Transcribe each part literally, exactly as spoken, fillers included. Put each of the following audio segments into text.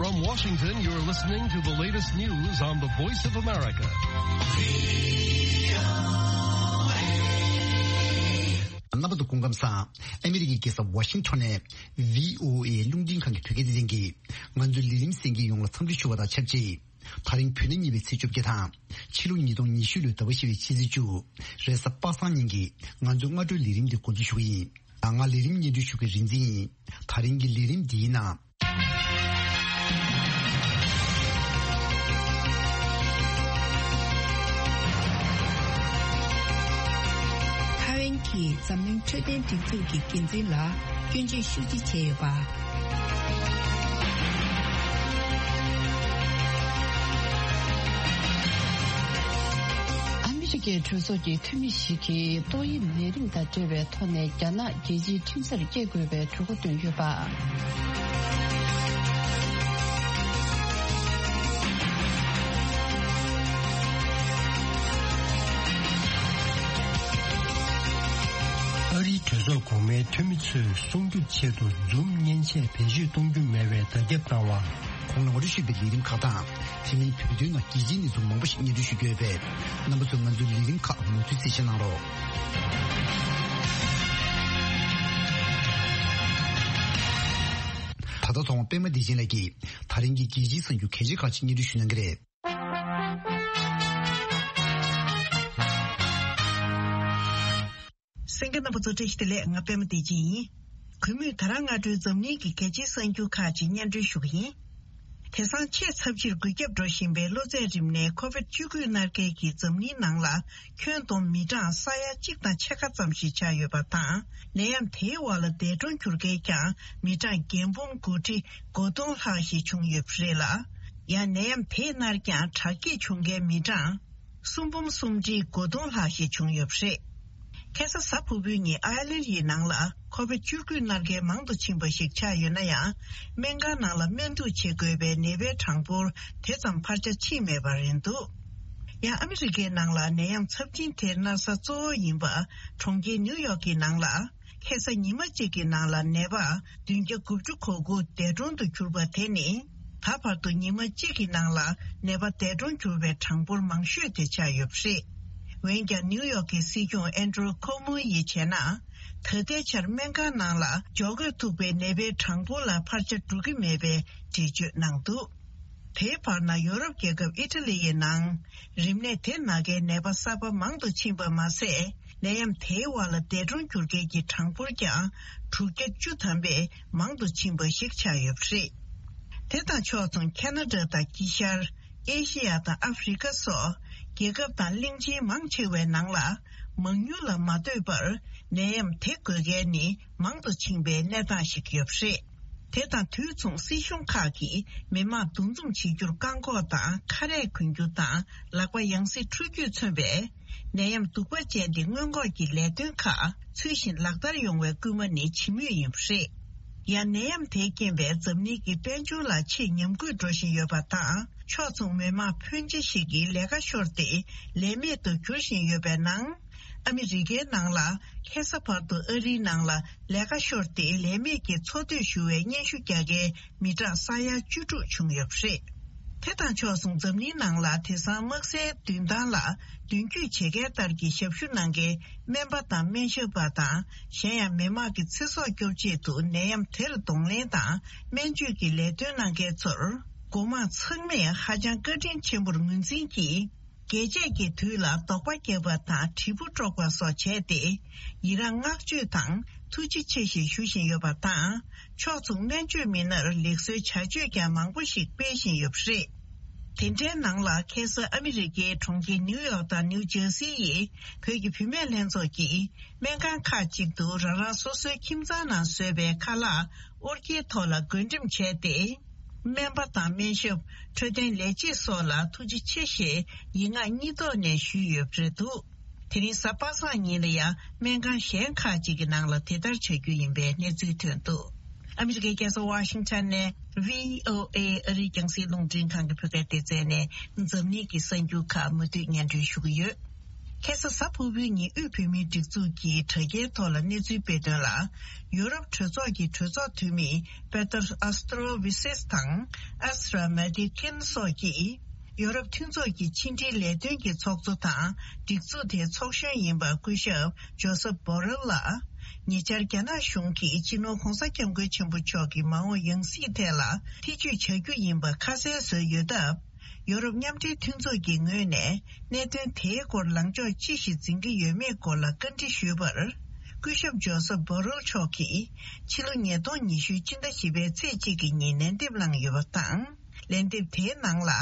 From Washington, you're listening to the latest news on the Voice of America. རྣམ་པ་ཚོ་སྐུ་ཁམས་བཟང་། ཨ་མི་རི་ཀའི་རྒྱལ་ས་ཝ་ཤིང་ཊོན་ནས་བྷི་ཨོ་ཨེ་རླུང་འཕྲིན་ཁང་གི་བོད་སྐད་སྡེ་ཚན་གྱིས་ང་ཚོའི་ལས་རིམ་གསན་མཁན་ཡོངས་ལ་འཚམས་འདྲི་ཞུ་བ་དང་ཆབས་ཅིག་དེ་རིང་བོད་ཟླ་གཉིས་པའི་ཚེས་བཅོ་བརྒྱད་དང་། ཕྱི་ལོ་ཉིས་སྟོང་ཉི་ཤུ་ལོའི་ཟླ་བ་བཞི་པའི་ཕྱི་ཚེས་བཅུ། རེས་གཟའ་པ་སངས་ཉིན་གྱི་ང་ཚོའི་སྔ་དྲོའི་ལས་རིམ་འདི་འགོ་འཛུགས་ཞུ་གི་ཡིན། ང་ལས་རིམ་སྙན་སྒྲོན་ཞུ་མཁན་རིག་འཛིན་ཡིན། དེ་རིང་གི་ལས་རིམ་འདིའི་ནང་། ཐའེ་ཝན་གྱིས་འཛམ་གླིང་འཕྲོད་བསྟེན་སྒྲིག་འཛུགས་ཀྱི་འགན་འཛིན་ལ་སྐྱོན་བརྗོད་ཤུགས་ཆེ་བྱས་ཡོད་པ། ཨ་མི་རི་ཀའི་གྲོས་ཚོགས་ཀྱི་འཐུས་མི་ཞིག་གིས་ཏོག་དབྱིབས་ནད་རིམས་དང་འབྲེལ་བའི་ཐོག་ནས་རྒྱ་ནག་རྒྱལ་སྤྱིའི་ཁྲིམས་སར་སྐྱེལ་དགོས་པའི་གྲོས་འགོ་བཏོན་ཡོད་པ། ཨ་རིའི་གྲོས་ཚོགས་གོང་མའི་འཐུས་མི་ཚོས་སྲུང་སྐྱོབ་ཆེད་དུ་Zoom་མཉེན་ཆས་བེད་སྤྱོད་གཏོང་རྒྱུ་མེད་པའི་བརྡ་ཁྱབ་བཏང་བ། གོང་ལ་ངོ་སྤྲོད་ཞུས་པའི་ལས་རིམ་ཁག་དང་། དེ་མིན་བོད་དོན་ནང་རྒྱལ་སྤྱིའི་གནས་ཚུལ་མང་པོ་ཞིག་སྙན་སྒྲོན་ཞུ་རྒྱུ་ཡོད་པས། རྣམ་པ་ཚོས་ང་ཚོའི་ལས་རིམ་ཁག་མུ་མཐུད་གསན་བཞེས་གནང་རོགས། ད་ལྟ་ཚོང་པ་པད་མ་བདེ་ཆེན་ལགས་ཀྱིས་དེ་རིང་གི་རྒྱལ་སྤྱིའི་གསར་འགྱུར་གལ་ཆེ་ཁག་ཅིག་སྙན་སྒྲོན་ཞུ་གནང་གི་རེད། གསན་མཁན་རྣམ་པ་ཚོ་བཀྲ་ཤིས་བདེ་ལེགས། ང་པད་མ་བདེ་ཆེན་ཡིན། གུས་མོས་ད་རང་སྔ་དྲོའི་འཛམ་གླིང་གི་གལ་ཆེའི་གསར་འགྱུར་ཁག་ཅིག་སྙན་སྒྲོན་ཞུ་གི་ཡིན། དེང་སང་ཆེས་ཚབས་ཆེར་འགོས་ཁྱབ་འགྲོ་བཞིན་པའི་གློ་ཚད་རིམས་ནད་ཁོ་བིད་བཅུ་དགུ་མནར་གལ་གྱིь་འཛམ་གླིང་ནང་ལ་ཁྱོན་བསྡོམས་མི་གྲངས་ས་ཡ་གཅིག་དང་ཕྱེད་ཀ་ཙམ་ཞིག་ཆགས་ཡོད་པ་དང་། ནད་ཡམས་དེའི་འོག་ལ་འདས་གྲོངས་གྱུར་མཁན་ཀྱང་མི་གྲངས་བརྒྱ་འབུམ་དགུ་ཁྲི་དགུ་སྟོང་ལྷག་ཞིག་བྱུང་ཡོད་པ་རེད་ལ། ཡང་ནད་ཡམས་དེས་མནར་ཀྱང་དྲག་སྐྱེད་བྱུང་མཁན་མི་གྲངས་གསུམ་འབུམ་གསུམ་ཁྲི་དགུ་སྟོང་ལྷག་ཞིག་བྱུང་ཡོད་པ་རེད། ཁ་སང་གཟའ་ཕུར་བུའི་ཉིན་ཨའི་ལན་ཡི་ནང་ལ་ཁོ་བིད་བཅུ་དགུ་མནར་གལ་མང་དུ་ཕྱིན་པ་ཞིག་ཆགས་ཡོད་ན་ཡང་། སྨན་ཁང་ནང་ལ་སྨན་བསྡུ་བྱེད་དགོས་པའི་ནད་པའི་གྲངས་འབོར་དེ་ཙམ་འཕར་ཆ་ཕྱིན་མེད་པ་རེད་འདུག་ཡང་ཨ་མི་རི་ཀའི་ནང་ལ་ནད་ཡམས་ཚབས་ཆེན་དེ་མནར་ས་གཙོ་བོ་ཡིན་པ་གྲོང་ཁྱེར་ནིའུ་ཡོག་གི་ནང་ལ། ཁ་སང་ཉི་མ་གཅིག་གི་ནང་ལ་ནད་པ་བདུན་བརྒྱ་དགུ་བཅུ་གོ་དགུ་འདས་གྲོངས་དུ་གྱུར་པ་དེ་ནི། ད་བར་དུ་ཉི་མ་གཅིག་གི་ནང་ལ་ནད་པ་འདས་གྲོངས་གྱུར་པའི་གྲངས་འབོར་མང་ཤོས་དེ་ཆགས་ཡོད་པ་རེད། འོན་ཀྱང་ནིའུ་ཡོག་གི་སྲིད་སྐྱོང་ཨན་ཌྲུ་ཁོ་མོ་ཡིས་བྱས་ན། ད་ལྟའི་ཆར་སྨན་ཁང་ནང་ལ་འཇོག་དགོས་ཐུག་པའི་ནད་པའི་གྲངས་འབོར་ལ་འཕར་ཆ་འགྲོ་གི་མེད་པའི་འགྲེལ་བརྗོད་གནང་འདུག་དེའི་བར་ན་ཡོ་རོབ་རྒྱལ་ཁབ་ཨི་ཊ་ལི་ཡི་ནང་རིམས་ནད་དེ་མནར་མཁན་ནད་པ་གསར་པ་མང་དུ་ཕྱིན་པ་མ་ཟད། ནད་ཡམས་དེའི་འོག་ལ་འདས་གྲོངས་གྱུར་མཁན་གྱི་གྲངས་འབོར་ཀྱང་དྲུག་བརྒྱ་བཅུ་ཐམ་པས་མང་དུ་ཕྱིན་པ་ཞིག་ཆགས་ཡོད་པ་རེད། དེ་དང་ཕྱོགས་མཚུངས་ཁ་ན་ཌ་དང་དཀྱིལ་ཤར་ཨེ་ཤེ་ཡ་དང་ཨ་ཧྥེ་རི་ཁ་སོགས་རྒྱལ་ཁབ་དང་གླིང་ཆེན་མང་ཆེ་བའི་ནང་ལ་མང་ཉུང་ལ་མ་ལྟོས་པར་ནད་ཡམས་དེ་འགོས་མཁན་ནི་མང་དུ་ཕྱིན་པའི་གནས་སྟངས་ཤིག་ཡོད་པ་རེད། དེ་དང་དུས་མཚུངས་སྲིད་གཞུང་ཁག་གིས་མི་མང་འདུ་འཛོམས་བྱེད་རྒྱུར་བཀག་འགོག་དང་ཁ་རས་གོན་རྒྱུ་དང་ལག་པ་ཡང་སེ་འཁྲུ་རྒྱུས་མཚོན་པའི་ནད་ཡམས་གདུག་པ་ཅན་དེ་སྔོན་འགོག་གི་ལས་དོན་ཁག་ཚུལ་བཞིན་ལག་བསྟར་ཡོང་བའི་སྐུལ་མ་ནི་བྱེད་མུས་ཡིན་པ་རེད། ཡང་ནད་ཡམས་དེའི་རྐྱེན་པས་འཛམ་གླིང་གི་དཔལ་འབྱོར་ལ་ཆེས་ཉམས་རྒུད་འགྲོ་བཞིན་ཡོད་པ་དང་ཕྱོགས་མཚུངས་མི་མང་ཕོན་ཆེ་ཞིག་གིས་ལས་ཀ་ཤོར་ཏེ་ལས་མེད་དུ་གྱུར་བཞིན་ཡོད་པའི་ནང་། ཨ་མི་རི་ཀའི་ནང་ལ་ཁ་སང་བར་དུ་ཨ་རིའི་ནང་ལ་ལས་ཀ་ཤོར་ཏེ་ལས་མེད་ཀྱི་འཚོ་སྡོད་ཞུ་བའི་སྙན་ཞུ་རྒྱག་མཁན་མི་གྲངས་ས་ཡ་བཅུ་དྲུག་བྱུང་ཡོད་པ་རེད། དེ་དང་ཕྱོགས་མཚུངས་འཛམ་གླིང་ནང་ལ་དེང་སང་དམག་སའི་མདུན་ཐང་ལ་མདུན་སྐྱོད་བྱེད་མཁན་ལྟར་གྱི་ཞབས་ཞུ་གནང་མཁན་སྨན་པ་དང་སྨན་ཞབས་པ་དང་གཞན་ཡང་མི་དམངས་ཀྱི་ཚེ་སྲོག་སྐྱོབ་ཆེད་དུ་ནད་ཡམས་དེར་གདོང་ལེན་དང་སྨན་བཅོས་ཀྱི་ལས་དོན་གནང་མཁན་ཚོར་འགོ་དམངས་ཚང་མས་ཧ་ཅང་བཀའ་དྲིན་ཆེན་པོར་ངོས་འཛིན་གྱིས། རྒྱས་བཅད་ཀྱི་དུས་ལ་དོགས་པ་བརྒྱབ་པ་དང་དྲིལ་བུ་དཀྲོགས་པ་སོགས་བྱས་ཏེ། ཡི་རངས་བསྔགས་བརྗོད་དང་ཐུགས་རྗེ་ཆེ་ཞེས་ཞུ་བཞིན་ཡོད་པ་དང་། ཕྱོགས་མཚུངས་སྨན་བཅོས་མི་སྣར་ལེགས་གསོའི་བྱ་སྤྱོད་ཀྱང་མང་པོ་ཞིག་སྤེལ་བཞིན་ཡོད་པ་རེད། དེ་འདྲའི་ནང་ལ་ཁ་སང་ཨ་མི་རི་ཀའི་གྲོང་ཁྱེར་ནིའུ་ཡོག་དང་ནིའུ་ཇར་སི་ཡི་བོད་ཀྱི་བུད་མེད་ལྷན་ཚོགས་ཀྱིས་སྨན་ཁང་ཁག་ཅིག་ཏུ་རང་རང་སོ་སོའི་ཁྱིམ་ཚང་ནང་བཟོས་པའི་ཁ་ལག་ཨོ་རྒྱན་ཐོག་ལ་བགོ་འགྲེམས་བྱས་ཏེ། སྨན་པ་དང་སྨན་ཞབས། འཕྲོད་བསྟེན་ལས་བྱེད་སོགས་ལ་ཐུགས་རྗེ་ཆེ་ཞེས་ཡིག་ངག་གཉིས་ཐོག་ནས་ཞུས་ཡོད་པ་རེད་འདུག་དེ་རིང་གཟའ་པ་སངས་ཉིན་ལ་ཡང་སྨན་ཁང་གཞན་ཁག་ཅིག་གི་ནང་ལ་དེ་ལྟར་བྱ་རྒྱུ་ཡིན་པའི་གནས་ཚུལ་ཐོན་འདུག་ཨ་མི་རི་ཀའི་རྒྱལ་ས་ཝ་ཤིང་ཊོན་ནས་བྷི་ཨོ་ཨེ་ཨ་རིའི་རྒྱང་སྲིང་རླུང་འཕྲིན་ཁང་གི་བོད་སྐད་སྡེ་ཚན་ནས་འཛམ་གླིང་གི་གསར་འགྱུར་ཁག་མུ་མཐུད་སྙན་སྒྲོན་ཞུ་གི་ཡོད། ཁ་སང་གཟའ་ཕུར་བུའི་ཉིན་དབུས་བོད་མིའི་སྒྲིག་འཛུགས་ཀྱི་དྲ་རྒྱའི་ཐོག་ལ་གནས་ཚུལ་སྤེལ་དོན་ལ། ཡུ་རོབ་གྲོས་ཚོགས་ཀྱི་གྲོས་ཚོགས་འཐུས་མི་པེ་ཏར་ཨ་སྟྲོ་བི་སེས་དང་ཨ་སི་ར་མེ་ཏི་ཀིན་སོགས་ཀྱིས། ཡུ་རོབ་མཐུན་ཚོགས་ཀྱི་ཕྱི་འབྲེལ་ལས་དོན་གྱི་ཚོགས་གཙོ་དང་སྒྲིག་འཛུགས་དེའི་ཚོགས་གཞོན་ཡིན་པ་སྐུ་ཞབས་ཇོ་སེབ་བྷོ་རེལ་ལ། ཉེ་ཆར་རྒྱ་ནག་གཞུང་གིས་སྤྱི་ནོར་༧གོང་ས་༧སྐྱབས་མགོན་ཆེན་པོ་མཆོག་གི་མ་འོངས་ཡང་སྲིད་ཐད་ལ་ཐེ་བྱུས་བྱ་རྒྱུ་ཡིན་པ་ཁ་གསལ་བཟོས་ཡོད་སྟབས། ཡོ་རོབ་མཉམ་འབྲེལ་མཐུན་ཚོགས་ཀྱི་ངོས་ནས་གནད་དོན་དེའི་སྐོར་ལངས་ཕྱོགས་ཅི་ཞིག་འཛིན་གྱི་ཡོད་མེད་སྐོར་ལ་བཀའ་འདྲི་ཞུས་པར། སྐུ་ཞབས་ཇོ་སེབ་བྷོ་རེལ་མཆོག་གིས་ཕྱི་ལོ་ཉིས་སྟོང་ཉི་ཤུ་སྤྱི་ཟླ་བཞི་པའི་ཚེས་གཅིག་གི་ཉིན་ལན་འདེབས་གནང་ཡོད་པ་དང་། ལན་འདེབས་དེའི་ནང་ལ།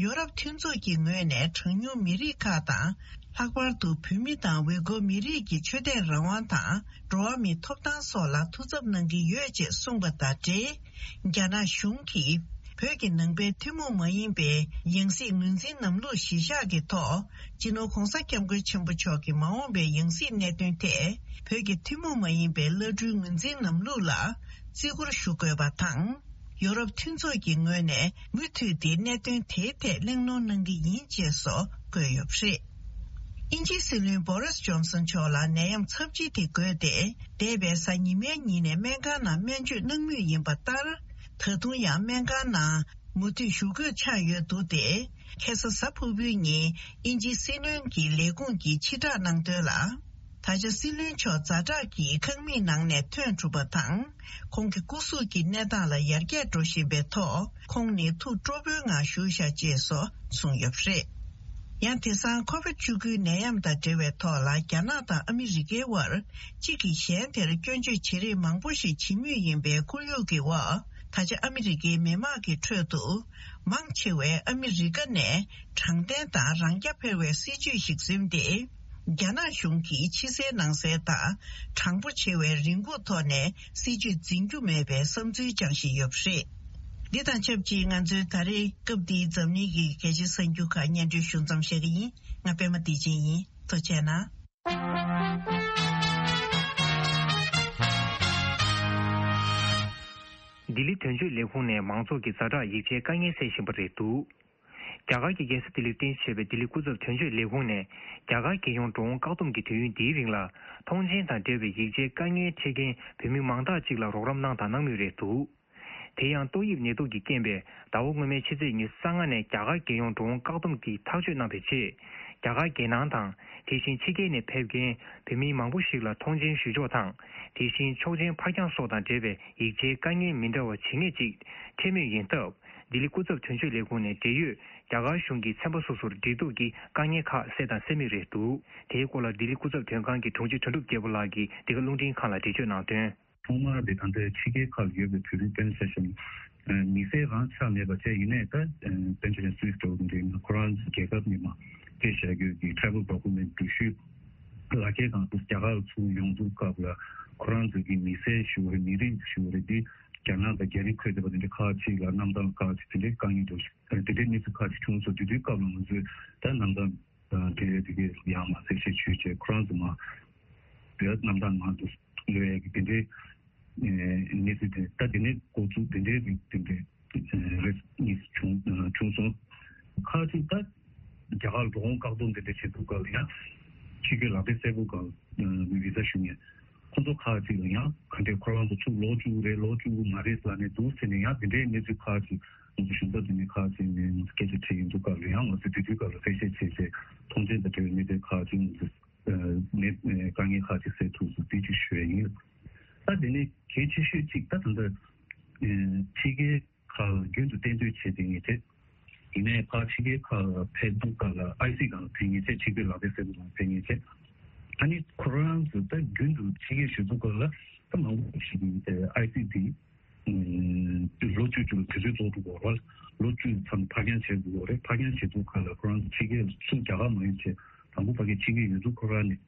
ཡོ་རོབ་མཐུན་ཚོགས་ཀྱི་ངོས་ནས་གྲངས་ཉུང་མི་རིགས་ཁག་དང་། ལྷག་པར་དུ་བོད་མི་དང་ཝེ་གོ་མི་རིགས་ཀྱི་ཆོས་དད་རང་དབང་དང་འགྲོ་བ་མིའི་ཐོབ་ཐང་སོགས་ལ་ཐུགས་འཚབ་གནང་གི་ཡོད་ཅེས་གསུངས་པ་དང་འབྲེལ། རྒྱ་ནག་གཞུང་གིས་བོད་ཀྱི་ནང་པའི་ཐུན་མོང་མ་ཡིན་པའི་ཡང་སྲིད་ངོས་འཛིན་ལམ་ལུགས་གཞི་བཞག་གི་ཐོག་སྤྱི་ནོར་༧གོང་ས་༧སྐྱབས་མགོན་ཆེན་པོ་མཆོག་གི་མ་འོངས་པའི་ཡང་སྲིད་གནད་དོན་ཐད་བོད་ཀྱི་ཐུན་མོང་མ་ཡིན་པའི་བླ་སྤྲུལ་ངོས་འཛིན་ལམ་ལུགས་ལ་བརྩི་བཀུར་ཞུ་དགོས་པ་དང་། ཡོ་རོབ་མཐུན་ཚོགས་ཀྱི་ངོས་ནས་མུ་མཐུད་དེ་གནད་དོན་དེའི་ཐད་གླེང་སློང་གནང་གི་ཡིན་ཅེས་སོགས་བཀོད་ཡོད་པ་རེད། དབྱིན་ཇིའི་སྲིད་བློན་བོ་རིས་ཇོན་སན་མཆོག་ལ་ནད་ཡམས་ཚབས་ཆེན་དེ་འགོས་ཏེ། འདས་པའི་གཟའ་ཉི་མའི་ཉིན་ནས་སྨན་ཁང་ནང་སྨན་བཅོས་གནང་མུས་ཡིན་པ་ལྟར། ད་དུང་ཡང་སྨན་ཁང་ནང་མུ་མཐུད་བཞུགས་དགོས་ཆགས་ཡོད་འདུག་སྟེ། ཁ་སང་གཟའ་ཕུར་བུའི་ཉིན་དབྱིན་ཇིའི་སྲིད་བློན་གྱི་ལས་ཁུངས་ཀྱིས་ཕྱིར་བསྒྲགས་གནང་དོན་ལ། ད་ཆ་སྲིད་བློན་མཆོག་ཛ་དྲག་གི་ཁང་མིག་ནང་ནས་ཐོན་གྲུབ་པ་དང་། ཁོང་གི་སྐུ་གཟུགས་ཀྱི་གནས་སྟངས་ལ་ཡར་རྒྱས་འགྲོ་བཞིན་པའི་ཐོག་ཁོང་ནི་ཐུགས་སྤྲོ་པོའི་ངང་བཞུགས་བཞག་ཅེས་སོགས་གསུངས་ཡོད་པ་རེད། ཡང་དེང་སང་ཁོ་བིད་བཅུ་དགུའི་ནད་ཡམས་དང་འབྲེལ་བའི་ཐོག་ལ་རྒྱ་ནག་དང་ཨ་མི་རི་ཀའི་དབར་གཅིག་གིས་གཞན་དེར་སྐྱོན་བརྗོད་བྱེད་རིགས་མང་པོ་ཞིག་བྱེད་མུས་ཡིན་པའི་ཁོར་ཡུག་གི་འོག་ད་ཆ་ཨ་མི་རི་ཀའི་མི་དམངས་ཀྱི་ཁྲོད་དུ་མང་ཆེ་བས་ཨ་མི་རི་ཀ་ནས་དྲང་བདེན་དང་རང་རྐྱ་འཕེར་བའི་སྲིད་བྱུས་ཤིག་འཛིན་ཏེ། རྒྱ་ནག་གཞུང་གིས་ཕྱི་གསལ་ནང་གསལ་དང་དྲང་པོ་ཆེ་བའི་རེ་སྒུག་ཐོག་ནས་སྲིད་བྱུས་འཛིན་རྒྱུ་མེད་པའི་བསམ་ཚུལ་བཅངས་བཞིན་ཡོད་པ་རེད། འདི་དང་ཆབས་ཅིག་ང་ཚོའི་ད་རེས་སྐབས་འདིའི་འཛམ་གླིང་གི་གལ་ཆེའི་གསར་འགྱུར་ཁག་སྙན་སྒྲོན་ཞུ་མཚམས་བཞག་གི་ཡིན། ང་པད་མ་བདེ་ཆེན་ཡིན། ཐུགས་རྗེ་གནང་། ལྡི་ལི་དོན་གཅོད་ལས་ཁུངས་ནས་མང་ཚོགས་ཀྱི་ཛ་དྲག་ཡིག་ཆའི་དཀའ་ངལ་སེལ་བཞིན་པ་རེད་འདུག་རྒྱ་གར་གྱི་རྒྱལ་ས་ལྡི་ལིར་རྟེན་གཞི་བྱས་པའི་ལྡི་ལི་སྐུ་ཚབ་དོན་གཅོད་ལས་ཁུངས་ནས་རྒྱ་གར་རྒྱལ་ཡོངས་འགྲོ་འོང་བཀག་སྡོམ་གྱི་དུས་ཡུན་འདིའི་རིང་ལ་ཐོངས་མཆན་དང་འབྲེལ་བའི་ཡིག་ཆའི་དཀའ་ངལ་འཕྲད་མཁན་བོད་མི་མང་དག་ཅིག་ལ་རོགས་རམ་གནང་དང་གནང་མུས་རེད་འདུག་དེ་ཡང་ཏོག་དབྱིབས་ནད་དུག་གི་རྐྱེན་པས་ཟླ་བ་སྔོན་མའི་ཕྱི་ཚེས་ཉི་ཤུ་རྩ་ལྔ་ནས་རྒྱ་གར་རྒྱལ་ཡོངས་འགྲོ་འོང་བཀག་སྡོམ་གྱི་ཐག་གཅོད་གནང་བའི་རྗེས། རྒྱ་གར་རྒྱལ་ནང་དང་། དེ་བཞིན་ཕྱི་རྒྱལ་ནས་ཕེབས་མཁན་བོད་མི་མང་པོ་ཞིག་ལ་ཐོངས་མཆན་ཞུ་ཕྱོགས་དང་། དེ་བཞིན་ཆོག་མཆན་ཕར་འགྱངས་སོགས་དང་འབྲེལ་བའི་ཡིག་ཆའི་དཀའ་ངལ་མི་འདྲ་བ་ཇི་སྙེད་ཅིག་འཕྲད་མུས་ཡིན་སྟབས། ལྡི་ལི་སྐུ་ཚབ་དོན་གཅོད་ལས་ཁུངས་ནས་འབྲེལ་ཡོད་རྒྱ་གར་གཞུང་གི་ཚན་པ་སོ་སོར་འབྲེལ་གཏུག་གིས་དཀའ་ངལ་ཁག་སེལ་དང་སེལ་མུས་རེད་འདུག་དེའི་སྐོར་ལ་ལྡི་ལི་སྐུ་ཚབ་དོན་ཁང་གི་དྲུང་ཆེ་དོན་གྲུབ་རྒྱལ་པོ་ལགས་ཀྱིས་འདི་ག་རླུང་འཕྲིན་ཁང་ལ་འགྲེལ་བརྗོད་གནང་དོན། ཐོག་མར་དེ་ད་ལྟའི་ཕྱི་རྒྱལ་ཁག་ལ་ཡོད་པའི་བོད་རིགས་དཔེར་ན་ཆ་བཞག་ན། མི་སེར་རང་ཆགས་མེད་པ་བྱས། ཡིན་ནའི་ད་དཔེར་ན་ཆ་བཞག་ན་སུད་སི་འདྲ་བོ་འདི་ཁོ་རང་ཚོ་རྒྱལ་ཁབ་ནས་མར་སྤྲད་བཞག་རྒྱུ་གི་travel document འགྲུལ་བཞུད་ལག་ཁྱེར་སྒང་དུ་རྒྱ་གར་ལ་ཚུར་ཡོང་དུས་སྐབས་ལ་ཁོ་རང་ཚོ་གི་མི་སེར་ཞུ་བ་རེད། མི་རིགས་ཞུ་བ་རེད། འདི་རྒྱ་ནག་དང་རྒྱ་རིགས་འཁོད་བསྡད་པ་དེ་འདྲ་ཁག་ཅིག་ལ་གནམ་ཐང་ཁག་ཅིག་དེ་འདྲའི་དཀའ་ངལ་འདྲ་བོ་ཞིག་དེ་འདྲའི་གནས་ཚུལ་ཁག་ཅིག་བྱུང་སོང་། དེ་དུས་སྐབས་ལ་ང་ཚོས་ད་གནམ་ཐང་དེ་དེ་གའི་ཡར་མར་གསལ་བཤད་ཞུས་བྱས། ཁོ་རང་ཚོ་མར་བོད་གནམ་ཐང་ནང་དུ་ལོག་ཡས་ཀྱི་དེ་འདྲའི་གནས་ཚུལ་དེ། ད་དེ་ནས་འགོ་བཙུགས་དེ་འདྲའི་རིགས་དེ་འདྲའི་རེས་གཉིས་བྱུང་བྱུང་སོང་། ཁག་ཅིག་ད་རྒྱ་གར་ལ་འགྲོ་འོང་བཀག་སྡོམ་དེ་འདྲ་བྱེད་དུས་སྐབས་ལ་ཡང་ཕྱི་རྒྱལ་ལག་དེབ་གསལ་པོ་སྒང་ལ་བི་ཟ་ཞུ་མཁན་ཁོང་ཚོ་ཁག་ཅིག་ལ་ཡང་ག་འདྲས་ཁོ་རང་ཚོ་ཚུར་ལོག་བཅུག་གི་རེད། ལོག་བཅུག་གི་མ་རེད་ལབ་ནས་འདུག་ཟེར་ནས་ཡང་དེ་འདྲའི་གནས་ཚུལ་ཁག་ཅིག་ང་ཚོ་གཞུང་ཚབ་འདི་ནས་ཁག་ཅིག་ནས་ང་ཚོ་སྐད་ཆ་དྲིས་ཡོང་དུས་སྐབས་ལ་ཡང་ང་ཚོས་དེ་དུས་སྐབས་ལ་གསལ་བཤད་བྱས་བྱས། ཐོངས་མཆན་དང་འབྲེལ་བའི་གནས་ཚུལ་ཁག་ཅིག་ང་ཚོས་ནས་དཀའ་ངལ་ཁག་ཅིག་སེལ་ཐུབ་སོང་། དེ་ཅིག་ཞུ་ཡ་ཡིན། ད་དེ་ནས་གལ་ཆེ་ཤོས་གཅིག་ད་ད་ལྟ་ཕྱི་རྒྱལ་ཁག་ལ་རྒྱུན་དུ་གཏན་སྡོད་བྱས་བསྡད་མཁན་བྱས། ཡིན་ནའི་ཕར་ཕྱི་རྒྱལ་ཁག་ལ་ཕེབས་དུས་སྐབས་ལ་ཨའི་སི་སྒང་ལ་ཕེབས་མཁན་བྱས། ཕྱི་རྒྱལ་ལག་དེབ་གསལ་པོ་སྒང་ལ་ཕེབས་མཁན་བྱས། ཨ་ནི་ཁོ་རང་ཚོ་ད་རྒྱུན་དུ་ཕྱི་རྒྱལ་བཞུགས་དུས་སྐབས་ལ་ད་མང་པོ་ཞིག་གིས་ཨའི་སི་དེ་ལོ་བཅུ་བཅུ་ལ་དུས་ཚོད་རྫོགས་འགྲོ་གི་ཡོད་རེད། ལོ་བཅུ་ཙམ་ཕར་འགྱངས་བྱེད་དགོས་ཀྱི་ཡོད་རེད། ཕར་འགྱངས་བྱེད་དུས་སྐབས་ལ་ཁོ་རང་ཚོ་ཕྱི་རྒྱལ་ཚུར་རྒྱ་གར་མ་ཡོང་བྱས། དང་པོ་ཕ་གིར་ཕྱི་རྒྱལ་ཡོད་དུས་ཁོ་རང་ནས་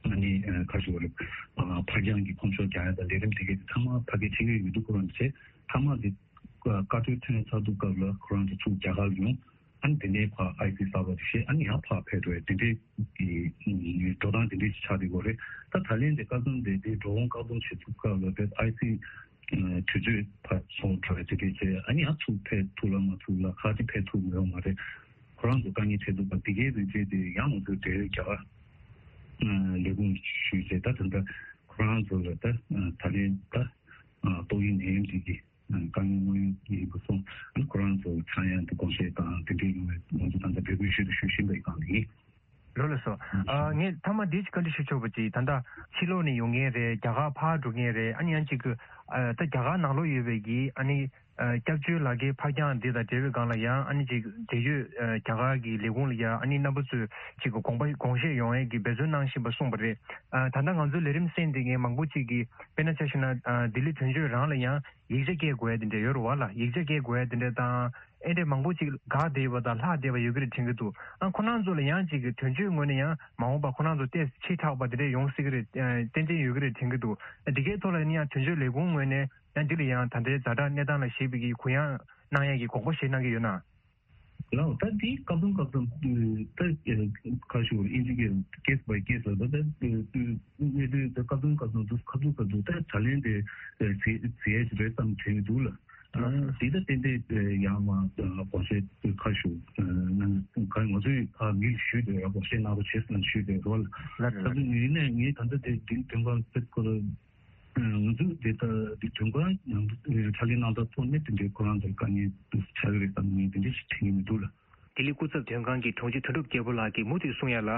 ཨ་ནི་ཁ་ཤས་ཡོད་རེད། ཕར་འགྱངས་ཀྱི་ཁོང་ཚོ་རྒྱག་ཡ་དང་ལས་རིམ་དེ་གའི་ཚང་མ་ཕ་གིར་ཕྱི་རྒྱལ་ཡོད་དུས་ཁོ་རང་ནས་བྱས། མཐའ་མ་དེ་བཀའ་འཁྲོལ་ཐོན་ཚར་དུས་སྐབས་ལ་ཁོ་རང་ཚོ་ཚུར་རྒྱ་གར་ལ་ཡོང་། ཨ་ནི་དེ་ནས་ཕར་ཨའི་སི་གསར་པ་དེ་བཞེས། ཨ་ནི་ཡང་ཕར་ཕེབས་འགྲོ་ཡ་དེ་འདྲའི་གི་འགྲོ་སྟངས་དེ་འདྲའི་ཆགས་བསྡད་ཡོད་རེད། ད་ད་ལན་དེ་བཀག་སྡོམ་དེ་དེ་འགྲོ་འོང་བཀག་སྡོམ་བྱེད་དུས་སྐབས་ལ་དེ་ཨའི་སི་དུས་ཚོད་ཕར་སོང་འགྲོ་ཡ་དེ་འདྲའི་བྱས། ཨ་ནི་ཡང་ཚུར་ཕེབས་ཐུབ་ལ་མ་ཐུབ་ལ་ཁག་ཅིག་ཕེབས་ཐུབ་མི་ཡོང་མ་རེད། ཁོ་རང་ཚོ་དཀའ་ངལ་འཕྲད་འདུག་པ་དེ་གའི་རིགས་བྱས་ཏེ་ཡང་ང་ཚོས་འབྲེལ་ཡོད་རྒྱ་གར་ལས་ཁུངས་ཞུས་བྱས། ད་ད་ལྟ་ཁོ་རང་ཚོ་ལ་ད་ད་ལན་ད་ཏོག་དབྱིབས་ནད་ཡམས་འདི་གི་དཀའ་ངལ་དངོས་ཡོད་ཡིན་པ་སོང་། ཁོ་རང་ཚོ་ཚང་ཡང་དུ་དགོངས་བཞེས་དང་དེ་འདྲའི་ཡོང་བའི་ང་ཚོ་ད་ལྟ་འབོད་སྐུལ་ཞུ་དང་ཞུ་བཞིན་པའི་སྒང་ལ་ཡིན། ལགས་སོ། ཨ། ངས་མཐའ་མ་འདི་ཅིག་བཀའ་འདྲི་ཞུ་ཆོག་པ་ཅིག་ད་ལྟ་ཕྱི་ལོགས་ནས་ཡོང་མཁན་རེད། རྒྱ་གར་ཕར་འགྲོ་མཁན་རེད། ཨ་ནི་ཡང་ཅིག་གི་ཨ། ད་རྒྱ་གར་ནང་ལོགས་ཡོད་པའི་གི་ཨ་ནི་ཨ། སྐྱབས་བཅོལ་ལག་ཁྱེར་ཕར་འགྱངས་འདི་དང་འབྲེལ་བའི་སྒང་ལ་ཡང་ཨ་ནི་ཅིག་འབྲེལ་ཡོད་ཨ། རྒྱ་གར་གི་ལས་ཁུངས་ལ་ཡང་ཨ་ནི་རྣམ་པ་ཚོས་ཅིག་གི་དགོངས་པ་དགོངས་བཞེས་ཡོང་ཡས་ཀྱི་འབད་བརྩོན་གནང་བཞིན་པ་གསུངས་པ་རེད། ཨ། ད་ལྟ་ང་ཚོའི་ལས་རིམ་གསན་བསྡད་མཁན་མང་པོ་ཅིག་གིས་དཔེར་ན་ཆ་བཞག་ན་ཨ། ལྡི་ལི་དོན་གཅོད་རང་ལ་ཡང་ཡིག་ཆ་སྐྱེལ་དགོས་ཡ་དེ་འདྲ་ཡོད་རེད་བ་ལ། ཡིག་ཆ་སྐྱེལ་དགོས་ཡ་དེ་འདྲ་དང་། ཨེ་འདྲས་མང་པོ་ཅིག་འགག་བསྡད་ཡོད་པ་དང་ལྷག་བསྡད་པ་ཡོད་ཀྱི་རེད་དྲན་གྱི་འདུག་ཨ། ཁོ་རང་ཚོ་ལ་ཡང་ཅིག་གི་དོན་གཅོད་ངོས་ནས་ཡང་མ་འོངས་པ་ཁོ་རང་ཚོ་ཏོག་ཙམ་ཕྱིར་དྲགས་པ་དེ་འདྲས་ཡོང་སྲིད་ཀྱི་རེད། ཨ། ཏན་ཏན་ཡོད་ཀྱི་རེད་དྲན་གྱི་འདུག་ཨ། འདི་གའི་ཐོག་ལ་ཡིན་ན་ཡང་དོན་གཅོད་ལས་ཁུངས་ངོས་ནས་ཡང་འདི་ལ་ཡང་ད་ལྟའི་ཛ་དྲག་གནས་སྟངས་ལ་གཞིགས་པའི་གི་གུ་ཡངས་གནང་ཡ་གི་དགོངས་པ་བཞེས་གནང་གི་ཡོད་ན། ལགས། ད་འདི་སྐབས་དང་སྐབས་དང་ད་ཁ་ཤོར་ཨིན་ཇི་གི་case by case ལ་ད་ད་གནད་དོན་ད་སྐབས་དང་སྐབས་དང་དུ་སྐབས་དང་སྐབས་དུ་ད་ད་ལན་དེ་བྱེད་བྱེད་ཡ་ཞིག་རེད་བསམ་དྲན་གྱི་འདུག་ལ། ཨ། དེ་ད་ཏན་ཏན་ཡང་མ་དགོངས་བཞེས་ཁ་ཤོར་ན་ང་ཚོས་ཨ་མི་ལ་ཞུས་ཏེ་ཡང་དགོངས་བཞེས་གནང་རོགས་བྱེད་ཟེར་ཞུས་ཏེ་རོགས་ལ། ལགས་རེད། ད་དུང་ཡིན་ནའི་ངས་ད་ལྟ་དེ་འདི་དོན་ཁང་སེབ་སྐོར། ང་ཚོས་དེ་ལྟ་དེ་དོན་ཁང་ནང་དུ་ཕྱག་ལས་གནང་སྟངས་ཐོག་ནས་དེ་འདྲའི་ཁོ་རང་ཚོར་དཀའ་ངལ་ཆགས་ཀྱི་རེད་བསམ་ངས་དེ་འདྲ་ཞིག་དྲན་གྱི་མི་འདུག་ལ། ལྡི་ལི་སྐུ་ཚབ་དོན་ཁང་གི་དྲུང་ཆེ་དོན་གྲུབ་རྒྱལ་པོ་ལགས་ཀྱིས་མུ་མཐུད་གསུང་ཡ་ལ།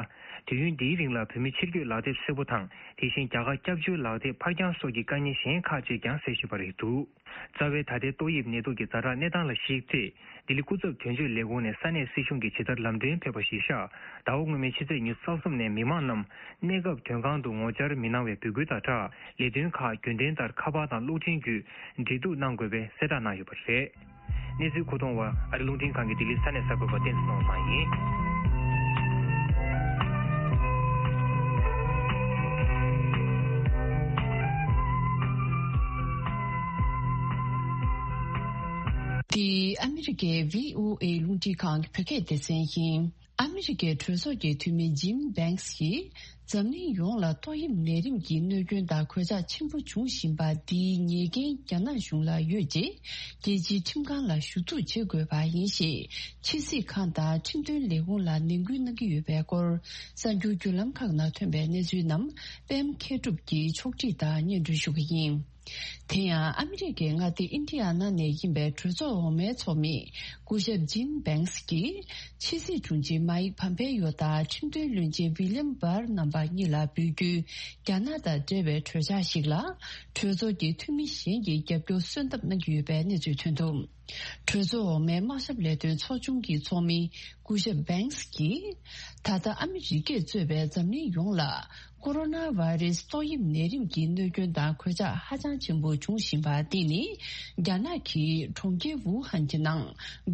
དུས་ཡུན་འདིའི་རིང་ལ་བོད་མི་ཕྱིར་སྐྱོད་ལག་དེབ་སེར་པོ་དང་དེ་བཞིན་རྒྱ་གར་སྐྱབས་བཅོལ་ལག་དེབ་ཕར་འགྱངས་སོགས་ཀྱི་དཀའ་ངལ་གཞན་ཁག་ཅིག་ཀྱང་གསལ་བཞིན་པ་རེད་འདུག་རྩ་བའི་ད་ལྟའི་ཏོག་དབྱིབས་ནད་དུག་གི་ཛ་དྲག་གནས་སྟངས་ལ་གཞིགས་ཚེ། ལྡི་ལི་སྐུ་ཚབ་དོན་གཅོད་ལས་ཁུངས་ནས་ས་གནས་སྲིད་གཞུང་གི་ཇི་ལྟར་ལམ་སྟོན་ཕེབས་པ་གཞིར་བཞག་ཟླ་བ་སྔོན་མའི་ཕྱི་ཚེས་ཉི་ཤུ་རྩ་གསུམ་ནས་མི་མང་རྣམས་གནས་སྐབས་དོན་ཁང་དུ་ངོ་བཅར་མི་གནང་བའི་འབོད་སྐུལ་དང་སྦྲགས། ལས་དོན་ཁག་རྒྱུན་ལྡན་ལྟར་ཁ་པར་དང་གློག་འཕྲིན་བརྒྱུད་འབྲེལ་གཏུག་གནང་དགོས་པའི་གསལ་བསྒྲགས་གནང་ཡོད་པ་རེད། གནས་ཚུལ་མཁོ་གཏོང་བ་ཨ་རི་རླུང་འཕྲིན་ཁང་གི་ལྡི་ལི་ས་གནས་གསར་འགོད་པ་བསྟན་འཛིན་ནོར་བཟང་ཡིན། འདི་ཨ་མི་རི་ཀའི་བྷི་ཨོ་ཨེ་རླུང་འཕྲིན་ཁང་གི་བོད་སྐད་སྡེ་ཚན་ཡིན། ཨ་མི་རི་ཀའི་གྲོས་ཚོགས་ཀྱི་འཐུས་མི་ཇིམ་བྷེང་སི་ཡིས་འཛམ་གླིང་ཡོངས་ལ་ཏོག་དབྱིབས་ནད་རིམས་ཀྱི་གནོད་སྐྱོན་དང་གོད་ཆག་ཆེན་པོ་འབྱུང་བཞིན་པ་འདིའི་ཉེས་འགན་རྒྱ་ནག་གཞུང་ལ་ཡོད་ཅེས་རྒྱལ་སྤྱིའི་ཁྲིམས་ཁང་ལ་ཞུ་གཏུག་བྱེད་དགོས་པ་ཡིན་ཞེས་ཕྱི་སྲིད་ཁང་དང་ཁྲིམས་དོན་ལས་ཁུངས་ལ་ནན་སྐུལ་གནང་གི་ཡོད་པའི་སྐོར་གསར་འགྱུར་བརྒྱུད་ལམ་ཁག་ནང་ཐོན་པའི་གནས་ཚུལ་རྣམས་པད་མ་མཁས་གྲུབ་ཀྱིས་ཕྱོགས་སྒྲིག་དང་སྙན་སྒྲོན་ཞུ་གི་ཡིན། དེ་ཡང་ཨ་མི་རི་ཀའི་མངའ་སྡེ་ཨིན་ཌི་ཡ་ན་ནས་ཡིན་པའི་གྲོས་ཚོགས་འོག་མའི་ཚོགས་མི་སྐུ་ཞབས་ཇིམ་བྷེང་སི་ཀྱིས་ཕྱི་སྲིད་དྲུང་ཆེ་མཱིག་ཕམ་པེ་ཡོ་དང་ཁྲིམས་དོན་བློན་ཆེན་ཝི་ལིམ་བྷར་རྣམ་པ་གཉིས་ལ་འབོད་སྐུལ། རྒྱ་ནག་དང་འབྲེལ་བའི་གྲོས་འཆར་ཞིག་ལ་གྲོས་ཚོགས་ཀྱི་འཐུས་མི་གཞན་གྱིས་རྒྱབ་སྐྱོར་གསོལ་འདེབས་གནང་གི་ཡོད་པའི་གནས་ཚུལ་ཐོན་འདུག་གྲོས་ཚོགས་འོག་མའི་དམག་ཞབས་ལས་དོན་ཚོགས་ཆུང་གི་ཚོགས་མི་སྐུ་ཞབས་བྷེང་སི་ཀྱིས། ད་ལྟ་ཨ་མི་རི་ཀས་གཙོས་པའི་འཛམ་གླིང་ཡོངས་ལ་ཀོ་རོ་ན་བྷ་རེ་སི་ཏོག་དབྱིབས་ནད་རིམས་ཀྱི་གནོད་སྐྱོན་དང་གོད་ཆག་ཧ་ཅང་ཆེན་པོ་འབྱུང་བཞིན་པ་འདི་ནི་རྒྱ་ནག་གི་གྲོང་ཁྱེར་ཝུ་ཧན་གྱི་ནང་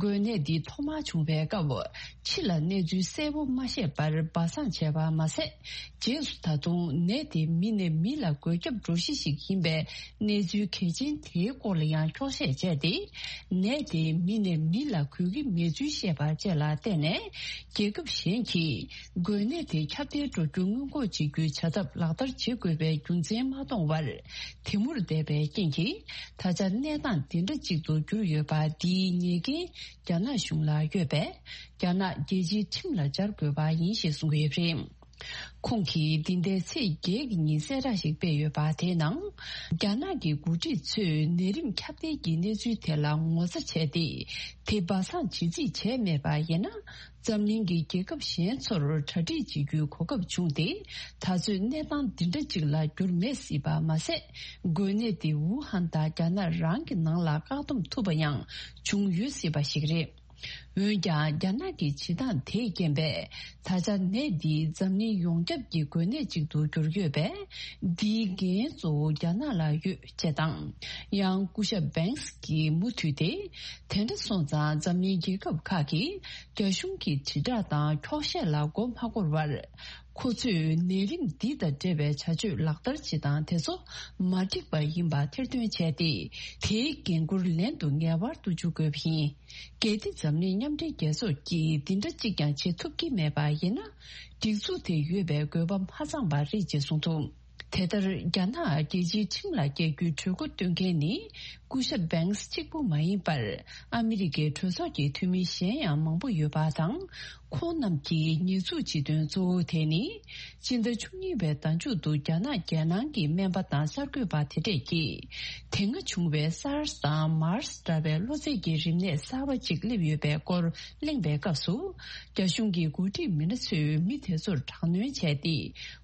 འགོས་ནད་འདི་ཐོག་མར་བྱུང་བའི་སྐབས་ཕྱི་ལ་གནས་ཚུལ་གསལ་པོ་མ་བཤད་པར་སྦ་གསང་བྱས་པ་མ་ཟད། རྗེས་སུ་ད་དུང་ནད་དེ་མི་ནས་མི་ལ་འགོས་ཁྱབ་འགྲོ་གཞི་ཞིག་ཡིན་པའི་གནས་ཚུལ་གལ་ཆེན་དེའི་སྐོར་ལ་ཡང་འཁྱོག་བཤད་བྱས་ཏེ། ནད་དེ་མི་ནས་མི་ལ་འགོས་ཀྱི་མེད་ཚུལ་བཤད་པ་བཅས་ལ་བརྟེན་ནས་རྒྱལ་ཁབ་གཞན་གྱིས་འགོས་ནད་དེ་ཁྱབ་གདལ་འགྲོ་རྒྱུ་སྔོན་འགོག་བྱེད་རྒྱུའི་བྱ་ཐབས་ལག་བསྟར་བྱེད་དགོས་པའི་རྒྱུ་མཚན་མ་མཐོང་བར་དེ་མུར་བསྡད་པའི་རྐྱེན་གྱིས་ད་ཆ་གནས་སྟངས་འདི་འདྲ་ཅིག་ཏུ་གྱུར་ཡོད་པ་འདིའི་ཉེས་འགན་རྒྱ་ནག་གཞུང་ལ་ཡོད་པས་རྒྱ་ནག་རྒྱལ་སྤྱིའི་ཁྲིམས་ལ་སྦྱར་དགོས་པ་ཡིན་ཞེས་གསུངས་ཡོད་པ་རེད། ཁོང་གིས་འདི་ཟླའི་ཚེས་བརྒྱད་ཀྱི་ཉིན་གསལ་བསྒྲགས་ཤིག་སྤེལ་ཡོད་པ་དེའི་ནང་། རྒྱ་ནག་གི་འགོ་ཁྲིད་ཚོས་ནད་རིམས་ཁྱབ་གདལ་གྱི་གནས་ཚུལ་དེ་ལ་ངོ་ཚ་བྱས་ཏེ། དེ་སྦ་གསང་བྱེད་རྩིས་བྱས་མེད་པ་ཡིན་ན། འཛམ་གླིང་གི་རྒྱལ་ཁབ་གཞན་ཚོར་གྲ་སྒྲིག་བྱེད་རྒྱུའི་གོ་སྐབས་བྱུང་སྟེ། ད་གཟོད་གནས་སྟངས་འདི་འདྲ་ཅིག་ལ་འགྱུར་མེད་སྲིད་པ་མ་ཟད། འགོས་ནད་དེ་ཝུ་ཧན་དང་རྒྱ་ནག་རང་གི་ནང་ལ་བཀག་སྡོམ་ཐུབ་པ་ཡང་བྱུང་ཡོད་སྲིད་པ་ཞིག་རེད། འོན་ཀྱང་རྒྱ་ནག་གི་བྱེད་སྟངས་དེས་རྐྱེན་པས་ད་ཆ་ནད་འདིས་འཛམ་གླིང་ཡོངས་ཁྱབ་ཀྱི་འགོས་ནད་ཅིག་ཏུ་གྱུར་ཡོད་པས། འདིའི་འགན་གཙོ་བོ་རྒྱ་ནག་ལ་ཡོད་ཅེས་དང་། ཡང་སྐུ་ཞབས་བྷེང་སི་གིས་མུ་མཐུད་དེ། དེ་འདྲ་སོང་ཙང་འཛམ་གླིང་རྒྱལ་ཁབ་ཁག་གིས་རྒྱ་གཞུང་གི་དྲིལ་བསྒྲགས་དང་འཁྱོག་བཤད་ལ་མགོ་མ་འཁོར་བར། ཁོ་ཚོས་ནད་རིམས་འདི་དང་འབྲེལ་བའི་བྱ་སྤྱོད་ལག་བསྟར་བྱེད་སྟངས་དེ་ཚོ་མ་འགྲིག་པ་ཡིན་པ་ཐེར་འདོན་བྱས་ཏེ། དེའི་འགན་འཁུར་ལན་དུ་ངེས་པར་དུ་འཇུག་དགོས་པ་ཡིན། གལ་ཏེ་འཛམ་གླིང་མཉམ་འབྲེལ་རྒྱལ་ཚོགས་ཀྱིས་འདི་འདྲ་གཅིག་ཀྱང་བྱེད་ཐུབ་ཀྱི་མེད་པ་ཡིན་ན། སྒྲིག་འཛུགས་དེ་ཡོད་པའི་དགོས་པ་མ་ཚང་བ་རེད་ཅེས་གསུངས་འདུག་དེ་ལྟར། རྒྱ་ནག་རྒྱལ་སྤྱིའི་ཁྲིམས་ལ་བཀལ་རྒྱུའི་གྲོས་འགོ་བཏོན་མཁན་ནི་སྐུ་ཞབས་བྷེང་སི་གཅིག་པུ་མ་ཡིན་པར། ཨ་མི་རི་ཀའི་གྲོས་ཚོགས་ཀྱི་འཐུས་མི་གཞན་ཡང་མང་པོ་ཡོད་པ་དང་། ཁོང་རྣམས་ཀྱིས་ཉེས་འཛུགས་བྱེད་དོན་གཙོ་བོ་དེ་ནི། སྤྱི་ཟླ་བཅུ་གཉིས་པའི་ཟླ་མཇུག་ཏུ་རྒྱ་ནག་རྒྱལ་ནང་གི་སྨན་པ་དང་གསར་འགོད་པ་དེ་འདྲས་ཀྱིས། དེ་སྔ་བྱུང་བའི་སཱར་སི་དང་མཱར་སི་འདྲ་བའི་གློ་ཚད་ཀྱི་རིམས་ནད་གསར་པ་ཅིག་སླེབས་ཡོད་པའི་སྐོར་གླེང་བའི་སྐབས་སུ། རྒྱ་གཞུང་གི་འགོ་ཁྲིད་མི་སྣ་ཚོས་མི་དེ་ཚོར་དྲག་གནོན་བྱས་ཏེ།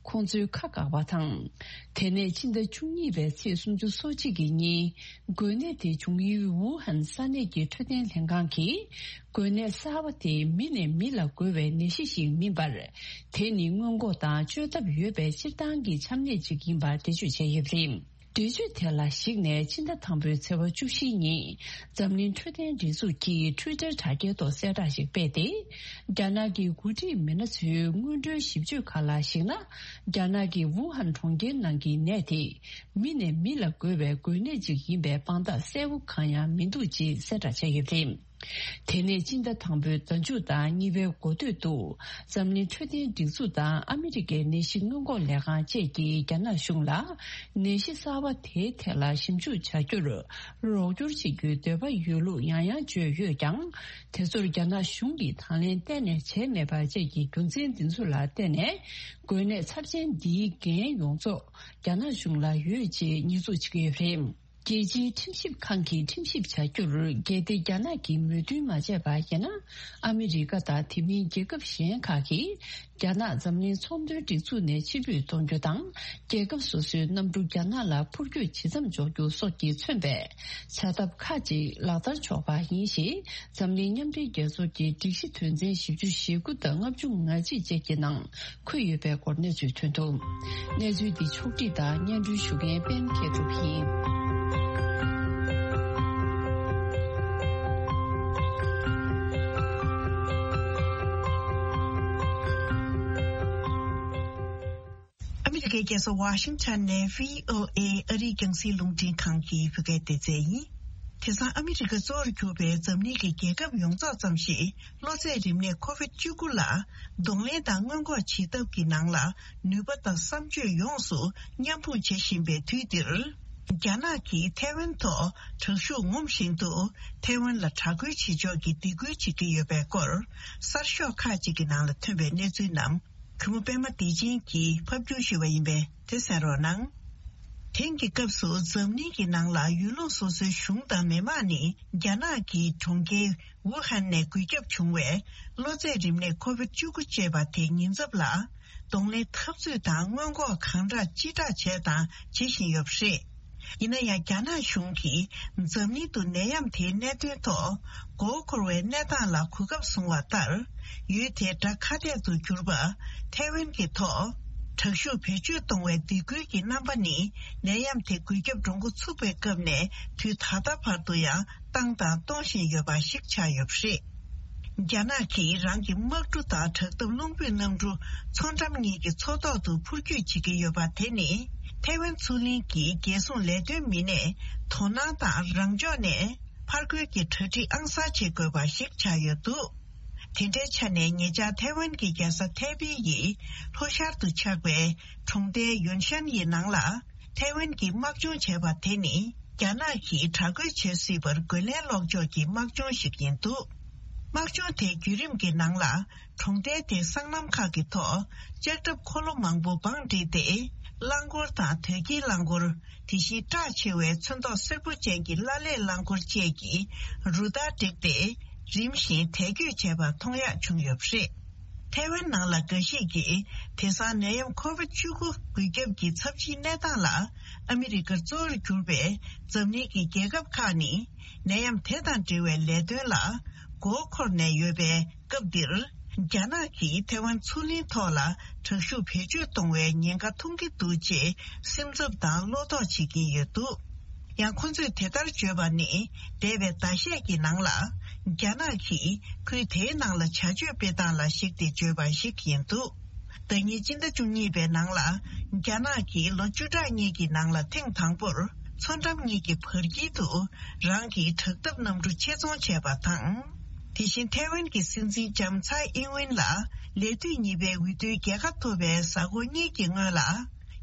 ཁོང་ཚོའི་ཁ་བཀག་པ་དང་། དེ་ནས་ཕྱི་ཟླ་བཅུ་གཉིས་པའི་ཚེས་སུམ་ཅུ་སོ་གཅིག་གི་ཉིན། འགོས་ནད་དེ་བྱུང་ཡུལ་ཝུ་ཧན་ས་གནས་ཀྱི་འཕྲོད་བསྟེན་ལྷན་ཁང་གིས། འགོས་ནད་གསར་པ་དེ་མི་ནས་མི་ལ་འགོས་པའི་ནད་གཞི་ཞིག་མིན་པར། དེ་ནི་སྔོན་འགོག་དང་བཅོས་ཐབས་ཡོད་པའི་སྤྱིར་བཏང་གི་ཆམ་ནད་ཅིག་ཡིན་པར་འགྲེལ་བརྗོད་བྱས་ཡོད་པ་རེད། འགྲེལ་བརྗོད་དེ་ལ་གཞིགས་ནས། ཕྱི་ཟླ་དང་པོའི་ཚེས་པ་བཅུ་བཞིའི་ཉིན། འཛམ་གླིང་འཕྲོད་བསྟེན་སྒྲིག་འཛུགས་ཀྱིས་ཊུའི་ཊར་དྲ་རྒྱའི་ཐོག་གསལ་བསྒྲགས་ཤིག་སྤེལ་ཏེ། རྒྱ་ནག་གི་འགོ་ཁྲིད་མི་སྣ་ཚོའི་སྔོན་འགྲོའི་ཞིབ་དཔྱོད་ཁག་ལ་གཞིགས་ན། རྒྱ་ནག་གི་ཝུ་ཧན་གྲོང་ཁྱེར་ནང་གི་ནད་དེ། མི་ནས་མི་ལ་འགོས་པའི་འགོས་ནད་ཅིག་ཡིན་པའི་དཔང་རྟགས་གསལ་པོ་གང་ཡང་མི་འདུག་ཅེས་གསལ་བསྒྲགས་བྱས་ཡོད་པ་རེད། དེ་ནས་ཕྱི་ཟླ་དང་པོའི་ཟླ་མཇུག་དང་གཉིས་པའི་འགོ་སྟོད་དུ། འཛམ་གླིང་འཕྲོད་བསྟེན་སྒྲིག་འཛུགས་དང་ཨ་མི་རི་ཀའི་ནད་གཞི་སྔོན་འགོག་ལས་ཁང་བཅས་ཀྱིས་རྒྱ་ནག་གཞུང་ལ། ནད་གཞི་གསར་པ་དེའི་ཐད་ལ་ཞིབ་འཇུག་བྱ་རྒྱུར་རོགས་སྐྱོར་བྱེད་རྒྱུའི་འདོད་པ་ཡོད་ལུགས་ཡང་ཡང་བརྗོད་ཡོད་ཀྱང་། དེ་ཚོར་རྒྱ་ནག་གཞུང་གིས་དང་ལེན་གཏན་ནས་བྱས་མེད་པ་བཅས་ཀྱི་རྒྱུ་མཚན་འདི་ཚོ་ལ་བརྟེན་ནས། འགོས་ནད་ཚབས་ཆེན་འདིའི་འགན་ཡོངས་རྫོགས་རྒྱ་ནག་གཞུང་ལ་ཡོད་ཅེས་ཉེས་འཛུགས་བྱེད་ཀྱི་ཡོད་པ་རེད། རྒྱལ་སྤྱིའི་ཁྲིམས་ཞིབ་ཁང་གིས་ཁྲིམས་ཞིབ་བྱ་རྒྱུར། གལ་ཏེ་རྒྱ་ནག་གིས་མོས་མཐུན་མ་བྱས་པ་ཡིན་ན། ཨ་མི་རི་ཀ་དང་དེ་མིན་རྒྱལ་ཁབ་གཞན་ཁག་གིས། རྒྱ་ནག་འཛམ་གླིང་ཚོང་དོན་སྒྲིག་འཛུགས་ནས་ཕྱིར་འབུད་གཏོང་རྒྱུ་དང་། རྒྱལ་ཁབ་སོ་སོའི་གནམ་གྲུ་རྒྱ་ནག་ལ་འཕུར་སྐྱོད་ཇི་ཙམ་འཇོག་རྒྱུ་སོགས་ཀྱིས་མཚོན་པའི་བྱ་ཐབས་ཁག་ཅིག་ལག་བསྟར་ཆོག་པ་ཡིན་ཞེས། འཛམ་གླིང་མཉམ་འབྲེལ་རྒྱལ་ཚོགས་ཀྱི་སྒྲིག་གཞི་དོན་ཚན་བཞི་བཅུ་ཞེ་དགུ་དང་ལྔ་བཅུ་ང་གཅིག་བཅས་ཀྱི་ནང་། འཁོད་ཡོད་པའི་སྐོར་གནས་ཚུལ་ཐོན་འདུག། གནས་ཚུལ་འདི་ཕྱོགས་སྒྲིག་དང་སྙན་སྒྲོན་ཞུ་མཁན་པད་མ་མཁས་གྲུབ་ཡིན། ཨ་མི་རི་ཀའི་རྒྱལ་ས་ཝ་ཤིང་ཊོན་ནས་བྷི་ཨོ་ཨེ་ཨ་རིའི་རྒྱང་སྲིང་རླུང་འཕྲིན་ཁང་གི་བོད་སྐད་སྡེ་ཚན་ཡིན། དེང་སང་ཨ་མི་རི་ཀ་གཙོ་བོར་གྱུར་པའི་འཛམ་གླིང་གི་རྒྱལ་ཁབ་ཡོངས་རྫོགས་ཙམ་ཞིག་གློ་ཚད་རིམས་ནད་ཁོ་བིད་བཅུ་དགུ་ལ་གདོང་ལེན་དང་སྔོན་འགོག་བྱེད་ཐབས་ཀྱི་ནང་ལ་ནུས་པ་དང་བསམ་སྤྱོད་ཡོངས་སུ་མཉམ་སྤུངས་བྱེད་བཞིན་པའི་དུས་འདིར། རྒྱ་ནག་གིས་ཐའེ་ཝན་ཐོག་དྲག་ཤུགས་ངོམ་བཞིན་དུ་ཐའེ་ཝན་ལ་དྲག་རྒོལ་བྱེད་ཕྱོགས་ཀྱི་སྡིགས་སྐུལ་བྱེད་ཀྱི་ཡོད་པའི་སྐོར་གསར་ཤོག་ཁག་ཅིག་གི་ནང་ལ་ཐོན་པའི་གནས་ཚུལ་རྣམས། གུས་མོ་པད་མ་བདེ་ཆེན་གྱིས་ཕབ་སྒྱུར་ཞུས་པ་ཡིན་པས་དེ་གསན་རོགས་གནང་། དེང་གི་སྐབས་སུ་འཛམ་གླིང་གི་ནང་ལ་ཡུལ་ལུང་སོ་སོའི་གཞུང་དང་མི་དམངས་ནི་རྒྱ་ནག་གི་གྲོང་ཁྱེར་ཝུ་ཧན་ནས་འགོས་ཁྱབ་བྱུང་བའི་གློ་ཚད་རིམས་ནད་ཁོ་བིད་བཅུ་དགུ་ཅེས་པ་དེ་ཉེན་ཚབས་ལ་གདོང་ལེན་འཐབ་རྩོད་དང་སྔོན་འགོག་གང་དྲག་ཅི་དྲག་བྱས་དང་བྱེད་བཞིན་ཡོད་པ་རེད། ཡིན་ན་ཡང་རྒྱ་ནག་གཞུང་གིས་འཛམ་གླིང་དུ་ནད་ཡམས་དེའི་གནད་དོན་ཐོག་མགོ་འཁོར་བའི་གནས་སྟངས་ལ་གོ་སྐབས་བཟུང་བ་ལྟར། ཡུལ་དེའི་དགྲ་ཁ་གཏད་དུ་གྱུར་པ་ཐའེ་ཝན་གྱི་ཐོག་དྲག་ཤུགས་བེད་སྤྱོད་གཏོང་བའི་སྡིགས་སྐུལ་གྱི་རྣམ་པ་ནི་ནད་ཡམས་དེ་འགོས་ཁྱབ་འགྲོ་འགོ་ཚུགས་པའི་སྐབས་ནས་དུས་ད་ལྟ་བར་དུ་ཡང་བཏང་དང་གཏོང་བཞིན་ཡོད་པ་ཞིག་ཆགས་ཡོད་པ་རེད། རྒྱ་ནག་གིས་རང་གི་དམག་གྲུ་དང་དྲག་འཐབ་རླུང་འཕུར་གནམ་གྲུ་མཚོ་འགྲམ་གཉིས་ཀྱི་མཚོ་ཐོག་ཏུ་འཕུར་སྐྱོད་བྱེད་ཀྱི་ཡོད་པ་དེ་ནི་ཐའེ་ཝན་མཚོ་གླིང་གི་རྒྱལ་སྲུང་ལས་དོན་མི་སྣས་དོ་སྣང་དང་རང་ཕྱོགས་ནས་ཕར་རྒོལ་གྱི་གྲ་སྒྲིག་ཨང་གསར་བྱེད་དགོས་པ་ཞིག་ཆགས་ཡོད་འདུག། དེ་འདྲའི་ཆ་ནས་ཉེ་ཆར་ཐའེ་ཝན་གྱི་རྒྱལ་ས་ཐའེ་པེ་ཡི་ལྷོ་ཤར་དུ་ཆགས་པའི་གྲོང་རྡལ་ཡོན་ཤན་ཡི་ནང་ལ། ཐའེ་ཝན་གྱིས་དམག་སྦྱོང་བྱས་པ་དེ་ནི་རྒྱ་ནག་གིས་དྲག་རྒོལ་བྱེད་སྲིད་པར་རྒོལ་ལན་སློག་ཕྱོགས་ཀྱི་དམག་སྦྱོང་ཞིག་ཡིན་འདུག། དམག་སྦྱོང་དེའི་བརྒྱུད་རིམ་གྱི་ནང་ལ་གྲོང་རྡལ་དེའི་སྲང་ལམ་ཁག་གི་ཐོག་ལྕགས་ཁྲབ་འཁོར་ལོ་མང་པོ་བང་བསྒྲིགས་ཏེ་རླངས་འཁོར་དང་དོས་སྐྱེལ་རླངས་འཁོར། དེ་བཞིན་བཀྲག་ཆེ་བའི་ཚོན་མདོག་སེར་པོ་ཅན་གྱི་བླ་ལེབ་རླངས་འཁོར་བཅས་ཀྱི་རུ་སྟར་བསྒྲིགས་ཏེ་རིམ་བཞིན་དལ་སྐྱོད་བྱས་པ་མཐོང་ཡག་བྱུང་ཡོད་པ་རེད། ཐའེ་ཝན་ནང་ལ་འགའ་ཞིག་གིས་དེང་སང་ནད་ཡམས་ཁོ་བིད་བཅུ་དགུ་འགོས་ཁྱབ་ཀྱི་ཚབས་ཆེའི་གནས་སྟངས་ལ་ཨ་མི་རི་ཀར་གཙོ་བོར་གྱུར་པའི་འཛམ་གླིང་གི་རྒྱལ་ཁབ་ཁག་ནི་ནད་ཡམས་དེ་དང་འབྲེལ་བའི་ལས་དོན་ལ་མགོ་འཁོར་ནས་ཡོད་པའི་སྐབས་འདིར། རྒྱ་ནག་གིས་ཐའེ་ཝན་མཚོ་གླིང་ཐོག་ལ་དྲག་ཤུགས་བེད་སྤྱོད་གཏོང་བའི་ཉེན་ཁ་མཐོང་གི་འདུག་ཅེས་སེམས་འཚབ་དང་བློ་དོགས་བྱེད་ཀྱིན་ཡོད་འདུག། ཡང་ཁོ་ཚོས་དེ་ལྟར་བརྗོད་པ་ནི་འདས་པའི་ཟླ་ཤས་ཀྱི་ནང་ལ་རྒྱ་ནག་གིས་ཁུལ་དེའི་ནང་ལ་བྱ་སྤྱོད་སྤེལ་སྟངས་ལ་གཞིགས་ཏེ་བརྗོད་པ་ཞིག་ཡིན་འདུག། ཟླ་ཉིན་སྤྱི་ཟླ་བཅུ་གཉིས་པའི་ནང་ལ་རྒྱ་ནག་གིས་ལོ་བཅུ་ཕྲག་གཉིས་ཀྱི་ནང་ལ་ཐེངས་དང་པོར་མཚོ་འགྲམ་གཉིས་ཀྱི་བར་དཀྱིལ་དུ་རང་གི་དྲག་འཐབ་གནམ་གྲུ་ཆེད་རྫོང་བྱས་པ་དང་། དེ་བཞིན་ཐའེ་ཝན་གྱི་སྲིད་འཛིན་ལྕམ་ཚའེ་ཨིན་ཝིན་ལ་ལས་དུས་གཉིས་པའི་འོས་བསྡུའི་རྒྱལ་ཁ་ཐོབ་པའི་གཟའ་འཁོར་གཉིས་ཀྱི་སྔོན་ལ།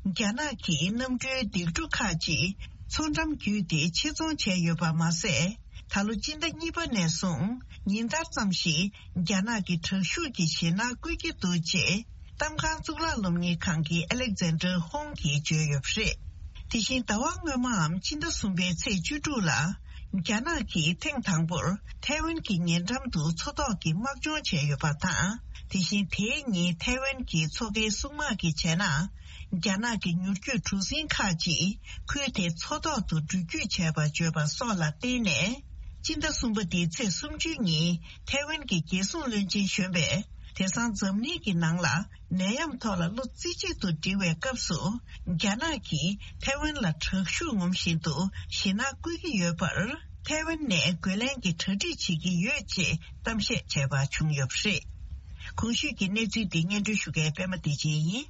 རྒྱ་ནག་གིས་གནམ་གྲུའི་ལྡེབས་གྲུ་ཁག་ཅིག་མཚོ་འགྲམ་བརྒྱུད་དེ་ཆེད་རྫོང་བྱས་ཡོད་པ་མ་ཟད། ད་ལོ་སྤྱི་ཟླ་གཉིས་པ་ནས་བཟུང་ཉིན་ལྟར་ཙམ་ཞིག་རྒྱ་ནག་གི་དྲག་ཤུགས་ཀྱི་ཞེད་སྣང་བསྐུལ་གྱི་འདུག་ཅེས་གཏམ་ཁང་གཙུག་ལག་སློབ་གཉེར་ཁང་གི་ཨ་ལེག་ཛན་ཌར་ཧོང་གིས་བརྗོད་ཡོད་པ་རེད། དེ་བཞིན་ཟླ་བ་སྔོན་མའམ་སྤྱི་ཟླ་གསུམ་པའི་ཚེས་བཅུ་དྲུག་ལ། རྒྱ་ནག་གིས་ཐེངས་དང་པོར་ཐའེ་ཝན་གྱི་ཉེ་འགྲམ་དུ་མཚོ་ཐོག་གི་དམག་སྦྱོང་བྱས་ཡོད་པ་དང་། དེ་བཞིན་དེའི་ཉིན་ཐའེ་ཝན་གྱི་མཚོ་ཁའི་སྲུང་དམག་གིས་བྱས་ན། རྒྱ་ནག་གི་མྱུར་སྐྱོད་གྲུ་གཟིངས་ཁག་ཅིག་ཁུལ་དེའི་མཚོ་ཐོག་ཏུ་འགྲུལ་སྐྱོད་བྱས་པ་བརྗོད་པ་སོགས་ལ་བརྟེན་ནས། སྤྱི་ཟླ་གསུམ་པ་འདིའི་ཚེས་སུམ་ཅུའི་ཉིན་ཐའེ་ཝན་གྱི་རྒྱལ་སྲུང་བློན་ཆེན་གཞོན་པས་དེང་སང་འཛམ་གླིང་གི་ནང་ལ་ནད་ཡམས་ཐོག་ལ་བློ་རྩེ་གཅིག་ཏུ་སྒྲིལ་བའི་སྐབས་སུ། རྒྱ་ནག་གིས་ཐའེ་ཝན་ལ་དྲག་ཤུགས་ངོམ་བཞིན་དུ་ཞེད་སྣང་བསྐུལ་གྱི་ཡོད་པར། ཐའེ་ཝན་ནས་རྒོལ་ལན་གྱི་གྲ་སྒྲིག་བྱེད་ཀྱི་ཡོད་ཅེས་གཏམ་བཤད་བྱས་པ་བྱུང་ཡོད་པ་རེད། གོང་ཞུས་ཀྱི་གནས་ཚུལ་འདི་སྙན་སྒྲོན་ཞུ་མཁན་པད་མ་བདེ་ཆེན་ཡིན།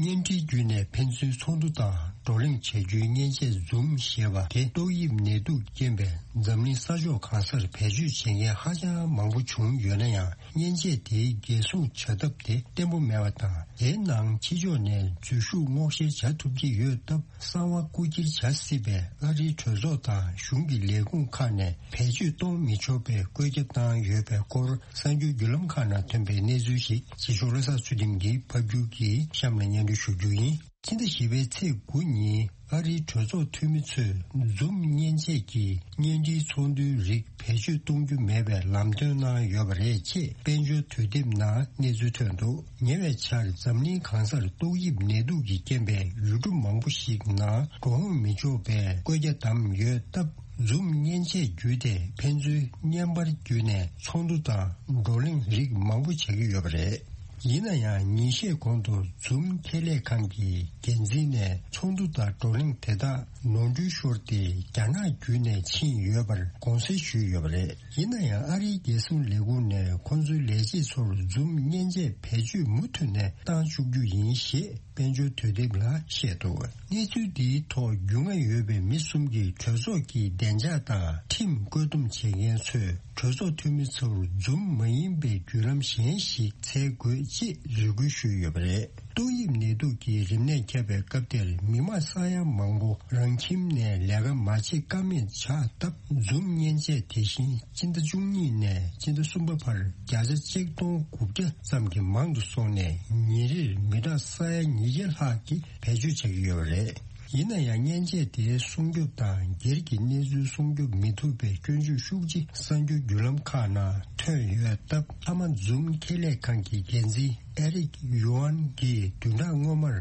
བརྙན་འཕྲིན་བརྒྱུད་ནས་ཕན་ཚུན་ཚོགས་འདུ་དང་བགྲོ་གླེང་བྱ་རྒྱུའི་མཉེན་ཆས་Zoom་ཞེས་པ་དེ་ཏོག་དབྱིབས་ནད་དུག་རྐྱེན་པས་འཛམ་གླིང་ས་ཕྱོགས་གང་སར་བེད་སྤྱོད་བྱེད་མཁན་ཧ་ཅང་མང་པོ་བྱུང་ཡོད་ན་ཡང་། མཉེན་ཆས་དེའི་འགན་སྲུང་བྱ་ཐབས་དེ་བརྟན་པོ་མེད་པ་དང་། དེའི་ནང་ཕྱི་ཕྱོགས་ནས་འཛུལ་ཞུགས་སྔོག་བཤེར་བྱ་ཐུབ་ཀྱི་ཡོད་སྟབས། གསང་བ་རྐུ་འཁྱེར་བྱ་སྲིད་པའི་ཨ་རིའི་གྲོས་ཚོགས་དང་གཞུང་གི་ལས་ཁུངས་ཁག་ནས་བེད་སྤྱོད་གཏོང་མི་ཆོག་པའི་བཀོད་ཁྱབ་བཏང་ཡོད་པའི་སྐོར། གསར་འགྱུར་བརྒྱུད་ལམ་ཁག་ནང་ཐོན་པའི་གནས་ཚུལ་ཞིག་རྗེ་ཤོག་བློ་བཟང་ཚུལ་ཁྲིམས་ཀྱིས་ཕབ་སྒྱུར་གྱིས་གཤམ་ལ་སྙན་སྒྲོན་ཞུ་རྒྱུ་ཡིན། ཕྱི་ཟླ་བཞི་པའི་ཚེས་དགུ་ཉིན་ཨ་རིའི་གྲོས་ཚོགས་འཐུས་མི་ཚོས་Zoom་མཉེན་ཆས་ཀྱི་བརྙན་འཕྲིན་ཚོགས་འདུའི་རིགས་བེད་སྤྱོད་གཏོང་རྒྱུ་མེད་པའི་ལམ་སྟོན་གནང་ཡོད་པ་རེད་ཅེས་དཔལ་འབྱོར་དུས་དེབ་ནང་གནས་ཚུལ་ཐོན་འདུག་ཉེ་བའི་ཆར་འཛམ་གླིང་གང་སར་ཏོག་དབྱིབས་ནད་དུག་གི་རྐྱེན་པས་ཡུལ་གྲུ་མང་པོ་ཞིག་ནང་འགྲོ་འོང་མི་ཆོག་པའི་བཀོད་རྒྱ་བདམས་ཡོད་སྟབས། Zoom་མཉེན་ཆས་བརྒྱུད་དེ་ཕན་ཚུན་བརྙན་པར་བརྒྱུད་ནས་ཚོགས་འདུ་དང་བགྲོ་གླེང་རིགས་མང་པོ་བྱེད་ཀྱི་ཡོད་པ་རེད། ཡིན་ན་ཡང་ཉིན་ཤས་གོང་དུ་Zoom་ཁེ་ལས་ཁང་གི་འགན་འཛིན་ནས་ཚོགས་འདུ་དང་བགྲོ་གླེང་དེ་དག་ནོར་འཁྲུལ་ཤོར་ཏེ་རྒྱ་ནག་བརྒྱུད་ནས་ཕྱིན་ཡོད་པར་དགོངས་སེལ་ཞུས་ཡོད་པ་རེད། ཡིན་ན་ཡང་ཨ་རིའི་རྒྱལ་སྲུང་ལས་ཁུངས་ནས་ཁོང་ཚོའི་ལས་བྱེད་ཚོར་Zoom་མཉེན་ཆས་བེད་སྤྱོད་མུ་མཐུད་ནས་བཏང་བཅུག་རྒྱུ་ཡིན་ཞེས་དཔལ་འབྱོར་དུས་དེབ་ལ་བཤད་འདུག་གནས་ཚུལ་འདིའི་ཐོག་རྒྱུས་མངའ་ཡོད་པའི་མི་གསུམ་གྱིས་གྲོས་ཚོགས་ཀྱི་བདེ་འཇགས་དང་ཁྲིམས་བཀོད་འདོམས་བྱེད་མཁན་ཚོས་གྲོས་ཚོགས་འཐུས་མི་ཚོར་Zoom་མ་ཡིན་པའི་བརྒྱུད་ལམ་གཞན་ཞིག་འཚོལ་དགོས་ཅེས་རེ་སྐུལ་ཞུས་ཡོད་པ་རེད། ཏོག་དབྱིབས་ནད་དུག་གི་རིམས་ནད་ཁྱབ་པའི་སྐབས་དེར་མི་མང་ས་ཡ་མང་པོ་རང་ཁྱིམ་ནས་ལས་ཀ་མ་བྱེད་ཀ་མེད་ཆགས་སྟབས། Zoom་མཉེན་ཆས་དེ་བཞིན་སྤྱི་ཟླ་བཅུ་གཉིས་ནས་སྤྱི་ཟླ་གསུམ་པ་བར་བརྒྱ་ཆ་གཅིག་སྟོང་དགུ་བརྒྱ་ཙམ་གྱིས་མང་དུ་སོང་ནས་ཉིན་རེར་མི་གྲངས་ས་ཡ་ཉིས་བརྒྱ་ལྷག་གིས་བེད་སྤྱོད་བྱེད་ཀྱི་ཡོད་པ་རེད། ཡིན་ན་ཡང་མཉེན་ཆས་དེའི་སྲུང་སྐྱོབ་དང་སྒེར་གྱི་གནས་ཚུལ་སྲུང་སྐྱོབ་མི་ཐུབ་པའི་སྐྱོན་བརྗོད་ཤུགས་ཆེ་གསར་འགྱུར་བརྒྱུད་ལམ་ཁག་ནང་ཐོན་ཡོད་སྟབས། མཐའ་མ་Zoom་ཁེ་ལས་ཁང་གི་འགན་འཛིན་ཨེ་རིག་ཡུའན་གྱིས་བདུན་ཕྲག་སྔོན་མར་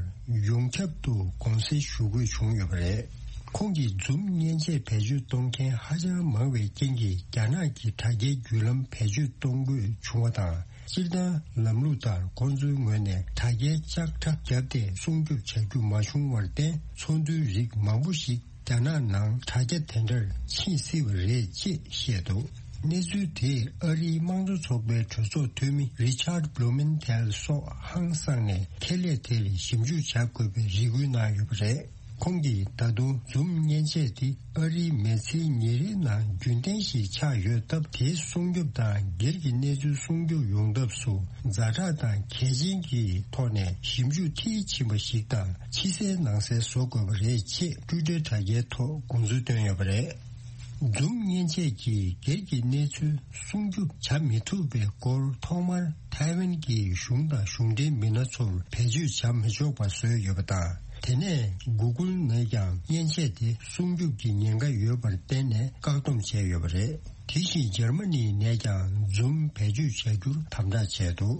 ཡོངས་ཁྱབ་ཏུ་དགོངས་སེལ་ཞུ་དགོས་བྱུང་ཡོད་པ་རེད། ཁོང་གིས་Zoom་མཉེན་ཆས་བེད་སྤྱོད་གཏོང་མཁན་ཧ་ཅང་མང་བའི་རྐྱེན་གྱིས་རྒྱ་ནག་གི་དྲ་རྒྱའི་བརྒྱུད་ལམ་བེད་སྤྱོད་གཏོང་དགོས་བྱུང་བ་དང་། སྤྱིར་བཏང་ལམ་ལུགས་ལྟར་ཁོང་ཚོའི་ངོས་ནས་དྲ་རྒྱའི་ལྕགས་ཁྲ་བརྒྱབ་སྟེ་སྲུང་སྐྱོབ་བྱ་རྒྱུ་མ་བྱུང་བར་བརྟེན། ཚོགས་འདུའི་རིགས་མང་པོ་ཞིག་རྒྱ་ནག་ནང་དྲ་རྒྱ་དེ་འདྲར་ཕྱིན་སྲིད་པ་རེད་ཅེས་བཤད་འདུག་གནས་ཚུལ་དེས་ཨ་རིའི་དམངས་གཙོ་ཚོགས་པའི་གྲོས་ཚོགས་འཐུས་མི་Richard Blumenthal་སོགས་ཧང་སངས་ནས་ཁེ་ལས་དེར་ཞིབ་འཇུག་བྱ་དགོས་པའི་རེ་སྐུལ་གནང་ཡོད་པ་རེད། ཁོང་གིས་ད་དུང་Zoom་མཉེན་ཆས་དེ་ཨ་རིའི་མི་ཚེའི་ཉིན་རེའི་ནང་རྒྱུན་ལྡན་ཞིག་ཆགས་ཡོད་སྟབས། དེའི་སྲུང་སྐྱོབ་དང་སྒེར་གྱི་གནས་ཚུལ་སྲུང་སྐྱོབ་ཡོང་ཐབས་སུ་ཛ་དྲག་དང་གལ་ཆེན་གྱི་ཐོག་ནས་ཞིབ་འཇུག་མཐིལ་ཕྱིན་པ་ཞིག་དང་། ཕྱི་གསལ་ནང་གསལ་བཟོ་དགོས་པ་རེད་ཅེས་Twitter་དྲ་རྒྱའི་ཐོག་དགོངས་ཚུལ་བཏོན་ཡོད་པ་རེད། Zoom་མཉེན་ཆས་ཀྱིས་སྒེར་གྱི་གནས་ཚུལ་སྲུང་སྐྱོབ་བྱ་མི་ཐུབ་པའི་སྐོར་ཐོག་མར་ཐའེ་ཝན་གྱི་གཞུང་དང་གཞུང་འབྲེལ་མི་སྣ་ཚོར་བེད་སྤྱོད་བྱ་མི་ཆོག་པ་བཟོས་ཡོད་པ་དང་། དེ་ནས་Google་ནས་ཀྱང་མཉེན་ཆས་དེ་སྲུང་སྐྱོབ་ཀྱི་ཉེན་ཁ་ཡོད་པར་བརྟེན་ནས་བཀག་སྡོམ་བྱས་ཡོད་པ་རེད། དེ་བཞིན་འཇར་མ་ནི་ནས་ཀྱང་Zoom་བེད་སྤྱོད་བྱ་རྒྱུར་དམ་དྲག་བྱས་འདུག་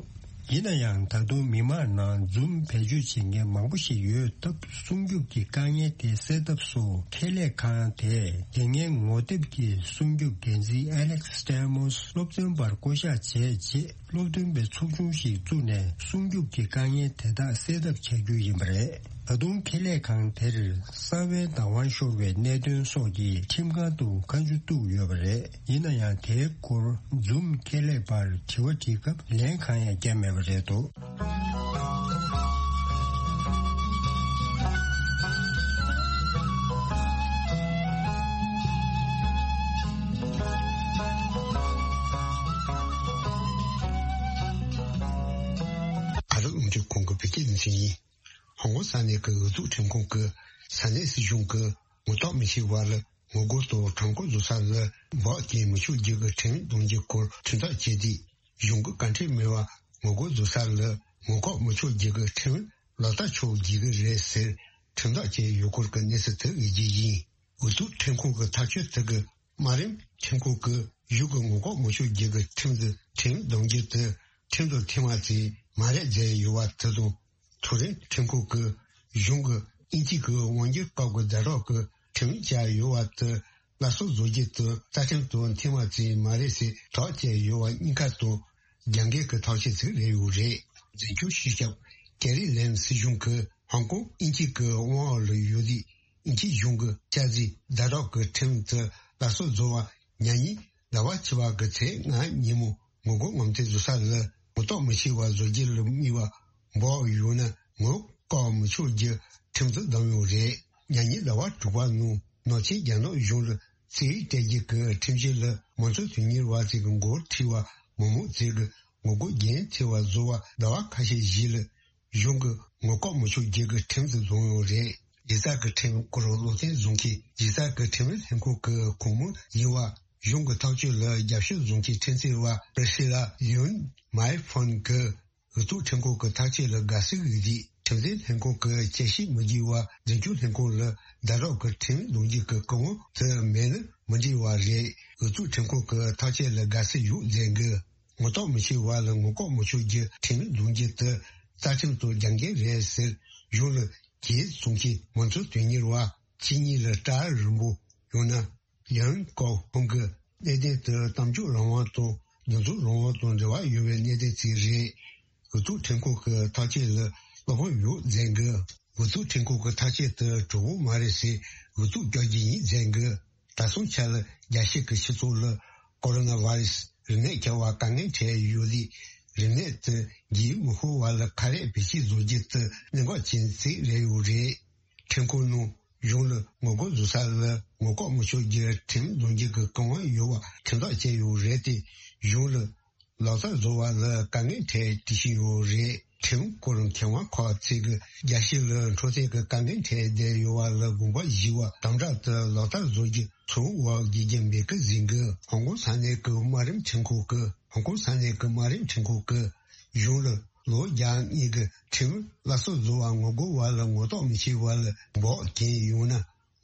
ཡིན་ན་ཡང་། ད་དུང་མི་མང་ནང་Zoom་བེད་སྤྱོད་བྱེད་མཁན་མང་པོ་ཞིག་ཡོད་སྟབས། སྲུང་སྐྱོབ་ཀྱི་དཀའ་ངལ་དེ་སེལ་ཐབས་སུ་ཁེ་ལས་ཁང་དེས་དེ་སྔའི་ངོ་དེབ་ཀྱི་སྲུང་སྐྱོབ་འགན་འཛིན་Alex Stamos་སློབ་སྟོན་པར་བསྐོ་གཞག་བྱས་རྗེས། སློབ་སྟོན་པའི་ཚོགས་ཆུང་ཞིག་བཙུགས་ནས་སྲུང་སྐྱོབ་ཀྱི་དཀའ་ངལ་དེ་དག་སེལ་ཐབས་བྱ་རྒྱུ་ཡིན་པ་རེད། ད་དུང་ཁེ་ལས་ཁང་དེར་གསང་བའི་བདག་དབང་ཤོར་བའི་གནད་དོན་སོགས་ཀྱི་ཁྲིམས་ཁང་དུ་བཀའ་འཇུག་བཏུགས་ཡོད་པ་རེད། ཡིན་ན་ཡང་། དེའི་སྐོར་Zoom་ཁེ་ལས་པར་དྲི་བ་དྲིས་སྐབས་ལན་གང་ཡང་བརྒྱབ་མེད་པ་རེད་འདུག་ཅུས་ཁོང་གི་བོད་སྐད་སྡེ་ཚན་ཡིན། ཧོང་ཀོང་ས་གནས་ཀྱི་འོས་བསྡུ་ཁྲིམས་ཁང་གིས་ས་གནས་སྲིད་གཞུང་གིས་ངོ་ཐོག་མི་ཤེས་པ་ལ་ངོ་རྒོལ་དང་ཁྲོམ་སྐོར་བཟོ་ས་ལ་འབོག་རྐྱེན་མི་ཆོག་རྒྱུ་གི་ཁྲིམས་བསྡོམས་རྒྱུའི་སྐོར་ཁྲིམས་ཐག་བཅད་དུས། གཞུང་གི་བཀའ་ཁྲིམས་མེད་པར་ངོ་རྒོལ་བཟོ་ས་ལ་ངོ་ལྐོག་མི་ཆོག་རྒྱུ་གི་ཁྲིམས་ལག་བསྟར་ཆོག་རྒྱུ་གི་རེད་ཟེར་ཁྲིམས་ཐག་བཅད་ཡོད་སྐོར་གྱི་གནས་ཚུལ་དེ་ཡོད་རྒྱུ་ཡིན། འོས་བསྡུ་ཁྲིམས་ཁང་གི་ཐག་གཅོད་དེ་གི་དམའ་རིམ་ཁྲིམས་ཁང་གིས་གཞུང་གི་ངོ་ལྐོག་མི་ཆོག་རྒྱུ་གི་ཁྲིམས་འདི་ཁྲིམས་བསྡོམས་རྒྱུ་དེ་ཁྲིམས་དང་མཐུན་པ་ཙམ་མ་རེད་བརྗོད་ཡོད་པ་དེ་དང་། མཐོ་རིམ་ཁྲིམས་ཁང་གིས་གཞུང་གིས་དབྱིན་ཇི་གི་དབང་སྒྱུར་སྐབས་ཀྱི་ཟླ་གྲོགས་ཀྱི་ཁྲིམས་བཅའ་ཡོད་པ་དེ་སླར་གསོ་བཟོ་རྒྱུ་དེ་རྩ་ཁྲིམས་དང་མཐུན་པ་ཙམ་མ་རེད་ཟེར་དོགས་བཅད་ཡོད་པ་གཉིས་ཀ་དང་རྒྱབ་འགལ་གྱི་ཐག་གཅོད་ཅིག་རེད་ཡོད་རེད། འཛིན་སྐྱོང་སྤྱི་ཁྱབ་ཀེ་རི་ལེམ་སྲིད་གཞུང་གིས་ཧོང་ཀོང་དབྱིན་ཇི་གི་དབང་འོག་ལ་ཡོད་དུས། དབྱིན་ཇི་གཞུང་གི་བཅའ་སྡོད་ཟླ་གྲོགས་ཀྱི་ཁྲིམས་དེ་སླར་གསོ་བཟོ་བར་ཉེ་ཉིན་ཟླ་བ་བཅུ་པ་གི་ཚེས་ལྔ་ཉིན་མོ་ངོ་རྒོལ་ངོམ་ཐེངས་བཟོ་ས་ལ་ངོ་ཐོག་མི་ཤེས་པ་བཟོ་རྒྱུ་ལ་དམིགས་པ་འབོག་ཡོད་ན་ངོ་ལྐོག་མི་ཆོག་རྒྱུ་ཁྲིམས་དེ་བསྡོམས་ཡོད་རེད། ཉེ་ཉིན་ཟླ་བ་དྲུག་པ་ནང་ནང་ཆེན་རྒྱ་ནག་གཞུང་ལ་རྩིས་སྤྲད་རྒྱུ་གི་ཁྲིམས་གཞི་ལ་མང་གཙོ་དོན་གཉེར་བ་ཚོས་ཀྱི་འགོ་ཁྲིད་པ་མི་མང་ཚོས་ཀྱི་ངོ་རྒོལ་རྒྱུན་མཐུད་པ་བཟོ་བ་ཟླ་བ་ཁ་ཤས་ཤིག་ལ། གཞུང་གི་ངོ་ལྐོག་མི་ཆོག་རྒྱུ་གི་ཁྲིམས་དེ་བཟུང་ཡོད་རེད། གཞི་རྩ་གི་ཁྲིམས་སྐོར་བློ་འཚབ་བཟོ་མཁན་གཞི་རྩ་གི་ཁྲིམས་ལྷན་ཁང་གི་ཁོངས་མི་ཡིན་པ། གཞུང་གི་ཐག་གཅོད་ལ་རྒྱབ་སྐྱོར་བཟོ་མཁན་ཁྲིམས་རྩོད་པ་པི་རི་སི་ལ་ཡུན་མའི་ཕོན་གྱིས་འོས་བསྡུ་ཁྲིམས་ཁང་གི་ཐག་གཅོད་ལ་དགའ་བསུ་ཡོད་དུས། ཁྲིམས་འཛིན་ལྷན་ཁང་གི་དཔྱད་ཞིབ་མི་དགོས་པར་འཛིན་སྐྱོང་ལྷན་ཁང་ལ་ཟླ་གྲོགས་ཀྱི་ཁྲིམས་བསྡོམས་རྒྱུ་གི་བཀའ་དབང་དེ་མེད་ན་མི་འགྲིག་པ་རེད། འོས་བསྡུ་ཁྲིམས་ཁང་གི་ཐག་གཅོད་ལ་དགའ་བསུ་ཡོད་མཛད་འགི། ངོ་ཐོག་མི་ཤེས་པ་ལ་ངོ་ལྐོག་མི་ཆོག་རྒྱུ་ཁྲིམས་བསྡོམས་རྒྱུ་དེ་རྩ་ཁྲིམས་དང་རྒྱབ་འགལ་རེད་ཟེར་གཞུང་ལ་གྱེས་གསུང་མཁན་མང་གཙོ་དོན་གཉེར་བ་ཕྱི་གཉིས་ལ་སྐྲ་རིང་པོ་ཡང་ན་ཡང་ཀའོ་ཧོང་གི་གནད་དོན་དེ་གཏམ་བརྗོད་རང་དབང་དང་འདུ་འཛོམས་རང་དབང་དང་འབྲེལ་བ་ཡོད་པའི་གནད་དོན་ཅིག་རེད། འོས་བསྡུ་ཁྲིམས་ཁང་གི་ཐག་གཅོད་ལ་བློ་ཕམ་ཡོད་མཛད་འགི། འོས་བསྡུ་ཁྲིམས་ཁང་གི་ཐག་གཅོད་དེ་གྲུབ་པོ་མ་རེད་ཟེར་འོས་བསྡུ་བསྐྱར་རྒྱུ་ཡིན་མཛད་འགི། ད་སོང་ཆ་ལ་རྒྱལ་སྤྱི་གི་སྤྱི་ཚོགས་ལ་ཀོ་རོ་ན་ཝ་རི་སི་རིམས་ནད་ཁྱབ་པ་དཀའ་ངལ་འཕྲད་ཡོད་དུས། རིམས་ནད་དེ་རྒྱུན་མི་ཤོར་བ་ལ་ཁ་རས་བེད་སྤྱོད་བཟོ་རྒྱུ་དེ་གནད་འགག་ཅན་ཞིག་རེད་ཡོད་རེད། ཁྲིམས་ཁང་ནང་གཞུང་ལ་ངོ་རྒོལ་བཟོ་ས་ལ་ངོ་ལྐོག་མི་ཆོག་རྒྱུ་ཁྲིམས་བསྡོམས་རྒྱུ་གི་བཀའ་དབང་ཡོད་པ་ཁྲིམས་ཐག་བཅད་ཡོད་རེད་དེ། གཞུང་ལ་ལག་བསྟར་བཟོ་བ་ལ་དཀའ་ངལ་འཕྲད་བསྡད་ཀྱི་ཡོད་རེད། ཁྲིམས་སྐོར་མཁས་དབང་ཁག་ཅིག་གིས་རྒྱལ་སྤྱི་ལ་འཕྲོད་བསྟེན་གྱི་དཀའ་ངལ་འཕྲད་བསྡད་ཡོད་པ་ལ་དགོངས་པ་བཞེས་པ་དམ་དྲག་ཏུ་ལག་བསྟར་བཟོ་རྒྱུ་ཚོར་བ་དགེ་རྒྱུ་མེད་ཀི་ཟིན་གི། ཧོང་ཀོང་ས་གནས་ཀྱི་དམའ་རིམ་ཁྲིམས་ཁང་གིས་ཧོང་ཀོང་ས་གནས་ཀྱི་དམའ་རིམ་ཁྲིམས་ཁང་གིས་གཞུང་ལ་ལོ་བརྒྱ་གཉིས་ཀྱི་ཁྲིམས་སླར་གསོ་བཟོ་བར་ངོ་རྒོལ་བ་ལ་ངོ་ཐོག་མི་ཤེས་པ་ལ་འབོག་རྐྱེན་ཡོང་ན།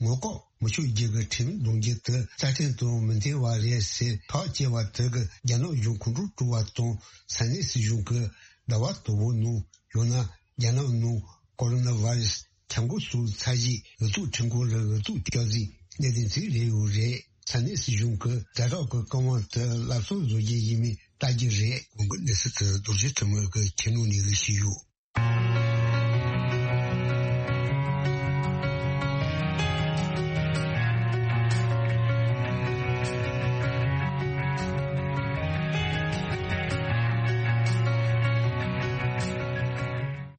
ངོ་ལྐོག་མི་ཆོག་རྒྱུ་གི་ཁྲིམས་བསྡོམས་རྒྱུ་དེ་རྩ་ཁྲིམས་དང་མི་མཐུན་པ་རེད་ཟེར་ཐག་བཅད་པ་དེ་གིས་རྒྱ་ནག་གཞུང་ཁོང་ཁྲོ་སྐྲག་པ་དང་ས་གནས་སྲིད་གཞུང་གིས་ཟླ་བ་དང་པོ་ནང་ཡང་ན་རྒྱ་ནག་ནང་ཀོ་རོ་ན་ཝ་རི་སི་ཁྱབ་འགོ་ཚུགས་ཚར་རྗེས་འོས་བསྡུ་ཁྲིམས་ཁང་ལ་འོས་བསྡུ་བསྐྱར་ཟིན་གནད་དོན་ཅིག་རེད་ཡོད་རེད། ས་གནས་སྲིད་གཞུང་གིས་ཟླ་གྲོགས་ཀྱི་བཀའ་དབང་དེ་སླར་གསོ་བཟོ་རྒྱུ་ཡིན་མིན་ལྟ་རྒྱུ་རེད། གོང་གི་གནས་ཚུལ་དེ་རྡོ་རྗེ་ཐེམ་གི་ཁྱིམ་ནང་ནས་དབུ་ཞུས་ཡོད།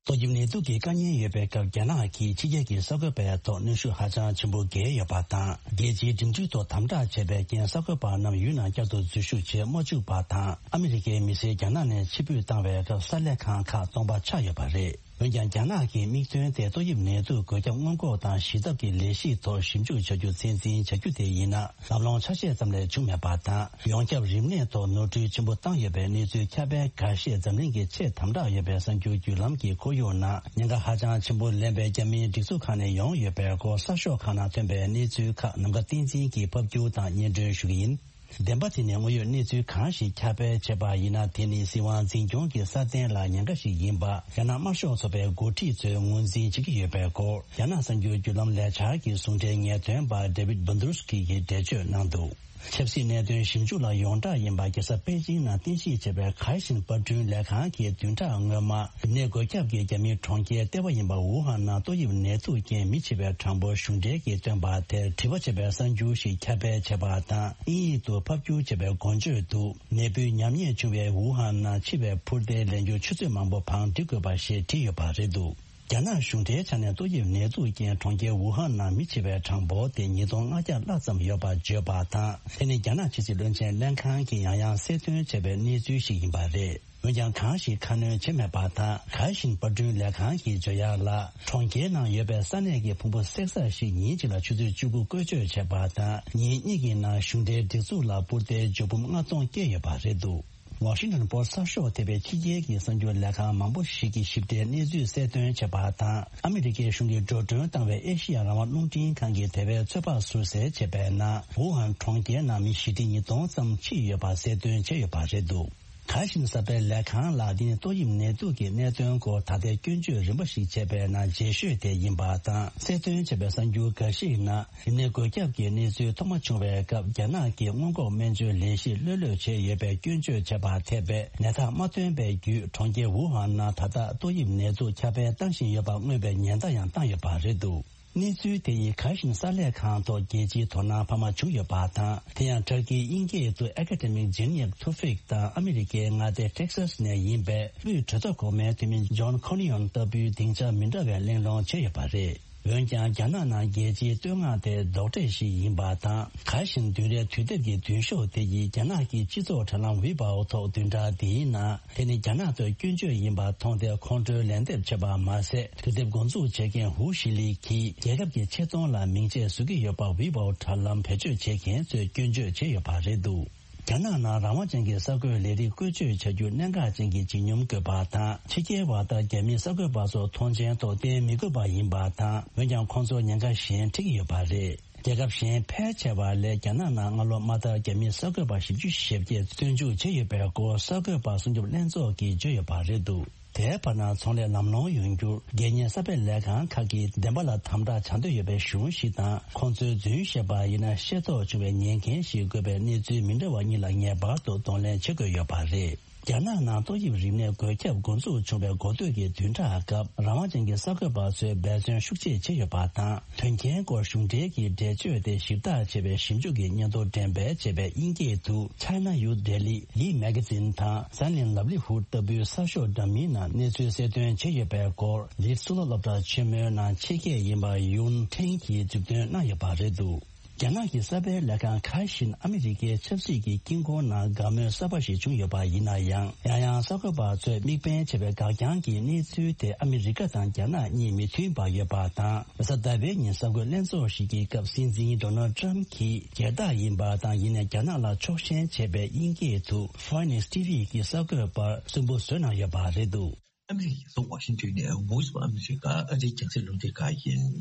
ཏོག་དབྱིབས་ནད་དུག་གི་དཀའ་ངལ་ཡོད་པའི་སྐབས། རྒྱ་ནག་གིས་ཕྱི་རྒྱལ་གྱི་གསར་འགོད་པའི་ཐོག་གནོན་ཤུགས་ཧ་ཅང་ཆེན་པོ་བརྒྱབ་ཡོད་པ་དང་། རྒྱལ་སྤྱིའི་འགྲིམ་འགྲུལ་ཐོག་དམ་དྲག་བྱས་པའི་རྐྱེན། གསར་འགོད་པ་རྣམས་ཡུལ་ནང་བསྐྱར་དུ་འཛུལ་ཞུགས་བྱེད་མ་བཅུག་པ་དང་། ཨ་མི་རི་ཀའི་མི་སེར་རྒྱ་ནག་ནས་ཕྱིར་འབུད་བཏང་བའི་སྐབས། གསར་ལས་ཁང་ཁག་སྟོང་པ་ཆགས་ཡོད་པ་རེད། འོན་ཀྱང་། རྒྱ་ནག་གི་དམིགས་དོན་དེ་ཏོག་དབྱིབས་ནད་དུག་འགོས་ཁྱབ་སྔོན་འགོག་དང་ཞི་ཐབས་ཀྱི་ལས་གཞིའི་ཐོག་ཞིབ་འཇུག་བྱ་རྒྱུ་ཚད་འཛིན་བྱ་རྒྱུ་དེ་ཡིན་ན། ལམ་ལྷོང་ཆ་ཤས་ཙམ་ལས་བྱུང་མེད་པ་དང་། ཡོངས་ཁྱབ་རིམས་ནད་ཐོག་ནོར་འཁྲུལ་ཆེན་པོ་བཏང་ཡོད་པའི་གནས་ཚུལ་ཁྱབ་སྤེལ་འགའ་ཤས་འཛམ་གླིང་གི་ཆེས་དམ་དྲག་ཡོད་པའི་གསར་འགྱུར་བརྒྱུད་ལམ་གྱི་ཁོར་ཡུག་ནང་ཉེན་ཁ་ཧ་ཅང་ཆེན་པོ་ལེན་པའི་རྒྱ་མིའི་སྒྲིག་འཛུགས་ཁག་ནས་ཡོང་ཡོད་པའི་སྐོར། གསར་ཤོག་ཁག་ནང་ཐོན་པའི་གནས་ཚུལ་ཁག་ནམ་མཁའ་བསྟན་འཛིན་གྱིས་ཕབ་སྒྱུར་དང་སྙན་སྒྲོན་ཞུ་གི་ཡིན། བདེན་པ་དེ་ནི་དངོས་ཡོད་གནས་ཚུལ་གང་ཞིག་ཁྱབ་སྤེལ་བྱས་པ་ཡིན་ན། དེ་ནི་སྲིད་དབང་འཛིན་སྐྱོང་གི་སྲ་བརྟན་ལ་ཉེན་ཁ་ཞིག་ཡིན་པ། རྒྱ་ནག་དམར་ཤོག་ཚོགས་པའི་འགོ་ཁྲིད་ཚོས་ངོས་འཛིན་བྱེད་ཀྱི་ཡོད་པའི་སྐོར། རྒྱ་ནག་གསར་འགྱུར་བརྒྱུད་ལམ་ལས་འཆར་གྱི་ཟུང་འབྲེལ་ངེས་སྟོན་པ་David Bednarski གིས་འགྲེལ་བརྗོད་གནང་འདུག་ཆབ་སྲིད་གནད་དོན་ཞིབ་འཇུག་ལ་ཡོངས་གྲགས་ཡིན་པ། རྒྱལ་ས་པེ་ཅིང་ནང་རྟེན་གཞི་བྱས་པའི་གྷའི་ཤིན་པར་སྐྲུན་ལས་ཁང་གིས་བདུན་ཕྲག་སྔོན་མ། རིམས་ནད་འགོས་ཁྱབ་ཀྱི་རྒྱ་མིའི་གྲོང་ཁྱེར་ལྟེ་བ་ཡིན་པ་ཝུ་ཧན་ནང་ཏོག་དབྱིབས་ནད་དུག་རྐྱེན་མི་བྱེད་པའི་གྲངས་འབོར་གཞུང་འབྲེལ་གྱིས་བཏོན་པ་དེར་དྲི་བ་བྱེད་པའི་གསར་འགྱུར་ཞིག་ཁྱབ་སྤེལ་བྱས་པ་དང་། དབྱིན་ཡིག་ཏུ་ཕབ་སྒྱུར་བྱས་པའི་འགོ་བརྗོད་དུ། ནད་འབུའི་ཉམས་ཉེས་བྱུང་བའི་ཝུ་ཧན་ནང་འཆི་བའི་འཕུར་མདེལ་ལེན་རྒྱུར་ཆུ་ཚོད་མང་པོ་བང་སྒྲིག་དགོས་པ་ཞེས་བྲིས་ཡོད་པ་རེད་འདུག་རྒྱ་ནག་གཞུང་འབྲེལ་ཆ་ནས་ཏོག་དབྱིབས་ནད་དུག་རྐྱེན་གྲོང་ཁྱེར་ཝུ་ཧན་ནང་མི་བྱེད་པའི་གྲངས་འབོར་དེ་ཉིས་སྟོང་ལྔ་བརྒྱ་ལྷག་ཙམ་ཡོད་པ་བརྗོད་པ་དང་། དེ་ནི་རྒྱ་ནག་ཕྱི་སྲིད་བློན་ཆེན་ལེན་ཁང་གིས་ཡང་ཡང་གསལ་སྟོན་བྱས་པའི་གནས་ཚུལ་ཞིག་ཡིན་པ་རེད། འོན་ཀྱང་གང་ཞིག་ཁ་སྣོན་བྱས་མེད་པ་དང་། གྷ་ཤིན་པར་སྐྲུན་ལས་ཁང་གིས་བརྗོད་ཡག་ལ། གྲོང་ཁྱེར་ནང་ཡོད་པའི་ས་གནས་ཀྱི་ཕུང་པོ་བསྲེག་ས་ཞིག་ཉིན་གཅིག་ལ་ཆུ་ཚོད་བཅུ་དགུ་བཀོལ་སྤྱོད་བྱས་པ་དང་། ཉིན་གཉིས་ཀྱི་ནང་གཞུང་འབྲེལ་སྒྲིག་འཛུགས་ལ་འབུར་དོན་འབྱུང་འབུམ་ལྔ་སྟོང་བསྐྱལ་ཡོད་པ་རེད་འདུག་ཝ་ཤིང་ཊོན་པོ་སི་ཊི་གསར་ཤོག་ཐེ་བའི་ཕྱི་རྒྱལ་གྱི་གསར་འགྱུར་ལས་ཁང་མང་པོ་ཞིག་གིས་ཞིབ་ཕྲའི་གནས་ཚུལ་གསལ་སྟོན་བྱས་པ་དང་། ཨ་མི་རི་ཀའི་གཞུང་གིས་འགྲོ་གྲོན་བཏང་བའི་ཨེ་ཤི་ཡ་རང་དབང་རླུང་འཕྲིན་ཁང་གིས་དེ་བས་ཚོད་དཔག་ཟུར་གསལ་བྱས་པའི་ནང་། ཝུ་ཧན་གྲོང་ཁྱེར་ནང་མི་བཞི་ཁྲི་ཉིས་སྟོང་ཙམ་ཕྱིན་ཡོད་པ་གསལ་སྟོན་བྱས་ཡོད་པ་རེད་འདུག་གྷ་ཤིན་གསར་སྤེལ་ལས་ཁང་ལ་འདི་ནི་ཏོག་དབྱིབས་ནད་དུག་གི་གནད་དོན་སྐོར་ད་ལྟའི་སྐྱོན་བརྗོད་རིམ་པ་ཞིག་བྱས་པའི་ནང་རྗེས་ཤོས་དེ་ཡིན་པ་དང་། གསལ་སྟོན་བྱས་པའི་གསར་འགྱུར་འགའ་ཞིག་ནང་རིམས་ནད་འགོས་ཁྱབ་ཀྱི་གནས་ཚུལ་ཐོག་མ་བྱུང་བའི་སྐབས། རྒྱ་ནག་གིས་སྔོན་འགོག་སྨན་བཅོས་ལས་གཞི་ལྷོད་ལྷོད་བྱས་ཡོད་པའི་སྐྱོན་བརྗོད་བྱས་པ་ཐེ་བའི་ནད་རྟགས་མ་ཐོན་པའི་བརྒྱུད། གྲོང་ཁྱེར་ཝུ་ཧན་ནང་ད་ལྟ་ཏོག་དབྱིབས་ནད་དུག་ཁྱབ་སྤེལ་བཏང་བཞིན་ཡོད་པ་མངོན་པའི་ཉེན་བརྡ་ཡང་བཏང་ཡོད་པ་རེད་འདུག་གནས་ཚུལ་དེ་ཡིས་གྷ་ཤིན་གསར་ལས་ཁང་ཐོག་རྒྱལ་སྤྱིའི་དོ་སྣང་འཕར་མ་བྱུང་ཡོད་པ་དང་། དེ་ཡང་ཏུར་ཀིའི་དབྱིན་སྐད་དུ་Academic Janeev Tufik དང་ཨ་མི་རི་ཀའི་མངའ་སྡེ་Texas ནས་ཡིན་པའི་དབུས་གྲོས་ཚོགས་གོང་མའི་འཐུས་མི་John Cornyn ལྟ་བུའི་སྡིངས་ཆ་མི་འདྲ་བའི་གླེང་སློང་བྱས་ཡོད་པ་རེད། འོན་ཀྱང་རྒྱ་ནག་ནང་རྒྱལ་སྤྱིའི་བསྟོད་བསྔགས་དེ་རྡོག་ཁྲེས་ཤིག་ཡིན་པ་དང་། གྷ་ཤིན་བདུན་རེའི་དུས་དེབ་ཀྱི་མདུན་ཤོག་དེ་ཡིས་རྒྱ་ནག་གི་སྤྱི་ཚོགས་དྲ་ལམ་ཝི་པའོ་ཐོག་བདུན་ཕྲག་འདིའི་ནང་། དེ་ནི་རྒྱ་ནག་ཐོག་སྐྱོན་བརྗོད་ཡིན་པར་མཐོང་སྟེ་ཁོང་ཁྲོའི་ལན་འདེབས་བྱས་པ་མ་ཟད། དུས་དེབ་འགོ་འཛུགས་བྱེད་མཁན་ཧུའུ་ཤི་ལི་གིས་རྒྱལ་ཁབ་ཀྱི་ཆེ་མཐོང་ལ་མིང་ཆད་བཟོ་གི་ཡོད་པ་ཝི་པའོ་དྲ་ལམ་བེད་སྤྱོད་བྱེད་མཁན་ཚོས་སྐྱོན་བརྗོད་བྱས་ཡོད་པ་རེད་འདུག་རྒྱ་ནག་ནང་རང་དབང་ཅན་གྱི་གསར་འགོད་ལས་རིགས་བཀོལ་སྤྱོད་བྱ་རྒྱུ་གནད་འགག་ཅན་གྱི་བརྗིད་སྙོམས་དགོས་པ་དང་། ཕྱི་རྒྱལ་བ་དང་རྒྱ་མིའི་གསར་འགོད་པ་ཚོ་མཐོང་མཆན་ཐོག་བསྟན་མི་དགོས་པ་ཡིན་པ་དང་། འོན་ཀྱང་ཁོང་ཚོར་ཉེན་ཁ་གཞན་འཕྲད་ཀྱི་ཡོད་པ་རེད། རྒྱལ་ཁབ་གཞན་ཕལ་ཆེ་བ་ལས་རྒྱ་ནག་ནང་སྔ་ལོ་མ་མཐར་རྒྱ་མིའི་གསར་འགོད་པ་བཞི་བཅུ་ཞེ་བརྒྱད་བཙོན་འཇུག་བྱས་ཡོད་པའི་སྐོར་གསར་འགོད་པ་སྲུང་སྐྱོབ་ལྷན་ཚོགས་ཀྱིས་བརྗོད་ཡོད་པ་རེད་འདུག་དེའི་བར་ན་ཚོང་ལས་ལམ་ལྷོང་ཡོང་རྒྱུར་དགེ་བསྙེན་གསར་སྤེལ་ལས་ཁང་ཁག་གིས་བདེན་པ་ལ་དམ་དྲག་བྱ་འདོད་ཡོད་པའི་གཞུང་ཞིག་དང་། ཁོང་ཚོའི་རྫུན་བཤད་པ་ཡིན་ན་ཤེས་རྟོགས་བྱུང་བའི་ཉེས་འགན་ཞིག་དགོས་པའི་གནས་ཚུལ་མི་འདྲ་བ་གཉིས་ལ་ངེས་པར་དུ་གདོང་ལེན་བྱེད་དགོས་ཡོད་པ་རེད། རྒྱ་ནག་ནང་ཏོག་དབྱིབས་རིམས་ནད་འགོས་ཁྱབ་འགོ་འཛུགས་བྱུང་བའི་འགོ་སྟོད་ཀྱི་བདུན་ཕྲག་སྐབས། རང་དབང་ཅན་གྱི་གསར་འགོད་པ་ཚོས་འབད་བརྩོན་ཤུགས་ཆེ་བྱས་ཡོད་པ་དང་། དོན་རྐྱེན་སྐོར་གཞུང་འབྲེལ་གྱི་འགྲེལ་བརྗོད་དེ་ཞིབ་བརྟག་བྱས་པའི་ཞིབ་འཇུག་གི་སྙན་ཐོ་འགྲེམས་སྤེལ་བྱས་པའི་དབྱིན་སྐད་དུ་China Youth Daily, Lee Magazine དང་Science and Livelihood ལྟ་བུའི་གསར་ཤོག་འདྲ་མིན་ནང་གནས་ཚུལ་གསལ་སྟོན་བྱས་ཡོད་པའི་སྐོར། ལིད་གཙུག་ལག་སློབ་གྲྭ་ཆེན་མོའི་ནང་ཕྱི་སྐད་ཡིན་པ་ཡུན་ཁྲེང་གིས་མཛུབ་སྟོན་གནང་ཡོད་པ་རེད་འདུག་རྒྱ་ནག་གི་གསར་སྤེལ་ལས་ཁང་ཁ་ཤིན་ཨ་མི་རི་ཀའི་ཆབ་སྲིད་ཀྱི་དཀྱིལ་འཁོར་ནང་དགའ་མོས་གསར་པ་ཞིག་བྱུང་ཡོད་པ་ཡིན་ན་ཡང་། ཡང་ཡང་གསར་འགོད་པ་ཚོས་དམིགས་འབེན་བྱས་པའི་འགག་རྐྱང་གི་གནས་ཚུལ་དེ་ཨ་མི་རི་ཀ་དང་རྒྱ་ནག་གཉིས་མི་མཐུན་པ་ཡོད་པ་དང་། རེས་གཟའ་ཟླ་བའི་ཉིན་གསར་འགོད་ལྷན་ཚོགས་ཤིག་གི་སྐབས། སྲིད་འཛིན་ཌོ་ནལ་ཊམ་གྱིས་སྒེར་བདག་ཡིན་པ་དང་། ཡིན་ནའི་རྒྱ་ནག་ལ་ཕྱོགས་ཞེན་བྱས་པའི་དབྱིན་སྐད་དུ་Fox News T V གྱི་གསར་འགོད་པར་སུན་པོ་བཟོས་གནང་ཡོད་པ་རེད་འདུག་ཨ་མི་རི་ཀའི་རྒྱལ་ས་ཝ་ཤིང་ཏོན་ནས་Voice of America ཨ་རིའི་རྒྱང་སྲིང་རླུང་འཕྲིན་ཁང་ཡིན།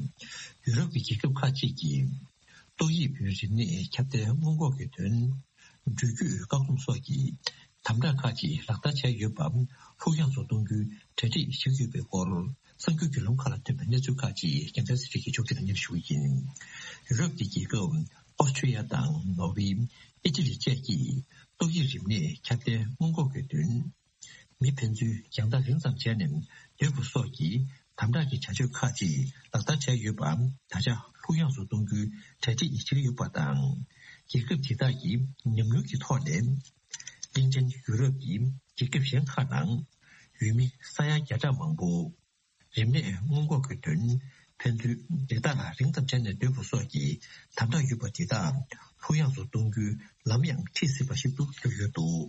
ཡུ་རོབ་ཀྱི་རྒྱལ་ཁབ་ཁག་ཅིག་གིས་ཏོག་དབྱིབས་རིམས་ནད་ཁྱབ་གདལ་སྔོན་འགོག་གི་དོན། འགྲུལ་སྐྱོད་བཀག་སྡོམ་སོགས་ཀྱི་དམ་དྲག་ཁག་ཅིག་ལག་བསྟར་བྱས་ཡོད་པ་ལྷུག་ཡངས་སུ་གཏོང་རྒྱུའི་གྲ་སྒྲིག་བྱེད་ཀྱི་ཡོད་པའི་སྐོར། གསར་འགྱུར་བརྒྱུད་ལམ་ཁག་ལ་ཐོན་པའི་གནས་ཚུལ་ཁག་ཅིག་རྒྱལ་མཚན་ཚེ་རིང་གིས་ཕྱོགས་སྒྲིག་གནང་མཁན་ཞུ་གི་ཡིན། ཡུ་རོབ་ཀྱི་རྒྱལ་ཁབ་ཨོ་སི་ཁྲུ་ལི་ཡ་དང་ནོར་ཝེ། ཨི་ཊ་ལི་བཅས་ཀྱིས་ཏོག་དབྱིབས་རིམས་ནད་ཁྱབ་གདལ་སྔོན་འགོག་གི་དོན། མི་ཕན་ཚུན་རྒྱང་ཐག་རིང་ཙམ་བྱས་ནས་སྡོད་དགོས་སོགས་ཀྱི་དམ་དྲག་གི་བྱ་སྤྱོད་ཁག་ཅིག་ལག་བསྟར་བྱས་ཡོད་པ་ད་ཆ་ལྷུག་ཡངས་སུ་གཏོང་རྒྱུའི་གྲ་སྒྲིག་བྱེད་ཀྱི་ཡོད་པ་དང་། རྒྱལ་ཁབ་དེ་དག་གི་ཉམས་མྱོང་གི་ཐོག་ནས། གླིང་ཕྲན་ཡུ་རོབ་ཀྱི་རྒྱལ་ཁབ་གཞན་ཁག་ནང་ཡུལ་མི་ས་ཡ་བརྒྱ་ཕྲག་མང་པོ། རིམས་ནད་སྔོན་འགོག་གི་དོན། ཕན་ཚུན་རེ་ཐག་རིང་ཙམ་བྱས་ནས་སྡོད་དགོས་སོགས་ཀྱི་དམ་དྲག་ཡོད་པ་དེ་དག་ལྷུག་ཡངས་སུ་གཏོང་རྒྱུའི་ལམ་ཡང་ཁྲིད་སྲིད་པ་ཞིག་ཏུ་གྱུར་ཡོད་འདུག་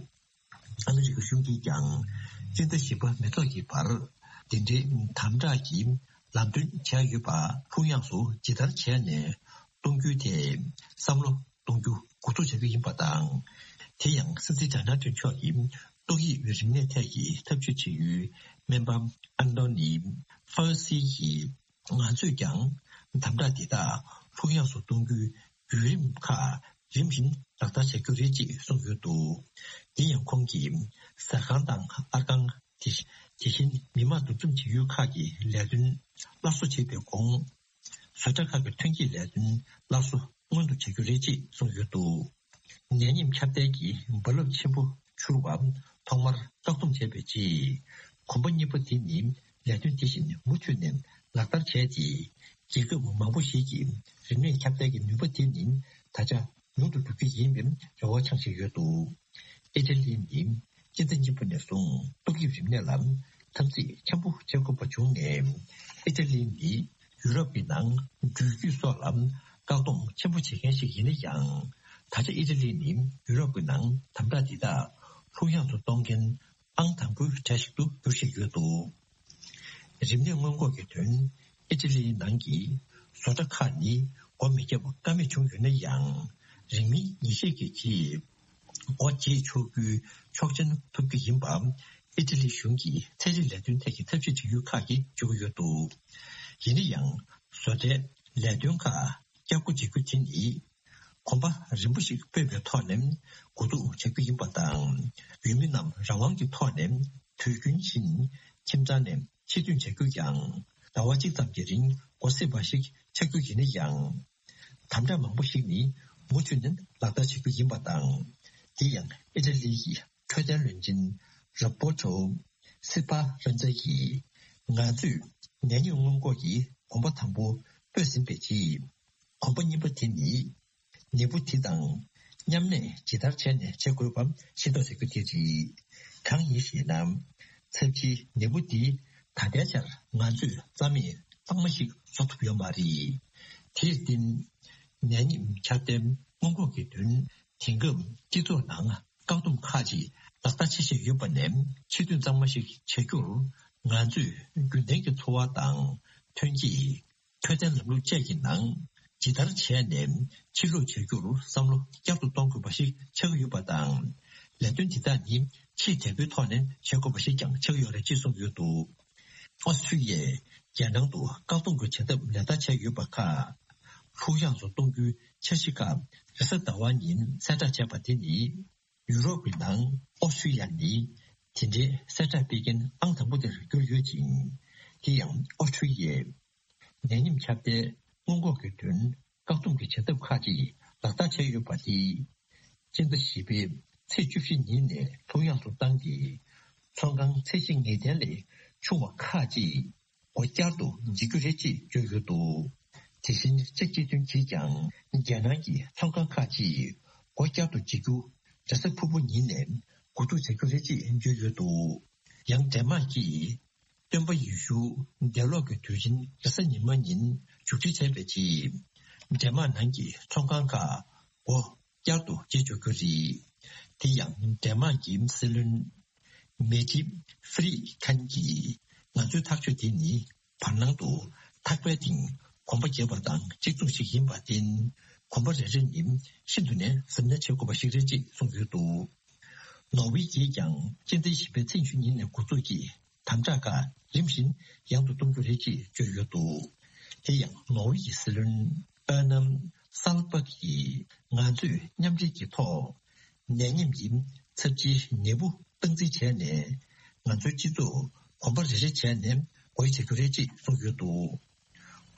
ཨ་མི་རི་ཀ་གཞུང་གིས་ཀྱང་སྤྱི་ཟླ་བཞི་པ་མེ་ཐོག་གི་བར་འདི་འདྲའི་དམ་དྲག་གི་ལམ་སྟོན་བྱས་ཡོད་པ་ལྷུག་ཡངས་སུ་ཇི་ལྟར་བྱས་ནས་གཏོང་རྒྱུའི་ཐད་བསམ་བློ་གཏོང་རྒྱུ་འགོ་འཛུགས་བྱ་རྒྱུ་ཡིན་པ་དང་། དེ་ཡང་སྲིད་འཛིན་ཌོ་ནལ་ཊམ་མཆོག་གིས་ཏོག་དབྱིབས་རིམས་ནད་ཐད་ཀྱི་ཐབས་ཇུས་བྱེད་ཡུལ་སྨན་པ་ཨན་ཏོ་ནི་ཧྥ་སི་གིས། ང་ཚོས་ཀྱང་དམ་དྲག་འདི་དག་ལྷུག་ཡངས་སུ་གཏོང་རྒྱུའི་བརྒྱུད་རིམ་ཁག་རིམ་བཞིན་ལག་བསྟར་བྱ་རྒྱུ་རེད་ཅེས་གསུངས་ཡོད་འདུག་དེ་ཡང་ཁོང་གིས་ཟ་ཁང་དང་ཨར་ཁང་། དེ་དེ་བཞིན་མི་མང་འདུ་འཛོམས་བྱེད་ཡུལ་ཁག་གི་ལས་དོན་སླར་གསོ་བྱེད་པའི་གོང་། བཟོ་གྲྭ་ཁག་གི་ཐོན་སྐྱེད་ལས་དོན་སླར་གསོ་སྔོན་དུ་བྱ་རྒྱུ་རེད་ཅེས་གསུངས་ཡོད་འདུག་ནད་ཡམས་ཁྱབ་གདལ་གྱི་རྦ་རླབས་ཆེན་པོ་འཕྱུར་བ་ཐོག་མར་བཀག་སྡོམ་བྱས་པའི་རྗེས། གོམ་པ་གཉིས་པ་དེ་ནི་ལས་དོན་དེ་བཞིན་མུ་མཐུད་ནས་ལག་བསྟར་བྱས་ཏེ། རྒྱལ་ཁབ་མང་པོ་ཞིག་གིས་རིམས་ནད་ཁྱབ་གདལ་གྱི་ནུས་པ་དེ་ནི་ད་ཆ་ཉུང་དུ་འགྲོ་རྒྱུ་ཡིན་པའི་རེ་བ་འཆང་བཞིན་ཡོད་འདུག་ཨི་ཊ་ལི་ནི་སྤྱི་ཟླ་གཉིས་པ་ནས་བཟུང་ཏོག་དབྱིབས་རིམས་ནད་ལ་འཐབ་འཛིང་ཆེན་པོ་བྱེད་དགོས་པ་བྱུང་ནས། ཨི་ཊ་ལི་ནི་ཡུ་རོབ་ཀྱི་ནང་འགྲུལ་སྐྱོད་སོགས་ལ་བཀག་སྡོམ་ཆེན་པོ་བྱེད་མཁན་ཞིག་ཡིན་ན་ཡང་། ད་ཆ་ཨི་ཊ་ལི་ནི་ཡུ་རོབ་ཀྱི་ནང་དམ་དྲག་འདི་དག་ལྷུག་ཡངས་སུ་གཏོང་མཁན་ ཨང་དང་པོའི་གྲས་ཤིག་ཏུ་འགྱུར་བཞིན་ཡོད་འདུག། རིམས་ནད་སྔོན་འགོག་གི་དོན། ཨི་ཊ་ལིའི་ནང་གི་བཟོ་གྲྭ་ཁག་ནི་སྒོ་མི་བརྒྱབ་ཀ་མེད་བྱུང་ཡོད་ན་ཡང་། རིང་མིན་ཉིན་ཤས་ཀྱི་རྗེས་སྒོ་འབྱེད་ཆོག་རྒྱུའི་ཆོག་མཆན་ཐོབ་རྒྱུ་ཡིན་པ། ཨི་ཊ་ལིའི་གཞུང་གི་ཚན་རིག་ལས་དོན་ཐད་ཀྱི་ཐབས་ཤེས་བྱེད་ཡུལ་ཁག་གིས་བརྗོད་ཀྱི་ཡོད་འདུག། ཡིན་ན་ཡང་། བཟོ་གྲྭའི་ལས་དོན་ཁག་བསྐྱར་སྒོ་འབྱེད་རྒྱུ་དེ་ནི། གོམ་པ་རིམ་པ་ཞིག་སྤོས་པའི་ཐོག་ནས་འགོ་འཛུགས་བྱ་རྒྱུ་ཡིན་པ་དང་། ཡུལ་མི་རྣམས་རང་དབང་གི་ཐོག་ནས་དུས་རྒྱུན་བཞིན་ཁྱིམ་ཚང་ནས་ཕྱིར་ཐོན་བྱ་རྒྱུ་ཡང་ཟླ་བ་གཅིག་ཙམ་གྱི་རིང་སྒོ་ཟེར་བ་ཞིག་ཆགས་རྒྱུ་ཡིན་ན་ཡང་། དམ་དྲག་མང་པོ་ཞིག་ནི་མུ་མཐུད་ནས་ལག་བསྟར་བྱ་རྒྱུ་ཡིན་པ་དང་། དེ་ཡང་ཨི་ཊ་ལི་ཡི་འཕྲོད་བསྟེན་བློན་ཆེན་རོ་བྷོ་ཊོ་སི་པ་རན་ཛ་ཡིས། ང་ཚོས་ནད་ཉེན་སྔོན་འགོག་གི་གོམ་པ་དང་པོ་སྤོས་ཟིན་པའི་རྗེས། གོམ་པ་གཉིས་པ་དེ་ནི། ནད་འབུ་དེ་དང་མཉམ་གནས་ཇི་ལྟར་བྱས་ནས་བྱེད་དགོས་པ་ཤེས་རྟོགས་བྱ་རྒྱུ་དེ་རེད། གང་ཡིན་ཞེ་ན། ཚབས་ཆེའི་ནད་འབུ་འདི་ད་ལྟའི་ཆར་ང་ཚོས་རྩ་མེད་གཙང་མ་ཞིག་བཟོ་ཐུབ་ཡོད་མ་རེད། དེར་བརྟེན། ནད་ཡམས་ཁྱབ་གདལ་སྔོན་འགོག་གི་དོན། དེང་སྐབས་སྤྱི་ཚོགས་ནང་བཀག་སྡོམ་ཁག་ཅིག་ལག་བསྟར་བྱེད་བཞིན་ཡོད་པ་ནས། ཕྱིར་ཐོན་གཙང་མ་ཞིག་བྱ་རྒྱུར་ང་ཚོས་རྒྱུན་ལྡན་གྱི་འཚོ་བ་དང་ཐོན་སྐྱེད། འཕྲོད་བསྟེན་ལམ་ལུགས་བཅས་ཀྱི་ནང་ཇི་ལྟར་བྱས་ནས་ཕྱིར་ལོག་བྱ་རྒྱུར་བསམ་བློ་བསྐྱར་དུ་གཏོང་དགོས་པ་ཞིག་ཆགས་ཀྱི་ཡོད་པ་དང་། ལས་དོན་འདི་དག་ནི་ཆེས་དལ་པོའི་ཐོག་ནས་བྱེད་དགོས་པ་ཞིག་ཀྱང་ཆགས་ཀྱི་ཡོད་རེད་ཅེས་གསུངས་ཡོད་འདུག། ཨོ་སི་ཁྲུ་ལི་ཡས་རྒྱལ་ནང་དུ་བཀག་སྡོམ་གྱི་བྱེད་ཐབས་ལག་བསྟར་བྱས་ཡོད་པ་ཁག་ལྷུག་ཡངས་སུ་གཏོང་རྒྱུའི་འཆར་གཞི་ཁག་རེས་གཟའ་ཟླ་བ་ཉིན་གསལ་བསྒྲགས་བྱས་པ་དེ་ནི། ཡུ་རོབ་ཀྱི་ནང་ཨོ་སི་ཁྲུ་ལི་ཡ་ནི་དེ་འདྲའི་གསལ་བསྒྲགས་སྤེལ་མཁན་ཨང་དང་པོ་དེར་གྱུར་ཡོད་ཅིང་། དེ་ཡང་ཨོ་སི་ཁྲུ་ལི་ཡས་ནད་ཡམས་ཁྱབ་གདལ་སྔོན་འགོག་གི་དོན་བཀག་སྡོམ་གྱི་བྱེད་ཐབས་ཁག་ཅིག་ལག་བསྟར་བྱས་ཡོད་པ་དེས། སྤྱི་ཟླ་བཞི་པའི་ཚེས་བཅུ་བཞི་ཉིན་ནས་ལྷུག་ཡངས་སུ་བཏང་སྟེ། ཚོང་ཁང་ཚད་གཞི་ངེས་གཏན་ལས་ཆུང་བ་ཁག་ཅིག་སྒོ་བསྐྱར་དུ་འབྱེད་རྒྱུ་རེད་ཅེས་བརྗོད་ཡོད་འདུག། དེ་བཞིན་ཅེཀ་སྤྱི་མཐུན་གྱིས་ཀྱང་རྒྱལ་ནང་གི་ཚོང་ཁང་ཁག་ཅིག་སྒོ་བསྐྱར་དུ་འབྱེད་རྒྱུ་རེས་གཟའ་ཕུར་བུ་ཉིན་ནས་འགོ་འཛུགས་བྱ་རྒྱུ་རེད་ཅེས་བརྗོད་ཡོད་འདུག། ཡང་ཌེན་མཱག་གིས་སྟོན་པ་ཡེ་ཤུ་འདས་ལོག་གི་དུས་ཆེན་རེས་གཟའ་ཉི་མ་ཉིན་མཇུག་སྒྲིལ་བྱས་པའི་རྗེས། ཌེན་མཱག་ནང་གི་ཚོང་ཁང་ཁག་སྒོ་བསྐྱར་དུ་འབྱེད་ཆོག་རྒྱུ་རེད། དེ་ཡང་ཌེན་མཱག་གི་སྲིད་བློན་མེ་ཏི་ཧྥི་རི་ཁན་གྱིས། ང་ཚོའི་ཐག་གཅོད་དེ་ནི་བར་སྣང་དུ་ཐག་པའི་སྟེང་གོམ་པ་བརྒྱབ་པ་དང་གཅིག་མཚུངས་ཤིག་ཡིན་པར་བརྟེན། གོམ་པ་རེ་རེ་ནི་ཤིན་ཏུ་ནས་གཟབ་ནན་བྱེད་དགོས་པ་ཞིག་རེད་ཅེས་གསུངས་ཡོད་འདུག། ནོར་ཝེ་ཡིས་ཀྱང་སྤྱི་ཟླ་བཞི་པའི་ཚེས་ཉི་ཤུ་ཉིན་ནས་འགོ་འཛུགས་ཀྱིས། དམ་དྲག་ཁག་རིམ་བཞིན་ཡང་དུ་གཏོང་རྒྱུ་རེད་ཅེས་བརྗོད་ཡོད་འདུག། དེ་ཡང་ནོར་ཝེ་ཡི་སྲིད་བློན་ཨར་ནམ་སཱལ་པག་གིས། ང་ཚོས་མཉམ་འབྲེལ་གྱི་ཐོག་ནད་ཡམས་ཀྱི་ཚབས་ཆེའི་ནད་འབུ་སྟངས་འཛིན་བྱས་ནས། ང་ཚོའི་སྤྱི་ཚོགས་གོམ་པ་རེ་རེ་བྱས་ནས་སྒོ་དབྱེ་བྱ་རྒྱུ་རེད་ཅེས་གསུངས་ཡོད་འདུག།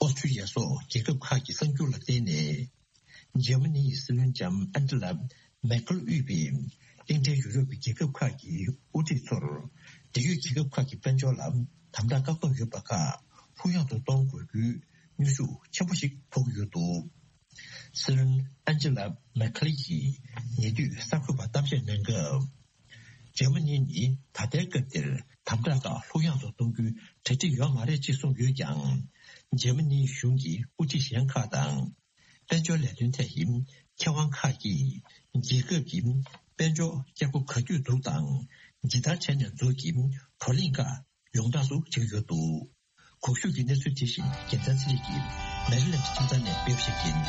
ཨོ་སི་ཁྲུ་ལི་ཡ་སོགས་རྒྱལ་ཁབ་ཁག་གི་གསར་འགྱུར་ལ་བརྟེན་ནས། འཇར་མ་ནིའི་སྲིད་བློན་ལྕམ་ཨན་ཇི་ལ་མེར་ཁེལ་དབུས་པའི་གླིང་ཕྲན་ཡུ་རོབ་ཀྱི་རྒྱལ་ཁབ་ཁག་གི་དབུ་ཁྲིད་ཚོར། འབྲེལ་ཡོད་རྒྱལ་ཁབ་ཁག་གི་དཔལ་འབྱོར་ལ་དམ་དྲག་བཀག་སྡོམ་ཡོད་པ་ཁག་ལྷུག་ཡངས་སུ་གཏོང་དགོས་རྒྱུའི་གནོན་ཤུགས་ཆེན་པོ་ཞིག་ཕོག་གི་ཡོད་འདུག། སྲིད་བློན་ཨན་ཇི་ལ་མེར་ཁེལ་གྱིས་ཉེ་དུས་གསར་འགོད་པར་གཏམ་བཤད་གནང་སྐབས། འཇར་མ་ནི་ནི་ད་ལྟའི་སྐབས་འདིར་དམ་དྲག་ཁག་ལྷུག་ཡངས་སུ་གཏོང་རྒྱུའི་གྲ་སྒྲིག་ཡོད་མ་རེད་ཅེས་གསུངས་ཡོད་ཀྱང་། འཇར་མ་ནིའི་གཞུང་གི་དབུ་ཁྲིད་གཞན་ཁག་དང་། དཔལ་འབྱོར་ལས་དོན་ཐད་ཀྱི་མཁས་དབང་ཁག་གིས། རྒྱལ་ཁབ་ཀྱི་དཔལ་འབྱོར་བསྐྱར་སྒོ་ག་དུས་འཛུགས་དང་། ཇི་ལྟར་བྱས་ནས་འཛུགས་ཀྱི་བགྲོ་གླེང་ཁག་ཡོངས་གྲགས་སུ་བྱེད་ཀྱི་ཡོད་འདུག། གོང་ཞུས་ཀྱི་གནས་ཚུལ་དེ་བཞིན་རྒྱལ་མཚན་ཚེ་རིང་གིས་མེ་རི་ལེནཌ་ཁྱིམ་ཚང་ནས་སྤེལ་བ་ཞིག་ཡིན།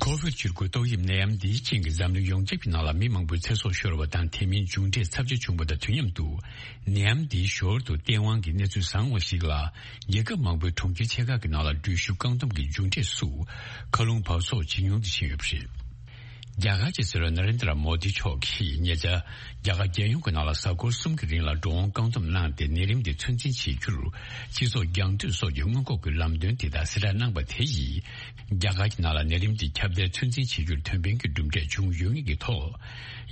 ཁོ་ཝིད་བཅུ་དགུ་ཏོག་དབྱིབས་ནད་ཡམས་འདིའི་རྐྱེན་གྱིས་འཛམ་གླིང་ཡོངས་ཁྱབ་ཀྱི་ནང་ལ་མི་མང་པོའི་ཚེ་སྲོག་ཤོར་བ་དང་། དེ་མིན་མཇུག་འབྲས་ཚབས་ཆེ་བྱུང་བ་དང་དུས་མཉམ་དུ། ནད་ཡམས་འདིའི་ཞོར་དུ་སྟེས་དབང་གི་གནས་ཚུལ་བཟང་བ་ཞིག་ལ། རྒྱལ་ཁབ་མང་པོའི་གྲོང་ཁྱེར་ཆེ་ཁག་གི་ནང་ལ་འགྲུལ་བཞུད་བཀག་སྡོམ་གྱི་མཇུག་འབྲས་སུ། མཁའ་རླུང་འབབ་གསོག་ཇེ་ཉུང་དུ་ཕྱིན་ཡོད་པ་རེད། རྒྱ་གར་གྱི་སྲིད་བློན་ན་རེན་དྲ་མོ་དི་མཆོག་གིས་ཉེ་ཆར། རྒྱ་གར་རྒྱལ་ཡོངས་ཀྱི་ནང་ལ་གཟའ་འཁོར་གསུམ་གྱི་རིང་ལ་འགྲོ་འོང་བཀག་སྡོམ་གནང་སྟེ། ནད་རིམས་དེ་ཚོད་འཛིན་བྱེད་རྒྱུར། སྤྱི་ཚོགས་རྒྱང་མཐུད་སོགས་ཀྱི་སྔོན་འགོག་གི་ལམ་སྟོན་དེ་དག་གསལ་བསྒྲགས་གནང་པ་དེ་ཡིས། རྒྱ་གར་གྱི་ནང་ལ་ནད་རིམས་དེ་ཁྱབ་གདལ་ཚོད་འཛིན་བྱེད་རྒྱུར་ཕན་པའི་གི་གྲུབ་འབྲས་བྱུང་ཡོད་ངེས་ཀྱི་ཐོག།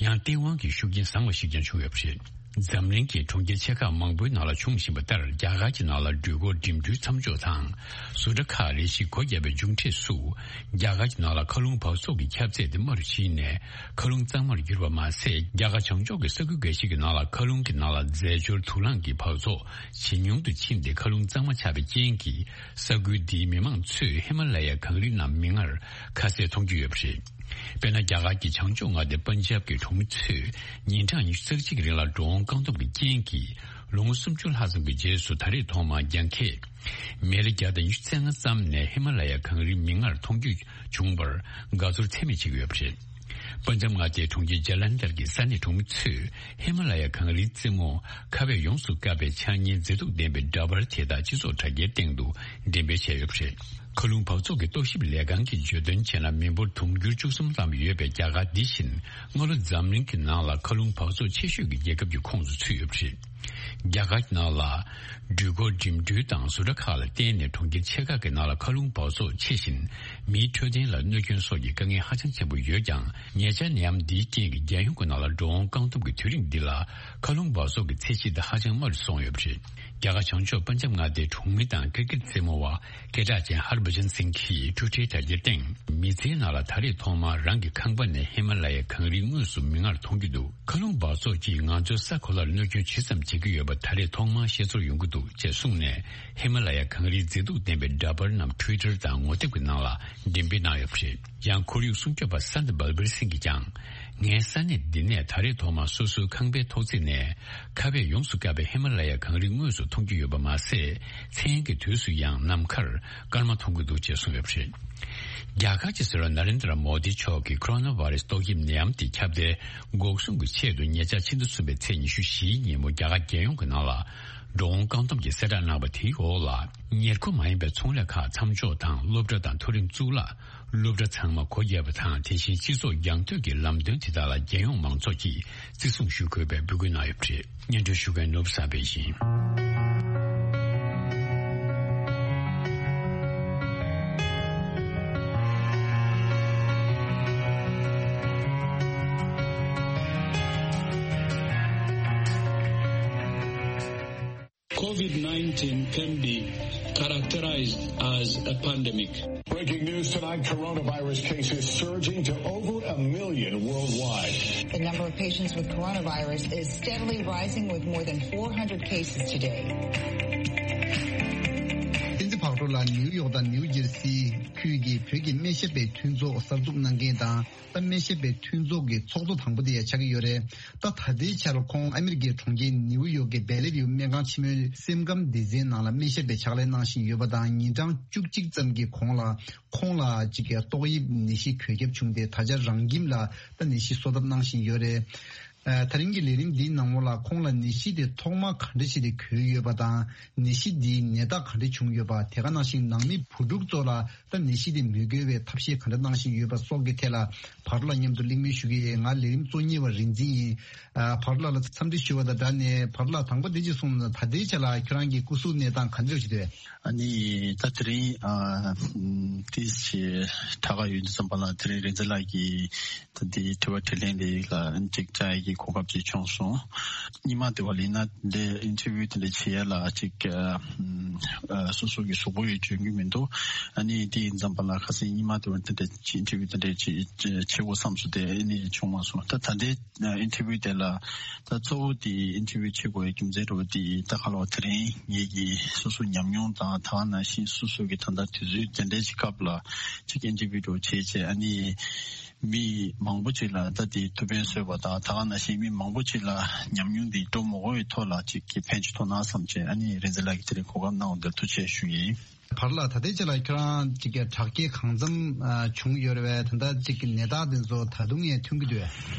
ཡང་སྟེས་དབང་གི་ཤུགས་རྐྱེན་བཟང་བ་ཞིག་ཀྱང་བྱུང་ཡོད་པ་རེད། འཛམ་གླིང་གི་གྲོང་ཁྱེར་ཆེ་ཁག་མང་པོའི་ནང་ལ་བྱུང་བཞིན་པ་ལྟར། རྒྱ་གར་གྱི་ནང་ལ་འགྲུལ་འཁོར་འགྲིམ་འགྲུལ་མཚམས་འཇོག་དང་ཟུར་ཁྲ་ཁག་རེ་ཞིག་སྒོ་བརྒྱབ་པའི་མཇུག་འབྲས་སུ། རྒྱ་གར་གྱི་ནང་ལ་མཁའ་རླུང་འབག་བཙོག་གི་ཁྱབ་ཚད་དེ་དམའ་རུ་ཕྱིན་ནས་མཁའ་རླུང་གཙང་མར་གྱུར་པ་མ་ཟད། རྒྱ་གར་བྱང་ཕྱོགས་ཀྱི་ས་ཁུལ་འགའ་ཞིག་གི་ནང་ལ་མཁའ་རླུང་གི་ནང་ལ་རྫས་སྦྱོར་དུག་རླངས་ཀྱི་འབག་བཙོག་ཇེ་ཉུང་དུ་ཕྱིན་ཏེ། མཁའ་རླུང་གཙང་མ་ཆགས་པའི་རྐྱེན་གྱིས། ས་ཁུལ་འདིའི་མི་མང་ཚོས་ཧི་མ་ལ་ཡའི་གངས་རིའི་ནང་མིག་སྔར་ཁ་གསལ་མཐོང་རྒྱུ་ཡོད་པ་རེད། དཔེར་ན། རྒྱ་གར་གྱི་བྱང་ཕྱོགས་མངའ་སྡེ་པན་ཇབ་ཀྱི་གྲོང་མི་ཚོས་ཉིན་གྲངས་ཉི་ཤུ་རྩ་གཅིག་གི་རིང་ལ་འགྲོ་འོང་བཀག་སྡོམ་གྱི་རྐྱེན་གྱིས། ལོ་ངོ་སུམ་ཅུ་ལྷག་ཙམ་གྱི་རྗེས་སུ། ད་རེས་ཐོག་མར་རྒྱང་ཁྱེར་མེལ་བརྒྱ་དང་ཉི་ཤུ་རྩ་ལྔ་ཙམ་ནས་ཧི་མ་ལ་ཡ་གངས་རིའི་མིག་སྔར་མཐོང་རྒྱུ་བྱུང་བར་དགའ་ཚོར་ཚད་མེད་བྱེད་ཀྱི་ཡོད་པ་རེད། པན་ཇབ་མངའ་སྡེའི་གྲོང་ཁྱེར་ཇ་ལན་དར་གྱི་ས་གནས་གྲོང་མི་ཚོས་ཧི་མ་ལ་ཡ་གངས་རིའི་རྩེ་མོ་ཁ་བས་ཡོངས་སུ་བཀབ་པའི་ཆགས་ཉེའི་མཛེས་སྡུག་ལྡན་པའི་འདྲ་པར་དེ་དག་སྤྱི་ཚོགས་དྲ་རྒྱའི་སྟེང་དུ་འགྲེམས་སྤེལ་བྱས་ཡོད་པ་རེད། མཁའ་རླུང་འབག་བཙོག་གི་རྟོག་ཞིབ་ལས་ཁང་གིས་བརྗོད་དོན་བྱས་ན། མི་འབོར་དུང་ཕྱུར་བཅུ་གསུམ་ཙམ་ཡོད་པའི་རྒྱ་གར་འདི་བཞིན་སྔ་ལོ་འཛམ་གླིང་གི་ནང་ལ་མཁའ་རླུང་འབག་བཙོག་ཆེ་ཤོས་ཀྱི་རྒྱལ་ཁབ་ཀྱི་ཁོངས་སུ་ཚུད་ཡོད་པ་རེད། རྒྱ་གར་གྱི་ནང་ལ་འགྲུལ་འཁོར་འགྲིམ་འགྲུལ་དང་ཟུར་ཁྲ་ཁག་ལ་བརྟེན་ནས་གྲོང་ཁྱེར་ཆེ་ཁག་གི་ནང་ལ་མཁའ་རླུང་འབག་བཙོག་ཆེ་ཞིང་མིའི་འཕྲོད་བསྟེན་ལ་གནོད་སྐྱོན་སོགས་ཀྱི་དཀའ་ངལ་ཧ་ཅང་ཆེན་པོ་ཡོད་ཀྱང་། ཉེ་ཆར་ནད་ཡམས་འདིའི་རྐྱེན་གྱིས་རྒྱལ་ཡོངས་ཀྱི་ནང་ལ་འགྲོ་འོང་བཀག་སྡོམ་གྱི་དུས་རིང་འདི་ལ་མཁའ་རླུང་འབག་བཙོག་གི་ཚད་གཞི་དེ་ཧ་ཅང་དམའ་རུ་སོང་ཡོད་པ་རེད། རྒྱ་གར་བྱང་ཕྱོགས་པན་ཇབ་མངའ་སྡེའི་གྲོང་མི་དང་ཀིར་ཀིར་རྩེད་མོ་བ་སྐད་གྲགས་ཅན་ཧར་བྷ་ཇན་སིང་གིས་ཊུ་ཊར་དྲ་རྒྱའི་སྟེང་། མི་ཚེའི་ནང་ལ་ད་རེས་ཐོག་མར་རང་གི་ཁང་པ་ནས་ཧི་མ་ལ་ཡའི་གངས་རིའི་ངོས་སུ་མིག་སྔར་མཐོང་རྒྱུ་འདུག་མཁའ་རླུང་འབག་བཙོག་གིས་ང་ཚོའི་ས་གོ་ལར་གནོད་སྐྱོན་ཇི་ཙམ་བྱེད་ཀྱི་ཡོད་པ་ད་རེས་ཐོག་མར་ཤེས་ཚོར་ཡོང་གི་འདུག་ཅེས་གསུངས་ནས། ཧི་མ་ལ་ཡའི་གངས་རིའི་མཛེས་སྡུག་ལྡན་པའི་འདྲ་པར་རྣམས་ཊུ་ཝི་ཊར་དང་ངོ་དེབ་ཀྱི་ནང་ལ་འགྲེམས་སྤེལ་གནང་ཡོད་པ་རེད། ཡང་ཁོར་ཡུག་སྲུང་སྐྱོབ་པ་སན་ཏི་བལ་བེར་སིང་གིས་ཀྱང་། ངའི་ས་གནས་འདི་ནས་ད་རེས་ཐོག་མར་སོ་སོའི་ཁང་པའི་ཐོག་བརྩེགས་ནས་ཁ་བས་ཡོངས་སུ་བཀབ་པའི་ཧི་མ་ལ་ཡ་གངས་རི་དངོས་སུ་མཐོང་རྒྱུ་ཡོད་པ་མ་ཟད། མཚན་གྱི་དུས་སུ་ཡང་ནམ་མཁར་སྐར་མ་མཐོང་གི་འདུག་ཅེས་གསུངས་ཡོད་པ་རེད། རྒྱ་གར་གྱི་སྲིད་བློན་ན་རེན་དྲ་མོ་དི་མཆོག་གིས་ཁོ་རོ་ན་བྷ་རེ་སི་ཏོག་དབྱིབས་ནད་ཡམས་དེ་ཁྱབ་གདལ་འགོག་སྲུང་གི་ཆེད་དུ་ཉེ་ཆར་ཕྱི་ཟླ་གསུམ་པའི་ཚེས་ཉི་ཤུ་བཞིའི་ཉིན་མོ་རྒྱ་གར་རྒྱལ་ཡོངས་ཀྱི་ནང་ལ་འགྲོ་འོང་བཀག་སྡོམ་གྱི་གསལ་བསྒྲགས་གནང་བ་དེའི་འོག་ལ། ཉེར་མཁོ་མ་ཡིན་པའི་ཚོང་ལས་ཁག་མཚམས་འཇོག་དང་སློབ་གྲྭ་དང་མཐོ་རིམ་གཙུག་ལག་སློབ་གྲྭ་ཚང་མ་སྒོ་བརྒྱབ་པ་དང་། དེ་བཞིན་སྤྱི་ཚོགས་རྒྱང་མཐུད་ཀྱི་ལམ་སྟོན་དེ་དག་ལ་རྒྱལ་ཡོངས་མང་ཚོགས་ཀྱིས་བརྩི་སྲུང་ཞུ་དགོས་པའི་འབོད་སྐུལ་གནང་ཡོད་པ་རེད། སྙན་སྒྲོན་ཞུ་མཁན་ནོར་བུ་བསམ་འཕེལ་ཡིན། COVID nineteen can be characterized as a pandemic. Breaking news tonight, coronavirus cases surging to over a million worldwide. The number of patients with coronavirus is steadily rising, with more than four hundred cases today. ཏིན་ཙི་བག་གྲོ་ལ་ནིའུ་ཡོག་དང་ནིའུ་ཇེར་སི་ཁུལ་གྱི་བོད་ཀྱི་སྨན་ཞབས་པའི་མཐུན་ཚོགས་གསར་འཛུགས་གནང་མཁན་དང་། ད་སྨན་ཞབས་པའི་མཐུན་ཚོགས་ཀྱི་ཚོགས་གཙོ་དང་པོ་དེ་ཡང་ཆགས་ཀྱི་ཡོད་རེད། ད་ད་ལྟའི་ཆར་ཁོང་ཨ་མི་རི་ཀའི་གྲོང་ཁྱེར་ནིའུ་ཡོག་གི་བེ་ལེ་ཝིའུ་སྨན་ཁང་ཆེན་མོའི་སེམས་ཁམས་སྡེ་ཚན་ནང་ལ་སྨན་ཞབས་པའི་ཕྱག་ལས་གནང་བཞིན་ཡོད་པ་དང་། ཉིན་གྲངས་བཅུ་གཅིག་ཙམ་གྱི་གོང་ལ་ཁོང་ལ་ཅིག་གི་ཏོག་དབྱིབས་ནད་གཞི་འགོས་ཁྱབ་བྱུང་སྟེ། ད་ཆ་རང་ཁྱིམ་ལ་ད་ནད་གཞི་གསོ་ཐབས་གནང་བཞིན་ཡོད་རེད། ཨ། ད་རིང་གི་ལས་རིམ་འདིའི་ནང་ལོགས་ལ་ཁོང་ལ་ནད་གཞི་དེ་ཐོག་མ་ག་འདྲ་ཞིག་དེ་འགོས་ཡོད་པ་དང་། ནད་གཞི་འདིའི་ནད་རྟགས་ག་འདྲ་བྱུང་ཡོད་པ། དེ་ག་ནང་བཞིན་ནང་མི་བུ་ཕྲུག་ཚོ་ལ་ད་ནད་གཞི་དེ་མི་འགོས་པའི་ཐབས་ཤེས་ག་འདྲ་གནང་བཞིན་ཡོད་པ་སོགས་ཀྱི་ཐད་ལ་བར་ལ་མཉམ་དུ་གླེང་མོལ་ཞུ་གི་ཡོད། ང་ལས་རིམ་གཙོ་གཉེར་བ་རིག་འཛིན་ཡིན། ཨ། བར་ལ་ལ་འཚམས་འདྲི་ཞུ་བ་དང་སྦྲགས་ནས། བར་ལ་དང་པོ་དེ་ཅིག་གསུངས་ན། ད་ལྟའི་ཆ་ལ་ཁྱོད་རང་གི་སྐུ་གཟུགས་གནས་སྟངས་ག་འདྲ་ཞིག་འདུག་ཨ་ནི་ད་དེ་རིང་ཨ་ཏིས་ཞེས་དྲག་ག་ཡོད་འདུག་བསམ་པ་ལ། དེ་རིང་རིག་འཛིན་ལགས་ཀྱིས་ད་འདི་དྲི་བ་དྲིས་ལན་འདི་ལ་ཅིག་བཅར་ཡས་ཀྱི་གོ་སྐབས་ཅིག་བྱུང་སོང་། སྔོན་མ་དེ་བ་ལ་ཡིན་ན་འདི་ཨིན་ཊར་བིའུ་དེ་འདྲ་བྱེད་ཡས་ལ་ཅིག་ཨ་སོ་སོ་གི་གཟུགས་པོ་ཡིས་འཇོན་གྱི་མི་འདུག་ཨ་ནི་དེ་ཡིན་བསམ་པ་ལ་ཁ་སང་སྔོན་མ་དེ་བ་དེ་འདྲ་ཅིག་ཨིན་ཊར་བིའུ་དེ་འདྲ་ཅིག་བྱེད་དགོས་བསམ་སོང་། དེ་ཨ་ནི་བྱུང་མ་སོང་། ད་ད་ལྟའི་ཨིན་ཊར་བིའུ་དེ་ལ་ད་གཙོ་བོ་དེ་ཨིན་ཊར་བིའུ་བྱེད་དགོས་ཡའི་རྒྱུ་མཚན་འདྲ་བོ་དེ་ད་ག་ལ་བ་དེ་རིང་ངེད་ཀྱི་སོ་སོ་ཉམས་མྱོང་དང་། ད་ག་ནང་བཞིན་སོ་སོ་གི་ད་ལྟ་དུས་ཚོད་དེ་འདྲའི་ཅིག་སྐབས་ལ་ཅིག་ཨིན་ཊར་བིའུ་འདྲ་བོ་བྱེད་བྱས། ཨ་ནི་མི་མང་པོ་ཅིག་ལ་ད་དེ་ཐུགས་ཕན་གསོས་པ་དང་། ད་ག་ནང་བཞིན་མི་མང་པོ་ཅིག་ལ་ཉམས་མྱོང་འདི་སྤྲོད་མ་དགོས་པའི་ཐོག་ལ་ཅིག་གི་ཕན་ཅིག་ཐོགས་ན་བསམ་བྱས། ཨ་ནི་རིག་འཛིན་ལགས་ཀྱིས་དེ་རིང་གོ་སྐབས་གནང་བ་འདིར་ཐུགས་རྗེ་ཆེ་ཞུ་ཡིན། བར་ལ་ད་ལྟའི་ཆ་ལ་ཁྱོད་རང་ཅིག་གི་དྲག་སྐྱེད་གང་འཚམ་ཨ་བྱུང་ཡོད་རེད་པས། ད་ལྟ་ཅིག་གི་ནད་རྟགས་འདི་ཚོ་ད་དུང་ཡང་ཐོན་གྱི་འདུག་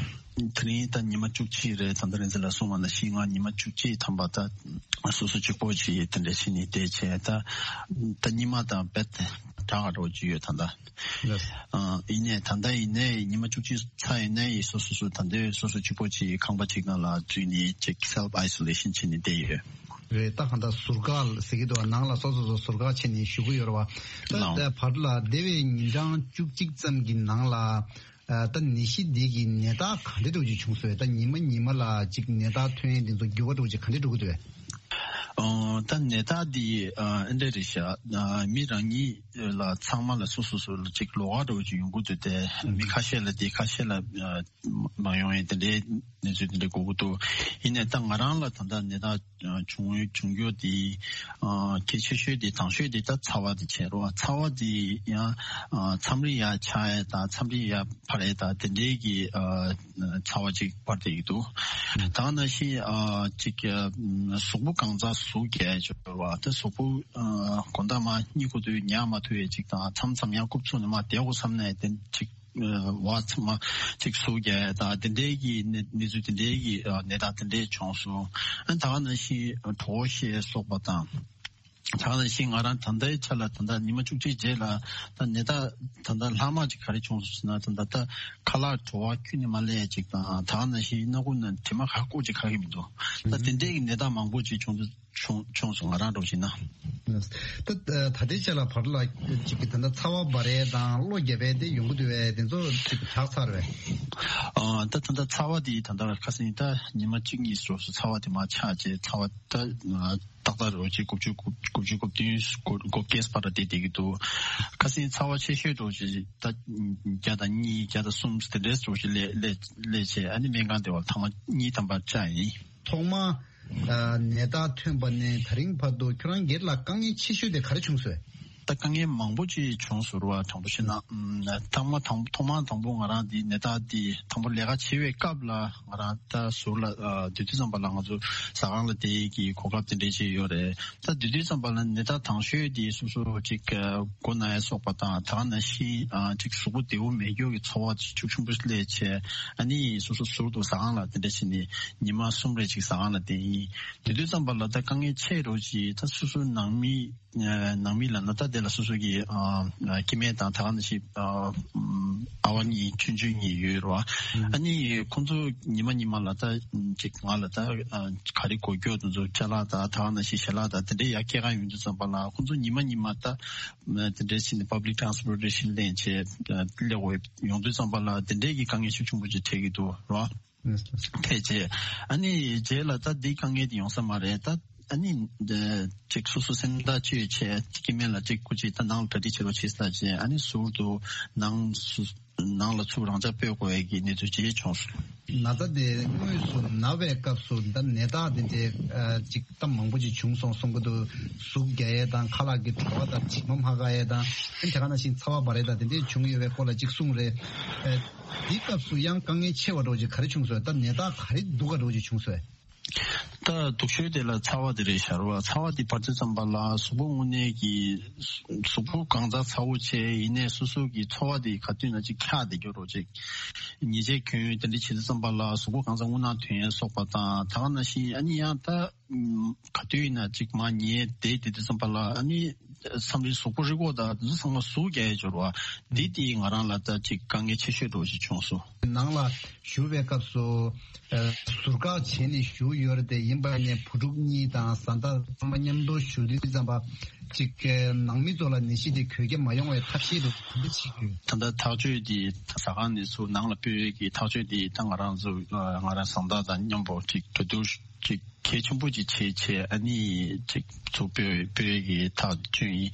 དེ་རིང་ད་ཉི་མ་བཅུ་གཅིག་རེད། ད་ལྟ་རིག་འཛིན་ལགས་གསུངས་པ་ནང་བཞིན་ང་ཉི་མ་བཅུ་གཅིག་ཐམ་པ་ད་སོ་སོ་གཅིག་པོ་ཅིག་དེ་འདྲ་བྱས་ནས་བསྡད་བྱས། ད་ད་སྔོན་མ་དང་རྦད་དྲག་ག་འགྲོ་གི་ཡོད་ད་ལྟ། ལགས། ཨ། ཡིན་ནའི་ད་ལྟ་ཡིན་ནའི་ཉི་མ་བཅུ་གཅིག་ཚར་ཡིན་ནའི་སོ་སོ་སོ་ད་ལྟའི་སོ་སོ་གཅིག་པོ་ཅིག་ཁང་པ་གཅིག་ནང་ལ་འཛུལ་ནས་ཅིག་སེལཕ་ཨའི་སོ་ལེ་ཤན་བྱས་ནས་བསྡད་ཡོད། རེད། ད་གང་ལྟར་ཟུར་བཀག་ཟེར་གྱི་འདུག་ནང་ལ་སོ་སོ་སོ་ཟུར་བཀག་བྱས་ནས་བཞུགས་ཀྱི་ཡོད་རེད་པ། ད་ལགས། ད་བར་ལ་འདས་པའི་ཉིན་གྲངས་བཅུ་གཅིག་ཙམ་གྱི་ནང་ལ། ཨ། ད་ནད་གཞི་འདི་གི་ནད་རྟགས་ག་འདྲ་འདྲ་བོ་ཅིག་བྱུང་སོང་། ད་ཉི་མ་ཉི་མ་ལ་ཅིག་ནད་རྟགས་ཐོན་ཡས་འདི་ཚོ་འགྱུར་བ་འདྲ་བོ་ཅིག་ག་འདྲ་འགྲོ་གི་འདུག་གས། ཨོ། ད་ནད་རྟགས་འདི་ཨ་འདི་འདྲ་རེད་ཤག་ཨ། མི་རང་ཉིད་ལ་ཚང་མ་ལ་སོ་སོ་སོ་ལ་ཅིག་ལོགས་ཀ་འདྲ་བོ་ཅིག་ཡོང་གི་འདུག་སྟེ། མི་ཁ་ཤས་ལ་འདི་ཁ་ཤས་ལ་ཨ་མ་ཡོང་ཡས་དེ་འདྲའི་གནས་ཚུལ་དེ་འདྲ་གོ་གི་འདུག། ཡིན་ནའི་ད་ང་རང་ལ་ད་ལྟ་ནད་རྟགས་ཨ་བྱུང་བྱུང་རྒྱུ་དེ་ཨ་གལ་ཆེ་ཤོས་དེ་དང་ཤོས་དེ་ད་ཚ་བ་དེ་བྱས་རོ། ཚ་བ་དེ་ཡང་ཨ་མཚམས་རེ་ཡར་ཆག་ཡས་དང་མཚམས་རེ་ཡར་འཕར་ཡས་དང་དེ་འདྲའི་གི་ཨ་ཚ་བ་ཅིག་འཕར་བསྡད་ཀྱི་འདུག། ད་ག་ནང་བཞིན་ཨ་ཅིག་ཨ་གཟུགས་པོ་གང་ག་ཟུག་རྒྱག་ཡས་ཅིག་ཡོད་རེད་བ། ད་གཟུགས་པོ་ཨ་དགོང་དག་མར་གཉིད་ཁུག་དུས་ཉལ་མ་ཐུབ་ཡས་ཅིག་དང་། མཚམས་མཚམས་ཡང་རྐུབ་ཚུགས་ནས་མར་བསྡད་དགོས་བསམ་ནས་དེ་ཅིག་ཨ་བ་ཚང་མ་ཅིག་ཟུག་རྒྱག་ཡས་དང་དེ་འདྲའི་གི་གནས་གནས་ཚུལ་དེ་འདྲའི་གི་ཨ་ནད་རྟགས་དེ་འདྲའི་བྱུང་སོང་། ཨ་ད་ག་ནང་བཞིན་གྲོད་ཁོག་བཤལ་སོགས་པ་དང་། ད་ག་ནང་བཞིན་ང་རང་ད་ལྟའི་ཆ་ལ་ད་ལྟ་ཉི་མ་བཅུ་གཅིག་རྗེས་ལ་ད་ནད་རྟགས་ད་ལྟ་ལྷག་མ་ཅིག་ག་རེ་བྱུང་སོང་ཟེར་ན། ད་ལྟ་ད་ཁ་ལག་བྲོ་བ་ཁྱོན་ནས་མ་སླེབས་ཅིག་དང་། ད་ག་ནང་བཞིན་སྣ་ཁུག་ནང་དྲི་མ་ག་བཀོག་ཅིག་ག་གི་མི་འདུག། ད་དེ་འདྲའི་གི་ནད་རྟགས་མང་པོ་ཅིག་བྱུང་དུས་བྱུང་བྱུང་སོང་། ང་རང་འདྲ་བོ་བྱས་ན། ད་ད་ལྟའི་ཆ་ལ་བར་ལ་ཅིག་གི་ད་ལྟ་ཚ་བ་འབར་ཡས་དང་གློ་རྒྱག་པ་དེ་ཡོང་གི་འདུག་པས། དེ་ཚོ་ཅིག་དྲག་ཚར་བས། ཨ་ད་ད་ལྟ་ཚ་བ་དེ་ད་ལྟ་ཁ་སང་ད་ཉི་མ་གཅིག་གཉིས་སོ་སོ་ཚ་བ་དེ་མར་ཆག་བྱས། ཚ་བ་ད་ཏག་ཏག་རེད་བ། ཅིག་དགུ་བཅུ་དགུ་བཅུ་དགུ་བདུན་དགུ་བརྒྱད་བར་ལ་བསྡད་བསྡད་ཀྱི་འདུག། ཁ་སང་ཚ་བ་ཆེ་ཤོས་འདྲ་བོ་ཅིག་ད་བརྒྱ་དང་གཉིས་བརྒྱ་དང་གསུམ་དེ་འདྲའི་འདྲ་བོ་ཅིག་སླེབས་སླེབས་སླེབས་བྱས། ཨ་ནི་སྨན་ཁང་བསྡད་པ་ལ་ཐེངས་མ་གཉིས་ཐམ་པ་བཅག་ཡིན། ཐོག་མ་ཨ་ནད་རྟགས་ཐོན་པ་ནས་ད་རིང་བར་དུ་ཁྱོད་རང་སྒེར་ལ་དཀའ་ངལ་ཆེ་ཤོས་དེ་ག་རེ་བྱུང་སོང་། ད་དཀའ་ངལ་མང་པོ་ཅིག་བྱུང་སོང་ར་བ། དྲང་པོ་བཤད་ན། ཨམ། ཐོག་མ་དང་ཐོག་མ་དང་པོ་ང་རང་འདི་ནད་རྟགས་འདི་དང་པོ་ལས་ཀ་བྱེད་པའི་སྐབས་ལ་ང་རང་ད་ཟུར་ལ་ཨ་སྡོད་དུས་ཙམ་པ་ལ་ང་ཚོ་ཟ་ཁང་ལ་བསྡད་ཀྱི་གོ་སྐབས་དེ་འདྲས་ཅིག་ཡོད་རེད། ད་སྡོད་དུས་ཙམ་པ་ལ་ནད་རྟགས་དང་ཤོས་དེ་སོ་སོ་ཅིག་ཨ་མགོ་ན་ཡ་སོགས་པ་དང་། ད་ག་ནང་བཞིན་ཨ་ཅིག་གཟུགས་པོ་བདེ་པོ་མེད་རྒྱུ་གི་ཚོར་བ་ཅིག་ཤུགས་ཆེན་པོ་སླེབས་བྱས། ཨ་ནི་སོ་སོ་ཟུར་དུ་ཟ་ཁང་ལ་དེ་འདྲས་བྱས་ནས་ཉི་མ་གསུམ་རེ་ཅིག་ཟ་ཁང་ལ་བསྡད་ཡིན། དེ་དུས་ཙམ་པ་ལ་ད་དཀའ་ངལ་ཆེ་རུ་ཅིག་ད་སོ་སོ་ནང་མི་ནང་མི་ལབ་ན་ད་དེ་ལ་སོ་སོ་གི་ཨ་སྐྱེ་དམན་དང་། ད་ག་ནང་བཞིན་ཨ་ཨ་བ་གཉིས་ཆུང་ཆུང་གཉིས་ཡོད་རེད་བ། ཨ་ནི་ཁོང་ཚོ་ཉི་མ་ཉི་མ་ལ་ད་ཅིག་ང་ལ་ད་ག་རེ་དགོས་རྒྱུ་དེ་ཚོ་ཅ་ལག་དང་། ད་ག་ནང་བཞིན་ཞལ་ལག་དང་དེ་འདྲའི་ཡར་སྐྱེལ་ག་ཡོང་དུས་ཙམ་པ་ལ་ཁོང་ཚོ་ཉི་མ་ཉི་མ་ད་དེ་འདྲའི་ཕྱིན་ནས་public transportation་ལེན་བྱས་སླེབས་དགོས་ཡོང་དུས་ཙམ་པ་ལ་དེ་འདྲའི་གི་དཀའ་ངལ་ཤུགས་ཆེན་པོ་ཅིག་འཕྲད་ཀྱི་འདུག་རེད་བ། ཐེག་བྱས། ཨ་ནི་རྗེས་ལ་ད་འདི་དཀའ་ངལ་དེ་ཡོང་ས་མ་རེད། ད་ཨ་ནི་འདི་ཅིག་སོ་སོ་སེམས་ཐག་གཅོད་བྱས། སྐྱེ་དམན་ལ་ཅིག་སྐུ་མཁྱེན་ད་ནང་ལ་གྲ་སྒྲིག་བྱེད་རོགས་བྱེད་ཟེར་བྱས། ཨ་ནི་ཟུར་དུ་ནང་སུ་ནང་ལ་ཚུར་རང་འཇགས་སྤོས་དགོས་ཡས་ཀྱི་གནས་ཚུལ་ཅིག་བྱུང་སོང་། ན་ཚ་དེ་དངོས་སུ་ན་བའི་སྐབས་སུ་ད་ནད་རྟགས་དེ་འདྲའི་ཨ་ཅིག་ད་མང་པོ་ཅིག་བྱུང་སོང་གསུང་གི་འདུག། ཟུག་རྒྱག་ཡས་དང་། ཁ་ལག་གི་བྲོ་བ་དང་། དྲི་མ་མ་འགག་ཡས་དང་། ཨ་ནི་དེ་ག་ནང་བཞིན་ཚ་བ་འབར་ཡས་དང་དེ་འདྲའི་བྱུང་ཡོད་པའི་སྐོར་ལ་ཅིག་གསུངས་རེད། ཨ། འདི་སྐབས་སུ་ཡང་དཀའ་ངལ་ཆེ་བ་འདྲ་བོ་ཅིག་ག་རེ་བྱུང་སོང་། ད་ནད་རྟགས་ག་རེ་སྡུག་ག་འདྲ་བོ་ཅིག་བྱུང་སོང་། ད་སྡུག་ཤོས་དེ་ལ་ཚ་བ་དེ་རེད་ཤག་ར་བ། ཚ་བ་དེ་འབར་དུས་ཙམ་པ་ལ་གཟུགས་པོ་དངོས་གནས་ཀྱི་གཟུགས་པོ་གང་ག་ཚ་པོ་བྱས། ཡིན་ནའི་སོ་སོ་གི་ཚོར་བ་དེ་ག་དུས་ན་ཅིག་འཁྱག་བསྡད་རྒྱུ་འདྲ་བོ་ཅིག། ཉལ་ཆས་གྱོན་དེ་འདྲ་བྱེད་དུས་ཙམ་པ་ལ་གཟུགས་པོ་གང་ག་རྔུལ་ནག་ཐོན་ཡས་སོགས་པ་དང་། ད་ག་ནང་བཞིན་ཨ་ནི་ཡང་ད་ག་དུས་ཡིན་ན་ཅིག་མར་ཉལ་བསྡད་དེ་དུས་ཙམ་པ་ལ་ཨ་ནི་མཚམས་རེ་གཟུགས་པོ་རི་མགོ་དང་དེ་ཚོ་ཚང་མ་ཟུག་རྒྱག་ཡས་འབྱོར་བ། འདི་དེ་ང་རང་ལ་ད་ཅིག་དཀའ་ངལ་ཆེ་ཤོས་འདྲ་བོ་ཞིག་བྱུང་སོང་། ནང་ལ་བཞུགས་པའི་སྐབས་སུ་ཨ་ཟུར་བཀག་བྱས་ནས་བཞུགས་ཡོད་རེད་དེ། ཡིན་པ་ནས་བུ་ཕྲུག་གཉིས་དང་བཟའ་ཟླ་ཚང་མ་མཉམ་དུ་བཞུགས་དུས་ཙམ་པ་ཅིག་ནང་མི་ཚོ་ལ་ནད་གཞི་དེ་འགོས་ཀྱི་མ་ཡོང་བའི་ཐབས་ཤེས་དེ་ག་འདྲ་བྱེད་ཀྱི་ཡོད། ད་ལྟ་ཐག་གཅོད་དེ་ཟ་ཁང་ནས་ཚུར་ནང་ལ་སྤོས་ཀྱི་ཐག་གཅོད་དེ་ད་ང་རང་ཚོ་ང་རང་བཟའ་ཟླ་དང་མཉམ་པོ་ཅིག་གྲོས་བསྡུར་ཅིག་གལ་ཆེན་པོ་ཅིག་བྱས་བྱས། ཨ་ནི་ཅིག་ཚུར་སྤོས་སྤོས་ཀྱི་ཐག་གཅོད་ཡིན།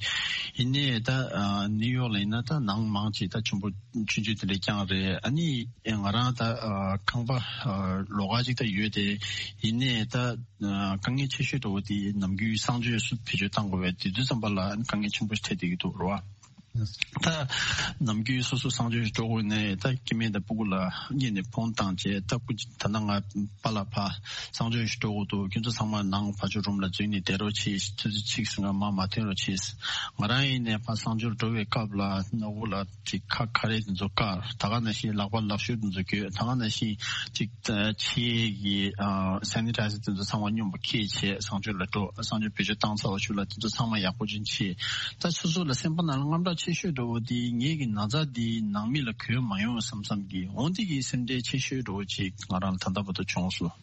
ཡིན་ནའི་ད་ཨ་ནིའུ་ཡོག་ལ་ཡིན་ན་ད་ནང་མང་ཅིག་ད་ཆུང་པོ་ཆུང་ཆུང་དེ་འདྲ་རྐྱང་རེད། ཨ་ནི་ང་རང་ད་ཨ་ཁང་པ་ཨ་ལོགས་ཀ་ཅིག་ད་ཡོད་དེ། ཡིན་ནའི་ད་ཨ་དཀའ་ངལ་ཆེ་ཤོས་འདྲ་བོ་དེ་ནམ་རྒྱུན་གསང་སྤྱོད་སུ་བེད་སྤྱོད་བཏང་དགོས་པས། དེ་དུས་ཙམ་པ་ལ་ཨ་ནི་དཀའ་ངལ་ཆེན་པོ་ཞིག་འཕྲད་བསྡད་ཀྱི་འདུག་རེད་བ། ད་ནམ་རྒྱུན་སོ་སོ་གསང་སྤྱོད་ཞིག་འགྲོ་དགོས་ནས་ད་སྐྱེ་དམན་དང་སྤུ་གུ་ལ་སྔོན་ནས་ཕོན་བཏང་བྱས། ད་སྐུ་ད་ལྟ་ང་པཱ་ལགས་ཕར་གསང་སྤྱོད་ཞིག་འགྲོ་དགོས་འདུག། ཁྱོད་ཚོ་ཚང་མ་ནང་ཕར་ཕྱོགས་རུམ་ལ་འཛུལ་ནས་བསྡད་རོགས་གྱིས། ཆུ་ཚོད་གཅིག་ཟིན་ག་མར་མ་ཐོན་རོགས་གྱིས། ང་རང་ཡིན་ནས་ཕར་གསང་སྤྱོད་འགྲོ་བའི་སྐབས་ལ་སྣ་བུག་ལ་ཅིག་ཁ་ཁ་རས་དེ་ཚོ་བཀག། ད་ག་ནང་བཞིན་ལག་པ་ལག་ཤུབས་དེ་ཚོ་གྱོན། ད་ག་ནང་བཞིན་ཅིག་ཕྱིའི་གི་ཨ་སེ་ནི་ཊའི་ཛར་དེ་ཚོ་ཚང་མ་སྙོམས་པོ་ཁྱེར་བྱས་གསང་སྤྱོད་ལ་འགྲོ། གསང་སྤྱོད་བེད་སྤྱོད་བཏང་ཚར་བ་ཞུ་ལ་དེ་ཚོ་ཚང་མ་ཡག་པོ་ཅིག་བྱས། ད་སོ་སོ་ལ་སེམས་པ་ནང་ལ་དངངས་སྐྲག་ཆེ་ཤོས་འདྲ་བོ་དེ་ངེད་ཀྱི་ན་ཚ་དེ་ནང་མི་ལ་འགོས་མ་ཡོང་བསམ་བསམ་གྱི་འོ་འདི་གི་སེམས་ཁྲལ་ཆེ་ཤོས་འདྲ་བོ་ཅིག་ང་རང་ལ་ད་ལྟ་བར་དུ་བྱུང་སོང་།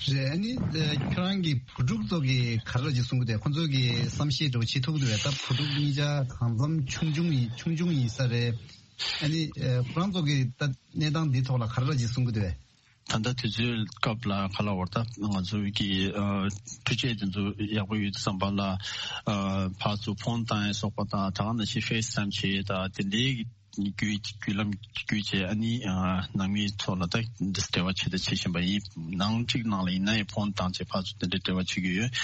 རེད། ཨ་ནི་ཨ་ཁྱོད་རང་གི་བུ་ཕྲུག་ཚོ་གིས་ག་རེ་ལ་ཅིག་གསུང་གི་འདུག། ཁོ་ཚོ་གིས་བསམ་ཤེས་འདྲ་བོ་བྱེད་ཐུབ་ཀྱི་འདུག་གས། ད་བུ་ཕྲུག་གཉིས་ཆ་གང་འཚམ་ཆུང་ཆུང་ཡིན་ཆུང་ཆུང་ཡིན་ས་རེད། ཨ་ནི་ཨ་ཁོ་རང་ཚོ་གི་ད་གནས་སྟངས་འདི་ཐོག་ལ་ག་རེ་ཅིག་གསུང་གི་འདུག་བས། ད་ལྟ་དུས་ཚོད་སྐབས་ལ་ག་ལ་བར་ད་ང་ཚོ་གི་ཨ་འཕྲུལ་ཆས་དེ་ཚོ་ཡག་པོ་ཡོད་དུས་ཙམ་པ་ལ་ཨ་ཕར་ཚུར་ཕོན་བཏང་ཡ་སོགས་པ་དང་། ད་ག་ནང་བཞིན་ཕེ་སི་ཊའིམ་བྱེད་ཡ་དང་། དེ་འདྲའི་གི་བརྒྱུད་བརྒྱུད་ལམ་བརྒྱུད་བྱས། ཨ་ནི་ཨ་ནང་མིའི་ཐོག་ལ་ད་འབྲེལ་བ་བྱེད་ད་བྱེད་བཞིན་པ་ཡིན། ནང་གཅིག་ནང་ལ་ཡིན་ན་ཡང་ཕོན་བཏང་བྱས་ཕར་ཚུར་དེ་འདྲའི་འབྲེལ་བ་བྱེད་ཀྱི་ཡོད།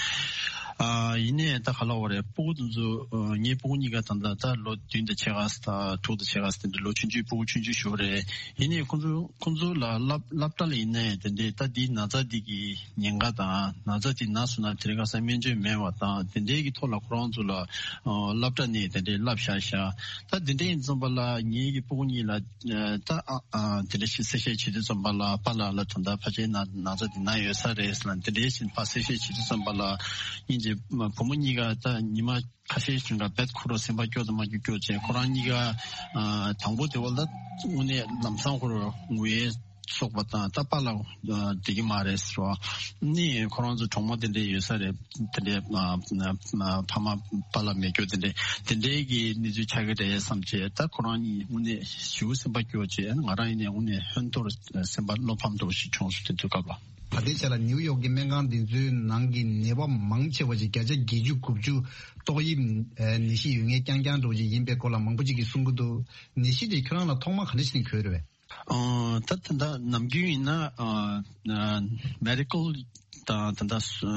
ཨ་ཡིན་ནའི་ད་ག་ལ་བར་ཡ་སྤུ་གུ་དེ་ཚོ་ཨ་ངའི་སྤུ་གུ་གཉིས་ཀ་ད་ལྟ་ད་ལོ་བདུན་དང་ཕྱེད་ཀ་དང་དྲུག་དང་ཕྱེད་ཀ་དེ་འདྲ་ལོ་ཆུང་ཆུང་། སྤུ་གུ་ཆུང་ཆུང་ཞིག་རེད། ཡིན་ནའི་ཁོང་ཚོ་ཁོང་ཚོ་ལ་སློབ་སློབ་གྲྭ་ལ་ཡིན་ནའི་དེ་འདྲའི་ད་འདི་ན་ཚ་འདི་གི་ཉེན་ཁ་དང་། ན་ཚ་འདི་ན་སོང་ན་དེ་རིང་ཁ་སང་སྨན་བཅོས་མེད་པ་དང་། དེ་འདྲའི་གི་ཐོག་ལ་ཁོ་རང་ཚོ་ལ་ཨ་སློབ་གྲྭ་ནས་དེ་འདྲའི་བསླབ་བཞག་བཞག་ད་དེ་འདྲའི་ཡིན་ཙམ་པ་ལ་ངའི་གི་སྤུ་གུ་གཉིས་ལ་ཨ་ད་ཨ་ཨ་དེ་འདྲ་ཞིག་གསལ་བཤད་བྱེད་དུས་ཙམ་པ་ལ། པཱ་ལགས་ལ་ད་ལྟ་ཕལ་ཆེར་ན་ན་ཚ་འདི་ན་ཡོད་ས་རེད་ལབ་དེ་འདྲའི་ཞིག་ཕར་གསལ་བཤད་བྱེད་དུས་ཙམ་པ་ལ། སྙིང་རྗེ། བུ་མོ་གཉིས་ཀ་ད་ཉི་མ་ཁ་ཤས་ཤིག་ག་བེད་ཁུར་རོ་སེམས་པ་སྐྱོ་དང་མ་སྐྱོ་སྐྱོ་བྱས། ཁོ་རང་གཉིས་ཀ་ཨ་དང་པོ་དེ་བ་ལ་ད་དངོས་གནས་ལམ་སང་ཁོ་རང་ངུ་ཡས་སོགས་པ་དང་། ད་པཱ་ལགས་ཨ་བདེ་གི་མ་རེད་ཟེར་བ་ནི། ཁོ་རང་ཚོ་གྲོགས་མོ་དེ་འདྲས་ཡོད་ས་རེད། དེ་འདྲས་ཨ་ཨ་ཕ་མ་པཱ་ལགས་མེད་རྒྱུ་དེ་འདྲས་དེ་འདྲས་ཀྱི་གནས་ཚུལ་ཆགས་ཀྱི་རེད་བསམ་བྱས། ད་ཁོ་རང་གཉིས་དངོས་གནས་ཞེ་པོ་སེམས་པ་སྐྱོ་བྱས། ང་རང་ཡིན་ནའི་དངོས་གནས་ཧོན་ཐོར་སེམས་པ་བློ་ཕམ་འདྲ་བོ་ཞིག་བྱུང་སོང་དེ་དུས་སྐབས་ལ། ད་ལྟའི་ཆ་ལ་ནིའུ་ཡོག་གི་སྨན་ཁང་འདི་ཚོའི་ནང་གི་ནད་པ་མང་ཆེ་བ་ཞིག་བརྒྱ་ཆ་བརྒྱད་ཅུ་དགུ་བཅུ་ཏོག་དབྱིབས་ཨ་ནད་གཞི་ཡོད་མཁན་རྐྱང་རྐྱང་འདྲ་བོ་ཞིག་ཡིན་པའི་སྐོར་ལ་མང་པོ་ཅིག་གིས་གསུང་གི་འདུག་ནད་གཞི་དེ་ཁྱོད་རང་ལ་ཐོག་མར་ག་འདྲ་ཞིག་ནས་གོ་ཡོད་རེད་པས། ཨ་ད་ད་ལྟ་ནམ་རྒྱུན་ཡིན་ན་ཨ་ཨ་མེ་ཌི་ཀལ་དང་ད་ལྟ་སུ་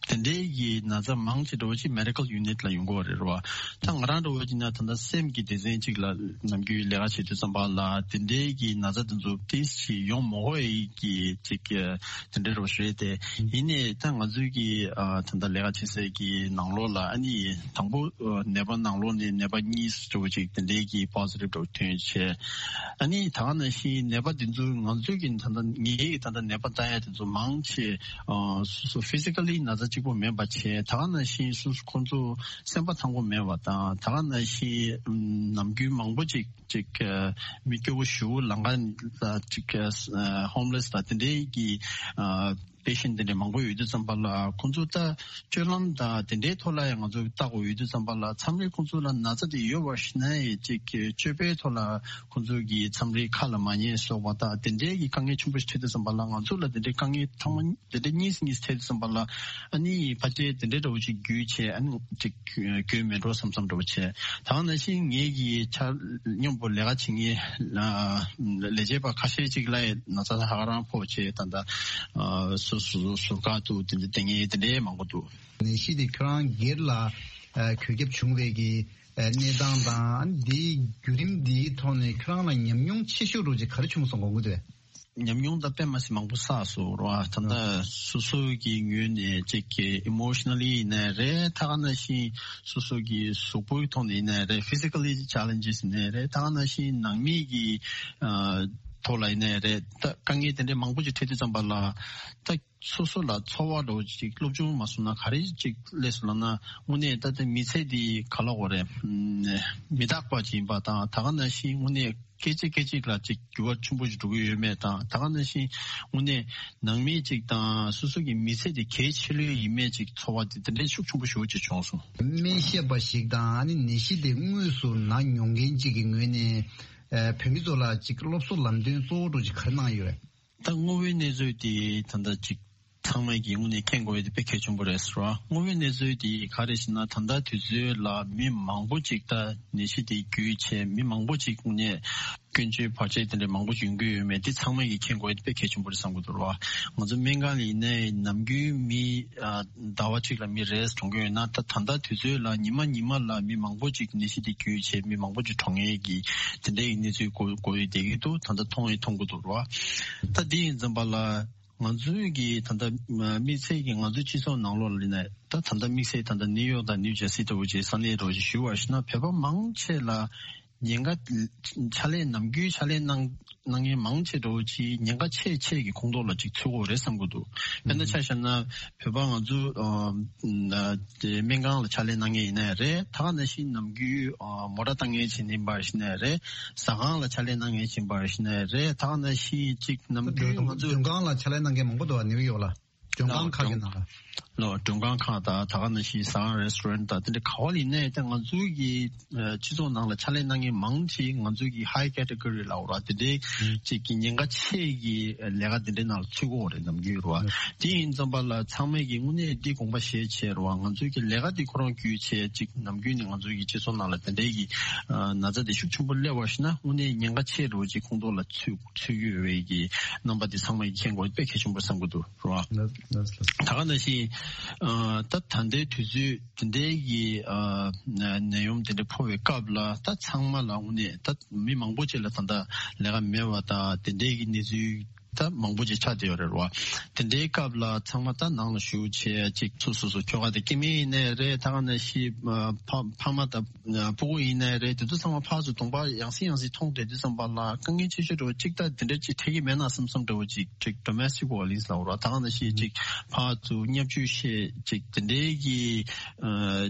དེ་འདྲའི་གི་ན་ཚ་མང་ཆེ་འདྲ་བོ་ཅིག་མེ་ཌི་ཀལ་ཡུ་ནིཊ་ལ་ཡོང་གི་ཡོད་རེད་པ། ད་ང་རང་འདྲ་བོ་ཅིག་ན་ད་ལྟ་སེམས་ཀྱི་སྡེ་ཚན་ཅིག་ལ་ནམ་རྒྱུན་ལས་ཀ་བྱེད་དུས་ཙམ་པ་ལ། དེ་འདྲའི་གི་ན་ཚ་དེ་ཚོ་ཏོག་ཙམ་ཡོང་མ་དགོས་ཡས་ཀྱི་ཅིག་དེ་འདྲ་རོ་ཞུ་ཡས་དེ། ཡིན་ནའི་ད་ང་ཚོའི་གི་ཨ་ད་ལྟ་ལས་ཀ་བྱེད་སའི་གི་ནང་ལོགས་ལ་ཨ་ནི་དང་པོ་ཨ་ནད་པ་ནང་ལོགས་ནས་ནད་པ་གཉིས་འདྲ་བོ་ཅིག་དེ་འདྲའི་གི་པོ་ཟི་ཊིབ་འདྲ་བོ་ཐོན་བྱས། ཨ་ནི་ད་ག་ནང་བཞིན་ནད་པ་དེ་ཚོ་ང་ཚོའི་གི་ད་ལྟ་ངའི་གི་ད་ལྟ་ནད་པ་ལྟ་ཡ་དེ་ཚོ་མང་ཆེ་ཨ་སོ་སོ་ཕི་སི་ཀ་ལི་ན་ཚ་གཅིག་པོ་མིན་པ་བྱས། ད་ག་ནང་བཞིན་སོ་སོ་ཁོང་ཚོ་སེམས་པ་ཐང་པོ་མེད་པ་དང་། ད་ག་ནང་བཞིན་ནམ་རྒྱུན་མང་པོ་ཅིག་ཅིག་ཨ་མི་སྐྱོ་བོ་ཞེ་པོ་ལམ་ཁ་ལ་ཅིག་ཨ་ཧོམ་ལེ་སི་དང་དེ་འདྲའི་གི་ཨ་པེ་ཤེན་ཊི་དེ་འདྲ་མང་པོ་ཡོད་དུས་ཙམ་པ་ལ། ཁོང་ཚོ་ད་སྤྱོད་ལམ་དང་དེ་འདྲའི་ཐོག་ལ་ཡང་ང་ཚོ་ལྟ་དགོས་ཡོད་དུས་ཙམ་པ་ལ། མཚམས་རེ་ཁོང་ཚོ་ལ་ན་ཚ་དེ་ཡོད་པ་ཞིག་ན་ཡང་ཅིག་སྤྱོད་པའི་ཐོག་ལ་ཁོང་ཚོ་གི་མཚམས་རེ་ཁ་ལ་མ་ཉན་སོགས་པ་དང་། དེ་འདྲའི་གི་དཀའ་ངལ་ཆེན་པོ་ཞིག་འཕྲད་དུས་ཙམ་པ་ལ། ང་ཚོ་ལ་དེ་འདྲའི་དཀའ་ངལ་ཐེངས་མ་དེ་འདྲའི་གཉིས་གཉིས་འཕྲད་དུས་ཙམ་པ་ལ། ཨ་ནི་ཕལ་ཆེར་དེ་འདྲའི་འདྲ་བོ་ཞིག་བརྒྱུད་བྱས། ཨ་ནི་ཅིག་གྱོན་མེད་འགྲོ་བསམ་བསམ་འདྲ་བོ་བྱས། ད་ག་ནང་བཞིན་ངེད་ཀྱི་ཆ་མཉམ་པོ་ལས་ཀ་བྱེད་མཁན་ལ་ལས་བྱེད་པ་ཁ་ཤས་ཅིག་ལ་ཡང་ན་ཚ་ཧ་ག་རང་ཕོག་བྱས། ད་ལྟ་ཨ་སོ་སོ་ཟུར་བཀག་ཏུ་དེ་འདྲ་བསྡད་མཁན་དེ་འདྲའི་མང་པོ་འདུག་ནད་གཞི་དེ་ཁྱོད་རང་སྒེར་ལ་ཨ་འགོས་ཁྱབ་བྱུང་བའི་གི་ཨ་གནས་སྟངས་དང་། ཨ་ནི་དེའི་བརྒྱུད་རིམ་འདིའི་ཐོག་ནས་ཁྱོད་རང་ལ་ཉམས་མྱོང་ཆེ་ཤོས་འདྲ་བོ་ཅིག་ག་རེ་བྱུང་སོང་དགོངས་ཀྱི་འདུག་ཉམས་མྱོང་ད་དཔེ་མ་སྲིད་མང་པོ་བསགས་སོང་ར། ད་ལྟ་སོ་སོ་གི་ངོས་ནས་ཅིག་གི་ཨི་མོ་ཤི་ན་ལི་ཡིན་ནའི་རེད། ད་ག་ནང་བཞིན་སོ་སོ་གི་གཟུགས་པོའི་ཐོག་ནས་ཡིན་ནའི་རེད། ཕི་སི་ཀ་ལི་ཆེ་ལེན་ཇེ་སི་ཡིན་ནའི་རེད། ད་ག་ནང་བཞིན་ནང་མི་གི་ཨ་ཐོག་ལ་ཡིན་ནའི་རེད། ད་དཀའ་ངལ་དེ་འདྲའི་མང་པོ་ཅིག་འཕྲད་དུས་ཙམ་པ་ལ། ད་སོ་སོ་ལ་ཚོར་བ་འདྲ་བོ་ཅིག་སློབ་སྦྱོང་མ་སོང་ན་ག་རེ་ཅིག་སླེབས་སོང་ལབ་ན། དངོས་གནས་ད་ལྟ་མི་ཚེ་འདི་ག་ལ་གོ་རེད། མི་རྟག་པ་ཅིག་ཡིན་པ་དང་། ད་ག་ནང་བཞིན་དངོས་གནས་སྐད་ཅིག་སྐད་ཅིག་ལ་ཅིག་འགྱུར་བ་ཆེན་པོ་ཞིག་འགྲོ་གི་ཡོད་མེད་དང་། ད་ག་ནང་བཞིན་དངོས་གནས་ནང་མི་ཅིག་དང་སོ་སོ་གི་མི་ཚེ་དེ་གལ་ཆེ་ལོས་ཡིན་མེད་ཅིག་ཚོར་བ་དེ་དེ་འདྲའི་ཤུགས་ཆེན་པོ་ཞེ་པོ་ཅིག་བྱུང་སོང་། སྨན་ཞབས་པ་ཞིག་དང་། ཨ་ནི་ནད་གཞི་དེ་དངོས་སུ་ན་མྱོང་མཁན་ཅིག་གི་ངོས་ནས་ཨ་བོད་མི་ཚོ་ལ་ཅིག་སློབ་གསོ་ལམ་སྟོན་གཙོ་བོ་འདྲ་ཅིག་ག་རེ་གནང་ཡོད་རེད། ད་དངོས་པོའི་གནས་ཚུལ་དེ་ད་ལྟ་ཅིག་ཚང་མས་ཀྱི་དངོས་གནས་མཁྱེན་དགོས་ཡ་དེ་དཔེ་གལ་ཆེན་པོ་རེད་ཟེར་བ། དངོས་པོའི་གནས་ཚུལ་དེ་ག་རེ་ཞེ་ན། ད་ལྟ་དུས་ཚོད་ལ་མི་མང་པོ་ཅིག་ད་ནད་གཞི་དེ་འགོས་བྱས། མི་མང་པོ་ཅིག་དངོས་གནས་སྐྱོན་བརྗོད་བར་ཆད་དེ་འདྲ་མང་པོ་ཅིག་ཡོང་གི་ཡོད་མེད་དེ་ཚང་མས་ཀྱི་མཁྱེན་དགོས་ཡ་དེ་དཔེ་གལ་ཆེན་པོ་རེད་བསམ་གྱི་འདུག་ར། ང་ཚོ་སྨན་ཁང་ལ་ཡིན་ནའི་ནམ་རྒྱུན་མི་ཨ་ཟླ་བ་གཅིག་ལ་མི་རེས་གྲོངས་ཀྱི་ཡོད་ན། ད་ད་ལྟ་དུས་ཚོད་ལ་ཉི་མ་ཉི་མ་ལ་མི་མང་པོ་ཅིག་ནད་གཞི་དེ་འགོས་བྱས། མི་མང་པོ་ཅིག་གྲོངས་ཡས་ཀྱི་དེ་འདྲའི་གནས་ཚུལ་གོ་གོ་ཡི་བསྡད་ཀྱི་འདུག་ད་ལྟ་མཐོང་ཡི་མཐོང་གི་འདུག་ར། ད་དེ་ཡིན་ཙམ་པ་ལ། ང་ཚོའི་གི་ད་ལྟ་དམིགས་བསལ་གྱི་ང་ཚོའི་སྤྱི་ཚོགས་ནང་ལོགས་ལ་ཡིན་ན། ད་ད་ལྟ་དམིགས་བསལ་ད་ལྟ་ནིའུ་ཡོག་དང་ནིའུ་ཇར་སི་ལྟ་བུ་ཅིག་ས་གནས་འདྲ་བོ་ཅིག་ཞུ་བ་ཞིག་ན། བོད་པ་མང་ཆེ་ལ་ཉེན་ཁ་ཕྱག་ལས་ནམ་རྒྱུན་ཕྱག་ལས་གནང་གནང་མཁན་མང་ཆེ་འདྲ་བོ་ཅིག་ཉེན་ཁ་ཆེ་ཆེ་གི་ཁོངས་གཏོགས་ལ་ཅིག་ཚུད་ཀྱི་ཡོད་རེད་བསམ་གྱི་འདུག་དཔེར་ན་ཆ་བཞག་ན་བོད་པ་ང་ཚོ་ཨ་དེ་སྨན་ཁང་ལ་ཕྱག་ལས་གནང་མཁན་ཡིན་ནའི་རེད། ད་ག་ནང་བཞིན་ནམ་རྒྱུན་ཨ་མོ་ཊ་བཏང་མཁན་ཅིག་ཡིན་པ་ཞིག་ནའི་རེད། ཟ་ཁང་ལ་ཕྱག་ལས་གནང་མཁན་ཅིག་ཡིན་པ་ཞིག་ནའི་རེད། ད་ག་ནང་བཞིན་ཅིག་ནམ་རྒྱུན་ང་ཚོ་མགྲོན་ཁང་ལ་ཕྱག་ལས་གནང་མཁན་མང་པོ་འདུག་བ། ནིའུ་ཡོག་ལ། མགྲོན་ཁང་ཁག་གི་ནང་ལ། ལོ་མགྲོན་ཁང་ཁག་དང་ད་ག་ནང་བཞིན་ཟ་ཁང་restaurant་དང་དེ་འདྲ་ག་བ་ལ་ཡིན་ནའི་ད་ང་ཚོའི་གི་སྤྱི་ཚོགས་ནང་ལ་ཕྱག་ལས་གནང་མཁན་མང་ཆེ་ང་ཚོའི་གི་high category་ལ་འོ་ར་དེ་འདྲའི་ཅིག་གི་ཉེན་ཁ་ཆེ་གི་ལས་ཀ་དེ་འདྲའི་ནང་ལ་ཚུད་ཀྱི་ཡོད་རེད་ནམ་རྒྱུན་རེད་བ། དེ་ཡིན་ཙམ་པ་ལ་ཚང་མས་གི་དངོས་གནས་འདི་དགོངས་པ་བཞེས་བྱས་རེད་བ། ང་ཚོའི་གི་ལས་ཀ་འདི་ཁོ་རང་བརྒྱུད་བྱས་ཅིག་ནམ་རྒྱུན་ནས་ང་ཚོའི་གི་སྤྱི་ཚོགས་ནང་ལ་དེ་འདྲའི་གི་ན་ཚ་དེ་ཤུགས་ཆེན་པོ་སླེབས་པ་ཞིག་ན་དངོས་གནས་ཉེན་ཁ་ཆེ་རུ་ཅིག་ཁོང་ཚོ་ལ་ཚུད་ཚུད་ཀྱི་ཡོད་པའི་གི་རྣམ་པ་དེ་ཚང་མས་མཁྱེན་དགོས་དཔེ་གལ་ཆེན་པོ་བསམ་གྱི་འདུག་རོ། ལགས་ལགས་ལགས། ད་ག་ནང་བཞིན་ད་ད་ལྟའི་དུས་ཚོད་དེ་འདྲའི་གི་ནད་ཡོམ་དེ་འདྲ་ཕོག་པའི་སྐབས་ལ་ད་ཚང་མ་ལ་དངོས་གནས་ད་མི་མང་པོ་ཅིག་ལ་ད་ལྟ་ལས་ཀ་མེད་པ་དང་དེ་འདྲའི་གི་གནས་ཚུལ་ད་མང་པོ་ཅིག་ཆགས་བསྡད་ཡོད་རེད་རོ། དེ་འདྲའི་སྐབས་ལ་ཚང་མ་ད་ནང་ལ་བཞུགས་བྱས་ཅིག་སོ་སོ་སོ་ཁྱོ་ག་དེ་སྐྱེ་དམན་ཡིན་ནའི་རེད། ད་ག་ནང་བཞིན་ཕ་ཕ་མ་དང་སྤུ་གུ་ཡིན་ནའི་རེད། དེ་ཚོ་ཚང་མ་ཕར་ཚུར་གདོང་པ་ཡང་སེ་ཡང་སེ་མཐོང་བསྡད་དུས་ཙམ་པ་ལ་དཀའ་ངལ་ཆེ་ཤོས་འདྲ་བོ་གཅིག་ད་དེ་འདྲ་ཅིག་འཕྲད་ཀྱི་མེད་ན་བསམ་བསམ་འདྲ་བོ་ཅིག་ཅིག་domestic violence་ལབ་རོ། ད་ག་ནང་བཞིན་ཅིག་ཕར་ཚུར་བརྙས་བཅོས་བྱས་ཅིག་དེ་འདྲའི་གི་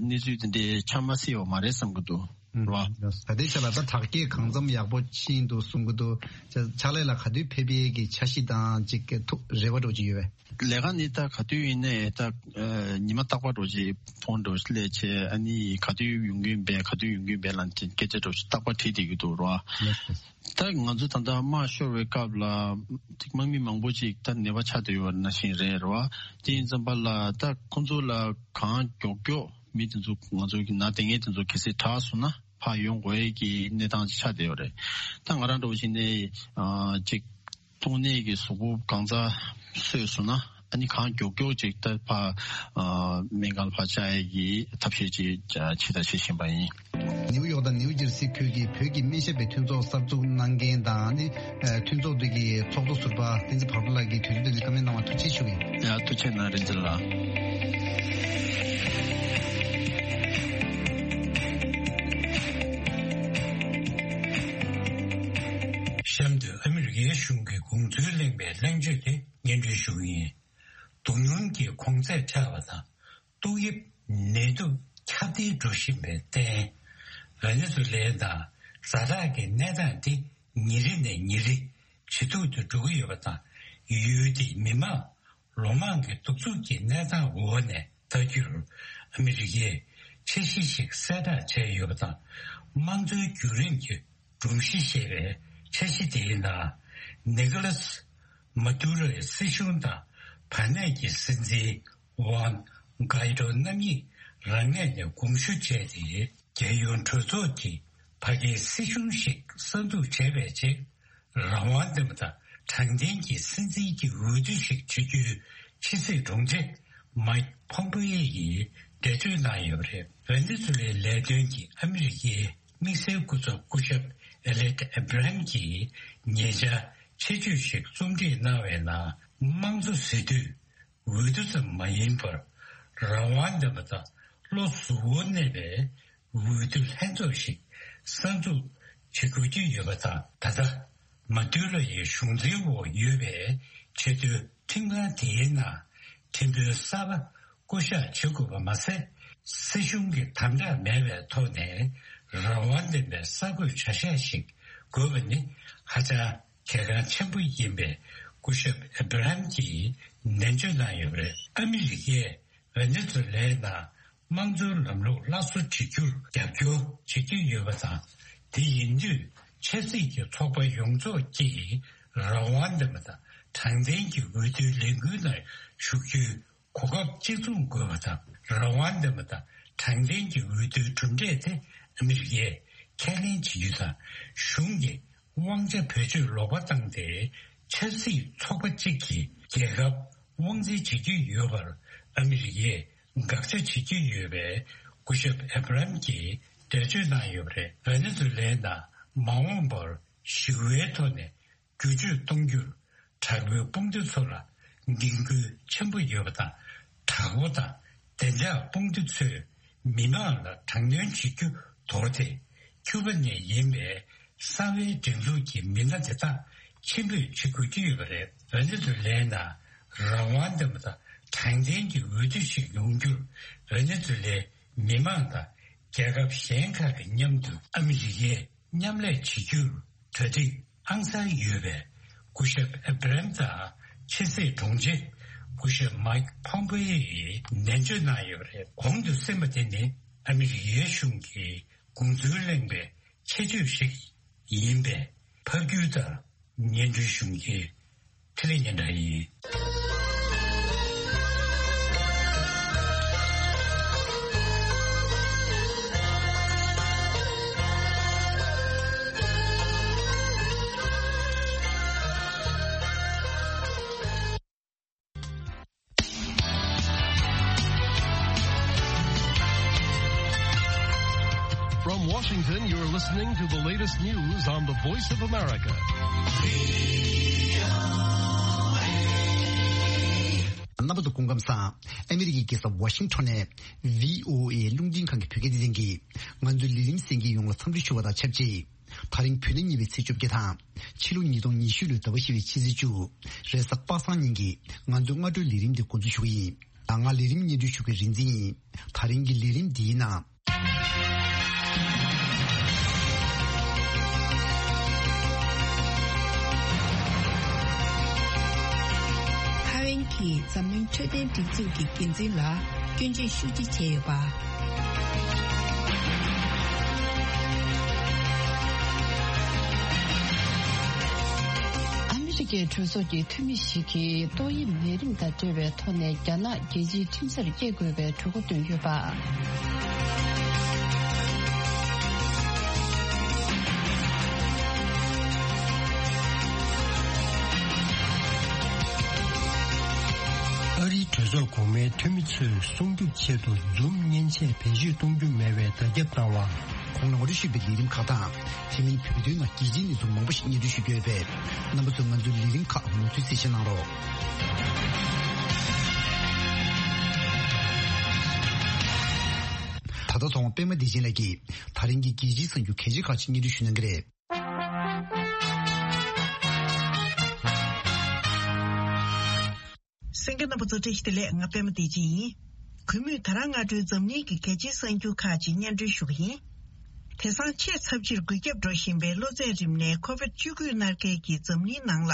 གནས་ཚུལ་དེ་འདྲའི་ཆགས་མ་སྲིད་པ་མ་རེད་བསམ་གྱི་འདུག་རོ། ད་ལྟའི་ཆ་ལ་ད་དྲག་སྐྱེད་གང་འཚམ་ཡག་པོ་ཕྱིན་འདུག་གསུང་གི་འདུག་ཕྱག་ལས་ལ་ག་དུས་ཕེབས་ཡས་ཀྱི་འཆར་གཞི་དང་ཅིག་ཐུགས་རེ་བ་འདྲ་བོ་ཅིག་ཡོད་པས། ལས་ཀ་ནི་ད་ག་དུས་ཡིན་ནའི་ད་ཉི་མ་རྟག་པར་འདྲ་བོ་ཅིག་ཕོན་འདྲ་བོ་ཅིག་སླེབས་བྱས་ཨ་ནི་ག་དུས་ཡོང་གི་ཡིན་པས་ག་དུས་ཡོང་གི་ཡིན་པས་ལབ་ཅིག་སྐད་ཆ་འདྲ་བོ་ཅིག་རྟག་པར་དྲིས་བསྡད་ཀྱི་འདུག་རོ། ད་ང་ཚོ་ད་ལྟ་དམག་ཤོར་བའི་སྐབས་ལ་ཅིག་དམག་མི་མང་པོ་ཅིག་ད་ནད་པ་ཆགས་བསྡད་ཡོད་པ་ནང་བཞིན་རེད་རོ། དེ་ཡིན་ཙམ་པ་ལ་ད་ཁོང་ཚོ་ལ་གང་མགྱོགས་མགྱོགས་མི་དེ་ཚོ་ང་ཚོ་གི་ནང་དེ་ངས་དེ་ཚོ་གལ་སྲིད་དྲག་སོང་ན་ཕར་ཡོང་དགོས་ཀྱི་གནས་སྟངས་ཅིག་ཆགས་བསྡད་ཡོད་རེད། ད་ང་རང་འདྲ་བོ་ཞིག་ནས་ཅིག་ཏོག་ནད་ཀྱི་གཟུགས་པོ་གང་ཙམ་གསོས་སོང་ན་ཨ་ནི་གང་མགྱོགས་མགྱོགས་ཅིག་ད་ཕར་སྨན་ཁང་ལ་ཕར་བཅར་ཡས་ཀྱི་ཐབས་ཤེས་ཅིག་བྱེད་དང་བྱེད་བཞིན་པ་ཡིན། ནིའུ་ཡོག་དང་ནིའུ་ཇར་སི་ཁུལ་གྱི་བོད་ཀྱི་སྨན་ཞབས་པའི་མཐུན་ཚོགས་གསར་འཛུགས་གནང་མཁན་དང་ནི་མཐུན་ཚོགས་འདི་གི་ཚོགས་གཙོ་ཟུར་པ་བསྟན་འཛིན་བག་གྲོ་ལགས་ཀྱིས་དུས་ཚོད་འདི་ནས་བཀའ་མོལ་གནང་བར་ཐུགས་རྗེ་ཆེ་ཞུ་གི་ཡིན། ཡ་ཐུགས་རྗེ་གནང་རིན་ཆེན་ལགས། གཤམ་དུ་ཨ་མི་རི་ཀའི་གཞུང་གི་དགོངས་ཚུལ་གླེང་བའི་གླེང་བརྗོད་དེ་སྙན་སྒྲོན་ཞུ་གི་ཡིན། རྡོ་སྣུམ་གྱི་གོང་ཚད་ཆག་པ་དང་ཏོག་དབྱིབས་ནད་དུག་ཁྱབ་གདལ་འགྲོ་བཞིན་པའི་རྟེན། ཝེ་ནེ་ཛུ་ལའི་ནང་ཛ་དྲག་གི་གནས་སྟངས་དེ་ཉིན་རེ་ནས་ཉིན་རེ་ཇེ་སྡུག་ཏུ་འགྲོ་གི་ཡོད་པ་དང་། ཡུལ་དེའི་མི་མང་ལོ་མང་གི་གདུག་རྩུབ་ཀྱི་གནས་སྟངས་འོག་ནས་ལྟ་རྒྱུར། ཨ་མི་རི་ཀས་འཆར་གཞི་ཞིག་གསལ་བསྒྲགས་བྱས་ཡོད་པ་དང་། དམངས་གཙོའི་བརྒྱུད་རིམ་གྱི་སྒྲོམ་གཞི་ཞེས་པའི་འཆར་གཞི་དེའི་ནང་། ནི་ཀོ་ལཱས་མ་དུ་རོའི་སྲིད་གཞུང་དང་བར་གནས་ཀྱི་སྲིད་འཛིན་ཝང་གྷའི་ཏོ་རྣམ་གཉིས་རང་ངོས་ནས་དགོངས་ཞུ་བྱས་ཏེ། རྒྱལ་ཡོངས་གྲོས་ཚོགས་ཀྱིས་ཕ་གིའི་སྲིད་གཞུང་ཞིག་གསར་འཛུགས་བྱས་པའི་རྗེས། རང་དབང་ལྡན་པ་དང་དྲང་བདེན་གྱི་སྲིད་འཛིན་གྱི་འོས་བསྡུ་ཞིག་བྱེད་རྒྱུའི་ཕྱི་སྲིད་དྲུང་ཆེ་མའིག་ཕོམ་པེ་ཡོ་ཡིས་འགྲེལ་བརྗོད་གནང་ཡོད་པ་རེད། ཝེ་ནེ་ཛུ་ལའི་ལས་དོན་གྱི་ཨ་མི་རི་ཀའི་དམིགས་བསལ་སྐུ་ཚབ་སྐུ་ཞབས་ཨེ་ལེག་ཨེ་བྷི་རམ་གྱིས་ཉེ་ཆར་ཆེད་བརྗོད་ཞིག་རྩོམ་སྒྲིག་གནང་བའི་ནང་། དམངས་གཙོ་ཟེར་དུས་འོས་བསྡུ་ཙམ་མ་ཡིན་པར། རང་དབང་ལྡན་པ་དང་བློ་གཟུ་བོར་གནས་པའི་འོས་བསྡུ་ལྷན་ཚོགས་ཤིག་གསར་འཛུགས་བྱེད་དགོས་ཀྱི་ཡོད་པ་དང་། ད་ལྟ་མ་དུ་རོ་ཡི་གཞུང་འཛིན་འོག་ཡོད་པའི་ཆེས་མཐོའི་ཁྲིམས་ཁང་དེའི་ནང་ཁྲིམས་དཔོན་གསར་པ་བསྐོ་གཞག་བྱེད་དགོས་པ་མ་ཟད། སྲིད་གཞུང་གི་དམ་དྲག་མེད་པའི་ཐོག་ནས་རང་དབང་ལྡན་པའི་གསར་འགོད་བྱ་གཞག་ཞིག་དགོས་པ་ནི་ཧ་ཅང་གལ་འགངས་ཆེན་པོ་ཡིན་པའི་སྐུ་ཞབས་ཨེ་བྷི་རམ་གྱིས་ནན་བརྗོད་གནང་ཡོད་པ་རེད། ཨ་མི་རི་ཀས་ཝེ་ནེ་ཛུ་ལའི་ནང་དམངས་གཙོའི་ལམ་ལུགས་སླར་གསོ་བྱེད་རྒྱུར་རྒྱབ་སྐྱོར་བྱེད་ཀྱི་ཡོད་པ་དང་། དེ་ཡིན་དུས་ཆབ་སྲིད་ཀྱི་ཚོགས་པ་ཡོངས་རྫོགས་ཀྱིས་རང་དབང་ལྡན་པ་དང་དྲང་བདེན་གྱི་འོས་བསྡུའི་ལས་འགུལ་ནང་ཞུགས་རྒྱུའི་གོ་སྐབས་གཅིག་མཚུངས་དགོས་པ་དང་། རང་དབང་ལྡན་པ་དང་དྲང་བདེན་གྱི་འོས་བསྡུའི་གྲུབ་འབྲས་དེ་ཨ་མི་རི་ཀས་ཁས་ལེན་བྱེད་རྒྱུ་དང་། གཞུང་གི་དབང་ཆ་བེད་སྤྱོད་ལོག་པ་བཏང་སྟེ་ཆབ་སྲིད་ཚོགས་པ་གཅིག་གིས་རྒྱལ་ཁབ་དབང་འཛིན་བྱེད་ཀྱི་ཡོད་པར་ཨ་མི་རི་ཀས་དགག་བྱ་བྱེད་ཀྱི་ཡོད་པས། སྐུ་ཞབས་ཨེ་བྷ་རམ་གྱིས་འགྲེལ་བརྗོད་གནང་ཡོད་པ་རེད། ཝེ་ནེ་ཛུ་ལའི་ནང་མ་འོངས་པར་ཞི་བའི་ཐོག་ནས་བསྒྱུར་བཅོས་གཏོང་རྒྱུར་དྲག་པོའི་དཔུང་སྡེ་ཚོ་ལ་འགན་ཁུར་ཆེན་པོ་ཡོད་པ་དང་། དྲག་པོ་དང་བདེ་འཇགས་དཔུང་སྡེ་ཚོས་མི་མང་ལ་དྲག་གནོན་བྱེད་རྒྱུ་དོར་ཏེ། ཁྱུ་པ་ནས་ཡིན་པའི་གསང་བའི་སྒྲིག་འཛུགས་ཀྱི་མི་སྣ་དེ་དག་ཕྱིར་འབུད་བྱེད་དགོས་ཀྱི་ཡོད་པ་རེད། ཝེ་ནེ་ཛུ་ལའི་ནང་རང་དབང་ལྡན་པ་དང་དྲང་བདེན་གྱི་འོས་བསྡུ་ཞིག་ཡོང་རྒྱུར་ཝེ་ནེ་ཛུ་ལའི་མི་མང་དང་རྒྱལ་ཁབ་གཞན་ཁག་གི་མཉམ་དུ་ཨ་མི་རི་ཀས་མཉམ་ལས་བྱེད་རྒྱུར་གྲ་སྒྲིག་ཨང་གསར་ཡོད་པས། སྐུ་ཞབས་ཨེ་བྷ་རམ་དང་ཕྱི་སྲིད་དྲུང་ཆེ་ སྐུ་ཞབས་མའིག་ཕོམ་པེ་ཡིས་ནན་བརྗོད་གནང་ཡོད་པ་རེད། གོང་དུ་གསན་པ་དེ་ནི་ཨ་མི་རི་ཀའི་གཞུང་གི་དགོངས་ཚུལ་གླེང་བའི་ཆེད་བརྗོད་ཞིག་ཡིན་པས། ཕབ་སྒྱུར་དང་སྙན་སྒྲོན་ཞུ་མཁན་འཕྲིན་ལས་སྙན་གྲགས་ཡིན། From Washington, you're listening to the latest news on the Voice of America. རྣམ་པ་ཚོ་སྐུ་ཁམས་བཟང་། ཨ་མི་རི་ཀའི་རྒྱལ་ས་ཝ་ཤིང་ཊོན་ནས་བྷི་ཨོ་ཨེ་རླུང་འཕྲིན་ཁང་གི་བོད་སྐད་སྡེ་ཚན་གྱིས་ང་ཚོའི་ལས་རིམ་གསན་མཁན་ཡོངས་ལ་འཚམས་འདྲི་ཞུ་བ་དང་ཆབས་ཅིག་ད་རིང་བོད་ཟླ་གཉིས་པའི་ཚེས་བཅོ་བརྒྱད་དང་། ཕྱི་ལོ་ཉིས་སྟོང་ཉི་ཤུ་ལོའི་ཟླ་བ་བཞི་པའི་ཕྱི་ཚེས་བཅུ། རེས་གཟའ་པ་སངས་ཉིན་གྱི་ང་ཚོའི་སྔ་དྲོའི་ལས་རིམ་འདི་འགོ་འཛུགས་ཞུ་གི་ཡིན། ང་ལས་རིམ་སྙན་སྒྲོན་ཞུ་མཁན་རིག་འཛིན་ཡིན། ད་རིང་གི་ལས་རིམ་འདིའི་ནང་། ཐའེ་ཝན་གྱིས་འཛམ་གླིང་འཕྲོད་བསྟེན་སྒྲིག་འཛུགས་ཀྱི་འགན་འཛིན་ལ་སྐྱོན་བརྗོད་ཤུགས་ཆེ་བྱས་ཡོད་པ། ཨ་མི་རི་ཀའི་གྲོས་ཚོགས་ཀྱི་འཐུས་མི་ཞིག་གིས་ཏོག་དབྱིབས་ནད་རིམས་དང་འབྲེལ་བའི་ཐོག་ནས་རྒྱ་ནག་རྒྱལ་སྤྱིའི་ཁྲིམས་སར་སྐྱེལ་དགོས་པའི་གྲོས་འགོ་བཏོན་ཡོད་པ། ཨ་རིའི་གྲོས་ཚོགས་གོང་མའི་འཐུས་མི་ཚོས་སྲུང་སྐྱོབ་ཆེད་དུ་འཛུམ་མཉེན་ཆས་བེད་སྤྱོད་གཏོང་རྒྱུ་མེད་པའི་བརྡ་ཁྱབ་བཏང་བ། གོང་ལ་ངོ་སྤྲོད་ཞུས་པའི་ལས་རིམ་ཁག་དང་། དེ་མིན་བོད་དོན་ནང་རྒྱལ་སྤྱིའི་གནས་ཚུལ་མང་པོ་ཞིག་སྙན་སྒྲོན་ཞུ་རྒྱུ་ཡོད་པས། རྣམ་པ་ཚོས་ང་ཚོའི་ལས་རིམ་ཁག་མུ་མཐུད་གསན་བཞེས་གནང་རོགས། ད་ལྟ་ཚོང་པ་པད་མ་བདེ་ཆེན་ལགས་ཀྱིས་ད་རིང་གི་རྒྱལ་སྤྱིའི་གསར་འགྱུར་གལ་ཆེ་ཁག་ཅིག་སྙན་སྒྲོན་ཞུ་གནང་གི་རེད། གསན་མཁན་རྣམ་པ་ཚོ་བཀྲ་ཤིས་བདེ་ལེགས། ང་པད་མ་བདེ་ཆེན་ཡིན། གུས་མོས་ད་རང་སྔ་དྲོའི་འཛམ་གླིང་གི་གལ་ཆེའི་གསར་འགྱུར་ཁག་ཅིག་སྙན་སྒྲོན་ཞུ་གི་ཡིན། དེང་སང་ཆེས་ཚབས་ཆེར་འགོས་ཁྱབ་འགྲོ་བཞིན་པའི་གློ་ཚད་རིམས་ནད་ཁོ་བིད་བཅུ་དགུ་མནར་མཁན་གྱིས་འཛམ་གླིང་ནང་ལ་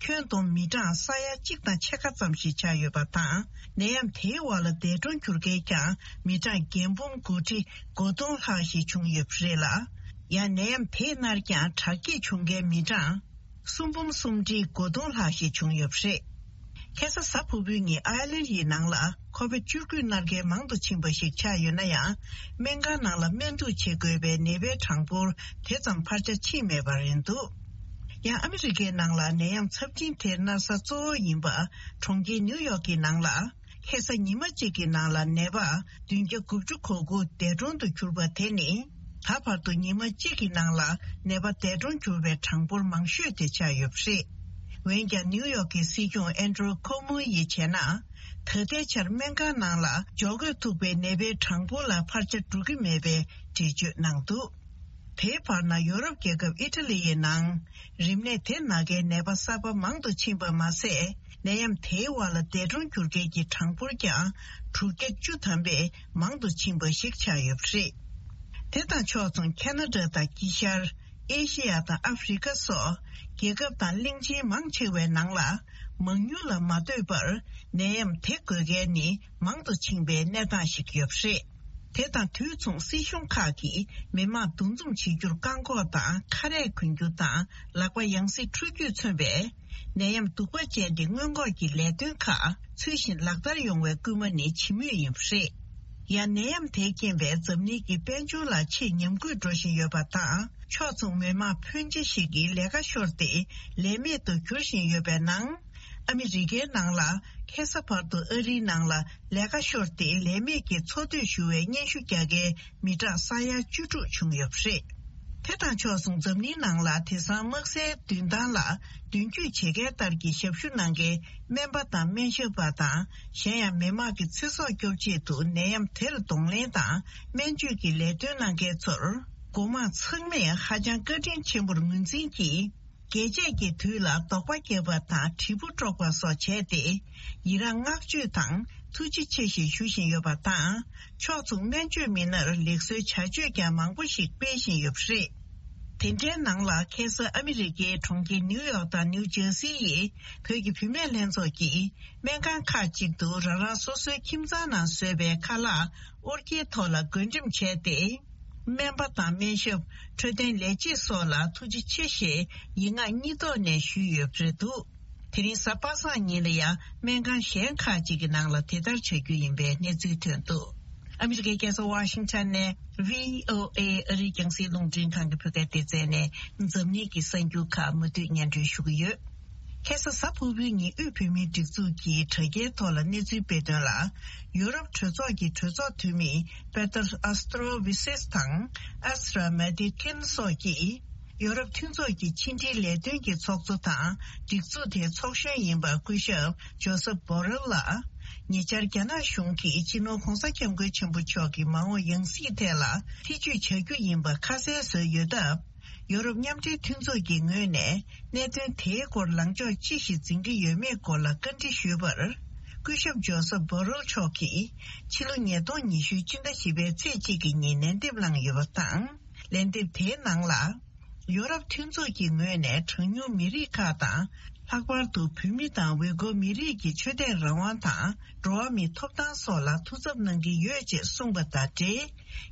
ཁྱོན་བསྡོམས་མི་གྲངས་ས་ཡ་གཅིག་དང་ཕྱེད་ཀ་ཙམ་ཞིག་ཆགས་ཡོད་པ་དང་། ནད་ཡམས་དེའི་འོག་ལ་འདས་གྲོངས་གྱུར་མཁན་ཀྱང་མི་གྲངས་བརྒྱད་འབུམ་དགུ་ཁྲི་དགུ་སྟོང་ལྷག་ཞིག་བྱུང་ཡོད་པ་རེད་ལ། ཡང་ནད་ཡམས་དེས་མནར་ཀྱང་དྲག་སྐྱེད་བྱུང་མཁན་མི་གྲངས་གསུམ་འབུམ་གསུམ་ཁྲི་དགུ་སྟོང་ལྷག་ཞིག་བྱུང་ཡོད་པ་རེད། ཁ་སང་གཟའ་ཕུར་བུའི་ཉིན་ཨའི་ལན་ཡི་ནང་ལ་ཁོ་བིད་བཅུ་དགུ་མནར་མཁན་མང་དུ་ཕྱིན་པ་ཞིག་ཆགས་ཡོད་ན་ཡང་། སྨན་ཁང་ནང་ལ་སྨན་བསྡུར་བྱེད་དགོས་པའི་ནད་པའི་གྲངས་འབོར་དེ་ཙམ་འཕར་ཆ་ཕྱིན་མེད་པ་རེད་འདུག་ཡང་ཨ་མི་རི་ཀའི་ནང་ལ་ནད་ཡམས་ཚབས་ཆེན་དེ་མནར་ས་གཙོ་བོ་ཡིན་པ་གྲོང་ཁྱེར་ནིའུ་ཡོག་གི་ནང་ལ། ཁ་སང་ཉི་མ་གཅིག་གི་ནང་ལ་ནད་པ་བདུན་བརྒྱ་དགུ་བཅུ་གོ་དགུ་འདས་གྲོངས་དུ་གྱུར་པ་དེ་ནི། ད་བར་དུ་ཉི་མ་གཅིག་གི་ནང་ལ་ནད་པ་འདས་གྲོངས་གྱུར་བའི་གྲངས་འབོར་མང་ཤོས་དེ་ཆགས་ཡོད་པ་རེད། འོན་ཀྱང་ནིའུ་ཡོག་གི་སྲིད་སྐྱོང་ཨན་ཌྲུ་ཁོ་མོ་ཡིས་བྱས་ན། ད་ལྟའི་ཆར་སྨན་ཁང་ནང་ལ་འཇོག་དགོས་ཐུག་པའི་ནད་པའི་གྲངས་འབོར་ལ་འཕར་ཆ་འགྲོ་གི་མེད་པའི་འགྲེལ་བརྗོད་གནང་འདུག་དེའི་བར་ན་ཡོ་རོབ་རྒྱལ་ཁབ་ཨི་ཊ་ལི་ཡི་ནང་། རིམས་ནད་དེ་ན་མཁན་ནད་པ་གསར་པ་མང་དུ་ཕྱིན་པ་མ་ཟད། ནད་ཡམས་དེའི་འོག་ལ་འདས་གྲོངས་གྱུར་མཁན་གྱི་གྲངས་འབོར་ཀྱང་དྲུག་བརྒྱ་བཅུ་ཐམ་པས་མང་དུ་ཕྱིན་པ་ཞིག་ཆགས་ཡོད་པ་རེད། དེ་དང་ཕྱོགས་མཚུངས་ཁ་ན་ཌ་དང་དཀྱིལ་ཤར་ཨེ་ཤེ་ཡ་དང་ཨ་ཧྥེ་རི་ཀ་སོགས་རྒྱལ་ཁབ་དང་གླིང་ཆེན་མང་ཆེ་བའི་ནང་ལ་མང་ཉུང་ལ་མ་ལྟོས་པར་ནད་ཡམས་དེ་འགོས་མཁན་ནི་མང་དུ་ཕྱིན་པའི་གནས་སྟངས་ཤིག་ཡོད་པ་རེད། དེ་དང་དུས་མཚུངས་སྲིད་གཞུང་ཁག་གིས་མི་མང་འདུ་འཛོམས་བྱེད་རྒྱུར་བཀག་འགོག་དང་ཁ་རས་གོན་རྒྱུ་དང་ལག་པ་ཡང་སེ་འཁྲུ་རྒྱུས་མཚོན་པའི་ནད་ཡམས་གདུག་པ་ཅན་གྱི་སྔོན་འགོག་གི་ལས་དོན་ཁག་ཚུལ་བཞིན་ལག་བསྟར་ཡོང་བའི་སྐུལ་མ་ནི་བྱེད་མུས་ཡིན་པ་རེད། ཡང་ནད་ཡམས་དེའི་རྐྱེན་པས་འཛམ་གླིང་གི་དཔལ་འབྱོར་ལ་ཆེས་ཉམས་རྒུད་འགྲོ་བཞིན་ཡོད་པ་དང་ཕྱོགས་མཚུངས་མི་མང་ཕོན་ཆེ་ཞིག་གིས་ལས་ཀ་ཤོར་ཏེ་ལས་མེད་དུ་གྱུར་བཞིན་ཡོད་པའི་ནང་། ཨ་མི་རི་ཀའི་ནང་ལ་ཁ་སང་བར་དུ་ཨ་རིའི་ནང་ལ་ལས་ཀ་ཤོར་ཏེ་ལས་མེད་ཀྱི་འཚོ་སྡོད་ཞུ་བའི་སྙན་ཞུ་རྒྱག་མཁན་མི་གྲངས་ས་ཡ་བཅུ་དྲུག་བྱུང་ཡོད་པ་རེད། དེ་དང་ཕྱོགས་མཚུངས་འཛམ་གླིང་ནང་ལ་དེང་སང་དམག་སའི་མདུན་ཐང་ལ་མདུན་སྐྱོད་བྱེད་མཁན་ལྟར་གྱི་ཞབས་ཞུ་གནང་མཁན་སྨན་པ་དང་སྨན་ཞབས་པ་དང་གཞན་ཡང་མི་དམངས་ཀྱི་ཚེ་སྲོག་སྐྱོབ་ཆེད་དུ་ནད་ཡམས་དེར་གདོང་ལེན་དང་སྨན་བཅོས་ཀྱི་ལས་དོན་གནང་མཁན་ཚོར་འགོ་དམངས་ཚང་མས་ཧ་ཅང་བཀའ་དྲིན་ཆེན་པོར་ངོས་འཛིན་གྱིས། རྒྱས་བཅད་ཀྱི་དུས་ལ་དོགས་པ་བརྒྱབ་པ་དང་དྲིལ་བུ་དཀྲོགས་པ་སོགས་བྱས་ཏེ། ཡི་རངས་བསྔགས་བརྗོད་དང་ཐུགས་རྗེ་ཆེ་ཞེས་ཞུ་བཞིན་ཡོད་པ་དང་། ཕྱོགས་མཚུངས་སྨན་བཅོས་མི་སྣར་ལེགས་གསོའི་བྱ་སྤྱོད་ཀྱང་མང་པོ་ཞིག་སྤེལ་བཞིན་ཡོད་པ་རེད། དེ་འདྲའི་ནང་ལ་ཁ་སང་ཨ་མི་རི་ཀའི་གྲོང་ཁྱེར་ནིའུ་ཡོག་དང་ནིའུ་ཇར་སི་ཡི་བོད་ཀྱི་བུད་མེད་ལྷན་ཚོགས་ཀྱིས་སྨན་ཁང་ཁག་ཅིག་ཏུ་རང་རང་སོ་སོའི་ཁྱིམ་ཚང་ནང་བཟོས་པའི་ཁ་ལག་ཨོ་རྒྱན་ཐོག་ལ་བགོ་འགྲེམས་བྱས་ཏེ། སྨན་པ་དང་སྨན་ཞབས། འཕྲོད་བསྟེན་ལས་བྱེད་སོགས་ལ་ཐུགས་རྗེ་ཆེ་ཞེས་ཡིག་ངག་གཉིས་ཐོག་ནས་ཞུས་ཡོད་པ་རེད་འདུག་དེ་རིང་གཟའ་པ་སངས་ཉིན་ལ་ཡང་སྨན་ཁང་གཞན་ཁག་ཅིག་གི་ནང་ལ་དེ་ལྟར་བྱ་རྒྱུ་ཡིན་པའི་གནས་ཚུལ་ཐོན་འདུག་ཨ་མི་རི་ཀའི་རྒྱལ་ས་ཝ་ཤིང་ཊོན་ནས་བྷི་ཨོ་ཨེ་ཨ་རིའི་རྒྱང་སྲིང་རླུང་འཕྲིན་ཁང་གི་བོད་སྐད་སྡེ་ཚན་ནས་འཛམ་གླིང་གི་གསར་འགྱུར་ཁག་མུ་མཐུད་སྙན་སྒྲོན་ཞུ་གི་ཡོད། ཁ་སང་གཟའ་ཕུར་བུའི་ཉིན་དབུས་བོད་མིའི་སྒྲིག་འཛུགས་ཀྱི་དྲ་རྒྱའི་ཐོག་ལ་གནས་ཚུལ་སྤེལ་དོན་ལ། ཡོ་རོབ་གྲོས་ཚོགས་ཀྱི་གྲོས་ཚོགས་འཐུས་མི་པེ་ཏར་ཨ་སྟྲོ་ཝི་སེས་དང་ཨ་སི་ར་མེ་ཏི་ཀིན་སོགས་ཀྱིས། ཡོ་རོབ་མཐུན་ཚོགས་ཀྱི་ཕྱི་འབྲེལ་ལས་དོན་གྱི་ཚོགས་གཙོ་དང་སྒྲིག་འཛུགས་དེའི་ཚོགས་གཞོན་ཡིན་པ་སྐུ་ཞབས་ཇོ་སབ་བྷོ་རེལ་ལ། ཉེ་ཆར་རྒྱ་ནག་གཞུང་གིས་སྤྱི་ནོར་༧གོང་ས་༧སྐྱབས་མགོན་ཆེན་པོ་མཆོག་གི་མ་འོངས་ཡང་སྲིད་ཐད་ལ་ཐེ་བྱུས་བྱ་རྒྱུ་ཡིན་པ་ཁ་གསལ་བཟོས་ཡོད་སྟབས། ཡོ་རོབ་མཉམ་འབྲེལ་མཐུན་ཚོགས་ཀྱི་ངོས་ནས་གནད་དོན་དེའི་སྐོར་ལངས་ཕྱོགས་ཅི་ཞིག་འཛིན་གྱི་ཡོད་མེད་སྐོར་ལ་བཀའ་འདྲི་ཞུས་པར། སྐུ་ཞབས་ཇོ་སབ་བྷོ་རེལ་མཆོག་གིས་ཕྱི་ལོ་ཉིས་སྟོང་ཉི་ཤུ་སྤྱི་ཟླ་བཞི་པའི་ཚེས་གཅིག་གི་ཉིན་ལན་འདེབས་གནང་ཡོད་པ་དང་། ལན་འདེབས་དེའི་ནང་ལ། ཡོ་རོབ་མཐུན་ཚོགས་ཀྱི་ངོས་ནས་གྲངས་ཉུང་མི་རིགས་ཁག་དང་། ལྷག་པར་དུ་བོད་མི་དང་ཝེ་གོ་མི་རིགས་ཀྱི་ཆོས་དད་རང་དབང་དང་། འགྲོ་བ་མིའི་ཐོབ་ཐང་སོགས་ལ་ཐུགས་འཚབ་གནང་གི་ཡོད་ཅེས་གསུངས་པ་དང་འབྲེལ།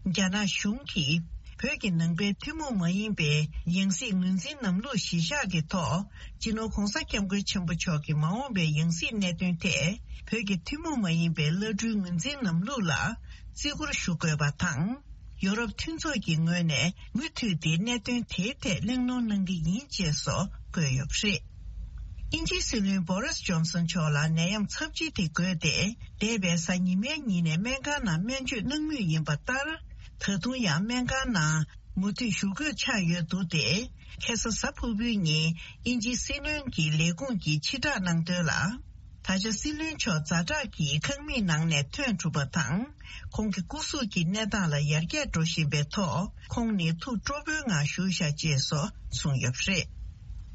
རྒྱ་ནག་གཞུང་གིས་བོད་ཀྱི་ནང་པའི་ཐུན་མོང་མ་ཡིན་པའི་ཡང་སྲིད་ངོས་འཛིན་ལམ་ལུགས་གཞི་བཞག་གི་ཐོག་སྤྱི་ནོར་༧གོང་ས་༧སྐྱབས་མགོན་ཆེན་པོ་མཆོག་གི་མ་འོངས་པའི་ཡང་སྲིད་གནད་དོན་ཐད་བོད་ཀྱི་ཐུན་མོང་མ་ཡིན་པའི་བླ་སྤྲུལ་ངོས་འཛིན་ལམ་ལུགས་ལ་བརྩི་བཀུར་ཞུ་དགོས་པ་དང་། ཡོ་རོབ་མཐུན་ཚོགས་ཀྱི་ངོས་ནས་མུ་མཐུད་དེ་གནད་དོན་དེའི་ཐད་གླེང་སློང་གནང་གི་ཡིན་ཅེས་སོགས་བཀོད་ཡོད་པ་རེད། དབྱིན་ཇིའི་སྲིད་བློན་བོ་རིས་ཇོན་སན་མཆོག་ལ་ནད་ཡམས་ཚབས་ཆེ་དེ་འགོས་ཏེ། འདས་པའི་གཟའ་ཉི་མའི་ཉིན་ནས་སྨན་ཁང་ནང་སྨན་བཅོས་གནང་མུས་ཡིན་པ་ལྟར། ད་དུང་ཡང་སྨན་ཁང་ནང་མུ་མཐུད་བཞུགས་དགོས་ཆགས་ཡོད་འདུག་སྟེ། ཁ་སང་གཟའ་ཕུར་བུའི་ཉིན་དབྱིན་ཇིའི་སྲིད་བློན་གྱི་ལས་ཁུངས་ཀྱིས་ཕྱིར་བསྒྲགས་གནང་དོན་ལ། ད་ཆ་སྲིད་བློན་མཆོག་ཛ་དྲག་གི་ཁང་མིག་ནང་ནས་ཐོན་གྲུབ་པ་དང་། ཁོང་གི་སྐུ་གཟུགས་ཀྱི་གནས་སྟངས་ལ་ཡར་རྒྱས་འགྲོ་བཞིན་པའི་ཐོག་ཁོང་ནི་ཐུགས་སྤྲོ་པོའི་ངང་བཞུགས་བཞག་ཅེས་སོགས་གསུངས་ཡོད་པ་རེད།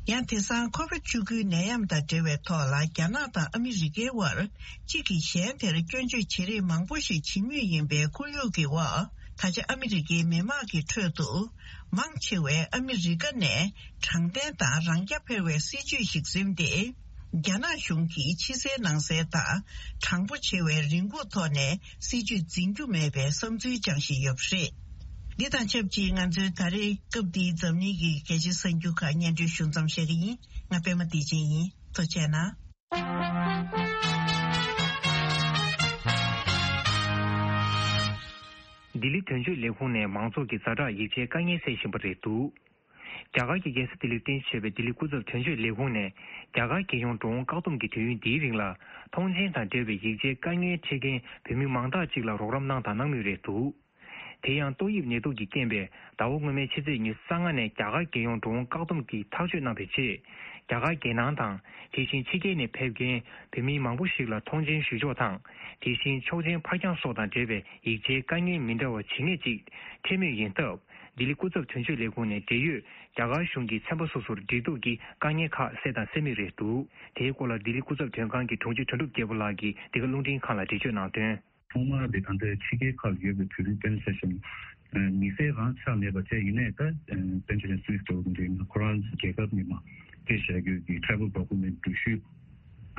ཡང་དེང་སང་ཁོ་བིད་བཅུ་དགུའི་ནད་ཡམས་དང་འབྲེལ་བའི་ཐོག་ལ་རྒྱ་ནག་དང་ཨ་མི་རི་ཀའི་དབར་གཅིག་གིས་གཞན་དེར་སྐྱོན་བརྗོད་བྱེད་རེས་མང་པོ་ཞིག་བྱེད་མུས་ཡིན་པའི་ཁོར་ཡུག་གི་འོག་ད་ཆ་ཨ་མི་རི་ཀའི་མི་དམངས་ཀྱི་ཁྲོད་དུ་མང་ཆེ་བས་ཨ་མི་རི་ཀ་ནས་དྲང་བདེན་དང་རང་རྐྱ་འཕེར་བའི་སྲིད་བྱུས་ཤིག་འཛིན་ཏེ། རྒྱ་ནག་གཞུང་གིས་ཕྱི་གསལ་ནང་གསལ་དང་དྲང་པོ་ཆེ་བའི་རེ་སྒུག་ཐོག་ནས་སྲིད་བྱུས་འཛིན་རྒྱུ་མེད་པའི་བསམ་ཚུལ་བཅངས་བཞིན་ཡོད་པ་རེད། འདི་དང་ཆབས་ཅིག་ང་ཚོའི་ད་རེས་སྐབས་འདིའི་འཛམ་གླིང་གི་གལ་ཆེའི་གསར་འགྱུར་ཁག་སྙན་སྒྲོན་ཞུ་མཚམས་བཞག་གི་ཡིན། ང་པད་མ་བདེ་ཆེན་ཡིན། ཐུགས་རྗེ་གནང་། ལྡི་ལི་དོན་གཅོད་ལས་ཁུངས་ནས་མང་ཚོགས་ཀྱི་ཛ་དྲག་ཡིག་ཆའི་དཀའ་ངལ་སེལ་བཞིན་པ་རེད་འདུག་རྒྱ་གར་གྱི་རྒྱལ་ས་ལྡི་ལིར་རྟེན་གཞི་བྱས་པའི་ལྡི་ལི་སྐུ་ཚབ་དོན་གཅོད་ལས་ཁུངས་ནས་རྒྱ་གར་རྒྱལ་ཡོངས་འགྲོ་འོང་བཀག་སྡོམ་གྱི་དུས་ཡུན་འདིའི་རིང་ལ་ཐོངས་མཆན་དང་འབྲེལ་བའི་ཡིག་ཆའི་དཀའ་ངལ་འཕྲད་མཁན་བོད་མི་མང་དག་ཅིག་ལ་རོགས་རམ་གནང་དང་གནང་མུས་རེད་འདུག་དེ་ཡང་ཏོག་དབྱིབས་ནད་དུག་གི་རྐྱེན་པས་ཟླ་བ་སྔོན་མའི་ཕྱི་ཚེས་ཉི་ཤུ་རྩ་ལྔ་ནས་རྒྱ་གར་རྒྱལ་ཡོངས་འགྲོ་འོང་བཀག་སྡོམ་གྱིས་ཐག་གཅོད་གནང་བའི་རྗེས། རྒྱ་གར་རྒྱལ་ནང་དང་དེ་བཞིན་ཕྱི་རྒྱལ་ནས་ཕེབས་མཁན་བོད་མི་མང་པོ་ཞིག་ལ་ཐོངས་མཆན་ཞུ་ཕྱོགས་དང་། དེ་བཞིན་ཆོག་མཆན་ཕར་འགྱངས་སོགས་དང་འབྲེལ་བའི་ཡིག་ཆའི་དཀའ་ངལ་མི་འདྲ་བ་ཇི་སྙེད་ཅིག་འཕྲད་མུས་ཡིན་སྟབས། ལྡི་ལི་སྐུ་ཚབ་དོན་གཅོད་ལས་ཁུངས་ནས་འབྲེལ་ཡོད་རྒྱ་གར་གཞུང་གི་ཚན་པ་སོ་སོར་འབྲེལ་གཏུག་གིས་དཀའ་ངལ་ཁག་སེལ་དང་སེལ་མུས་རེད་འདུག་དེའི་སྐོར་ལ་ལྡི་ལི་སྐུ་ཚབ་དོན་ཁང་གི་དྲུང་ཆེ་དོན་གྲུབ་རྒྱལ་པོ་ལགས་ཀྱིས་འདི་ག་རླུང་འཕྲིན་ཁང་ལ་འགྲེལ་བརྗོད་གནང་དོན། ཐོག་མར་དེ་ད་ལྟ་ཕྱི་རྒྱལ་ཁག་ལ་ཡོད་པའི་བོད་རིགས་པཎ་ཆེན་ཞིང་མི་སེར་རང་ཆགས་མེད་པ་བྱས། ཡིན་ནའི་ད་པཎ་ཆེན་སུད་སི་འདྲ་བོ་འདི་འདྲའི་ཁོ་རང་ཚོ་རྒྱལ་ཁབ་ནས་མར་སྐད་བཤད་རྒྱུ་གི་travel document འགྲུལ་བཞུད་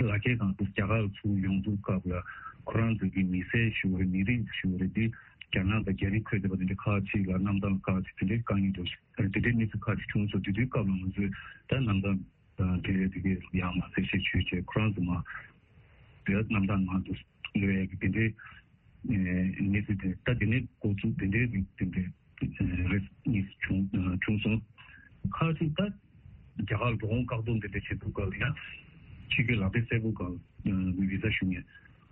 ལག་འཁྱེར་སྒང་དུ་རྒྱ་གར་ལ་ཚུར་ཡོང་དུས་སྐབས་ལ་ཁོ་རང་ཚོ་གི་མི་སེར་ཞུ་བ་རེད། མི་རིགས་ཞུ་བ་རེད། འདི་རྒྱ་ནག་དང་རྒྱ་རིགས་འཁོད་བསྡད་པ་དེ་འདྲ་ཁག་ཅིག་ལ་རྣམ་གྲངས་ཁག་ཅིག་དེ་འདྲའི་དཀའ་ངལ་འདུག་དེ་འདྲའི་གནས་ཚུལ་ཁག་ཅིག་བྱུང་སོང་། དེ་དུས་སྐབས་ལ་ང་ཚོས་ད་རྣམ་གྲངས་དེ་དེ་གའི་ཡང་མ་གསལ་བཤད་བྱས་བྱས་ཁོ་རང་ཚོ་མ་དེ་རྣམ་གྲངས་ནང་དུ་ལོས་ཀྱི་དེ་འདྲའི་གནས་ཚུལ་དེ་ད་དེ་ནས་འགོ་བཙུགས་དེ་འདྲའི་རིགས་དེ་འདྲའི་རེས་གཉིས་བྱུང་བྱུང་སོང་། ཁག་ཅིག་ད་རྒྱ་གར་འགྲོ་འོང་བཀག་སྡོམ་དེ་འདྲ་བྱེད་དུས་སྐབས་ལ་ཡང་ཕྱི་རྒྱལ་ལག་དེབ་སེར་པོ་སྒང་བི་ཟ་ཞུ་མཁན་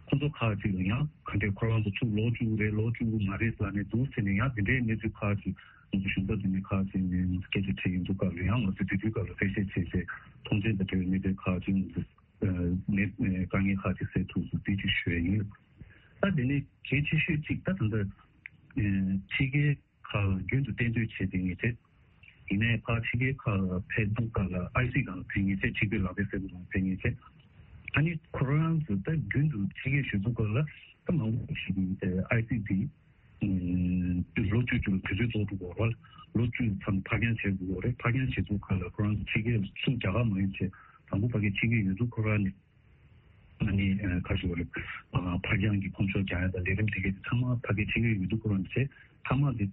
ཁོང་ཚོ་ཁག་ཅིག་ལ་ཡང་ག་འདྲའི་ཁོ་རང་ཚོ་ཚུར་ལོག་བཅུག་གི་རེད་ལོག་བཅུག་གི་མ་རེད་ཟེར་ནས་འདུག་ཟེར་ནས་ཡང་དེ་འདྲའི་གནས་ཚུལ་ཁག་ཅིག་ང་ཚོ་གཞུང་ཚབ་དེ་འདྲའི་ཁག་ཅིག་ནས་ང་ཚོ་སྐད་ཆ་དྲིས་ཡོང་དུས་སྐབས་ལ་ཡང་ང་ཚོས་དེ་དུས་སྐབས་ལ་གསལ་བཤད་བྱས་བྱས་ཐོངས་མཆན་དང་འབྲེལ་བའི་གནས་ཚུལ་ཁག་ཅིག་ང་ཚོས་ནས་དཀའ་ངལ་ཁག་ཅིག་སེལ་ཐུབ་སོང་། དེ་ཅིག་ཞུ་ཡ་ཡིན། ད་དེ་ནས་གལ་ཆེ་ཤོས་གཅིག་ད་ད་ལྟ་ཕྱི་རྒྱལ་ཁག་ལ་རྒྱུན་དུ་གཏན་སྡོད་བྱས་བསྡད་མཁན་བྱས། ཡིན་ནའི་ཕར་ཕྱི་རྒྱལ་ཁག་ལ་ཕེབས་དུས་སྐབས་ལ་ཨའི་སི་སྒང་ལ་ཕེབས་མཁན་བྱས། ཕྱི་རྒྱལ་ལག་དེབ་སེར་པོ་སྒང་ལ་ཕེབས་མཁན་བྱས། ཨ་ནི་ཁོ་རང་ཚོ་ད་རྒྱུན་དུ་ཕྱི་རྒྱལ་བཞུགས་དུས་སྐབས་ལ་ད་མང་པོ་ཞིག་གིས་ཨའི་སི་དེ་ལོ་ བཅུ་བཅུ་ལ་དུས་ཚོད་རྫོགས་འགྲོ་གི་ཡོད་རེད། ལོ་བཅུ་ཙམ་ཕར་འགྱངས་བྱས་འགྲོ་གི་ཡོད་རེད། ཕར་འགྱངས་བྱས་ཚུལ་ཁག་ལ་ཁོ་རང་ཚོ་ཕྱི་རྒྱལ་ཚུར་རྒྱ་གར་མ་ཡོང་བྱས་དང་པོ་ཕ་གིར་ཕྱིན་གྱི་ཡོད་དུས་ཁོ་རང་ནས། ཨ་ནི་ཨ་ཁ་ཤོ་རེད། ཨ་ཕར་འགྱངས་ཀྱི་ཁོང་ཚོ་རྒྱག་ཡ་དང་ལས་རིམ་དེ་གའི་ཚང་མ་ཕ་གིར་ཕྱིན་གྱི་ཡོད་དུས་ཁོ་རང་ཚོས་མཐའ་མ་དེ་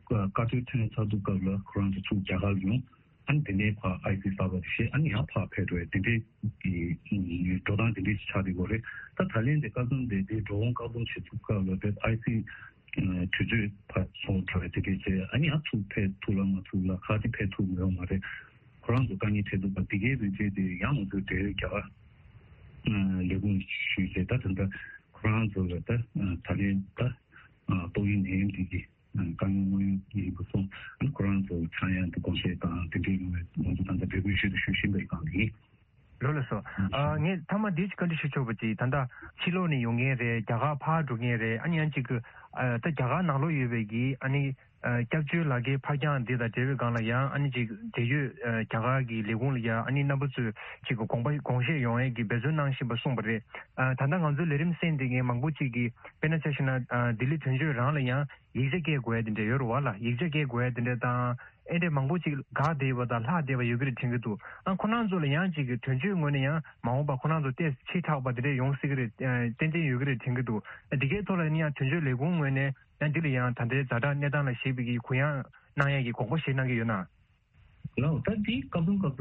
བཀའ་འཁྲོལ་ཐོན་ཚར་དུས་སྐབས་ལ་ཁོ་རང་ཚོ་ཚུར་རྒྱ་གར་ལ་ཡོང་། ཨ་ནི་དེ་ནས་ཕར་ཨའི་སི་གསར་པ་དེ་བཞེས། ཨ་ནི་ཡང་ཕར་ཕེབས་འགྲོ་ཡ་དེ་འདྲའི་གི་འགྲོ་སྟངས་དེ་འདྲའི་ཞིག་ཆགས་བསྡད་ཡོད་རེད། ད་ད་ལན་དེ་བཀའ་ཟུར་དེ་དེ་འགྲོ་འོང་བཀག་སྡོམ་བྱེད་ཚུལ་སྐབས་ལ་དེ་ཨའི་སི་དུས་ཚོད་ཕར་སོང་དྲགས་པ་དེ་འདྲའི་བྱས། ཨ་ནི་ཡང་ཚུར་ཕེབས་ཐུབ་ལ་མ་ཐུབ་ལ་ཁག་ཅིག་ཕེབས་ཐུབ་མི་ཡོང་མ་རེད། ཁོ་རང་ཚོ་དཀའ་ངལ་འཕྲད་འདུག་པ། འདི་གའི་རིགས་བྱས་ཏེ་ཡང་ང་ཚོས་འབྲེལ་ཡོད་རྒྱ་གར་ལས་ཁུངས་ཞུས་བྱས། ད་ད་ལྟ་ཁོ་རང་ཚོ་ལ་ད་ད་ལན་ད་ཏོག་དབྱིབས་ནད་ཡམས་འདི་གི་དཀའ་ངལ་དངོས་ཡོད་ཡིན་པ་སོང་། ཁོ་རང་ཚོ་ཚང་ཡང་དུ་དགོངས་བཞེས་དང་དེ་འདྲའི་ཡོང་བའི་ང་ཚོ་ད་ལྟ་འབོད་སྐུལ་ཞུ་དང་ཞུ་བཞིན་པའི་སྒང་ལ་ཡིན། ལགས་ལགས་སོ། ཨ་ངས་མཐའ་མ་འདི་ཅིག་བཀའ་འདྲི་ཞུ་ཆོག་པ་ཅིག་ད་ལྟ་ཕྱི་ལོགས་ནས་ཡོང་མཁན་རེད། རྒྱ་གར་ཕར་འགྲོ་མཁན་རེད། ཨ་ནི་ཡང་ཅིག་གི་ཨ་ད་རྒྱ་གར་ནང་ལོགས་ཡོད་པའི་གི་ཨ་ནི་ཨ་སྐྱབས་བཅོལ་ལག་ཁྱེར་ཕར་འགྱངས་འདི་དང་འབྲེལ་བའི་སྒང་ལ་ཡང་ཨ་ནི་ཅིག་འབྲེལ་ཡོད་ཨ་རྒྱ་གར་གྱི་ལས་ཁུངས་ལ་ཡང་ཨ་ནི་རྣམ་པ་ཚོས་ཅིག་གི་དགོངས་པ་དགོངས་བཞེས་ཡོང་ཡས་ཀྱི་འབད་བརྩོན་གནང་བཞིན་པ་གསུངས་པ་རེད། ཨ་ད་ལྟ་ང་ཚོའི་ལས་རིམ་གསན་བསྡད་མཁན་མང་པོ་ཅིག་གིས་དཔེར་ན་ཆ་བཞག་ན་ཨ་ལྡི་ལི་དོན་གཅོད་རང་ལ་ཡང་ཡིག་ཆ་སྐྱེལ་དགོས་ཡ་དེ་འདྲ་ཡོད་རེད་བ་ལ། ཡིག་ཆ་སྐྱེལ་དགོས་ཡ་དེ་འདྲ་དང་ཨེ་འདྲས་མང་པོ་ཅིག་འགག་བསྡད་ཡོད་པ་དང་ལྷག་བསྡད་པ་ཡོད་ཀྱི་རེད་དྲན་གྱི་འདུག་ཨ་ཁོ་རང་ཚོ་ལ་ཡང་ཅིག་གི་དོན་གཅོད་ངོས་ནས་ཡང་མ་འོངས་པ་ཁོ་རང་ཚོ་ཏོག་ཙམ་ཕྱི་དྲགས་པ་དེ་འདྲས་ཡོང་སྲིད་ཀྱི་རེད། ཨ་ཏན་ཏན་ཡོད་ཀྱི་རེད་དྲན་གྱི་འདུག་ཨ་འདི་གའི་ཐོག་ལ་ཡིན་ན་ཡང་དོན་གཅོད་ལས་ཁུངས་ངོས་ནས་ཡང་འདི་ལ་ཡང་ད་ལྟའི་ཛ་དྲག་གནས་སྟངས་ལ་གཞིགས་པའི་གི་གུ་ཡངས་གནང་ཡ་གི་དགོངས་པ་བཞེས་གནང་གི་ཡོད་ན། ལགས། ད་འདི་སྐབས་དང་སྐབས་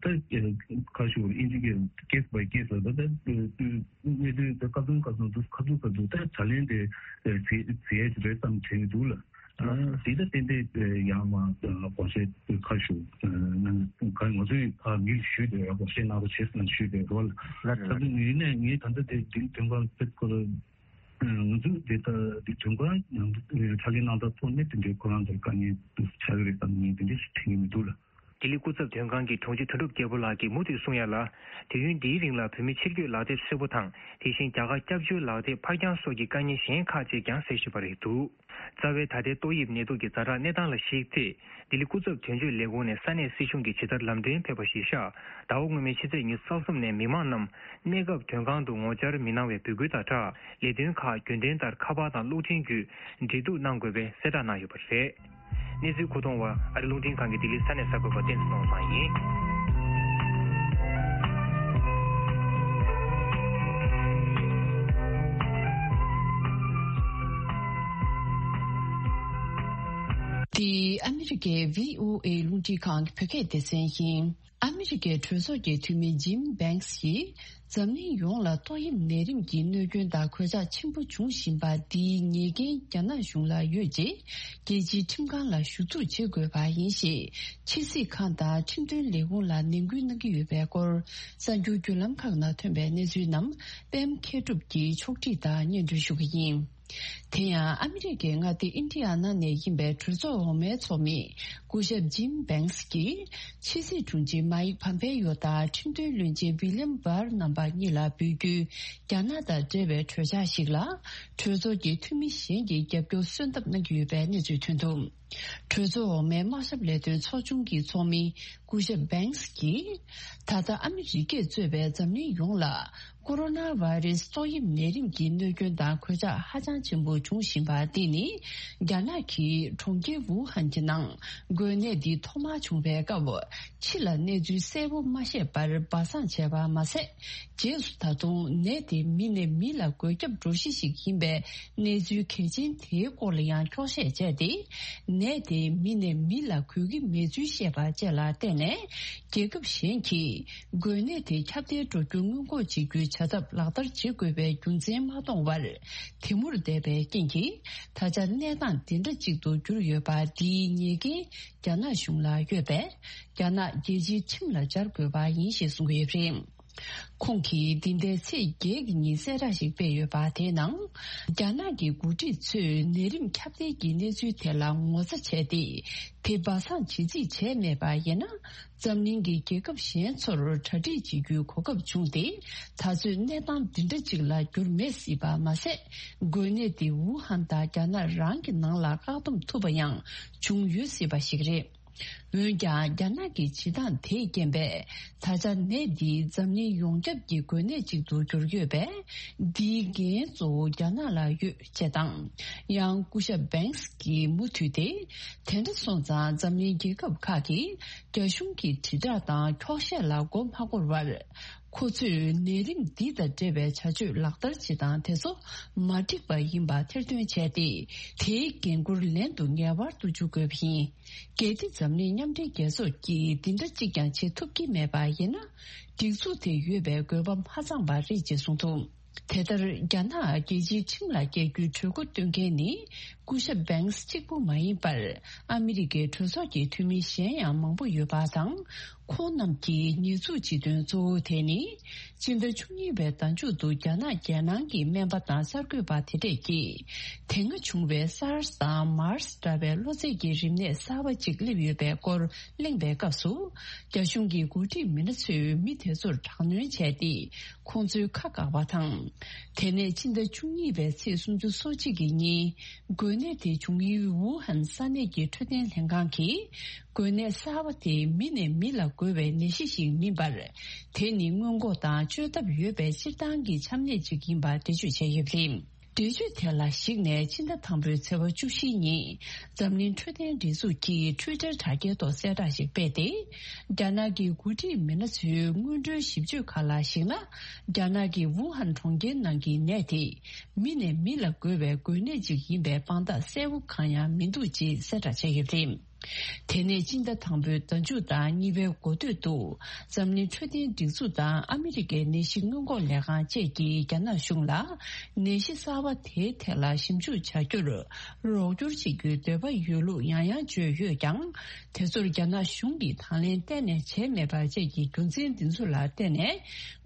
དང་ད་ཁ་ཤོར་ཨིན་ཇི་སྐད་case by case ལ་ད་ད་གནས་ཚུལ་ད་སྐབས་དང་སྐབས་དང་དུ་ཁ་ཐུག་ཁ་ཐུག་ད་ད་ལན་དེ་བྱེད་བྱེད་ཡ་རེད་བསམ་དྲན་གྱི་འདུག་ལ། ཨ་འདི་ད་ཏན་ཏན་ཡང་མ་དགོངས་བཞེས་ཁ་ཤོར་ནང་ག་ང་ཚོས་ཕ་མིར་ཞུས་ཏེ་དགོངས་བཞེས་གནང་རོགས་བྱེད་ཟེར་ཞུས་པའི་རོལ། ད་དུང་ངས་ནས་ངས་ད་ལྟ་དེ་འདི་དོན་ཁང་ཕེབས་སྐོར། ང་ཚོས་དེ་ལྟར་འདི་དོན་ཁང་ནང་དུ་ཕྲ་རྒྱས་གནང་སྟངས་ཐོག་ནས་དེ་འདྲའི་ཁོ་རང་ཚོར་དཀའ་ངལ་ཆགས་ཀྱི་རེད་བསམ་ནས་དེ་འདྲ་ཞིག་དྲན་གྱི་མི་འདུག་ལ། ལྡི་ལི་སྐུ་ཚབ་དོན་ཁང་གི་དྲུང་ཆེ་དོན་གྲུབ་རྒྱལ་པོ་ལགས་ཀྱིས་མུ་མཐུད་གསུངས་ཡ་ལ། དུས་ཡུན་འདིའི་རིང་ལ་བོད་མི་ཕྱིར་སྐྱོད་ལག་དེབ་ཧྲིལ་པོ་དང་། དེ་བཞིན་རྒྱ་གར་སྐྱབས་བཅོལ་ལག་དེབ་ཕར་འགྱངས་སོགས་ཀྱི་དཀའ་ངལ་གཞན་ཁག་ཅིག་ཀྱང་གསལ་བཞིན་པ་རེད་འདུག་རྩ་བའི་ད་ལྟའི་ཏོག་དབྱིབས་ནད་དུག་གི་ཛ་དྲག་གནས་སྟངས་ལ་གཞིགས་ཚེ། ལྡི་ལི་སྐུ་ཚབ་དོན་གཅོད་ལས་ཁུངས་ནས་ས་གནས་སྲིད་གཞུང་གི་ཇི་ལྟར་ལམ་སྟོན་ཕེབས་པ་གཞིར་བཞག་ཟླ་བ་སྔོན་མའི་ཕྱི་ཚེས་ཉི་ཤུ་རྩ་གསུམ་ནས་མི་མང་རྣམས་གནས་སྐབས་དོན་ཁང་དུ་ངོ་བཅར་མི་གནང་བའི་འབོད་སྐུལ་དང་སྦྲགས། ལས་དོན་ཁག་རྒྱུན་ལྡན་ལྟར་ཁ་པར་དང་གློག་འཕྲིན་བརྒྱུད་འབྲེལ་གཏུག་གནང་དགོས་པའི་གསལ་བསྒྲགས་གནང་ཡོད་པ་རེད། གནས་ཚུལ་མཁོ་གཏོང་བ་ཨ་རི་རླུང་འཕྲིན་ཁང་གི་ལྡི་ལི་ས་གནས་གསར་འགོད་པ་བསྟན་འཛིན་ནོར་བཟང་ཡིན། འདི་ཨ་མི་རི་ཀའི་བྷི་ཨོ་ཨེ་རླུང་འཕྲིན་ཁང་གི་བོད་སྐད་སྡེ་ཚན་ཡིན། ཨ་མི་རི་ཀའི་གྲོས་ཚོགས་ཀྱི་འཐུས་མི་ཇིམ་བྷེང་སི་ཡིས་འཛམ་གླིང་ཡོངས་ལ་ཏོག་དབྱིབས་ནད་རིམས་ཀྱི་གནོད་སྐྱོན་དང་གོད་ཆག་ཆེན་པོ་འབྱུང་བཞིན་པ་འདིའི་ཉེས་འགན་རྒྱ་ནག་གཞུང་ལ་ཡོད་ཅེས་རྒྱལ་སྤྱིའི་ཁྲིམས་ཁང་ལ་ཞུ་གཏུག་བྱེད་དགོས་པ་ཡིན་ཞེས་ཕྱི་སྲིད་ཁང་དང་ཁྲིམས་དོན་ལས་ཁུངས་ལ་ནན་སྐུལ་གནང་གི་ཡོད་པའི་སྐོར་གསར་འགྱུར་བརྒྱུད་ལམ་ཁག་ནང་ཐོན་པའི་གནས་ཚུལ་རྣམས་པད་མ་མཁས་གྲུབ་ཀྱིས་ཕྱོགས་སྒྲིག་དང་སྙན་སྒྲོན་ཞུ་གི་ཡིན། དེ་ཡང་ཨ་མི་རི་ཀའི་མངའ་སྡེ་ཨིན་ཌི་ཡ་ན་ནས་ཡིན་པའི་གྲོས་ཚོགས་འོག་མའི་ཚོགས་མི་སྐུ་ཞབས་ཇིམ་བྷེང་སི་ཀྱིས་ཕྱི་སྲིད་དྲུང་ཆེ་མཱིག་ཕམ་པེ་ཡོ་དང་ཁྲིམས་དོན་བློན་ཆེན་ཝི་ལི་ཡམ་བྷར་རྣམ་པ་གཉིས་ལ་འབོད་སྐུལ་རྒྱ་ནག་དང་འབྲེལ་བའི་གྲོས་འཆར་ཞིག་ལ་གྲོས་ཚོགས་ཀྱི་འཐུས་མི་གཞན་གྱིས་རྒྱབ་སྐྱོར་གསོལ་འདེབས་གནང་གི་ཡོད་པའི་གནས་ཚུལ་ཐོན་འདུག་གྲོས་ཚོགས་འོག་མའི་དམག་ཞབས་ལས་དོན་ཚོགས་ཆུང་གི་ཚོགས་མི་སྐུ་ཞབས་བྷེང་སི་ཀྱིས། ད་ལྟ་ཨ་མི་རི་ཀས་གཙོས་པའི་འཛམ་གླིང་ཡོངས་ལ་ཀོ་རོ་ན་བྷ་རེ་སི་ཏོག་དབྱིབས་ནད་རིམས་ཀྱི་གནོད་སྐྱོན་དང་གོད་ཆག་ཧ་ཅང་ཆེན་པོ་འབྱུང་བཞིན་པ་འདི་ནི། རྒྱ་ནག་གི་གྲོང་ཁྱེར་ཝུ་ཧན་གྱི་ནང་འགོས་ནད་འདི་ཐོག་མར་བྱུང་བའི་སྐབས། ཕྱི་ལ་གནས་ཚུལ་གསལ་པོ་མ་བཤད་པར་སྦ་གསང་བྱས་པ་མ་ཟད། རྗེས་སུ་ད་དུང་ནད་དེ་མི་ནས་མི་ལ་འགོས་ཁྱབ་འགྲོ་གཞི་ཞིག་ཡིན་པའི་གནས་ཚུལ་གལ་ཆེན་དེའི་སྐོར་ལ་ཡང་འཁྱོག་བཤད་བྱས་ཏེ། ནད་དེ་མི་ནས་མི་ལ་འགོས་ཀྱི་མེད་ཚུལ་བཤད་པ་བཅས་ལ་བརྟེན་ནས། རྒྱལ་ཁབ་གཞན་གྱིས་འགོས་ནད་དེ་ཁྱབ་གདལ་འགྲོ་རྒྱུ་སྔོན་འགོག་བྱེད་རྒྱུའི་བྱ་ཐབས་ལག་བསྟར་བྱེད་དགོས་པའི་རྒྱུ་མཚན་མ་མཐོང་བར། དེ་མུར་བསྡད་པའི་རྐྱེན་གྱིས། ད་ཆ་གནས་སྟངས་འདི་འདྲ་གཅིག་ཏུ་གྱུར་ཡོད་པ་འདིའི་ཉེས་འགན་རྒྱ་ནག་གཞུང་ལ་ཡོད་པས། རྒྱ་ནག་རྒྱལ་སྤྱིའི་ཁྲིམས་ལ་སྦྱར་དགོས་པ་ཡིན་ཞེས་གསུངས་ཡོད་པ་རེད། ཁོང་གིས་འདི་ཟླའི་ཚེས་བརྒྱད་ཀྱི་ཉིན་གསལ་བསྒྲགས་ཤིག་སྤེལ་ཡོད་པ། དེའི་ནང་། རྒྱ་ནག་གི་འགོ་ཁྲིད་ཚོས་ནད་རིམས་ཁྱབ་གདལ་གྱི་གནས་ཚུལ་དེ་ལ་ངོ་ཚ་བྱས་ཏེ། དེ་སྦ་གསང་བྱེད་རྩིས་བྱས་མེད་པ་ཡིན་ན། འཛམ་གླིང་གི་རྒྱལ་ཁབ་གཞན་ཚོར་གྲ་སྒྲིག་བྱེད་རྒྱུའི་གོ་སྐབས་བྱུང་སྟེ། ད་གཟོད་གནས་སྟངས་འདི་འདྲ་ཅིག་ལ་འགྱུར་མེད་སྲིད་པ་མ་ཟད། འགོས་ནད་དེ་ཝུ་ཧན་དང་རྒྱ་ནག་རང་གི་ནང་ལ་བཀག་སྡོམ་ཐུབ་པ་ཡང་བྱུང་ཡོད་སྲིད་པ་ཞིག་རེད། འོན་ཀྱང་རྒྱ་ནག་གི་བྱེད་སྟངས་དེས་རྐྱེན་པས། ད་ཆ་ནད་འདི་འཛམ་གླིང་ཡོངས་ཁྱབ་ཀྱི་འགོས་ནད་ཅིག་ཏུ་གྱུར་ཡོད་པས། འདིའི་འགན་གཙོ་བོ་རྒྱ་ནག་ལ་ཡོད་ཅེས་དང་། ཡང་སྐུ་ཞབས་Banks གིས་མུ་མཐུད་དེ། དེ་འདྲ་སོང་ཙང་འཛམ་གླིང་རྒྱལ་ཁབ་ཁག་གིས་རྒྱ་གཞུང་གི་དྲིལ་བསྒྲགས་དང་འཁྱོག་བཤད་ལ་མགོ་མ་འཁོར་བར། ཁོ་ཚོས་ནད་རིམས་འདི་དང་འབྲེལ་བའི་བྱ་སྤྱོད་ལག་བསྟར་བྱེད་སྟངས་དེ་ཚོ་མ་འགྲིག་པ་ཡིན་པ་ཐེར་འདོན་བྱས་ཏེ། དེའི་འགན་ཁུར་ལན་དུ་ངེས་པར་དུ་འཇུག་དགོས་པ་ཡིན། གལ་ཏེ་འཛམ་གླིང་མཉམ་འབྲེལ་རྒྱལ་ཚོགས་ཀྱིས་འདི་འདྲ་གཅིག་ཀྱང་བྱེད་ཐུབ་ཀྱི་མེད་པ་ཡིན་ན། སྒྲིག་འཛུགས་དེ་ཡོད་པའི་དགོས་པ་མ་ཚང་བ་རེད་ཅེས་གསུངས་འདུག་དེ་ལྟར་རྒྱ་ནག་རྒྱལ་སྤྱིའི་ཁྲིམས་ལ་བཀལ་རྒྱུའི་གྲོས་འགོ་འདོན་མཁན་ནི་སྐུ་ཞབས་Banks གཅིག་པུ་མ་ཡིན་པར། ཨ་མི་རི་ཀའི་གྲོས་ཚོགས་ཀྱི་འཐུས་མི་གཞན་ཡང་མང་པོ་ཡོད་པ་དང་། ཁོང་རྣམས་ཀྱིས་ཉེས་འཛུགས་བྱེད་དོན་གཙོ་བོ་དེ་ནི། སྤྱི་ཟླ་བཅུ་གཉིས་པའི་ཟླ་མཇུག་ཏུ་རྒྱ་ནག་རྒྱལ་ནང་གི་སྨན་པ་དང་གསར་འགོད་པ་དེ་འདྲས་ཀྱིས། དེ་སྔ་བྱུང་བའི་SARS དང་MERS འདྲ་བའི་གློ་ཚད་ཀྱི་རིམས་ནད་གསར་པ་ཅིག་སླེབས་ཡོད་པའི་སྐོར་གླེང་བའི་སྐབས་སུ། རྒྱ་གཞུང་གི་འགོ་ཁྲིད་མི་སྣ་ཚོས་མི་དེ་ཚོར་དྲག་གནོན་བྱས་ཏེ། ཁོང་ཚོའི་ཁ་བཀག་པ་དང་། དེ་ནས་ཕྱི་ཟླ་བཅུ་གཉིས་པའི་ཚེས་སུམ་ཅུ་སོ་གཅིག་གི་ཉིན། འགོས་ནད་དེ་བྱུང་ཡུལ་ཝུ་ཧན་ས་གནས་ཀྱི་འཕྲོད་བསྟེན་ལྷན་ཁང་གིས། འགོས་ནད་གསར་པ་དེ་མི་ནས་མི་ལ་འགོས་པའི་ནད་གཞི་ཞིག་མིན་པར། དེ་ནི་སྔོན་འགོག་དང་བཅོས་ཐབས་ཡོད་པའི་སྤྱིར་བཏང་གི་ཆམ་ནད་ཅིག་ཡིན་པ་འགྲེལ་བརྗོད་བྱས་ཡོད་པ་རེད། འགྲེལ་བརྗོད་དེ་ལ་གཞིགས་ནས་ཕྱི་ཟླ་དང་པོའི་ཚེས་པ་བཅུ་བཞི་ཉིན། འཛམ་གླིང་འཕྲོད་བསྟེན་སྒྲིག་འཛུགས་ཀྱིས་Twitter དྲ་རྒྱའི་ཐོག་གསལ་བསྒྲགས་ཤིག་སྤེལ་ཏེ། རྒྱ་ནག་གི་འགོ་ཁྲིད་མི་སྣ་ཚོའི་སྔོན་འགྲོའི་ཞིབ་དཔྱོད་ཁག་ལ་གཞིགས་ན། རྒྱ་ནག་གི་ཝུ་ཧན་གྲོང་ཁྱེར་ནང་གི་ནད་དེ། མི་ནས་མི་ལ་འགོས་པའི་འགོས་ནད་ཅིག་ཡིན་པའི་དཔང་རྟགས་གསལ་པོ་གང་ཡང་མི་འདུག་ཅེས་གསལ་བསྒྲགས་བྱས་ཡོད་པ་རེད། དེ་ནས་སྤྱི་ཟླ་དང་པོའི་ཟླ་མཇུག་དང་གཉིས་པའི་འགོ་སྟོད་དུ། འཛམ་གླིང་འཕྲོད་བསྟེན་སྒྲིག་འཛུགས་དང་ཨ་མི་རི་ཀའི་ནད་གཞི་སྔོན་འགོག་ལས་ཁང་བཅས་ཀྱིས་རྒྱ་ནག་གཞུང་ལ། ནད་གཞི་གསར་པ་དེའི་ཐད་ལ་ཞིབ་འཇུག་བྱ་རྒྱུར་རོགས་སྐྱོར་བྱེད་རྒྱུའི་འདོད་པ་ཡོད་ལུགས་ཡང་ཡང་བརྗོད་ཡོད་ཀྱང་། དེ་ཚོར་རྒྱ་ནག་གཞུང་གིས་དང་ལེན་གཏན་ནས་བྱས་མེད་པ་བཅས་ཀྱི་རྒྱུ་མཚན་འདི་ཚོ་ལ་བརྟེན་ནས།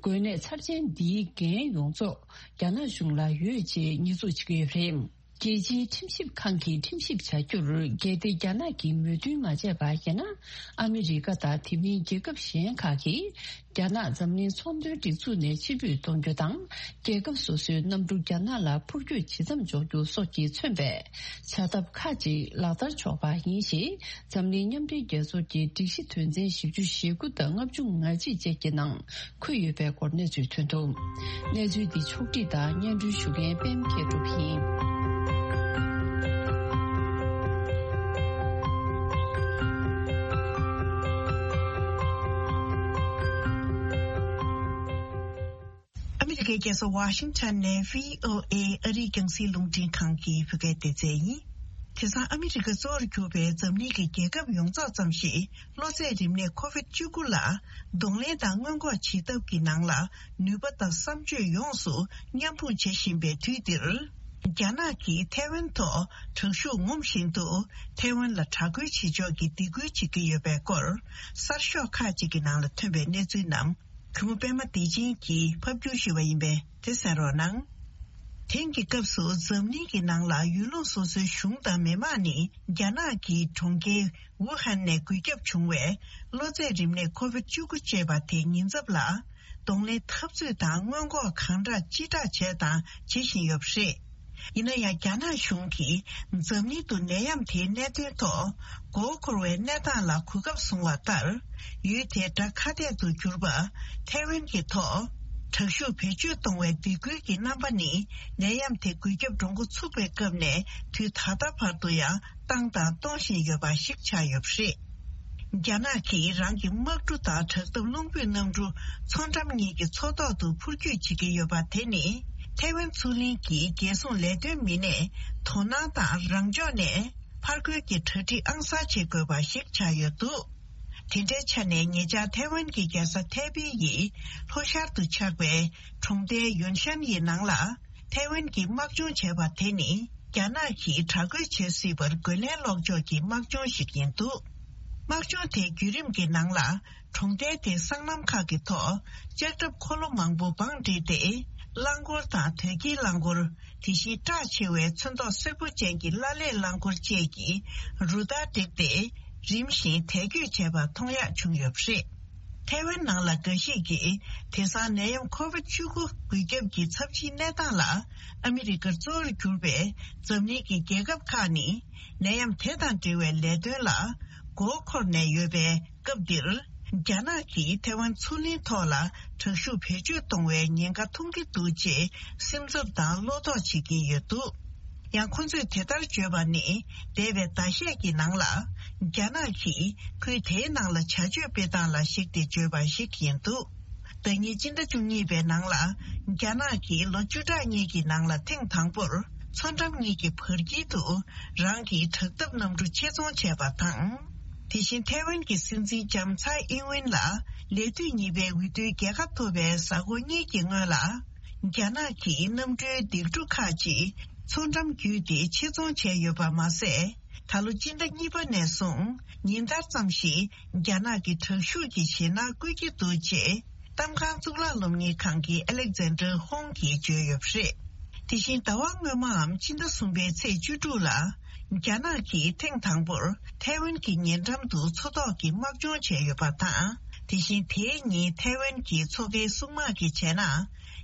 འགོས་ནད་ཚབས་ཆེན་འདིའི་འགན་ཡོངས་རྫོགས་རྒྱ་ནག་གཞུང་ལ་ཡོད་ཅེས་ཉེས་འཛུགས་བྱེད་ཀྱི་ཡོད་པ་རེད། རྒྱལ་སྤྱིའི་ཁྲིམས་ཞིབ་ཁང་གིས་ཁྲིམས་ཞིབ་བྱ་རྒྱུར། གལ་ཏེ་རྒྱ་ནག་གིས་མོས་མཐུན་མ་བྱས་པ་ཡིན་ན། ཨ་མི་རི་ཀ་དང་དེ་མིན་རྒྱལ་ཁབ་གཞན་ཁག་གིས། རྒྱ་ནག་འཛམ་གླིང་ཚོང་དོན་སྒྲིག་འཛུགས་ནས་ཕྱིར་འབུད་གཏོང་རྒྱུ་དང་། རྒྱལ་ཁབ་སོ་སོའི་གནམ་གྲུ་རྒྱ་ནག་ལ་འཕུར་སྐྱོད་ཇི་ཙམ་འཇོག་རྒྱུ་སོགས་ཀྱིས་མཚོན་པའི་བྱ་ཐབས་ཁག་ཅིག་ལག་བསྟར་ཆོག་པ་ཡིན་ཞེས། འཛམ་གླིང་མཉམ་འབྲེལ་རྒྱལ་ཚོགས་ཀྱི་སྒྲིག་གཞི་དོན་ཚན་བཞི་བཅུ་ཞེ་དགུ་དང་ལྔ་བཅུ་ང་གཅིག་བཅས་ཀྱི་ནང་འཁོད་ཡོད་པའི་སྐོར་གནས་ཚུལ་ཐོན་འདུག་གནས་ཚུལ་འདི་ཕྱོགས་བསྒྲིགས་དང་སྙན་སྒྲོན་ཞུ་མཁན་པད་མ་མཁས་གྲུབ་ཡིན། ཨ་མི་རི་ཀའི་རྒྱལ་ས་ཝ་ཤིང་ཊོན་ནས་བྷི་ཨོ་ཨེ་ཨ་རིའི་རྒྱང་སྲིང་རླུང་འཕྲིན་ཁང་གི་བོད་སྐད་སྡེ་ཚན་ཡིན། དེང་སང་ཨ་མི་རི་ཀ་གཙོ་བོར་གྱུར་པའི་འཛམ་གླིང་གི་རྒྱལ་ཁབ་ཡོངས་རྫོགས་ཙམ་ཞིག་གློ་ཚད་རིམས་ནད་ཁོ་ཝིད་བཅུ་དགུ་ལ་གདོང་ལེན་དང་སྔོན་འགོག་བྱེད་ཐབས་ཀྱི་ནང་ལ་ནུས་པ་དང་བསམ་སྤྱོད་ཡོངས་སུ་མཉམ་སྤུངས་བྱེད་བཞིན་པའི་དུས་འདིར། རྒྱ་ནག་གིས་ཐའེ་ཝན་ཐོག་དྲག་ཤུགས་ངོམ་བཞིན་དུ་ཐའེ་ཝན་ལ་དྲག་རྒོལ་བྱེད་ཕྱོགས་ཀྱི་སྡིགས་སྐུལ་བྱེད་ཀྱི་ཡོད་པའི་སྐོར་གསར་ཤོག་ཁག་ཅིག་གི་ནང་ལ་ཐོན་པའི་གནས་ཚུལ་རྣམས། གུས་མོ་པད་མ་བདེ་ཆེན་གྱིས་ཕབ་སྒྱུར་ཞུས་པ་ཡིན་པས་དེ་གསན་རོགས་གནང་། དེང་གི་སྐབས་སུ་འཛམ་གླིང་གི་ནང་ལ་ཡུལ་ལུང་སོ་སོའི་གཞུང་དང་མི་དམངས་ནི་རྒྱ་ནག་གི་གྲོང་ཁྱེར་ཝུ་ཧན་ནས་འགོས་ཁྱབ་བྱུང་བའི་གློ་ཚད་རིམས་ནད་ཁོ་ཝིད་བཅུ་དགུ་ཅེས་པ་དེ་ཉེན་ཚབས་ལ་གདོང་ལེན་འཐབ་རྩོད་དང་སྔོན་འགོག་གང་དྲག་ཅི་དྲག་བྱས་དང་བྱེད་བཞིན་ཡོད་པ་རེད། ཡིན་ན་ཡང་རྒྱ་ནག་གཞུང་གིས་འཛམ་གླིང་དུ་ནད་ཡམས་དེའི་གནད་དོན་ཐོག་མགོ་འཁོར་བའི་གནས་སྟངས་ལ་གོ་སྐབས་བཟུང་བ་ལྟར། ཡུལ་དེའི་དགྲ་ཁ་གཏད་དུ་གྱུར་པ་ཐའེ་ཝན་གྱི་ཐོག་དྲག་ཤུགས་བེད་སྤྱོད་གཏོང་བའི་སྡིགས་སྐུལ་གྱི་རྣམ་པ་ནི་ནད་ཡམས་དེ་འགོས་ཁྱབ་འགྲོ་འགོ་ཚུགས་པའི་སྐབས་ནས་དུས་ད་ལྟ་བར་དུ་ཡང་བཏང་དང་གཏོང་བཞིན་ཡོད་པ་ཞིག་ཆགས་ཡོད་པ་རེད། རྒྱ་ནག་གིས་རང་གི་དམག་གྲུ་དང་དྲག་འཐབ་རླུང་འཕུར་གནམ་གྲུ་མཚོ་འགྲམ་གཉིས་ཀྱི་མཚོ་ཐོག་ཏུ་འཕུར་སྐྱོད་བྱེད་ཀྱི་ཡོད་པ་དེ་ནི་ཐའེ་ཝན་མཚོ་གླིང་གི་རྒྱལ་སྲུང་ལས་དོན་མི་སྣས་དོ་སྣང་དང་རང་ཕྱོགས་ནས་ཕར་རྒོལ་གྱི་གྲ་སྒྲིག་ཨང་གསར་བྱེད་དགོས་པ་ཞིག་ཆགས་ཡོད་འདུག་དེ་འདྲའི་ཆ་ནས་ཉེ་ཆར་ཐའེ་ཝན་གྱི་རྒྱལ་ས་ཐའེ་པེ་ཡི་ལྷོ་ཤར་དུ་ཆགས་པའི་གྲོང་རྡལ་ཡོན་ཤན་ཡི་ནང་ལ། ཐའེ་ཝན་གྱིས་དམག་སྦྱོང་བྱས་པ་དེ་ནི་རྒྱ་ནག་གིས་དྲག་རྒོལ་བྱེད་སྲིད་པར་རྒོལ་ལན་སློག་ཕྱོགས་ཀྱི་དམག་སྦྱོང་ཞིག་ཡིན་འདུག་དམག་སྦྱོང་དེའི་བརྒྱུད་རིམ་གྱི་ནང་ལ་གྲོང་རྡལ་དེའི་སྲང་ལམ་ཁག་གི་ཐོག་ལྕགས་ཁྲབ་འཁོར་ལོ་མང་པོ་བང་བསྒྲིགས་ཏེ་རླངས་འཁོར་དང་དོས་སྐྱེལ་རླངས་འཁོར། དེ་བཞིན་བཀྲག་ཆེ་བའི་ཚོན་མདོག་སེར་པོ་ཅན་གྱི་བླ་ལེབ་རླངས་འཁོར་བཅས་ཀྱི་རུ་སྟར་བསྒྲིགས་ཏེ་རིམ་བཞིན་དལ་སྐྱོད་བྱས་པ་མཐོང་ཡག་བྱུང་ཡོད་པ་རེད། ཐའེ་ཝན་ནང་ལ་འགའ་ཞིག་གིས་དེང་སང་ནད་ཡམས་ཁོ་ཝིད་བཅུ་དགུ་འགོས་ཁྱབ་ཀྱི་ཚབས་ཆེའི་གནས་སྟངས་ལ་ཨ་མི་རི་ཀར་གཙོ་བོར་གྱུར་པའི་འཛམ་གླིང་གི་རྒྱལ་ཁབ་ཁག་ནི་ནད་ཡམས་དེ་དང་འབྲེལ་བའི་ལས་དོན་ལ་ མགོ་འཁོར་ནས་ཡོད་པའི་སྐབས་འདིར། རྒྱ་ནག་གིས་ཐའེ་ཝན་མཚོ་གླིང་ཐོག་ལ་དྲག་ཤུགས་བེད་སྤྱོད་གཏོང་བའི་ཉེན་ཁ་མཐོང་གི་འདུག་ཅེས་སེམས་འཚབ་དང་བློ་དོགས་བྱེད་ཀྱིན་ཡོད་འདུག་ཡང་ཁོ་ཚོས་དེ་ལྟར་བརྗོད་པ་ནི། འདས་པའི་ཟླ་ཤས་ཀྱི་ནང་ལ། རྒྱ་ནག་གིས་ཁུལ་དེའི་ནང་ལ་བྱ་སྤྱོད་སྤེལ་སྟངས་ལ་གཞིགས་ཏེ་བརྗོད་པ་ཞིག་ཡིན་འདུག་ཟླ་ཉིན་སྤྱི་ཟླ་བཅུ་གཉིས་པའི་ནང་ལ། རྒྱ་ནག་གིས་ལོ་བཅུ་ཕྲག་གཉིས་ཀྱི་ནང་ལ་ཐེངས་དང་པོར། མཚོ་འགྲམ་གཉིས་ཀྱི་བར་དཀྱིལ་དུ། རང་གི་དྲག་འཐབ་གནམ་གྲུ་ཆེད་རྫོང་བྱས་པ་དང་། དེ་བཞིན་ཐའེ་ཝན་གྱི་སྲིད་འཛིན་ལྕམ་ཚའེ་ཨིན་ཝིན་ལ། ལས་དུས་གཉིས་པའི་འོས་བསྡུའི་རྒྱལ་ཁ་ཐོབ་པའི་གཟའ་འཁོར་གཉིས་ཀྱི་སྔོན་ལ། རྒྱ་ནག་གིས་གནམ་གྲུའི་ལྡིང་གྲུ་ཁག་ཅིག་མཚོ་འགྲམ་བརྒྱུད་དེ་ཆེད་རྫོང་བྱས་ཡོད་པ་མ་ཟད། ད་ལོ་སྤྱི་ཟླ་གཉིས་པ་ནས་བཟུང་ཉིན་ལྟར་ཙམ་ཞིག་རྒྱ་ནག་གི་དྲག་ཤུགས་ཀྱི་ཞེད་སྣང་བསྐུལ་གྱི་འདུག་ཅེས་གཏམ་ཁང་གཙུག་ལག་སློབ་གཉེར་ཁང་གི་ཨ་ལེག་ཛན་ཌར་ཧོང་གིས་བརྗོད་ཡོད་པ་རེད། དེ་བཞིན་ཟླ་བ་སྔོན་མའམ་སྤྱི་ཟླ་གསུམ་པའི་ཚེས་བཅུ་དྲུག་ལ། རྒྱ་ནག་གིས་ཐེངས་དང་པོར་ཐའེ་ཝན་གྱི་ཉེ་འགྲམ་དུ་མཚོ་ཐོག་གི་དམག་སྦྱོང་བྱས་ཡོད་པ་དང་། དེ་བཞིན་དེའི་ཉིན་ཐའེ་ཝན་གྱི་མཚོ་ཁའི་སྲུང་དམག་གིས་བྱས་ན།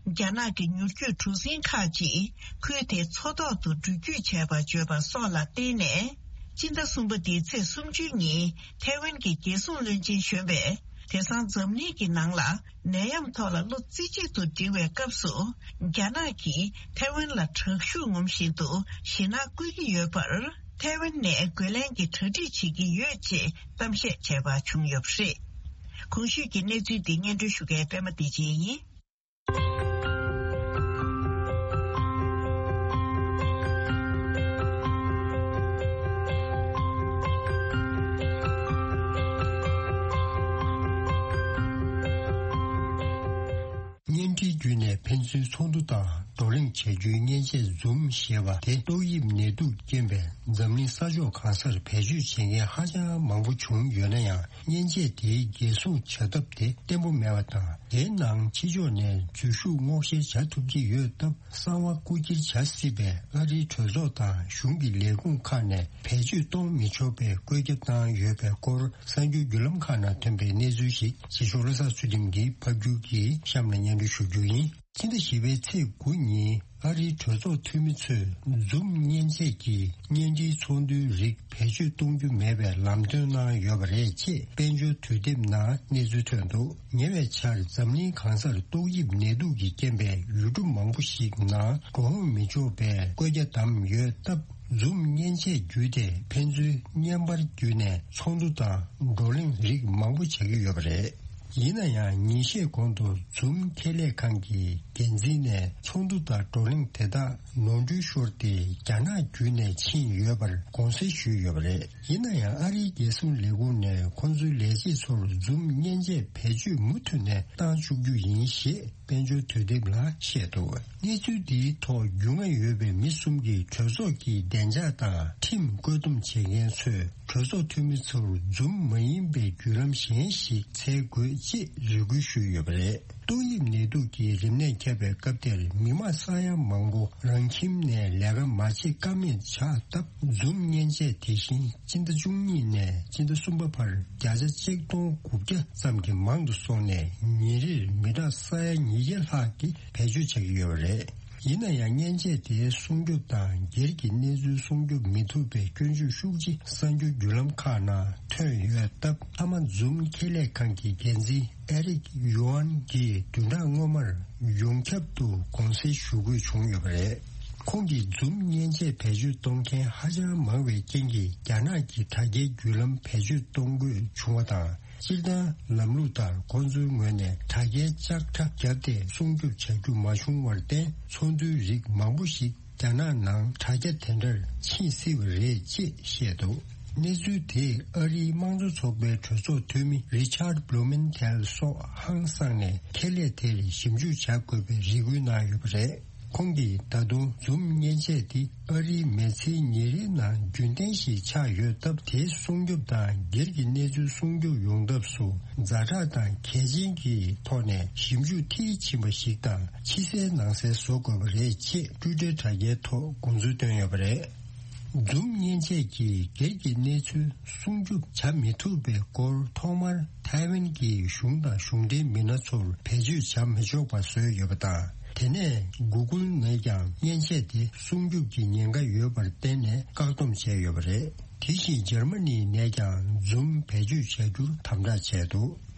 རྒྱ་ནག་གི་མྱུར་སྐྱོད་གྲུ་གཟིངས་ཁག་ཅིག་ཁུལ་དེའི་མཚོ་ཐོག་ཏུ་འགྲུལ་སྐྱོད་བྱས་པ་བརྗོད་པ་སོགས་ལ་བརྟེན་ནས། སྤྱི་ཟླ་གསུམ་པ་འདིའི་ཚེས་སུམ་ཅུའི་ཉིན་ཐའེ་ཝན་གྱི་རྒྱལ་སྲུང་བློན་ཆེན་གཞོན་པས། དེང་སང་འཛམ་གླིང་གི་ནང་ལ་ནད་ཡམས་ཐོག་ལ་བློ་རྩེ་གཅིག་ཏུ་སྒྲིལ་བའི་སྐབས་སུ། རྒྱ་ནག་གིས་ཐའེ་ཝན་ལ་དྲག་ཤུགས་ངོམ་བཞིན་དུ་ཞེད་སྣང་བསྐུལ་གྱི་ཡོད་པར། ཐའེ་ཝན་ནས་རྒོལ་ལན་གྱི་གྲ་སྒྲིག་བྱེད་ཀྱི་ཡོད་ཅེས་གཏམ་བཤད་བྱས་པ་བྱུང་ཡོད་པ་རེད། གོང་ཞུས་ཀྱི་གནས་ཚུལ་འདི་སྙན་སྒྲོན་ཞུ་མཁན་པད་མ་བདེ་ཆེན་ཡིན། བརྙན་འཕྲིན་བརྒྱུད་ནས་ཕན་ཚུན་ཚོགས་འདུ་དང་བགྲོ་གླེང་བྱ་རྒྱུའི་མཉེན་ཆས་Zoom་ཞེས་པ་དེ་ཏོག་དབྱིབས་ནད་དུག་རྐྱེན་པས་འཛམ་གླིང་ས་ཕྱོགས་གང་སར་བེད་སྤྱོད་བྱེད་མཁན་ཧ་ཅང་མང་པོ་བྱུང་ཡོད་ན་ཡང་། མཉེན་ཆས་དེའི་འགན་སྲུང་བྱ་ཐབས་དེ་བརྟན་པོ་མེད་པ་དང་། དེའི་ནང་ཕྱི་ཕྱོགས་ནས་འཛུལ་ཞུགས་སྔོག་བཤེར་བྱ་ཐུབ་ཀྱི་ཡོད་སྟབས། གསང་བ་རྐུ་འཁྱེར་བྱ་སྲིད་པས། ཨ་རིའི་གྲོས་ཚོགས་དང་གཞུང་གི་ལས་ཁུངས་ཁག་ནས་བེད་སྤྱོད་གཏོང་མི་ཆོག་པའི་བཀོད་ཁྱབ་བཏང་ཡོད་པའི་སྐོར། གསར་འགྱུར་བརྒྱུད་ལམ་ཁག་ནང་ཐོན་པའི་གནས་ཚུལ་ཞིག་རྗེ་ཤོག་བློ་བཟང་ཚུལ་ཁྲིམས་ཀྱིས་ཕབ་སྒྱུར་གྱིས་གཤམ་ལ་སྙན་སྒྲོན་ཞུ་རྒྱུ་ཡིན། ཕྱི་ཟླ་བཞི་པའི་ཚེས་དགུ་ཉིན་ཨ་རིའི་གྲོས་ཚོགས་འཐུས་མི་ཚོས་Zoom་མཉེན་ཆས་ཀྱི་བརྙན་འཕྲིན་ཚོགས་འདུའི་རིགས་བེད་སྤྱོད་གཏོང་རྒྱུ་མེད་པའི་ལམ་སྟོན་གནང་ཡོད་པ་རེད་ཅེས་དཔལ་འབྱོར་དུས་དེབ་ནང་གནས་ཚུལ་ཐོན་འདུག་ཉེ་བའི་ཆར་འཛམ་གླིང་གང་སར་ཏོག་དབྱིབས་ནད་དུག་གི་རྐྱེན་པས་ཡུལ་གྲུ་མང་པོ་ཞིག་ནང་འགྲོ་འོང་མི་ཆོག་པའི་བཀོད་རྒྱ་བདམས་ཡོད་སྟབས། Zoom་མཉེན་ཆས་བརྒྱུད་དེ་ཕན་ཚུན་བརྙན་པར་བརྒྱུད་ནས་ཚོགས་འདུ་དང་བགྲོ་གླེང་རིགས་མང་པོ་བྱ་གི་ཡོད་པ་རེད། ཡིན་ན་ཡང་ཉིན་ཤས་གོང་དུ་Zoom་ཁེ་ལས་ཁང་གི་འགན་འཛིན་ནས་ཚོགས་འདུ་དང་བགྲོ་གླེང་དེ་དག་ནོར་འཁྲུལ་ཤོར་ཏེ་རྒྱ་ནག་བརྒྱུད་ནས་ཕྱིན་ཡོད་པར་དགོངས་སེལ་ཞུས་ཡོད་པ་རེད། ཡིན་ན་ཡང་ཨ་རིའི་རྒྱལ་སྲུང་ལས་ཁུངས་ནས་ཁོང་ཚོའི་ལས་བྱེད་ཚོར་Zoom་མཉེན་ཆས་བེད་སྤྱོད་མུ་མཐུད་ནས་བཏང་བཅུག་རྒྱུ་ཡིན་ཞེས་དཔལ་འབྱོར་དུས་དེབ་ལ་བཤད་འདུག་གནས་ཚུལ་འདིའི་ཐོག་རྒྱུས་མངའ་ཡོད་པའི་མི་གསུམ་གྱིས་གྲོས་ཚོགས་ཀྱི་བདེ་འཇགས་དང་ཁྲིམས་བཀོད་འདོམས་བྱེད་མཁན་ཚོས་གྲོས་ཚོགས་འཐུས་མི་ཚོར་Zoom་མ་ཡིན་པའི་བརྒྱུད་ལམ་གཞན་ཞིག་འཚོལ་དགོས་ཅེས་རེ་སྐུལ་ཞུས་ཡོད་པ་རེད། ཏོག་དབྱིབས་ནད་དུག་གི་རིམས་ནད་ཁྱབ་པའི་སྐབས་དེར་མི་མང་ས་ཡ་མང་པོ་རང་ཁྱིམ་ནས་ལས་ཀ་མ་བྱེད་ཀ་མེད་ཆགས་སྟབས། Zoom་མཉེན་ཆས་དེ་བཞིན་སྤྱི་ཟླ་བཅུ་གཉིས་ནས་སྤྱི་ཟླ་གསུམ་པ་བར་བརྒྱ་ཆ་གཅིག་སྟོང་དགུ་བརྒྱ་ཙམ་གྱིས་མང་དུ་སོང་ནས། ཉིན་རེར་མི་གྲངས་ས་ཡ་ཉིས་བརྒྱ་ལྷག་གིས་བེད་སྤྱོད་བྱ་གི་ཡོད་པ་རེད། ཡིན་ན་ཡང་། མཉེན་ཆས་དེའི་སྲུང་སྐྱོབ་དང་སྒེར་གྱི་གནས་ཚུལ་སྲུང་སྐྱོབ་མི་ཐུབ་པའི་སྐྱོན་བརྗོད་ཤུགས་ཆེ་གསར་འགྱུར་བརྒྱུད་ལམ་ཁག་ནང་ཐོན་ཡོད་སྟབས། མཐའ་མ་Zoom་ཁེ་ལས་ཁང་གི་འགན་འཛིན་ཨེ་རིག་ཡོ་ཨན་གྱིས་བདུན་ཕྲག་སྔོན་མར་ཡོངས་ཁྱབ་ཏུ་དགོངས་སེལ་ཞུ་དགོས་བྱུང་ཡོད་པ་རེད། ཁོང་གིས་Zoom་མཉེན་ཆས་བེད་སྤྱོད་གཏོང་མཁན་ཧ་ཅང་མང་བའི་རྐྱེན་གྱིས། རྒྱ་ནག་གི་དྲ་རྒྱའི་བརྒྱུད་ལམ་བེད་སྤྱོད་གཏོང་དགོས་བྱུང་བ་དང་། སྤྱིར་བཏང་ལམ་ལུགས་ལྟར་ཁོང་ཚོའི་ངོས་ནས་དྲ་རྒྱའི་ལྕགས་ཁྲ་བརྒྱབ་སྟེ་སྲུང་སྐྱོབ་བྱ་རྒྱུ་མ་བྱུང་བར་བརྟེན། ཚོགས་འདུའི་རིགས་མང་པོ་ཞིག་རྒྱ་ནག་ནང་དྲ་རྒྱ་དེ་འདྲར་ཕྱིན་སྲིད་པ་རེད་ཅེས་བཤད་འདུག་གནས་ཚུལ་དེས་ཨ་རིའི་དམངས་གཙོ་ཚོགས་པའི་གྲོས་ཚོགས་འཐུས་མི་Richard Blumenthal་སོགས་ཧང་སངས་ནས། ཁེ་ལས་དེར་ཞིབ་འཇུག་བྱ་དགོས་པའི་རེ་སྐུལ་གནང་ཡོད་པ་རེད། ཁོང་གིས་ད་དུང་Zoom་མཉེན་ཆས་འདི་ཨ་རིའི་མི་ཚེའི་ཉིན་རེའི་ནང་རྒྱུན་ལྡན་ཞིག་ཆགས་ཡོད་སྟབས། དེའི་སྲུང་སྐྱོབ་དང་སྒེར་གྱི་གནས་ཚུལ་སྲུང་སྐྱོབ་ཡོང་ཐབས་སུ་ཛ་དྲག་དང་གལ་ཆེན་གྱི་ཐོག་ནས་ཞིབ་འཇུག་མཐིལ་ཕྱིན་པ་ཞིག་དང་ཕྱི་གསལ་ནང་གསལ་བཟོ་དགོས་པ་རེད་ཅེས་Twitter་དྲ་རྒྱའི་ཐོག་དགོངས་ཚུལ་བཏོན་ཡོད་པ་རེད། Zoom་མཉེན་ཆས་ཀྱིས་སྒེར་གྱི་གནས་ཚུལ་སྲུང་སྐྱོབ་བྱ་མི་ཐུབ་པའི་སྐོར་ཐོག་མར་ཐའེ་ཝན་གྱི་གཞུང་དང་གཞུང་འབྲེལ་མི་སྣ་ཚོར་བེད་སྤྱོད་བྱ་མི་ཆོག་པ་བཟོས་ཡོད་པ་དང་། དེ་ དེ་ནས་གུ་གུལ་ནས་ཀྱང་མཉེན་ཆས་དེ་སྲུང་སྐྱོབ་ཀྱི་ཉེན་ཁ་ཡོད་པར་བརྟེན་ནས་བཀག་སྡོམ་བྱས་ཡོད་པ་རེད། དེ་བཞིན་འཇར་མ་ནི་ནས་ཀྱང་Zoom་བེད་སྤྱོད་བྱ་རྒྱུར་དམ་དྲག་བྱས་འདུག་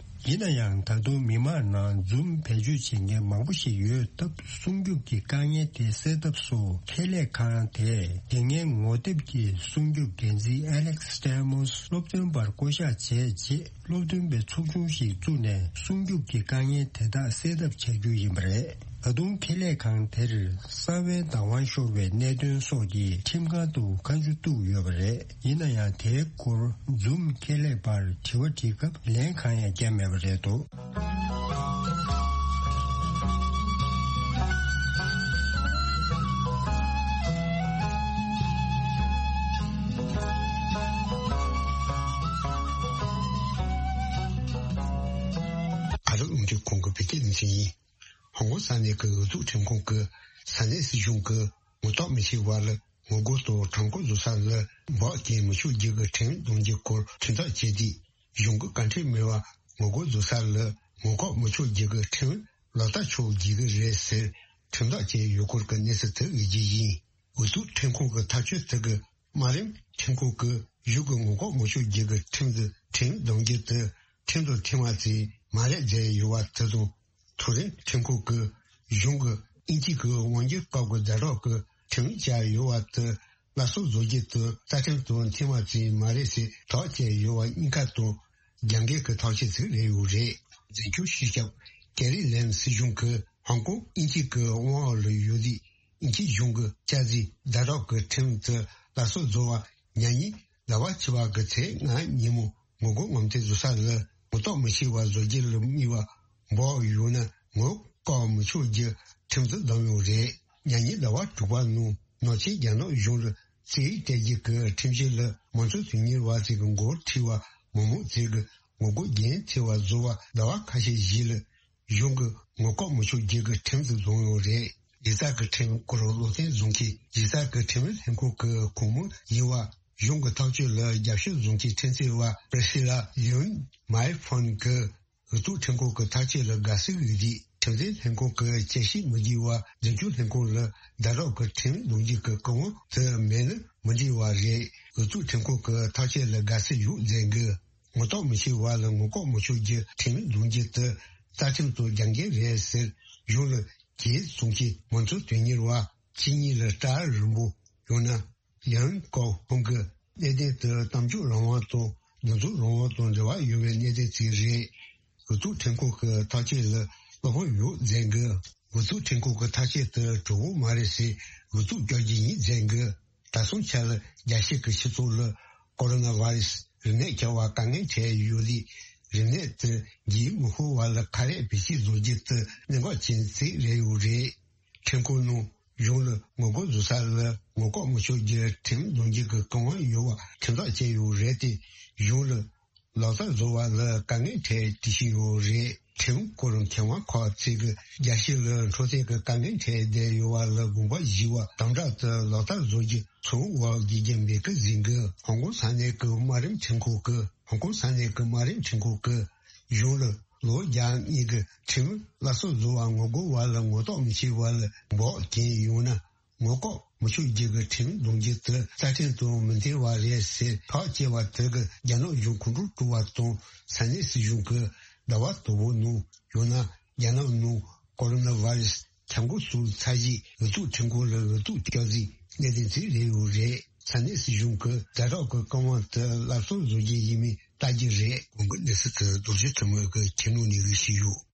ཡིན་ན་ཡང་ད་དུང་མི་མང་ནང་Zoom་བེད་སྤྱོད་བྱེད་མཁན་མང་པོ་ཞིག་ཡོད་སྟབས། སྲུང་སྐྱོབ་ཀྱི་དཀའ་ངལ་དེ་སེལ་ཐབས་སུ་ཁེ་ལས་ཁང་དེས་དེ་སྔའི་ངོ་དེབ་ཀྱི་སྲུང་སྐྱོབ་འགན་འཛིན་Alex Stamos་སློབ་སྟོན་པར་བསྐོ་གཞག་བྱས་རྗེས། སློབ་སྟོན་པའི་ཚོགས་ཆུང་ཞིག་བཙུགས་ནས་སྲུང་སྐྱོབ་ཀྱི་དཀའ་ངལ་དེ་དག་སེལ་ཐབས་བྱ་རྒྱུ་ཡིན་པ་རེད། ད་དུང་ཁེ་ལས་ཁང་དེར་གསང་བའི་བདག་དབང་ཤོར་བའི་གནད་དོན་སོགས་ཀྱི་ཁྲིམས་ཁང་དུ་བཀའ་འཁྲོལ་བཏང་ཡོད་པ་རེད། ཡིན་ན་ཡང་དེའི་སྐོར་Zoom་ཁེ་ལས་པར་དྲི་བ་དྲིས་སྐབས་ལན་གང་ཡང་བརྒྱབ་མེད་པ་རེད་འདུག་ག་རེ་ལུང་འདྲེན་ཁོང་གི་བོད་སྐད་འཛིན་ཡིན། ཧོང་ཀོང་ས་གནས་ཀྱི་འོས་བསྡུ་ཁྲིམས་ཁང་གིས་ས་གནས་སྲིད་གཞུང་གིས་ངོ་ཐོག་མི་ཤེས་པ་ལ་ངོ་རྒོལ་དང་ཁྲོམ་སྐོར་བཟོ་ས་ལ་འབག་རྐྱེན་མི་ཆོག་རྒྱུ་གི་ཁྲིམས་འདོན་རྒྱུ་སྐོར་ཁྲིམས་ཐག་བཅད་དེ། གཞུང་གི་བཀའ་འཁྲོལ་མེད་པར་ངོ་རྒོལ་བཟོ་ས་ལ་ངོ་ལྐོག་མི་ཆོག་རྒྱུ་གི་ཁྲིམས་ལག་བསྟར་ཆོག་རྒྱུ་གི་རེད་ཟེར་ཁྲིམས་ཐག་བཅད་ཡོད་སྐོར་གྱི་གནས་ཚུལ་དེ་ཡོད་རྒྱུ་ཡིན། འོས་བསྡུ་ཁྲིམས་ཁང་གི་ཐག་གཅོད་དེ་གི་དམའ་རིམ་ཁྲིམས་ཁང་གིས་གཞུང་གི་ངོ་ལྐོག་མི་ཆོག་རྒྱུ་གི་ཁྲིམས་དེ་ཁྲིམས་འདོན་རྒྱུ་དེ་ཁྲིམས་དང་མཐུན་པ་ཙམ་མ་རེད་བརྗོད་ཡོད་པ་དེ་དང་། མཐོ་རིམ་ཁྲིམས་ཁང་གིས་གཞུང་གིས་དབྱིན་ཇི་གི་དབང་སྒྱུར་སྐབས་ཀྱི་ཟླ་གྲོགས་ཀྱི་ཁྲིམས་བཅའ་ཡོད་པ་དེ་སླར་གསོ་བཟོ་རྒྱུ་དེ་རྩ་ཁྲིམས་དང་མཐུན་པ་ཙམ་མ་རེད་ཟེར་ཐག་བཅད་ཡོད་པ་གཉིས་ཀ་དང་རྒྱབ་འགལ་གྱི་ཐག་གཅོད་ཅིག་རེད་ཡོད་རེད། འཛིན་སྐྱོང་སྤྱི་ཁྱབ་ཀེ་རི་ལེམ་སྲིད་གཞུང་གིས་ཧོང་ཀོང་དབྱིན་ཇི་གི་དབང་འོག་ལ་ཡོད་དུས། དབྱིན་ཇི་གཞུང་གིས་བཅའ་སྲིད་ཟླ་གྲོགས་ཀྱི་ཁྲིམས་དེ་སླར་གསོ་བཟོ་བར་ཉེ་ཉིན་ཟླ་བ་བཅུ་པ་གི་ཚེས་ལྔ་ཉིན་མོ་ངོ་རྒོལ་ངོམ་ཐེངས་བཟོ་ས་ལ་ངོ་ཐོག་མི་ཤེས་པ་བཟོ་རྒྱུ་ལ་དམིགས་པ་འབོག་ཡོད་ན་ངོ་ལྐོག་མི་ཆོག་རྒྱུ་ཁྲིམས་དེ་བསྡོམས་ཡོད་རེད། ཉེ་ཉིན་ཟླ་བ་དྲུག་པ་ནང་ནང་ཆེན་རྒྱ་ནག་གཞུང་ལ་རྩིས་སྤྲད་རྒྱུ་གི་ཁྲིམས་གཞི་ལ་མང་གཙོ་དོན་གཉེར་བ་ཚོས་ཀྱི་མགོ་ཁྲིད་པ་མི་མང་ཚོས་ཀྱི་ངོ་རྒོལ་རྒྱུན་ཆད་པ་བཟོ་བར་ཟླ་བ་ཁ་ཤས་ཤིག་ལ། གཞུང་གི་ངོ་ལྐོག་མི་ཆོག་རྒྱུ་གི་ཁྲིམས་དེ་བཟུང་ཡོད་རེད། གཞི་རྩ་གི་ཁྲིམས་སྐོར་བློ་བརྟན་བཟང་གིས་གཞི་རྩ་གི་ཁྲིམས་ལྷན་ཁང་གི་གོང་མ་ཡིན་པ་གཞུང་གི་ཐག་གཅོད་ལ་རྒྱབ་སྐྱོར་བཟང་གི་ཁྲིམས་རྩོད་པ་Priscilla Yun Mai Fon་གིས་འོས་བསྡུ་ཁྲིམས་ཁང་གི་ཐག་གཅོད་ལ་དགའ་བསུ་ཡོད་དུས་ཁྲིམས་རྩོད་ལྷན་ཁང་གི་དཔྱད་ཞིབ་མི་དགོས་པར་འཛིན་སྐྱོང་ལྷན་ཁང་ལ་ཟླ་གྲོགས་ཀྱི་ཁྲིམས་འདོན་རྒྱུ་གི་བཀའ་དབང་དེ་མེད་ན་མི་འགྲིག་པ་རེད། འོས་བསྡུ་ཁྲིམས་ཁང་གི་ཐག་གཅོད་ལ་དགའ་བསུ་ཡོད་མཛད་འགི། ངོ་ཐོག་མི་ཤེས་པ་ལ་ངོ་ལྐོག་མི་ཆོག་རྒྱུ་ཁྲིམས་འདོན་རྒྱུ་དེ་རྩ་ཁྲིམས་དང་རྒྱབ་འགལ་རེད་ཟེར་གཞུང་ལ་གྱེས་སོང་གི་མང་གཙོ་དོན་གཉེར་བ་ཕྱི་ཉིན་ལ་སྐྲ་རིང་པོ་ཡང་ན་ཡང་ཀའོ་ཧུང་གི་གནད་དོན་དེ་གཏམ་བརྗོད་རང་དབང་དང་འདུ་འཛོམས་རང་དབང་དང་འབྲེལ་བ་ཡོད་པའི་གནད་དོན་ཅིག་རེད། འོས་བསྡུ་ཁྲིམས་ཁང་གི་ཐག་གཅོད་ལ་བློ་ཕམ་ཡོད་མཛད་འགི། འོས་བསྡུ་ཁྲིམས་ཁང་གི་ཐག་གཅོད་དེ་གྲུབ་པོ་མ་རེད་ཟེར་འོས་བསྡུ་བསྐྱར་རྒྱུ་ཡིན་མཛད་འགི། ད་སོང་ཆ་ལ་རྒྱལ་སྤྱི་གི་སྤྱི་ཚོགས་ལ་ཀོ་རོ་ན་བྷ་རེ་སི་རིམས་ནད་ཁྱབ་པ་དཀའ་ངལ་འཕྲད་ཡོད་དུས་རིམས་ནད་དེ་འགོས་མི་ཤོར་བ་ལ་ཁ་རས་བེད་སྤྱོད་བཟོ་རྒྱུ་དེ་གནད་འགག་ཅན་ཞིག་རེད་ཡོད་རེད། ཁྲིམས་ཁང་ནང་གཞུང་ལ་ངོ་རྒོལ་བཟོ་ས་ལ་ངོ་ལྐོག་མི་ཆོག་རྒྱུ་ཁྲིམས་འདོན་རྒྱུ་གི་བཀའ་དབང་ཡོད་པ་ཁྲིམས་ཐག་བཅད་ཡོད་རེད་དེ་གཞུང་ལ། ལག་བསྟར་བཟོ་བ་ལ་དཀའ་ངལ་འཕྲད་བསྡད་བཞིན་ཡོད་རེད། ཁྲིམས་སྐོར་མཁས་དབང་ཁག་ཅིག་གིས་རྒྱལ་སྤྱི་ལ་འཕྲོད་བསྟེན་གྱི་དཀའ་ངལ་འཕྲད་བསྡད་ཡོད་པ་ལ་དགོངས་པ་བཞེས་པ་དམ་དྲག་ཏུ་ལག་བསྟར་བཟོ་རྒྱུ་ཚོར་བ་དགེ་རྒན་མེད་ཀི་ཟིན་གི། ཧོང་ཀོང་ས་གནས་ཀྱི་དམའ་རིམ་ཁྲིམས་ཁང་གིས་ཧོང་ཀོང་ས་གནས་ཀྱི་དམའ་རིམ་ཁྲིམས་ཁང་གིས་གཞུང་ལ་ལོ་བརྒྱ་གཉིས་ཀྱི་ཁྲིམས་སླར་གསོ་བཟོ་བར་ངོ་རྒོལ་བ་ལ་ངོ་ཐོག་མི་ཤེས་པ་ལ་འབོག་རྐྱེན་ཡོང་ན། ངོ་ལྐོག་མི་ཆོག་རྒྱུ་གི་ཁྲིམས་འདོན་རྒྱུ་དེ་རྩ་ཁྲིམས་དང་མི་མཐུན་པ་རེད་ཟེར་ཐག་བཅད་པ་དེ་གིས་རྒྱ་ནག་གཞུང་ཁོང་ཁྲོ་སྐྲུ་བ་དང་ས་གནས་སྲིད་གཞུང་གིས་ཟླ་བ་དང་པོ་ནང་ཡང་ན་རྒྱ་ནག་ནང་ཀོ་རོ་ན་བྷ་རེ་སི་ཁྱབ་འགོ་ཚུགས་ཚར་རྗེས་འོས་བསྡུ་ཁྲིམས་ཁང་ལ་འོས་བསྡུ་བསྐྱར་གཟིགས་གནད་དོན་དེ་རེད་ཡོད་རེད། ས་གནས་སྲིད་གཞུང་གིས་ཟླ་གྲོགས་ཀྱི་བཀའ་དབང་དེ་སླར་གསོ་བཟོ་རྒྱུ་ཡིན་མིན་ལྟ་རྒྱུ་རེད། གོང་གི་གནས་ཚུལ་དེ་རྡོ་རྗེ་ཐེམ་མོས་ཀྱི་ཁྱེར་ནང་ནས་གི་ཞུས་ཡོད།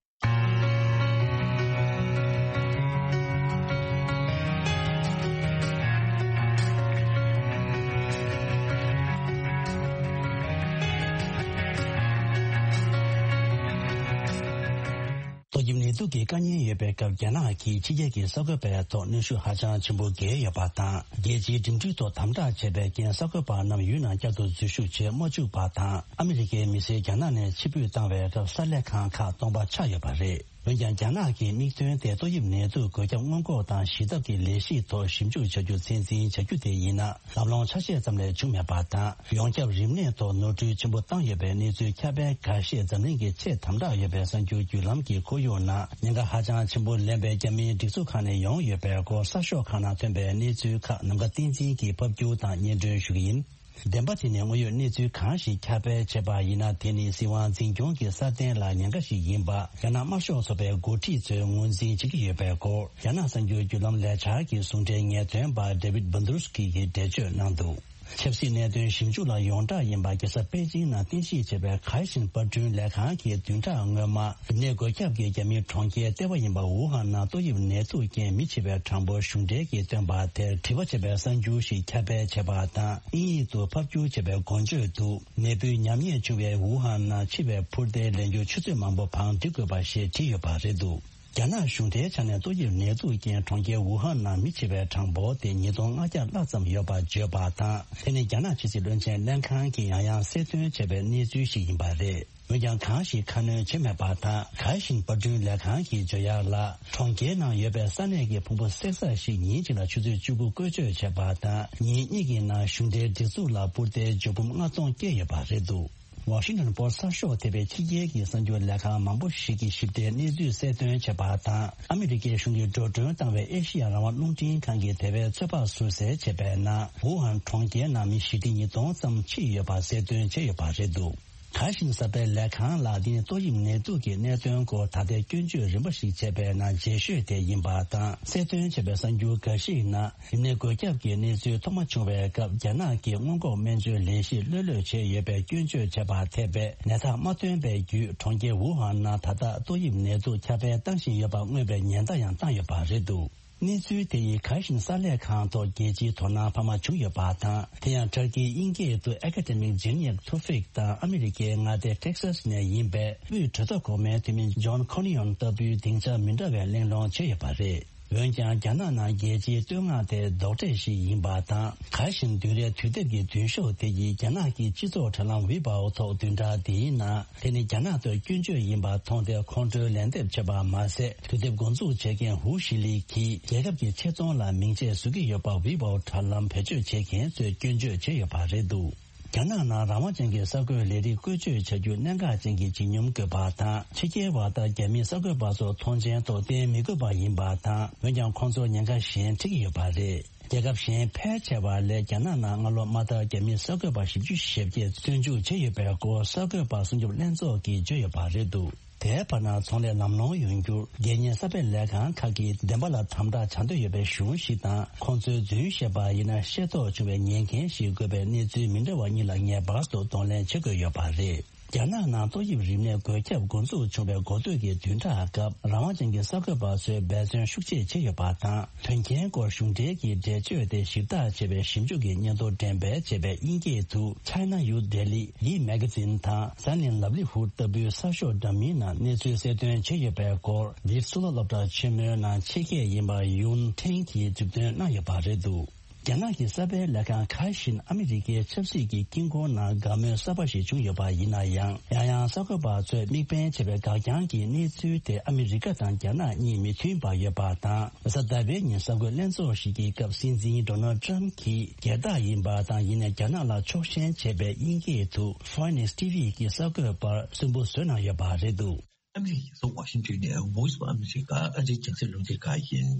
ཏོག་དབྱིབས་ནད་དུག་གི་དཀའ་ངལ་ཡོད་པའི་སྐབས་རྒྱ་ནག་གིས་ཕྱི་རྒྱལ་གྱི་གསར་འགོད་པའི་ཐོག་གནོན་ཤུགས་ཧ་ཅང་ཆེན་པོ་བརྒྱབ་ཡོད་པ་དང་། རྒྱལ་སྤྱིའི་འགྲིམ་འགྲུལ་ཐོག་དམ་དྲག་བྱས་པའི་རྐྱེན་གསར་འགོད་པ་རྣམས་ཡུལ་ནང་བསྐྱར་དུ་འཛུལ་ཞུགས་བྱེད་མ་བཅུག་པ་དང་། ཨ་མི་རི་ཀའི་མི་སེར་རྒྱ་ནག་ནས་ཕྱིར་འབུད་བཏང་བའི་སྐབས་གསར་ལས་ཁང་ཁག་སྟོང་པ་ཆགས་ཡོད་པ་རེད། འོན་ཀྱང་། རྒྱ་ནག་གི་དམིགས་དོན་དེ་ཏོག་དབྱིབས་ནད་དུག་འགོས་ཁྱབ་སྔོན་འགོག་དང་ཞི་ཐབས་ཀྱི་ལས་གཞི་ཐོག་ཞིབ་འཇུག་བྱ་རྒྱུ་ཚད་འཛིན་བྱ་རྒྱུ་དེ་ཡིན་ན། ལམ་ལྷོང་ཆ་ཤས་ཙམ་ལས་བྱུང་མེད་པ་དང་། ཡོངས་ཁྱབ་རིམས་ནད་ཐོག་ནོར་འཁྲུལ་ཆེན་པོ་བཏང་ཡོད་པའི་གནས་ཚུལ་ཁྱབ་སྤེལ་འགའ་ཤས་འཛམ་གླིང་གི་ཆེས་དམ་དྲག་ཡོད་པའི་གསར་འགྱུར་བརྒྱུད་ལམ་གྱི་ཁོར་ཡུག་ནང་ཉེན་ཁ་ཧ་ཅང་ཆེན་པོ་ལེན་པའི་རྒྱ་མིའི་སྒྲིག་འཛུགས་ཁག་ནས་ཡོང་ཡོད་པའི་སྐོར་གསར་ཤོག་ཁག་ནང་ཐོན་པའི་གནས་ཚུལ་ཁག་ནམ་མཁའ་བསྟན་འཛིན་གྱིས་ཕབ་སྒྱུར་དང་སྙན་སྒྲོན་ཞུ་གི་ཡིན། བདེན་པ་དེ་ནི་དངོས་ཡོད་གནས་ཚུལ་གང་ཞིག་ཁྱབ་སྤེལ་བྱས་པ་ཡིན་ན། དེ་ནི་སྲིད་དབང་འཛིན་སྐྱོང་གི་སྲ་བརྟན་ལ་ཉེན་ཁ་ཞིག་ཡིན་པ་རྒྱ་ནག་དམར་ཤོག་ཚོགས་པའི་འགོ་ཁྲིད་ཚོས་ངོས་འཛིན་བྱེད་ཀྱི་ཡོད་པའི་སྐོར་རྒྱ་ནག་གསར་འགྱུར་བརྒྱུད་ལམ་ལས་འཆར་གྱི་ཟུང་འབྲེལ་ངེས་སྟོན་པ་David Bandrowski གིས་འགྲེལ་བརྗོད་གནང་འདུག་ཆབ་སྲིད་གནད་དོན་ཞིབ་འཇུག་ལ་ཡོངས་གྲགས་ཡིན་པ། རྒྱལ་ས་པེ་ཅིང་ནང་རྟེན་གཞི་བྱས་པའི་ཁའེ་ཞིན་པར་སྐྲུན་ལས་ཁང་གིས་བདུན་ཕྲག་སྔོན་མ་རིམས་ནད་འགོས་ཁྱབ་ཀྱི་རྒྱ་མིའི་གྲོང་ཁྱེར་ལྟེ་བ་ཡིན་པ་ཝུ་ཧན་ནང་ཏོག་དབྱིབས་ནད་དུག་རྐྱེན་མི་བྱེད་པའི་གྲངས་འབོར་གཞུང་འབྲེལ་གྱིས་བཏོན་པ་དེར་དྲི་བ་བྱས་པའི་གསར་འགྱུར་ཞིག་ཁྱབ་སྤེལ་བྱས་པ་དང་། དབྱིན་ཡིག་ཏུ་ཕབ་བསྒྱུར་བྱས་པའི་འགོ་བརྗོད་དུ། ནད་འབུའི་ཉམས་ཉེས་བྱུང་བའི་ཝུ་ཧན་ནང་འཆི་བའི་འཕུར་མདེལ་ལེན་རྒྱུར་ཆུ་ཚོད་མང་པོ་བང་སྒྲིག་དགོས་པ་ཞེས་བྲིས་ཡོད་པ་རེད་འདུག་རྒྱ་ནག་གཞུང་འབྲེལ་ཆ་ནས་ཏོག་དབྱིབས་ནད་དུག་རྐྱེན་གྲོང་ཁྱེར་ཝུ་ཧན་ནང་མི་འཆི་བའི་གྲངས་འབོར་དེ་ཉིས་སྟོང་ལྔ་བརྒྱ་ལྷག་ཙམ་ཡོད་པར་བརྗོད་པ་དང་། དེ་ནི་རྒྱ་ནག་ཕྱི་སྲིད་བློན་ཆེན་ལྷན་ཁང་གིས་ཡང་ཡང་གསལ་སྟོན་བྱས་པའི་གནས་ཚུལ་ཞིག་ཡིན་པ་རེད། འོན་ཀྱང་། གང་ཞིག་ཁ་སྣོན་བྱས་མེད་པ་དང་། ཁའེ་ཞིན་པར་སྐྲུན་ལས་ཁང་གིས་བརྗོད་ཡག་ལ། གྲོང་ཁྱེར་ནང་ཡོད་པའི་ས་གནས་ཀྱི་ཕུང་པོ་བསྲེག་ས་ཞིག་ཉིན་གཅིག་ལ་ཆུ་ཚོད་བཅུ་དགུ་བཀོལ་སྤྱོད་བྱས་པ་དང་། ཉིན་གཉིས་ཀྱི་ནང་གཞུང་འབྲེལ་སྒྲིག་འཛུགས་ལ་འཕུར་མདེལ་འཇའ་འབུམ་ལྔ་སྟོང་བསྐྱལ་ཡོད་པ་རེད་འདུག་ཝ་ཤིང་ཊོན་པོ་སི་ཊི་གསར་ཤོག་ཐེ་བའི་ཕྱི་རྒྱལ་གྱི་གསར་འགྱུར་ལས་ཁང་མང་པོ་ཞིག་གིས་ཞིབ་ཕྲའི་གནས་ཚུལ་གསལ་སྟོན་བྱས་པ་དང་། ཨ་མི་རི་ཀའི་གཞུང་གིས་འགྲོ་གྲོན་བཏང་བའི་ཨེ་ཤི་ཡ་རང་དབང་རླུང་འཕྲིན་ཁང་གིས་དེ་བས་ཚོད་དཔག་ཟུར་གསལ་བྱས་པའི་ནང་། ཝུ་ཧན་གྲོང་ཁྱེར་ནང་མི་བཞི་ཁྲི་ཉིས་སྟོང་ཙམ་འཆི་ཡོད་པ་གསལ་སྟོན་བྱས་ཡོད་པ་རེད་འདུག་ཁ་ཤིན་གསར་སྤེལ་ལས་ཁང་ལ། འདི་ནི་ཏོག་དབྱིབས་ནད་དུག་གི་གནད་དོན་སྐོར་ད་ལྟའི་སྐྱོན་བརྗོད་རིམ་པ་ཞིག་བྱས་པའི་ནང་རྗེས་ཤོས་དེ་ཡིན་པ་དང་། གསལ་སྟོན་བྱས་པའི་གསར་འགྱུར་འགའ་ཞིག་ནང་རིམས་ནད་འགོས་ཁྱབ་ཀྱི་གནས་ཚུལ་ཐོག་མ་བྱུང་བའི་སྐབས། རྒྱ་ནག་གིས་སྔོན་འགོག་སྨན་བཅོས་ལས་གཞི་ལྷོད་ལྷོད་བྱས་ཡོད་པའི་སྐྱོན་བརྗོད་བྱས་པ་འཐད་པའི་ནད་རྟགས་མ་ཐོན་པའི་བརྒྱུད། གྲོང་ཁྱེར་ཝུ་ཧན་ནང་ད་ལྟ་ཏོག་དབྱིབས་ནད་དུག་ཁྱབ་སྤེལ་བཏང་བཞིན་ཡོད་པ་མངོན་པའི་ཉེན་བརྡ་ཡང་བཏང་ཡོད་པ་རེད་འདུག་གནས་ཚུལ་དེ་ཡིས་ཁ་ཤིན་གསར་ལས་ཁང་ཐོག་རྒྱལ་སྤྱིའི་དོ་སྣང་འཕར་མ་བྱུང་ཡོད་པ་དང་། དེ་ཡང་ཊར་ཀིའི་དབྱིན་སྐད་དུ་Academic Janiak Tufik དང་ཨ་མི་རི་ཀའི་མངའ་སྡེ་Texas ནས་ཡིན་པའི་དབུས་གྲོས་ཚོགས་གོང་མའི་འཐུས་མི་John Cornyn ལྟ་བུའི་སྡིངས་ཆ་མི་འདྲ་བའི་གླེང་སློང་བྱས་ཡོད་པ་རེད། འོན་ཀྱང་། རྒྱ་ནག་ནང་རྒྱལ་སྤྱིའི་བསྟོད་བསྔགས་དེ་རྡོག་ཁྲེས་ཤིག་ཡིན་པ་དང་། ཁ་ཤིན་བདུན་རེའི་དུས་དེབ་ཀྱི་མདུན་ཤོག་དེ་ཡིས་རྒྱ་ནག་གི་སྤྱི་ཚོགས་དྲ་ལམ་Weibo ཐོག་བདུན་ཕྲག་འདིའི་ནང་། དེ་ནི་རྒྱ་ནག་ཐོག་སྐྱོན་བརྗོད་ཡིན་པ་མཐོང་སྟེ། ཁོང་ཁྲོའི་ལན་འདེབས་བྱས་པ་མ་ཟད། དུས་དེབ་འགོ་འཛུགས་བྱེད་མཁན་ཧུ་ཤི་ལི་གིས་རྒྱལ་ཁབ་ཀྱི་ཆེ་མཐོང་ལ་མིང་ཆད་བཟོ་གི་ཡོད་པ་Weibo དྲ་ལམ་བེད་སྤྱོད་བྱེད་མཁན་ཚོས་སྐྱོན་བརྗོད་བྱས་ཡོད་པ་རེད་འདུག་རྒྱ་ནག་ནང་རང་དབང་ཅན་གྱི་གསར་འགོད་ལས་རིགས་བཀོལ་སྤྱོད་བྱ་རྒྱུ་གནད་འགག་ཅན་གྱི་བྱེད་སྙོམས་དགོས་པ་དང་། ཕྱི་རྒྱལ་བ་དང་རྒྱ་མིའི་གསར་འགོད་པ་ཚོ་མཐོང་མཆན་ཐོག་བསྟན་མི་དགོས་པ་ཡིན་པ་དང་། འོན་ཀྱང་། ཁོང་ཚོར་ཉེན་ཁ་གཞན་འཕྲད་ཀྱི་ཡོད་པ་རེད། རྒྱལ་ཁབ་གཞན་ཕལ་ཆེ་བ་ལས་རྒྱ་ནག་ནང་སྔ་ལོ་མ་མཐར་རྒྱ་མིའི་གསར་འགོད་པ་བཞི་བཅུ་ཞེ་བརྒྱད་བཙོན་འཇུག་བྱས་ཡོད་པའི་སྐོར་གསར་འགོད་པ་སྲུང་སྐྱོབ་ལྷན་ཚོགས་ཀྱིས་བརྗོད་ཡོད་པ་རེད་འདུག་དེའི་བར་ན། ཚོང་ལས་ལམ་ལྷོང་ཡོང་རྒྱུར་སྒེར་གཉེར་གསར་སྤེལ་ལས་ཁང་ཁག་གིས་བདེན་པ་ལ་དམ་དྲག་བྱ་འདོད་ཡོད་པའི་གཞུང་ཞིག་དང་། ཁོང་ཚོའི་རྫུན་བཤད་པ་ཡིན་ན་ཤེས་རྟོགས་བྱུང་བའི་ཉེན་ཁ་ཞིག་དགོས་པའི་གནས་ཚུལ་མི་འདྲ་བ་གཉིས་ལ་ངེས་པར་དུ་གདོང་ལེན་བྱེད་དགོས་ཡོད་པ་རེད། རྒྱ་ནག་ནང་ཏོག་དབྱིབས་རིམས་ནད་འགོས་ཁྱབ་འགོ་འཛུགས་བྱུང་བའི་འགོ་སྟོད་ཀྱི་བདུན་ཕྲག་སྐབས། རང་དབང་ཅན་གྱི་གསར་འགོད་པ་ཚོས་འབད་བརྩོན་ཤུགས་ཆེ་བྱས་ཡོད་པ་དང་། དོན་རྐྱེན་སྐོར་གཞུང་འབྲེལ་གྱི་འགྲེལ་བརྗོད་དེ་ཞིབ་བརྟག་བྱས་པའི་ཞིབ་འཇུག་གི་སྙན་ཐོ་འགྲེམས་སྤེལ་བྱས་པའི་དབྱིན་སྐད་དུ་China Youth Daily, Yi Magazine དང་Sunday Livelihood ལྟ་བུའི་གསར་ཤོག་འདྲ་མིན་ནང་གནས་ཚུལ་གསལ་སྟོན་བྱས་ཡོད་པའི་སྐོར། འདི་སུད་སི་སློབ་གྲྭ་ཆེན་མོའི་ནང་ཕྱི་སྐད་ཡིན་པ་ཡུན་ཁྲེང་གིས་མཛུབ་སྟོན་གནང་ཡོད་པ་རེད་འདུག་རྒྱ་ནག་གི་གསར་སྤེལ་ལས་ཁང་ཁ་ཤིན་ཨ་མི་རི་ཀའི་ཆབ་སྲིད་ཀྱི་དཀྱིལ་འཁོར་ནང་དགའ་མོས་གསར་པ་ཞིག་བྱུང་ཡོད་པ་ཡིན་ན་ཡང་། ཡང་ཡང་གསར་འགོད་པ་ཚོས་མིག་དཔེ་བྱས་པའི་འགག་རྐྱང་གི་གནས་ཚུལ་དེ་ཨ་མི་རི་ཀ་དང་རྒྱ་ནག་གཉིས་མི་མཐུན་པ་ཡོད་པ་དང་། རེས་གཟའ་ཟླ་བའི་ཉིན་གསར་འགོད་ལྷན་ཚོགས་ཤིག་གི་སྐབས། སྲིད་འཛིན་Donald Trump གྱིས་སྒེར་བདག་ཡིན་པ་དང་། ཡིན་ནའི་རྒྱ་ནག་ལ་ཕྱོགས་ཞེན་བྱས་པའི་དབྱིན་སྐད་དུ་Fox News T V གྱི་གསར་འགོད་པར་སུན་པོ་བཟོས་གནང་ཡོད་པ་རེད་འདུག་ཨ་མི་རི་ཀའི་རྒྱལ་ས་ཝ་ཤིང་ཊོན་ནས་Voice of America ཨ་རིའི་རྒྱང་སྲིང་རླུང་འཕྲིན་ཁང་ཡིན།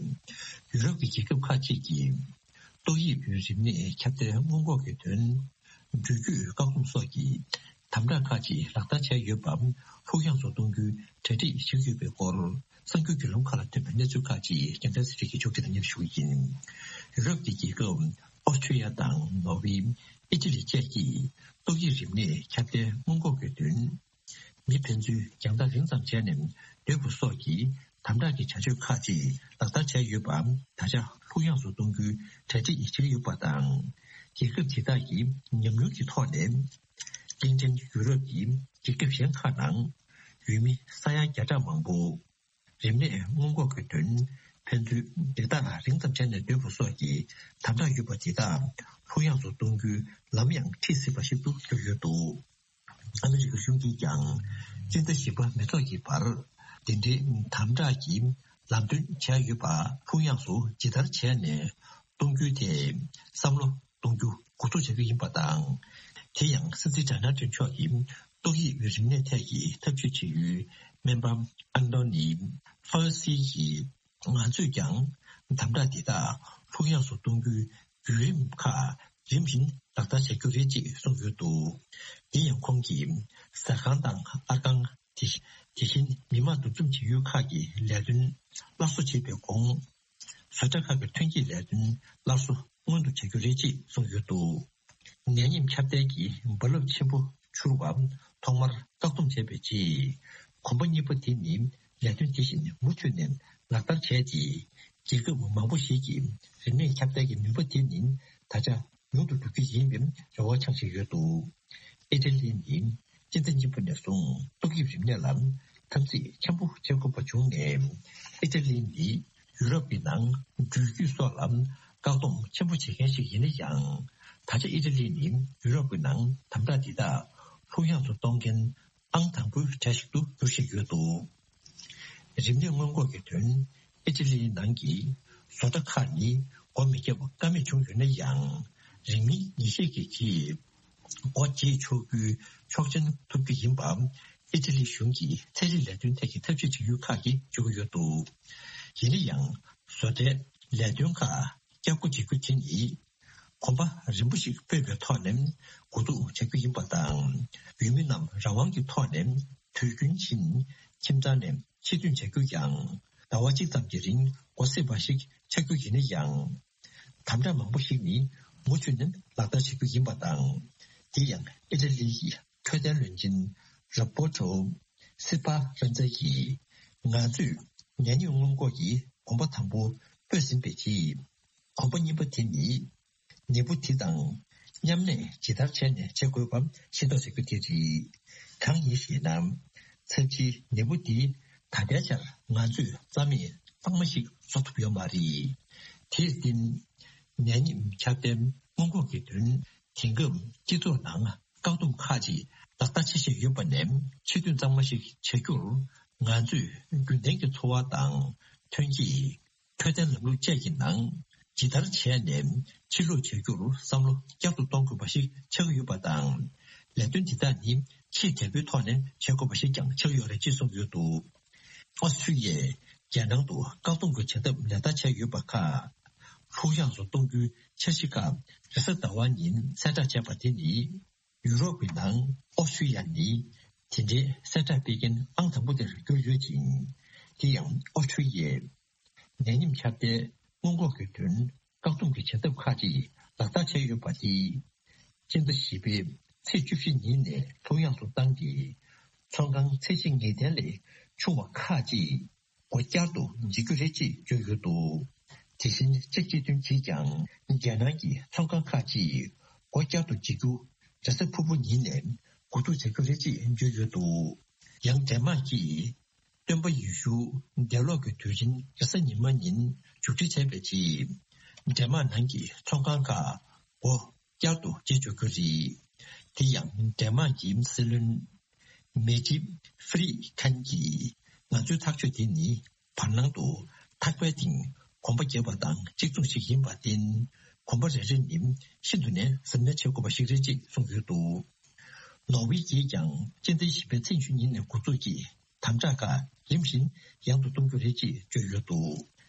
ཡུ་རོབ་ཀྱི་རྒྱལ་ཁབ་ཁག་ཅིག་གིས་ཏོག་དབྱིབས་རིམས་ནད་ཁྱབ་གདལ་སྔོན་འགོག་གི་དོན། འགྲུལ་སྐྱོད་བཀག་སྡོམ་སོགས་ཀྱི་དམ་དྲག་ཁག་ཅིག་ལག་བསྟར་བྱས་ཡོད་པ་ལྷུག་ཡངས་སུ་གཏོང་རྒྱུའི་གྲ་སྒྲིག་བྱེད་ཀྱི་ཡོད་པའི་སྐོར། གསར་འགྱུར་བརྒྱུད་ལམ་ཁག་ལ་ཐོན་པའི་གནས་ཚུལ་ཁག་ཅིག་རྒྱལ་མཚན་ཚེ་རིང་གིས་ཕྱོགས་སྒྲིག་དང་སྙན་ཞུ་ཡིན། ཡུ་རོབ་ཀྱི་རྒྱལ་ཁབ་ཨོ་སི་ཁྲུ་ལི་ཡ་དང་ནོར་ཝེ། ཨི་ཊ་ལི་བཅས་ཀྱིས་ཏོག་དབྱིབས་རིམས་ནད་ཁྱབ་གདལ་སྔོན་འགོག་གི་དོན། མི་ཕན་ཚུན་རྒྱང་ཐག་རིང་ཙམ་བྱས་ནས་སྡོད་དགོས་སོགས་ཀྱི་དམ་དྲག་གི་བྱ་སྤྱོད་ཁག་ཅིག་ལག་བསྟར་བྱས་ཡོད་པ་ད་ཆ་ལྷུག་ཡངས་སུ་གཏོང་རྒྱུའི་གྲ་སྒྲིག་བྱེད་ཀྱི་ཡོད་པ་དང་། རྒྱལ་ཁབ་དེ་དག་གིས་ཉམས་མྱོང་གི་ཐོག་ནས། གླིང་ཕྲན་ཡུ་རོབ་ཀྱི་རྒྱལ་ཁབ་གཞན་ཁག་ནང་ཡུལ་མི་ས་ཡ་བརྒྱ་ཕྲག་མང་པོ། རིམས་ནད་སྔོན་འགོག་གི་དོན། ཕན་ཚུན་སྦྲེལ་ཐག་རིང་ཙམ་བྱས་ནས་སྡོད་དགོས་སོགས་ཀྱི་དམ་དྲག་ཡོད་པ་དེ་དག་ལྷུག་ཡངས་སུ་གཏོང་རྒྱུའི་ལམ་ཡང་ཁྲིད་སྲིད་པ་ཞིག་ཏུ་གྱུར་ཡོད་འདུག་ཨ་མི་རི་ཀ་གཞུང་གིས་ཀྱང་སྤྱི་ཟླ་བཞི་པ་མེ་ཐོག་གི་བར་ དེ་འདྲའི་དམ་དྲག་གི་ལམ་སྟོན་བྱས་ཡོད་པ་ལྷུག་ཡངས་སུ་ཇི་ལྟར་བྱས་ནས་གཏོང་རྒྱུའི་ཐད་བསམ་བློ་གཏོང་རྒྱུ་འགོ་འཛུགས་བྱ་རྒྱུ་ཡིན་པ་དང་། དེ་ཡང་སྲིད་འཛིན་ཌོ་ནལ་ཊམ་མཆོག་གི་ཏོག་དབྱིབས་རིམས་ནད་ཐད་ཀྱི་ཐབས་ཇུས་བྱེད་ཡུལ་སྨན་པ་ཨན་ཏོ་ནི་ཕའུ་སི་ཡིས། ང་ཚོས་ཀྱང་དམ་དྲག་འདི་དག་ལྷུག་ཡངས་སུ་གཏོང་རྒྱུའི་བརྒྱུད་རིམ་ཁག་རིམ་བཞིན་ལག་བསྟར་བྱ་རྒྱུ་རེད་ཅེས་གསུངས་ཡོད་འདུག་དེ་ཡང་ཁོང་གིས་ཟ་ཁང་དང་ཨར་ཁང་། དེ་དེ་བཞིན་མི་མང་འདུ་འཛོམས་བྱེད་ཡུལ་ཁག་གི་ལས་དོན་སླར་གསོ་བྱེད་པའི་གོང་། བཟོ་གྲྭ་ཁག་གི་ཐོན་སྐྱེད་ལས་དོན་སླར་གསོ་སྔོན་དུ་བྱ་རྒྱུ་རེད་ཅེས་གསུངས་ཡོད་འདུག་ནད་ཡམས་ཁྱབ་གདལ་གྱི་རྦ་རླབས་ཆེན་པོ་འཕྱུར་བ་ཐོག་མར་བཀག་སྡོམ་བྱས་པའི་རྗེས། གོམ་པ་གཉིས་པ་དེ་ནི་ལས་དོན་དེ་བཞིན་མུ་མཐུད་ནས་ལག་བསྟར་བྱས་ཏེ། རྒྱལ་ཁབ་མང་པོ་ཞིག་གིས་རིམས་ནད་ཁྱབ་གདལ་གྱི་ནུས་པ་དེ་ནི་ད་ཆ་ཉུང་དུ་འགྲོ་གི་ཡིན་པའི་རེ་བ་འཆང་བཞིན་ཡོད་འདུག་ཨི་ཊ་ལི་ནི་སྤྱི་ཟླ་གཉིས་པ་ནས་བཟུང་ཏོག་དབྱིབས་རིམས་ནད་ལ་འཐབ་འཛིང་ཆེན་པོ་བྱེད་དགོས་པ་བྱུང་ནས། ཨི་ཊ་ལི་ནི་ཡུ་རོབ་ཀྱི་ནང་འགྲུལ་སྐྱོད་སོགས་ལ་བཀག་སྡོམ་ཆེན་པོ་བྱེད་མཁན་ཞིག་ཡིན་ན་ཡང་། ད་ཆ་ཨི་ཊ་ལི་ནི་ཡུ་རོབ་ཀྱི་ནང་དམ་དྲག་འདི་དག་ལྷུག་ཡངས་སུ་གཏོང་མཁན་ཨང་དང་པོའི་གྲས་ཤིག་ཏུ་འགྱུར་བཞིན་ཡོད་འདུག་རིམས་ནད་སྔོན་འགོག་གི་དོན། ཨི་ཊ་ལིའི་ནང་གི་བཟོ་གྲྭ་ཁག་ནི་སྒོ་མི་བརྒྱབ་ཀ་མེད་བྱུང་ཡོད་ན་ཡང་། རིང་མིན་ཉིན་ཤས་ཀྱི་རྗེས་སྒོ་འབྱེད་ཆོག་རྒྱུའི་ཆོག་མཆན་ཐོབ་རྒྱུ་ཡིན་པ། ཨི་ཊ་ལིའི་གཞུང་གིས་ཚན་རིག་ལས་དོན་ཐད་ཀྱི་ཐབས་ཤེས་བྱེད་ཡུལ་ཁག་གིས་བརྗོད་ཀྱི་ཡོད་འདུག་ཡིན་ན་ཡང་། བཟོ་གྲྭའི་ལས་དོན་ཁག་བསྐྱར་སྒོ་འབྱེད་རྒྱུ་དེ་ནི། གོམ་པ་རིམ་པ་ཞིག་སྤོས་པའི་ཐོག་ནས་འགོ་འཛུགས་བྱ་རྒྱུ་ཡིན་པ་དང་། ཡུལ་མི་རྣམས་རང་དབང་གི་ཐོག་ནས་དུས་རྒྱུན་བཞིན་ཁྱིམ་ཚང་ནས་ཕྱིར་ཐོན་བྱ་རྒྱུ་ཡང་ཟླ་བ་གཅིག་ཙམ་གྱི་རིང་འགོ་ཚུགས་པ་ཞིག་ཆགས་རྒྱུ་ཡིན་ན་ཡང་། དམ་དྲག་མང་པོ་ཞིག་ནི་མུ་མཐུད་ནས་ལག་བསྟར་བྱེད་རྒྱུ་ཡིན་པ་དང་། དེ་ཡང་ཨི་ཊ་ལི་ཡི་འཕྲོད་བསྟེན་བློན་ཆེན་རོ་བྷར་ཊོ་སི་པ་རན་ཛ་ཡིས། ང་ཚོས་ནད་ཡམས་སྔོན་འགོག་གི་གོམ་པ་དང་པོ་སྤོས་ཟིན་པའི་རྗེས། གོམ་པ་གཉིས་པ་དེ་ནི། ནད་འབུ་དེ་དང་མཉམ་གནས་ཇི་ལྟར་བྱས་ནས་བྱེད་དགོས་པ་ཤེས་རྟོགས་བྱ་རྒྱུ་དེ་རེད། གང་ཡིན་ཞེ་ན། ཚབས་ཆེའི་ནད་འབུ་འདི་ད་ལྟའི་ཆར་ང་ཚོས་རྩ་མེད་གཙང་མ་ཞིག་བཟོ་ཐུབ་ཡོད་མ་རེད། དེར་བརྟེན། ནད་ཡམས་ཁྱབ་གདལ་སྔོན་འགོག་གི་དོན། དེང་སྐབས་སྤྱི་ཚོགས་ནང་བཀག་སྡོམ་ཁག་ཅིག་ལག་བསྟར་བྱེད་བཞིན་ཡོད་པ་ནས། ཕྱིར་ཐོན་གཙང་མ་ཞིག་བྱ་རྒྱུར་ང་ཚོས་རྒྱུན་ལྡན་གྱི་འཚོ་བ་དང་ཐོན་སྐྱེད། འཕྲོད་བསྟེན་ལམ་ལུགས་བཅས་ཀྱི་ནང་ཇི་ལྟར་བྱས་ནས་ཕྱིར་ལོག་བྱ་རྒྱུར་བསམ་བློ་བསྐྱར་དུ་གཏོང་དགོས་པ་ཞིག་ཆགས་ཀྱི་ཡོད་པ་དང་། ལས་དོན་འདི་དག་ནི་ཆེས་དལ་པོའི་ཐོག་ནས་བྱེད་དགོས་པ་ཞིག་ཀྱང་ཆགས་ཀྱི་ཡོད་རེད་ཅེས་གསུངས་ཡོད་འདུག་ཨོ་སི་ཁྲུ་ལི་ཡས་རྒྱལ་ནང་དུ་བཀག་སྡོམ་གྱི་བྱ་ཐབས་ལག་བསྟར་བྱས་ཡོད་པ་ཁག་ལྷུག་ཡངས་སུ་གཏོང་རྒྱུའི་འཆར་གཞི་ཁག་རེས་གཟའ་ཟླ་བ་ཉིན་གསལ་བསྒྲགས་བྱས་པ་དེ་ནི། ཡུ་རོབ་ཀྱི་ནང་ཨོ་སི་ཁྲུ་ལི་ཡ་ནི་དེ་འདྲའི་གསལ་བསྒྲགས་སྤེལ་མཁན་ཨང་དང་པོ་དེར་གྱུར་ཡོད་ཅིང་། དེ་ཡང་ཨོ་སི་ཁྲུ་ལི་ཡས་ནད་ཡམས་ཁྱབ་གདལ་སྔོན་འགོག་གི་དོན་བཀག་སྡོམ་གྱི་བྱ་ཐབས་ཁག་ཅིག་ལག་བསྟར་བྱས་ཡོད་པ་དེས། སྤྱི་ཟླ་བཞི་པའི་ཚེས་བཅུ་བཞི་ཉིན་ནས་ལྷུག་ཡངས་སུ་བཏང་སྟེ། ཚོང་ཁང་ཚད་གཞི་ངེས་གཏན་ལས་ཆུང་བ་ཁག་ཅིག་སྒོ་བསྐྱར་དུ་འབྱེད་རྒྱུ་རེད་ཅེས་བརྗོད་ཡོད་འདུག་དེ་བཞིན་ཅེཀ་སྤྱི་མཐུན་གྱིས་ཀྱང་རྒྱལ་ནང་གི་ཚོང་ཁང་ཁག་ཅིག་སྒོ་བསྐྱར་དུ་འབྱེད་རྒྱུ་རེས་གཟའ་ཕུར་བུ་ཉིན་ནས་འགོ་འཛུགས་བྱ་རྒྱུ་རེད་ཅེས་བརྗོད་ཡོད་འདུག་ཡང་ཌེན་མཱག་གིས་སྟོན་པ་ཡེ་ཤུ་འདས་ལོག་གི་དུས་ཆེན་རེས་གཟའ་ཉི་མ་ཉིན་མཇུག་སྒྲིལ་བྱས་པའི་རྗེས། ཌེན་མཱག་ནང་གི་ཚོང་ཁང་ཁག་སྒོ་བསྐྱར་དུ་འབྱེད་ཆོག་རྒྱུ་རེད། དེ་ཡང་ཌེན་མཱག་གི་སྲིད་བློན་མེ་ཏི་ཧྥི་རི་ཁན་གྱིས། ང་ཚོའི་ཐག་གཅོད་དེ་ནི་བར་སྣང་དུ་ཐག་པའི་སྟེང་གོམ་པ་བརྒྱབ་པ་དང་གཅིག་མཚུངས་ཤིག་ཡིན་པར་བརྟེན། གོམ་པ་རེ་རེ་ནི་ཤིན་ཏུ་ནས་གཟབ་ནན་བྱེད་དགོས་པ་ཞིག་རེད་ཅེས་གསུངས་ཡོད་འདུག་ནོར་ཝེ་ཡིས་ཀྱང་སྤྱི་ཟླ་བཞི་པའི་ཚེས་ཉི་ཤུ་ཉིན་ནས་འགོ་འཛུགས་ཀྱིས། དམ་དྲག་ཁག་རིམ་བཞིན་ཡང་དུ་གཏོང་རྒྱུ་རེད་ཅེས་བརྗོད་ཡོད་འདུག་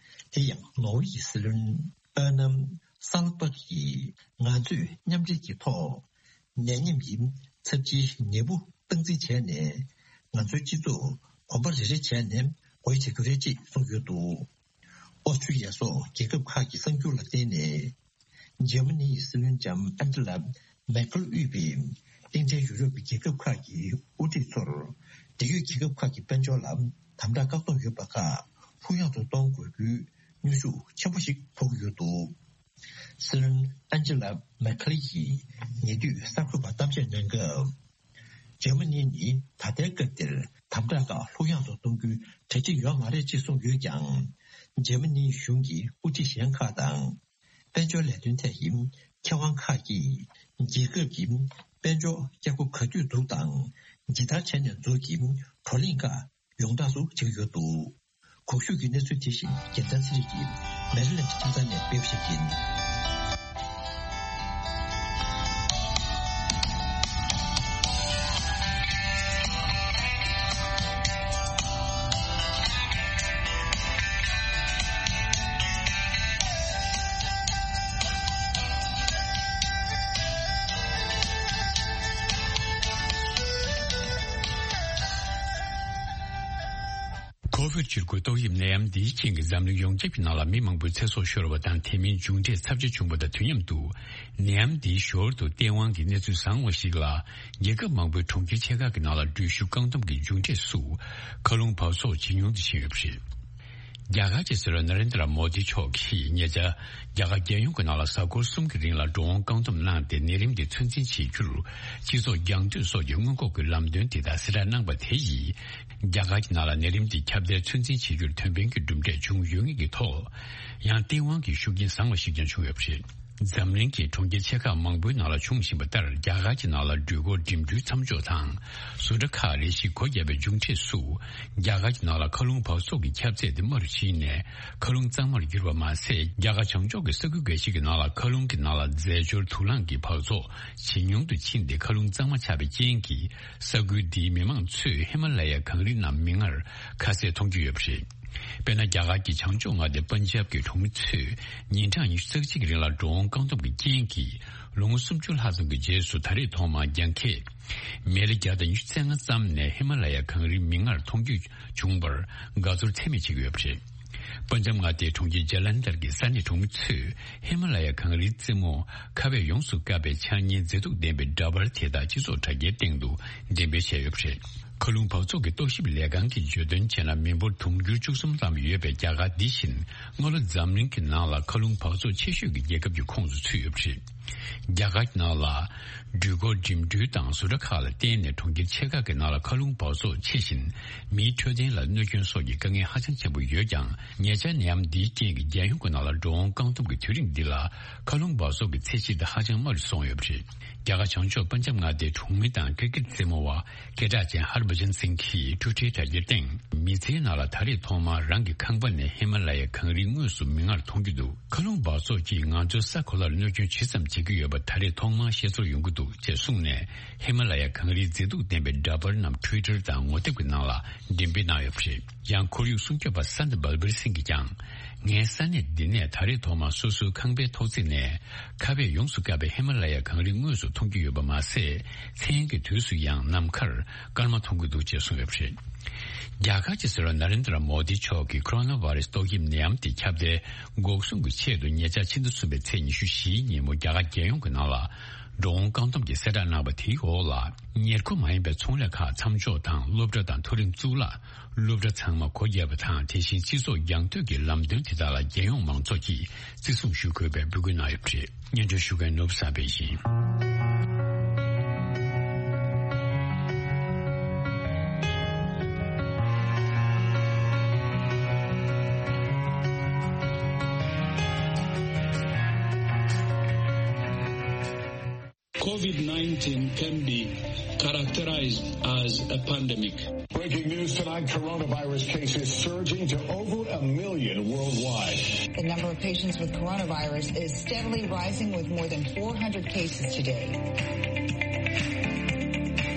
དེ་ཡང་ནོར་ཝེ་ཡི་སྲིད་བློན་ཨར་ནམ་སཱལ་པག་གིས། ང་ཚོས་མཉམ་འབྲེལ་གྱི་ཐོག་ནད་ཡམས་ཀྱི་ཚབས་ཆེའི་ནད་འབུ་སྟངས་འཛིན་བྱས་ནས། ང་ཚོའི་སྤྱི་ཚོགས་གོམ་པ་རེ་རེ་བྱས་ནས་སྒོ་དབྱེ་བྱ་རྒྱུ་རེད་ཅེས་གསུངས་ཡོད་འདུག་ཨོ་སི་ཁྲུ་ལི་ཡ་སོགས་རྒྱལ་ཁབ་ཁག་གི་གསར་འགྱུར་ལ་བརྟེན་ནས། འཇར་མ་ནི་ཡི་སྲིད་བློན་ལྕམ་ཨན་ཇི་ལ་མེར་ཁེལ་དབུས་པའི་གླིང་ཕྲན་ཡུ་རོབ་ཀྱི་རྒྱལ་ཁབ་ཁག་གི་དབུ་ཁྲིད་ཚོར། འབྲེལ་ཡོད་རྒྱལ་ཁབ་ཁག་གི་དཔལ་འབྱོར་ལ་དམ་དྲག་བཀག་སྡོམ་ཡོད་པ་ཁག་ལྷུག་ཡངས་སུ་གཏོང་དགོས་རྒྱུའི་གནོན་ཤུགས་ཆེན་པོ་ཞིག་ཕོག་གི་ཡོད་འདུག་སྲིད་བློན་ཨན་ཇི་ལ་མེར་ཁེལ་གྱིས་ཉེ་དུས་གསར་འགོད་པར་གཏམ་བཤད་གནང་སྐབས། འཇར་མ་ནི་ནི་ད་ལྟའི་སྐབས་འདིར་དམ་དྲག་ཁག་ལྷུག་ཡངས་སུ་གཏོང་རྒྱུའི་གྲ་སྒྲིག་ཡོད་མ་རེད་ཅེས་གསུངས་ཡོད་ཀྱང་། འཇར་མ་ནིའི་གཞུང་གི་དབུ་ཁྲིད་གཞན་ཁག་དང་། དཔལ་འབྱོར་ལས་དོན་ཐད་ཀྱི་མཁས་དབང་ཁག་གིས། རྒྱལ་ཁབ་ཀྱི་དཔལ་འབྱོར་བསྐྱར་གོམ་ག་དུས་འདུག་དང་། ཇི་ལྟར་བྱས་ནས་འཛུགས་ཀྱི་བགྲོ་གླེང་ཁག་ ཡོངས་གྲགས་སུ་བྱེད་ཀྱི་ཡོད་འདུག། གོང་ཞུས་ཀྱི་གནས་ཚུལ་དེ་བཞིན་རྒྱལ་མཚན་ཚེ་རིང་གིས་མེ་རི་ལེནཌ་ཁྱིམ་ཚང་ནས་སྤེལ་བ་ཞིག་ཡིན། ཁོ་ཝིཌ་བཅུ་དགུ་ཏོག་དབྱིབས་ནད་ཡམས་འདིའི་རྐྱེན་གྱིས་འཛམ་གླིང་ཡོངས་ཁྱབ་ཀྱི་ནང་ལ་མི་མང་པོའི་ཚེ་སྲོག་ཤོར་བ་དང་དེ་མིན་མཇུག་འབྲས་ཚབས་ཆེ་བྱུང་བ་དང་དུས་མཉམ་དུ། ནད་ཡམས་འདིའི་ཞོར་དུ་སྟེས་དབང་གི་གནས་ཚུལ་བཟང་བ་ཞིག་ལ། རྒྱལ་ཁབ་མང་པོའི་གྲོང་ཁྱེར་ཆེ་ཁག་གི་ནང་ལ་འགྲུལ་བཞུད་བཀག་སྡོམ་གྱི་མཇུག་འབྲས་སུ། མཁའ་རླུང་འབག་བཙོག་ཇེ་ཉུང་དུ་ཕྱིན་ཡོད་པ་རེད། རྒྱ་གར་གྱི་སྲིད་བློན་ན་རེན་དྲ་མོ་དི་མཆོག་གིས་ཉེ་ཆར། རྒྱ་གར་རྒྱལ་ཡོངས་ཀྱི་ནང་ལ་གཟའ་འཁོར་གསུམ་གྱི་རིང་ལ་འགྲོ་འོང་བཀག་སྡོམ་གནང་སྟེ་ནད་རིམས་དེ་ཚོད་འཛིན་བྱེད་རྒྱུར། སྤྱི་ཚོགས་རྒྱང་མཐུད་སོགས་ཀྱི་སྔོན་འགོག་གི་ལམ་སྟོན་དེ་དག་གསལ་བསྒྲགས་གནང་པ་དེ་ཡིས། རྒྱ་གར་གྱི་ནང་ལ་ནད་རིམས་དེ་ཁྱབ་གདལ་ཚོད་འཛིན་བྱེད་རྒྱུར་ཐོན་པའི་གི་གྲུབ་འབྲས་བྱུང་ཡོད་ངེས་ཀྱི་ཐོག། ཡང་སྟེས་དབང་གི་ཤུགས་རྐྱེན་བཟང་བ་ཞིག་ཀྱང་བྱུང་ཡོད་པ་རེད། འཛམ་གླིང་གི་གྲོང་ཁྱེར་ཆེ་ཁག་མང་པོའི་ནང་ལ་བྱུང་བཞིན་པ་ལྟར། རྒྱ་གར་གྱི་ནང་ལ་འགྲུལ་འཁོར་འགྲིམ་འགྲུལ་མཚམས་འཇོག་དང་། བཟོ་གྲྭ་ཁག་རེ་ཞིག་སྒོ་བརྒྱབ་པའི་མཇུག་འབྲས་སུ། རྒྱ་གར་གྱི་ནང་ལ་མཁའ་རླུང་འབག་བཙོག་གི་ཁྱབ་ཚད་དེ་དམའ་རུ་ཕྱིན་ནས། མཁའ་རླུང་གཙང་མར་གྱུར་པ་མ་ཟད། རྒྱ་གར་བྱང་ཕྱོགས་ཀྱི་ས་ཁུལ་འགའ་ཞིག་གི་ནང་ལ་མཁའ་རླུང་གི་ནང་ལ་རྫས་སྦྱོར་དུག་རླངས་ཀྱི་འབག་བཙོག་ཇེ་ཉུང་དུ་ཕྱིན་ཏེ། མཁའ་རླུང་གཙང་མ་ཆགས་པའི་རྐྱེན་གྱིས། ས་ཁུལ་འདིའི་མི་མང་ཚོས་ཧི་མ་ལ་ཡའི་གངས་རི་རྣམས་མིག་སྔར་ཁ་གསལ་མཐོང་རྒྱུ་ཡོད་པ་རེད། དཔེར་ན། རྒྱ་གར་གྱི་བྱང་ཕྱོགས་མངའ་སྡེ་པན་ཇབ་ཀྱི་གྲོང་མི་ཚོས་ཉིན་གྲངས་ཉི་ཤུ་རྩ་གཅིག་གི་རིང་ལ་འགྲོ་འོང་བཀག་སྡོམ་གྱི་རྐྱེན་གྱིས། ལོ་ངོ་སུམ་ཅུ་ལྷག་ཙམ་གྱི་རྗེས་སུ། ད་རེས་ཐོག་མར་རྒྱང་ཁྱེར་མེལ་བརྒྱ་དང་ཉི་ཤུ་རྩ་ལྔ་ཙམ་ནས་ཧི་མ་ལ་ཡ་གངས་རིའི་མིག་སྔར་མཐོང་རྒྱུ་བྱུང་བར་དགའ་ཚོར་ཚད་མེད་བྱེད་ཀྱི་ཡོད་པ་རེད། པན་ཇབ་མངའ་སྡེའི་གྲོང་ཁྱེར་ཇ་ལན་དར་གྱི་ས་གནས་གྲོང་མི་ཚོས་ཧི་མ་ལ་ཡ་གངས་རིའི་རྩེ་མོ་ཁ་བས་ཡོངས་སུ་བཀབ་པའི་ཆ་གཉན་མཛེས་སྡུག་ལྡན་པའི་འདྲ་པར་དེ་དག་སྤྱི་ཚོགས་དྲ་རྒྱའི་སྟེང་དུ་འགྲེམས་སྤེལ་བྱས་ཡོད་པ་རེད། མཁའ་རླུང་འབག་བཙོག་གི་རྟོག་ཞིབ་ལས་ཁང་གིས་བརྗོད་དོན་བྱས་ན། མི་འབོར་དུང་ཕྱུར་བཅུ་གསུམ་ཙམ་ཡོད་པའི་རྒྱ་གར་འདི་བཞིན་སྔ་ལོ་འཛམ་གླིང་གི་ནང་ལ་མཁའ་རླུང་འབག་བཙོག་ཆེ་ཤོས་ཀྱི་རྒྱལ་ཁབ་ཀྱི་ཁོངས་སུ་ཚུད་ཡོད་པ་རེད། རྒྱ་གར་གྱི་ནང་ལ་འགྲུལ་འཁོར་འགྲིམ་འགྲུལ་དང་བཟོ་གྲྭ་ཁག་ལ་བརྟེན་ནས་གྲོང་ཁྱེར་ཆེ་ཁག་གི་ནང་ལ་མཁའ་རླུང་འབག་བཙོག་ཆེ་ཞིང་མིའི་འཕྲོད་བསྟེན་ལ་གནོད་སྐྱོན་སོགས་ཀྱི་དཀའ་ངལ་ཧ་ཅང་ཆེན་པོ་ཡོད་ཀྱང་། ཉེ་ཆར་ནད་ཡམས་འདིའི་རྐྱེན་གྱིས་རྒྱལ་ཡོངས་ཀྱི་ནང་ལ་འགྲོ་འོང་བཀག་སྡོམ་གྱི་དུས་རིང་འདི་ལ་མཁའ་རླུང་འབག་བཙོག་གི་ཚད་གཞི་དེ་ཧ་ཅང་དམའ་རུ་སོང་ཡོད་པ་རེད། རྒྱ་གར་བྱང་ཕྱོགས་པན་ཇབ་མངའ་སྡེའི་གྲོང་མི་དང་ཀིར་ཀིར་རྩེད་མོ་བ་སྐད་གྲགས་ཅན་ཧར་བྷ་ཇན་སིང་གིས་ཊུ་ཊར་དྲ་རྒྱའི་སྟེང་། མི་ཚེའི་ནང་ལ་ད་རེས་ཐོག་མར་རང་གི་ཁང་པ་ནས་ཧི་མ་ལ་ཡའི་གངས་རིའི་ངོས་སུ་མིག་སྔར་མཐོང་རྒྱུ་འདུག། མཁའ་རླུང་འབག་བཙོག་གིས་ང་ཚོའི་ས་གོ་ལར་གནོད་སྐྱོན་ཇི་ཙམ་བྱེད་ཀྱི་ཡོད་པ་ད་རེས་ཐོག་མར་ཤེས་ཚོར་ཡོང་གི་འདུག་ཅེས་གསུངས་ནས། ཧི་མ་ལ་ཡ་གངས་རིའི་མཛེས་སྡུག་ལྡན་པའི་འདྲ་པར་རྣམས་ཊུ་ཝི་ཊར་དང་ངོ་དེབ་ཀྱི་ནང་ལ་འགྲེམས་སྤེལ་གནང་ཡོད་པ་རེད། ཡང་ཁོར་ཡུག་སྲུང་སྐྱོབ་པ་སན་ཏི་བལ་བིར་སིང་གིས་ཀྱང་། ངའི་ས་གནས་འདི་ནས་ད་རེས་ཐོག་མར་སོ་སོའི་ཁང་པའི་ཐོག་བརྩེགས་ནས་ཁ་བས་ཡོངས་སུ་བཀབ་པའི་ཧི་མ་ལ་ཡ་གངས་རིའི་ངོས་སུ་མཐོང་རྒྱུ་ཡོད་པ་མ་ཟད། མཚན་གྱི་དུས་སུ་ཡང་ནམ་མཁར་སྐར་མ་མཐོང་གི་འདུག་ཅེས་གསུངས་ཡོད་པ་རེད། རྒྱ་གར་གྱི་སྲིད་བློན་ན་རེན་དྲ་མོ་དི་མཆོག་གིས་ཁོ་རོ་ན་བྷ་རེ་སི་ཏོག་དབྱིབས་ནད་ཡམས་དེ་ཁྱབ་གདལ་འགོག་སྲུང་གི་ཆེད་དུ་ཉེ་ཆར་ཕྱི་ཟླ་གསུམ་པའི་ཚེས་ཉི་ཤུ་བཞིའི་ཉིན་མོ་རྒྱ་གར་རྒྱལ་ཡོངས་ཀྱི་ནང་ལ་འགྲོ་འོང་བཀག་སྡོམ་གྱི་གསལ་བསྒྲགས་གནང་བ་དེའི་འོག་ལ། ཉེར་མཁོ་མ་ཡིན་པའི་ཚོང་ལས་ཁག་མཚམས་འཇོག་དང་སློབ་གྲྭ་དང་མཐོ་རིམ་གཙུག་ལག་སློབ་གྲྭ་ཚང་མ་སྒོ་བརྒྱབ་པ་དང་། དེ་བཞིན་སྤྱི་ཚོགས་རྒྱང་མཐུད་ཀྱི་ལམ་སྟོན་དེ་དག་ལ་རྒྱལ་ཡོངས་མང་ཚོགས་ཀྱིས་བརྩི་སྲུང་ཞུ་དགོས་པའི་འབོད་སྐུལ་གནང་ཡོད་པ་རེད། སྙན་སྒྲོན་ཞུ་མཁན་ནོར་བུ་བསམ་འཕེལ་ཡིན། COVID nineteen can be characterized as a pandemic. Breaking news tonight, coronavirus cases surging to over a million worldwide. The number of patients with coronavirus is steadily rising, with more than four hundred cases today.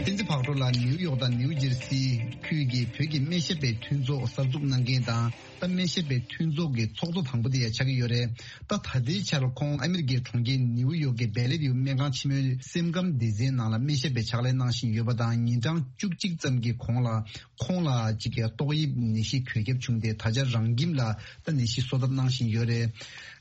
བསྟན་འཛིན་ཕག་གྲུ་ལགས་ནིའུ་ཡོག་དང་ནིའུ་ཇར་སི་ཁུལ་གྱི་བོད་ཀྱི་སྨན་ཞབས་པའི་མཐུན་ཚོགས་གསར་འཛུགས་གནང་མཁན་དང་། ད་སྨན་ཞབས་པའི་མཐུན་ཚོགས་ཀྱི་ཚོགས་གཙོ་དང་པོ་དེ་ཡང་ཆགས་ཀྱི་ཡོད་རེད། ད་ད་ལྟའི་ཆར་ཁོང་ཨ་མི་རི་ཀའི་གྲོང་ཁྱེར་ནིའུ་ཡོག་གི་བེ་ལེ་ཝིའུ་སྨན་ཁང་ཆེན་མོའི་སེམས་ཁམས་སྡེ་ཚན་ནང་ལ་སྨན་ཞབས་པའི་ཕྱག་ལས་གནང་བཞིན་ཡོད་པ་དང་། ཉིན་གྲངས་བཅུ་གཅིག་ཙམ་གྱི་གོང་ལ་ཁོང་ལ་ཅིག་གི་ཏོག་དབྱིབས་ནད་གཞི་འགོས་ཁྱབ་བྱུང་སྟེ། ད་ཆ་རང་ཁྱིམ་ལ་ད་ནད་གཞི་གསོ་ཐབས་གནང་བཞིན་ཡོད་རེད།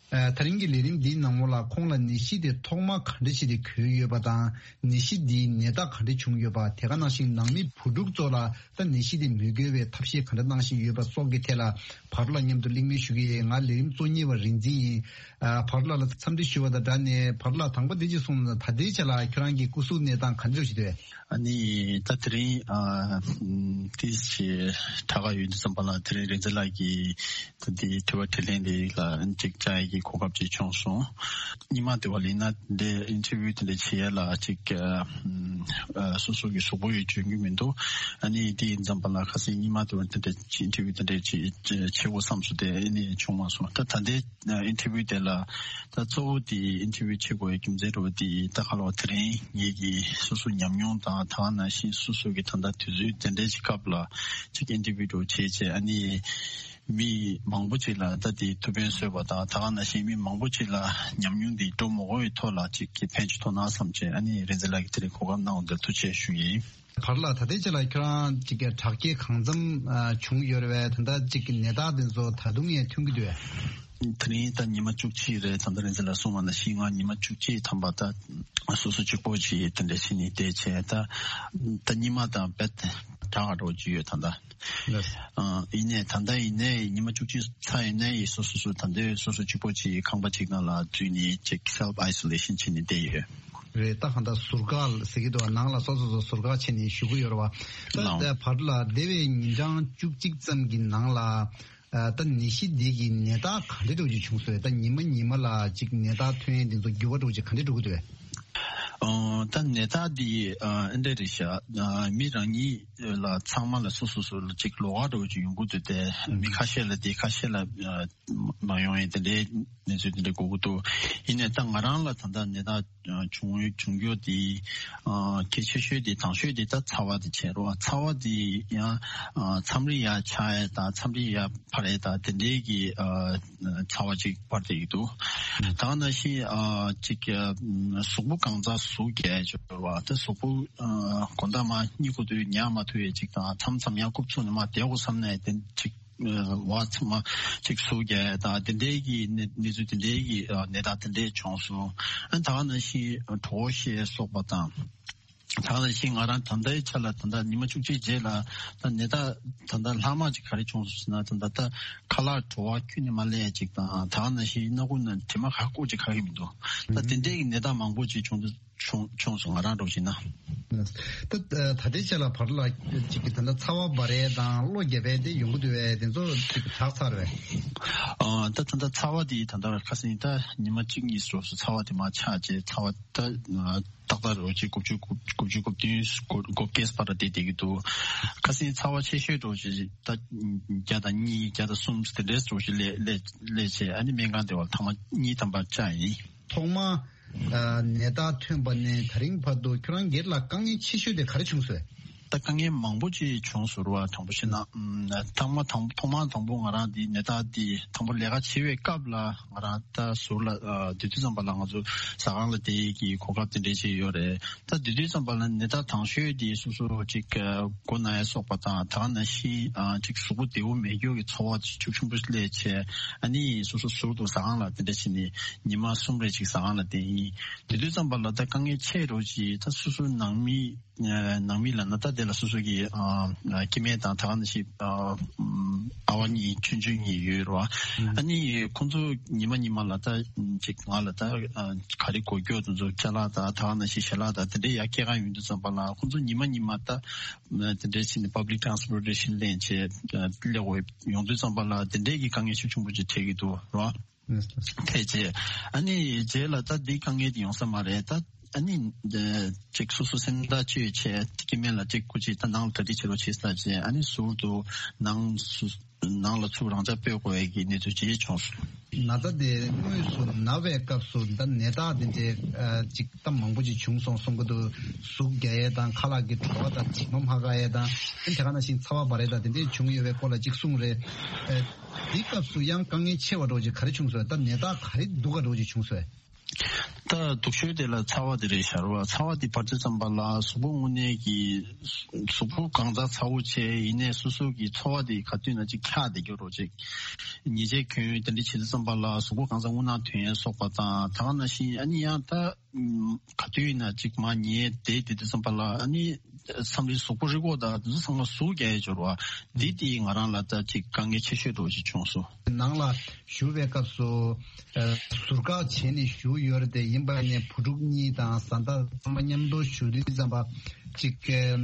ཨ། ད་རིང་གི་ལས་རིམ་འདིའི་ནང་ལོགས་ལ་ཁོང་ལ་ནད་གཞི་དེ་ཐོག་མ་ག་འདྲ་ཞིག་དེ་འགོས་ཡོད་པ་དང་། ནད་གཞི་འདིའི་ནད་རྟགས་ག་འདྲ་བྱུང་ཡོད་པ། དེ་ག་ནང་བཞིན་ནང་མི་བུ་ཕྲུག་ཚོ་ལ་ད་ནད་གཞི་དེ་མི་འགོས་པའི་ཐབས་ཤེས་ག་འདྲ་གནང་བཞིན་ཡོད་པ་སོགས་ཀྱི་ཐད་ལ་ཕག་གྲུ་ལགས་མཉམ་དུ་གླེང་མོལ་ཞུ་གི་ཡོད། ང་ལས་རིམ་གཙོ་གཉེར་བ་རིག་འཛིན་ཡིན། ཨ། བར་ལ་ལ་འཚམས་འདྲི་ཞུ་བ་དང་སྦྲགས་ནས། བར་ལ་དང་པོ་འདི་ཅིག་གསུངས་ན། ད་ལྟའི་ཆ་ལ་ཁྱོད་རང་གི་སྐུ་གཟུགས་གནས་སྟངས་ག་འདྲ་ཞིག་འདུག་ཨ་ནི་ད་དེ་རིང་ཨ་ཏིས་ཞེ་དྲག་ག་ཡོད་དུས་ཙམ་པ་ལ། དེ་རིང་རིག་འཛིན་ལགས་ཀྱིས་ད་འདི་དྲི་བ་དྲིས་ལན་འདི་ལ་ཅིག་བཅར་ཡས་ཀྱི་གོ་སྐབས་ཅིག་བྱུང་སོང་། སྔོན་མ་དེ་བ་ལ་ཡིན་ན་འདི་ཨིན་ཊར་བིའུ་དེ་འདྲ་བྱེད་ཡས་ལ་ཅིག་ཨ་སོ་སོ་གི་གཟུགས་པོ་ཡང་འཇོན་གྱི་མི་འདུག་ཨ་ནི་དེ་ཡིན་ཙམ་པ་ལ་ཁ་སང་སྔོན་མ་དེ་བ་དེ་འདྲ་ཅིག་ཨིན་ཊར་བིའུ་དེ་འདྲ་ཅིག་བྱེད་དགོས་བསམ་སོང་། དེ་ཨ་ནི་བྱུང་མ་སོང་། ད་ད་ལྟའི་ཨིན་ཊར་བིའུ་དེ་ལ་ད་གཙོ་བོ་དེ་ཨིན་ཊར་བིའུ་བྱེད་དགོས་ཡ་རྒྱུ་མཚན་འདྲ་བོ་དེ་ད་ག་ལ་བ་དེ་རིང་ངེད་ཀྱི་སོ་སོ་ཉམས་མྱོང་དང་། ད་ག་ནང་བཞིན་སོ་སོ་གི་ད་ལྟ་དུས་ཚོད་དེ་འདྲའི་ཅིག་སྐབས་ལ་ཅིག་ཨིན་ཊར་བིའུ་འདྲ་བོ་བྱས་བྱས། ཨ་ནི་མི་མང་པོ་ཅིག་ལ་ད་དེ་ཐུགས་ཕན་གསོས་པ་དང་། ད་ག་ནང་བཞིན་མི་མང་པོ་ཅིག་ལ་ཉམས་མྱོང་འདི་སྤྲོད་མ་དགོས་པའི་ཐོག་ལ་ཅིག་གི་ཕན་ཅིག་ཐོགས་ན་བསམ་བྱས། ཨ་ནི་རིག་འཛིན་ལགས་ཀྱིས་དེ་རིང་གོ་སྐབས་གནང་བ་འདིར་ཐུགས་རྗེ་ཆེ་ཞུ་ཡིན། བར་ལ་ད་ལྟའི་ཆ་ལ་ཁྱོད་རང་ཅིག་གི་དྲག་སྐྱེད་གང་འཚམ་ཨ་བྱུང་ཡོད་རེད་པས། ད་ལྟ་ཅིག་གི་ནད་རྟགས་དེ་ཚོ་ད་དུང་ཡང་ཐོན་གྱི་འདུག་པས། དེ་རིང་ད་ཉི་མ་བཅུ་གཅིག་རེད། ད་ལྟ་རིག་འཛིན་ལགས་གསུངས་པ་ནང་བཞིན་ང་ཉི་མ་བཅུ་གཅིག་ཐམ་པ་ད་སོ་སོ་གཅིག་པོ་ཅིག་དེ་འདྲ་བྱས་ནས་བསྡད་བྱས། ད་ད་སྔོན་མ་དང་རྦད་དྲག་ག་འགྲོ་གི་ཡོད་ད་ལྟ། ལགས། ཨ། ཡིན་ནའི་ད་ལྟ་ཡིན་ནའི་ཉི་མ་བཅུ་གཅིག་ཚར་ཡིན་ནའི་སོ་སོ་སོ་ད་ལྟ་སོ་སོ་གཅིག་པོ་ཅིག་ཁང་པ་གཅིག་ནང་ལ་འཛུལ་ནས་ཅིག་སེལཕ་ཨའི་སོ་ལེ་ཤན་བྱས་ནས་བསྡད་ཡོད། རེད། ད་གང་ལྟར་ཟུར་བཀག་ཟེར་གྱི་འདུག་པ། ནང་ལ་སོ་སོ་སོ་ཟུར་བཀག་བྱས་ནས་བཞུགས་ཀྱི་ཡོད་རེད་པ། ད་ལགས། ད་བར་ལ་འདས་པའི་ཉིན་གྲངས་བཅུ་གཅིག་ཙམ་གྱི་ནང་ལ། ཨ། ད་ནད་གཞི་འདི་གི་ནད་རྟགས་ག་འདྲ་འདྲ་བོ་ཅིག་བྱུང་སོང་། ད་ཉི་མ་ཉི་མ་ལ་ཅིག་ནད་རྟགས་ཐོན་ཡས་འདི་ཚོ་འགྱུར་བ་འདྲ་བོ་ཅིག་ག་འདྲ་འགྲོ་གི་འདུག་པས། ཨ། ད་ནད་རྟགས་འདི་ཨ་འདི་འདྲ་རེད་ཤག་ཨ། མི་རང་ཉིད་ལ་ཚང་མ་ལ་སོ་སོ་སོ་ལ་ཅིག་ལོགས་ཀ་འདྲ་བོ་ཅིག་ཡོང་གི་འདུག་སྟེ། ཨ། མི་ཁ་ཤས་ལ་དེ། ཁ་ཤས་ལ་ཨ་མ་ཡོང་ཡས་དེ་འདྲའི་གནས་ཚུལ་དེ་འདྲ་གོ་གི་འདུག་ཡིན་ནའི་ད་ང་རང་ལ་ད་ལྟ་ནད་རྟགས་བྱུང་བྱུང་རྒྱུ་དེ་ཨ་གལ་ཆེ་ཤོས་དེ། དང་ཤོས་དེ་ད་ཚ་བ་དེ་བྱས་རེད་པ། ཚ་བ་དེ་ཡང་ཨ་མཚམས་རེ་ཡར་ཆག་ཡས་དང་མཚམས་རེ་ཡར་འཕར་ཡས་དང་དེ་འདྲའི་གི་ཨ་ཚ་བ་ཅིག་འཕར་བསྡད་ཀྱི་འདུག་ད་ག་ནང་བཞིན་ཨ་ཅིག་ཨ་གཟུགས་པོ་གང་ཚང་ཟུག་རྒྱག་ཡས་ཅིག་ཡོད་རེད་པ། ད་གཟུགས་པོ་ཨ་དགོང་དག་མར་གཉིད་ཁུག་དུས་ཉལ་མ་ཐུབ་ཡས་ཅིག་དང་། མཚམས་མཚམས་ཡང་རྐུབ་ཚུགས་ནས་མར་བསྡད་དགོས་བསམ་ནའི་དེ་ཅིག་ཨ་བ་ཚང་མ་ཅིག་ཟུག་རྒྱག་ཡས་དང་དེ་འདྲའི་གི་གནས་གནས་ཚུལ་དེ་འདྲའི་གི་ཨ་ནད་རྟགས་དེ་འདྲའི་བྱུང་སོང་། ཨ་ད་ག་ནང་བཞིན་གྲོད་ཁོག་བཤལ་སོགས་པ་དང་། ད་ག་ནང་བཞིན་ང་རང་ད་ལྟའི་ཆ་ལ་ད་ལྟ་ཉི་མ་བཅུ་གཅིག་རྗེས་ལ་ད་ནད་རྟགས་ད་ལྟ་ལྷག་མ་ཅིག་ག་རེ་བྱུང་སོང་ཟེར་ན། ད་ལྟ་ད་ཁ་ལག་བྲོ་བ་ཁྱོན་ནས་མ་སླེབས་ཅིག་དང་། ད་ག་ནང་བཞིན་སྣ་ཁུག་ནང་དྲི་མ་ག་སྐོར་ཅིག་ག་གི་མི་འདུག་ད་དེ་འདྲའི་གི་ནད་རྟགས་མང་པོ་ཅིག་བྱུང་འདུག་བྱུང་བྱུང་སོང་། ང་རང་འདྲ་བོ་ཞིག་ན། ད་ད་ལྟའི་ཆ་ལ་བར་ལ་ཅིག་གི་ད་ལྟ་ཚ་བ་འབར་ཡས་དང་གློ་རྒྱབ་ཡས་དེ་ཡོང་གི་འདུག་པས། དེ་ཚོ་ཅིག་དྲག་ཚར་བས། ཨ་ད་ད་ལྟ་ཚ་བ་དེ་ད་ལྟ་ཁ་སང་ད་ཉི་མ་གཅིག་གཉིས་སོ་སོ་ཚ་བ་དེ་མར་ཆག་བྱས། ཚ་བ་ད་ཏག་ཏག་རེད་པ། ཅིག་དགུ་བཅུ་དགུ་བཅུ་གོ་བདུན་གོ་གོ་བརྒྱད་བར་ལ་བསྡད་བསྡད་ཀྱི་འདུག་ཁ་སང་ཚ་བ་ཆེ་ཤོས་འདྲ་བོ་ཞིག་ད་བརྒྱ་དང་གཉིས་བརྒྱ་དང་གསུམ་དེ་འདྲའི་འདྲ་བོ་ཞིག་སླེབས་སླེབས་སླེབས་བྱས། ཨ་ནི་སྨན་ཁང་བསྡད་པ་ལ་ཐེངས་མ་གཉིས་ཐམ་པ་བཅག་ཡིན། ཐོག་མ་ཨ་ནད་རྟགས་ཐོན་པ་ནས་ད་རིང་བར་དུ་ཁྱོད་རང་སྒེར་ལ་དཀའ་ངལ་ཆེ་ཤོས་དེ་ག་རེ་བྱུང་སོང་། ད་དཀའ་ངལ་མང་པོ་ཅིག་བྱུང་སོང་རེད་པ། དྲང་པོ་བཤད་ན། ཨམ་ཐོག་མ་དང་ཐོག་མ་དང་པོ་ང་རང་འདི་ནད་རྟགས་འདི་དང་པོ་ལས་ཀ་བྱེད་པའི་སྐབས་ལ་ང་རང་ད་ཟུར་ལ་ཨ་སྡོད་དུས་ཙམ་པ་ལ་ང་ཚོ་ཟ་ཁང་ལ་བསྡད་ཀྱི་གོ་སྐབས་དེ་འདྲའི་ཅིག་ཡོད་རེད། ད་དེ་དུས་ཙམ་པ་ལ་ནད་རྟགས་དང་ཤོས་དེ་སོ་སོ་ཅིག་མགོ་ན་ཡ་སོགས་པ་དང་། ད་ག་ནང་བཞིན་ཨ་ཅིག་གཟུགས་པོ་བདེ་པོ་མེད་རྒྱུ་གི་ཚོར་བ་ཅིག་ཤུགས་ཆེན་པོ་སླེབས་བྱས། ཨ་ནི་སོ་སོ་ཟུར་དུ་ཟ་ཁང་ལ་དེ་འདྲ་བྱས་ནས་ཉི་མ་གསུམ་རེ་ཅིག་ཟ་ཁང་ལ་བསྡད་ཡིན། དེ་དུས་ཙམ་པ་ལ་ད་དཀའ་ངལ་ཆེ་རུ་ཅིག་ད་སོ་སོ་ནང་མི་ཨ་ནང་མི་ལབ་ན་ད་དེ་ལ་སོ་སོ་གི་ཨ་ཨ་སྐྱེ་དམན་དང་། ད་ག་ནང་བཞིན་ཨ་ཨ་བ་གཉིས་ཆུང་ཆུང་གཉིས་ཡོད་རེད་པ། ཨ་ནི་ཁོང་ཚོ་ཉི་མ་ཉི་མ་ལ་ད་ཅིག་ང་ལ་ད་ཨ་ག་རེ་དགོས་རྒྱུ་དེ་ཚོ་ཅ་ལག་དང་། ད་ག་ནང་བཞིན་ཞལ་ལག་དང་དེ་འདྲའི་ཡར་སྐྱེལ་ག་ཡོང་དུས་ཙམ་པ་ལ་ཁོང་ཚོ་ཉི་མ་ཉི་མ་ད་དེ་འདྲའི་ཕྱིན་ནས་པབ་ལིག་ཊ་རན་སི་པོར་ཊེ་ཤན་ལེན་བྱས་སླེབས་དགོས་ཡོང་དུས་ཙམ་པ་ལ་དེ་འདྲའི་གི་དཀའ་ངལ་ཤུགས་ཆེན་པོ་ཅིག་འཕྲད་ཀྱི་འདུག་རེད་པ། ཐེ་ཆེ། ཨ་ནི་རྗེས་ལ་ད་འདི་དཀའ་ངལ་དེ་ཡོང་ས་མ་རེད། ད་ཨ་ནི་ཅིག་སོ་སོ་སེམས་ཐག་ཆོད་བྱས། སྐྱེ་དམན་ལ་ཅིག་སྐུ་མཁྱེན་ད་ནང་ལ་གྲ་སྒྲིག་བྱེད་རོགས་བྱེད་ཟེར་བྱས། ཨ་ནི་ཟུར་དུ་ནང་སུ་ནང་ལ་ཚུར་རང་འཇགས་སྤོས་དགོས་ཡས་ཀྱི་གནས་ཚུལ་ཅིག་བྱུང་སོང་། ན་ཚ་དེ་དངོས་སུ་ན་བའི་སྐབས་སུ་ད་ནད་རྟགས་དེ་འདྲའི་ཨ་ཅིག་ད་མང་པོ་ཅིག་བྱུང་སོང་གསུང་གི་འདུག་ཟུག་རྒྱག་ཡས་དང་། ཁ་ལག་གི་བྲོ་བ་དང་། མཆིལ་མ་མ་འགག་ཡས་དང་། ཨ་ནི་དེ་ག་ནང་བཞིན་ཚ་བ་འབར་ཡས་དང་དེ་འདྲའི་བྱུང་ཡོད་པའི་སྐོར་ལ་ཅིག་གསུངས་རེད། ཨ། དེའི་སྐབས་སུ་ཡང་དཀའ་ངལ་ཆེ་བ་འདྲ་བོ་ཅིག་ག་རེ་བྱུང་སོང་། ད་ནད་རྟགས་ག་རེ་སྡུག་ག་འདྲ་བོ་ཅིག་བྱུང་སོང་། ད་སྡུག་ཤོས་དེ་ལ་ཚ་བ་དེ་རེད་ཤག་རེད་པ། ཚ་བ་དེ་འབར་དུས་ཙམ་པ་ལ་གཟུགས་པོ་དངོས་གནས་ཀྱི་གཟུགས་པོ་གང་ཚ་ཚ་པོ་བྱས། ཡིན་ནའི་སོ་སོ་གི་ཚོར་བ་དེ་ག་དུས་ན་ཅིག་འཁྱག་བསྡད་རྒྱུ་འདྲ་བོ་ཅིག་ཉལ་ཆས་གྱོན་དེ་འདྲ་བྱེད་དུས་ཙམ་པ་ལ་གཟུགས་པོ་གང་ཚ་རྔུལ་ནག་ཐོན་ཡས་སོགས་པ་དང་། ད་ག་ནང་བཞིན་ཨ་ནི་ཡང་ད་ག་དུས་ན་ཅིག་མར་ཉལ་བསྡད་བསྡད་དུས་ཙམ་པ་ལ་ཨ་ནི་ མཚམས་རེ་གཟུགས་པོ་རི་མགོ་དང་དེ་ཚོ་ཚང་མ་ཟུག་རྒྱག་ཡས་འབྱོར་བ་འདི་དེ་ང་རང་ལ་ད་ཅིག་དཀའ་ངལ་ཆེ་ཤོས་འདྲ་བོ་ཞིག་བྱུང་སོང་། ནང་ལ་བཞུགས་པའི་སྐབས་སུ་ཨ་ཟུར་བཀག་བྱས་ནས་བཞུགས་ཡོད་རེད་དེ། ཡིན་པ་ནས་བུ་ཕྲུག་གཉིས་དང་བཟའ་ཟླ་ཚང་མ་མཉམ་དུ་བཞུགས་དུས་ཙམ་པ་ཅིག་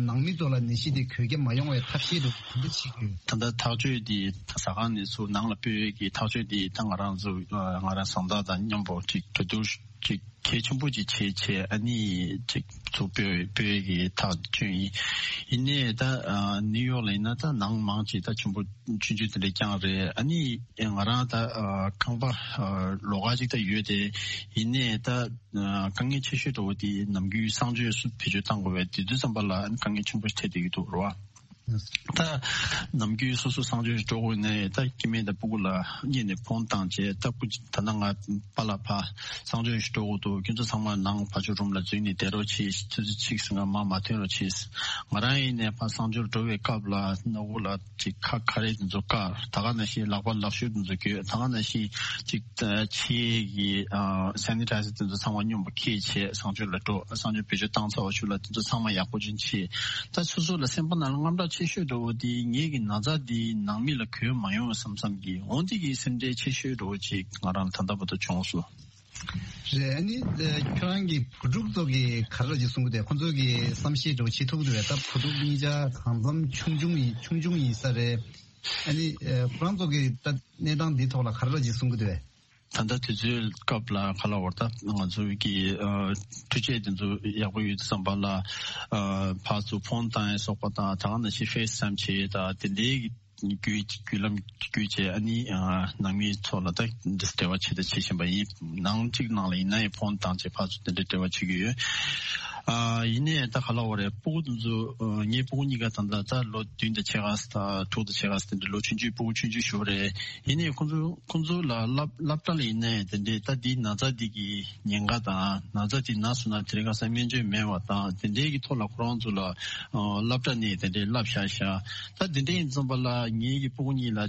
ནང་མི་ཚོ་ལ་ནད་གཞི་དེ་འགོས་ཀྱི་མ་ཡོང་བའི་ཐབས་ཤེས་དེ་ག་འདྲ་བྱེད་ཀྱི་ཡོད། ད་ལྟ་ཐག་གཅོད་དེ་ཟ་ཁང་ནས་ཚུར་ནང་ལ་སྤོས་ཀྱི་ཐག་གཅོད་དེ་ད་ང་རང་ཚོ་ང་རང་བཟའ་ཟླ་དང་མཉམ་པོ་ཅིག་གྲོས་བསྡུར་ཅིག་གལ་ཆེན་པོ་ཅིག་བྱས་བྱས་ཨ་ནི་ཅིག་ཚུར་སྤོས་སྤོས་ཀྱི་ཐག་གཅོད་ཡིན། ཡིན་ནའི་ད་ནིའུ་ཡོག་ལ་ཡིན་ན་ད་ནང་མང་ཅིག་ད་ཆེན་པོ་ཆུང་ཆུང་དེ་འདྲ་རྐྱང་རེད། ཨ་ནི་ང་རང་ད་ཁང་པ་ལོགས་ཀ་ཅིག་ད་ཡོད་དེ། ཡིན་ནའི་ད་དཀའ་ངལ་ཆེ་ཤོས་འདྲ་བོ་དེ་ནམ་རྒྱུན་གསང་སྤྱོད་སུ་བེད་སྤྱོད་བཏང་དགོས་པའི་དེ་དུས་ཙམ་པ་ལ་དཀའ་ངལ་ཆེན་པོ་འཕྲད་བསྡད་ཀྱི་འདུག་རེད་བ། ད་ནམ་རྒྱུན་སོ་སོ་གསང་སྤྱོད་འགྲོ་དགོས་ནའི་ད་སྐྱེ་དམན་དང་སྤུ་གུ་ལ་གཉིས་ནས་ཕོན་བཏང་བྱས། ད་སྤུ་ད་ལྟ་ང་པཱ་ལགས་ཕར་གསང་སྤྱོད་ཞིག་འགྲོ་དགོས་འདུག་ཁྱོད་ཚོ་ཚང་མ་ནང་ཕར་ཕྱོགས་རུམ་ལ་འཛུལ་ནས་བསྡད་རོགས་གྱིས། ཆུ་ཚོད་གཅིག་ཟིན་ག་མར་མ་ཐོན་རོགས་གྱིས། ང་རང་ཡིན་ནའི་ཕར་གསང་སྤྱོད་འགྲོ་བའི་སྐབས་ལ་སྣ་བུག་ལ་ཅིག་ཁ་ཁ་རས་དེ་ཚོ་བཀག་ད་ག་ནང་བཞིན་ལག་པ་ལག་ཤུབས་དེ་ཚོ་གྱོན། ད་ག་ནང་བཞིན་ཅིག་ཕྱིའི་གི་སེ་ནི་ཊའི་ཛར་དེ་ཚོ་ཚང་མ་སྙོམས་པོ་ཁྱེར་བྱས་གསང་སྤྱོད་ལ་འགྲོ། གསང་སྤྱོད་བེད་སྤྱོད་བཏང་ཚར་བ་ཞུ་ལ་དེ་ཚོ་ཚང་མ་ཡག་པོ་ཅིག་བྱས། ད་སོ་སོ་ལ་སེམས་པ་ནང་ལ་དངངས་སྐྲག་ཆེ་ཤོས་འདྲ་བོ་དེ་ངེད་ཀྱི་ན་ཚ་འདི་ནང་མི་ལ་འགོས་མ་ཡོང་བསམ་བསམ་གྱི་འོ་འདི་གི་སེམས་ཁྲལ་ཆེ་ཤོས་འདྲ་བོ་ཅིག་ང་རང་ལ་ད་ལྟ་བར་དུ་བྱུང་སོང་། རེད། ཨ་ནི་ཁྱོད་རང་གི་བུ་ཕྲུག་ཚོ་གི་ག་རེ་ཅིག་གསུང་གི་འདུག་ཁོ་ཚོ་གི་བསམ་ཤེས་འདྲ་བོ་བྱེད་ཐུབ་ཀྱི་འདུག་བས། ད་བུ་ཕྲུག་གཉིས་ཆ་གང་འཚམ་ཆུང་ཆུང་ཡིན་ཆུང་ཆུང་ཡིན་ས་རེད། ཨ་ནི་ཁོ་རང་ཚོ་གི་ད་གནས་སྟངས་འདི་ཐོག་ལ་ག་རེ་ཅིག་གསུང་གི་འདུག་བས། ད་ལྟ་དུས་ཚོད་སྐབས་ལ་ག་ལ་བར་ད་ང་ཚོ་གི་ཨ་འཕྲུལ་ཆས་དེ་ཚོ་ཡག་པོ་ཡོད་དུས་ཙམ་པ་ལ་ཨ་ཕར་ཚུར་ཕོན་བཏང་ཡས་སོགས་པ་དང་ད་ག་ནང་བཞིན་ཕེ་སི་ཊའིམ་བྱེད་ཡས་དང་དེ་འདྲའི་གི་བརྒྱུད་བརྒྱུད་ལམ་བརྒྱུད་བྱས་ཨ་ནི་ཨ་ནང་མི་ཚོ་ལ་ད་འབྲེལ་བ་བྱེད་ད་བྱེད་བཞིན་པ་ཡིན། ནང་གཅིག་ནང་ལ་ཡིན་ན་ཡང་ཕོན་བཏང་བྱས་ཕར་ཚུར་དེ་འདྲའི་འབྲེལ་བ་བྱེད་ཀྱི་ཡོད། ཨ་ཡིན་ནའི་ད་ག་ལ་བར་རེད། སྤུ་གུ་དེ་ཚོ་ཨ་ངའི་སྤུ་གུ་གཉིས་ཀ་ད་ལྟ་ད་ལོ་བདུན་དང་ཕྱེད་ཀ་ད་དྲུག་དང་ཕྱེད་ཀ་དེ་འདྲ་ལོ་ཆུང་ཆུང་སྤུ་གུ་ཆུང་ཆུང་ཞིག་རེད། ཡིན་ནའི་ཁོང་ཚོ་ཁོང་ཚོ་ལ་སློབ་སློབ་གྲྭ་ལ་ཡིན་ནའི་དེ་འདྲའི་ད་འདིའི་ན་ཚ་འདི་གི་ཉེན་ཁ་དང་ན་ཚ་འདི་ན་སོང་ན་དེ་རིང་ཁ་སང་སྨན་བཅོས་མེད་པ་དང་དེ་འདྲའི་གི་ཐོག་ལ་ཁོ་རང་ཚོ་ལ་ཨ་སློབ་གྲྭ་ནས་དེ་འདྲའི་བསླབ་བཞག་བཞག་ད་དེ་འདྲའི་ཡིན་ཙམ་པ་ལ་ངའི་གི་སྤུ་གུ་གཉིས་ལ་ཨ་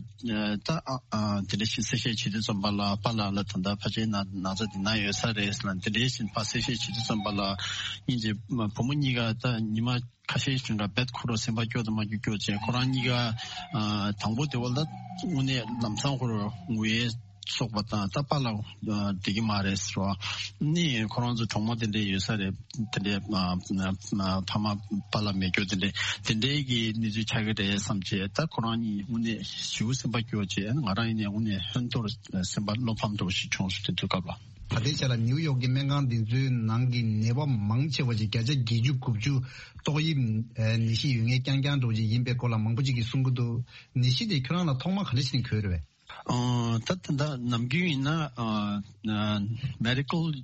ད་ཨ་ཨ་དེ་འདྲ་ཞིག་གསལ་བཤད་བྱེད་དུས་ཙམ་པ་ལ་པཱ་ལགས་ལ་ད་ལྟ་ཕལ་ཆེར་ན་ན་ཚ་འདི་ན་ཡོད་ས་རེད་ཟེར་ན་དེ་འདྲའི་ཞིག་ཕར་གསལ་བཤད་བྱེད་དུས་ཙམ་པ་ལ་སྙིང་རྗེ། བུ་མོ་གཉིས་ཀ་ད་ཉི་མ་ཁ་ཤས་ཤིག་ལ་རྦད་ཁོ་རང་སེམས་པ་སྐྱོ་དང་མ་སྐྱོ་སྐྱོ་བྱས། ཁོ་རང་གཉིས་ཀ་ཨ་དང་པོ་དེ་བ་ལ་དངོས་གནས་ལམ་སང་ཁོ་རང་ངུ་ཡས་སོགས་པ་དང་ད་པཱ་ལགས་ཨ་བདེ་གི་མ་རེད་ཟེར་བ་ནི་ཁོ་རང་ཚོ་གྲོགས་མོ་དེ་འདྲས་ཡོད་ས་རེད། དེ་འདྲས་ཨ་ཨ་ཕ་མ་པཱ་ལགས་མེད་སྐྱོ་དེ་འདྲས་དེ་འདྲས་ཀྱི་གནས་ཚུལ་ཆགས་ཀྱི་རེད་བསམ་བྱས། ད་ཁོ་རང་གཉིས་དངོས་གནས་ཞེ་པོ་སེམས་པ་སྐྱོ་བྱས། ང་རང་ཡིན་ནའི་དངོས་གནས་ཧོན་ཐོར་སེམས་པ་བློ་ཕམ་འདྲ་བོ་ཞིག་བྱུང་སོང་དེ་དུས་སྐབས་ལ། ད་ལྟའི་ཆ་ལ་ནིའུ་ཡོག་གི་སྨན་ཁང་འདི་ཚོའི་ནང་གི་ནད་པ་མང་ཆེ་བ་ཞིག་བརྒྱ་ཆ་བརྒྱད་ཅུ་དགུ་བཅུ་ཏོག་དབྱིབས་ནད་གཞི་ཡོད་མཁན་རྐྱང་རྐྱང་འདྲ་བོ་ཅིག་ཡིན་པའི་སྐོར་ལ་མང་པོ་ཅིག་གིས་གསུང་གི་འདུག་ནད་གཞི་དེ་ཁྱོད་རང་ལ་ཐོག་མ་ག་འདྲ་ཞིག་ནས་འགོས་རེད་པས། ཨ་ད་ད་ད་ནམ་རྒྱུན་ཡིན་ན་ཨ་ཨ་མེ་ཌི་ཀལ་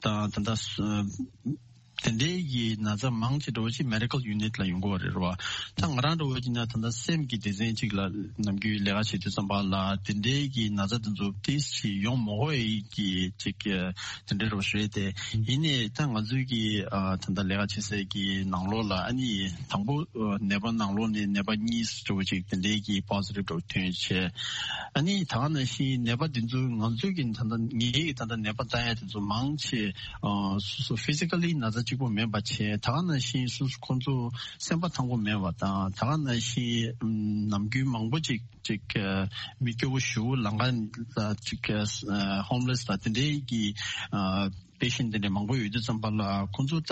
དང་ད་ད་དེ་འདྲའི་གི་ན་ཚ་མང་ཆེ་འདྲ་བོ་ཅིག་མེ་ཌི་ཀལ་ཡུ་ནིཊ་ལ་ཡོང་གི་ཡོད་རེད་རེད་བ། ད་ང་རང་འདྲ་བོ་ཅིག་ན་ད་ལྟ་སེམས་ཀྱི་སྡེ་ཚན་ཅིག་ལ་ནམ་རྒྱུན་ལས་ཀ་བྱེད་དུས་ཙམ་པ་ལ་དེ་འདྲའི་གི་ན་ཚ་དེ་ཚོ་ཏིས་ཅིག་ཡོང་མ་དགོས་ཡས་ཀྱི་ཅིག་དེ་འདྲ་འདྲ་བོ་ཞིག་རེད་དེ། ཡིན་ནའི་ད་ང་ཚོའི་གི་ཨ་ད་ལྟ་ལས་ཀ་བྱེད་སའི་གི་ནང་ལོགས་ལ་ཨ་ནི་དང་པོ་ཨ་ནད་པ་ནང་ལོགས་ནས་ནད་པ་གཉིས་འདྲ་བོ་ཅིག་དེ་འདྲའི་གི་པོ་ཛི་ཊིབ་འདྲ་བོ་ཐོན་བྱས། ཨ་ནི་ད་ག་ནང་བཞིན་ནད་པ་དེ་ཚོ་ང་ཚོའི་གི་ད་ལྟ་ངའི་གི་ད་ལྟ་ནད་པ་ལྟ་ཡ་དེ་ཚོ་མང་ཆེ་ཨ་སོ་སོ་ཕི་ཛི་ཀ་ལི་ན་ཚ་གཅིག་པོ་མེད་པ་བྱས། ད་ག་ནང་བཞིན་སོ་སོ་ཁོང་ཚོ་སེམས་པ་ཐང་པོ་མེད་པ་དང་། ད་ག་ནང་བཞིན་ཨམ་ནམ་རྒྱུན་མང་པོ་ཅིག་ཅིག་ཨ་མི་སྐྱོ་བོ་ཞེ་པོ་ལམ་ཁ་ལ་ཅིག་ཨ་ཧོམ་ལེ་སི་དང་དེ་འདྲའི་གི་ཨ་པེ་ཤེན་ཊི་དེ་འདྲ་མང་པོ་ཡོད་དུས་ཙམ་པ་ལ་ཁོང་ཚོ་ད་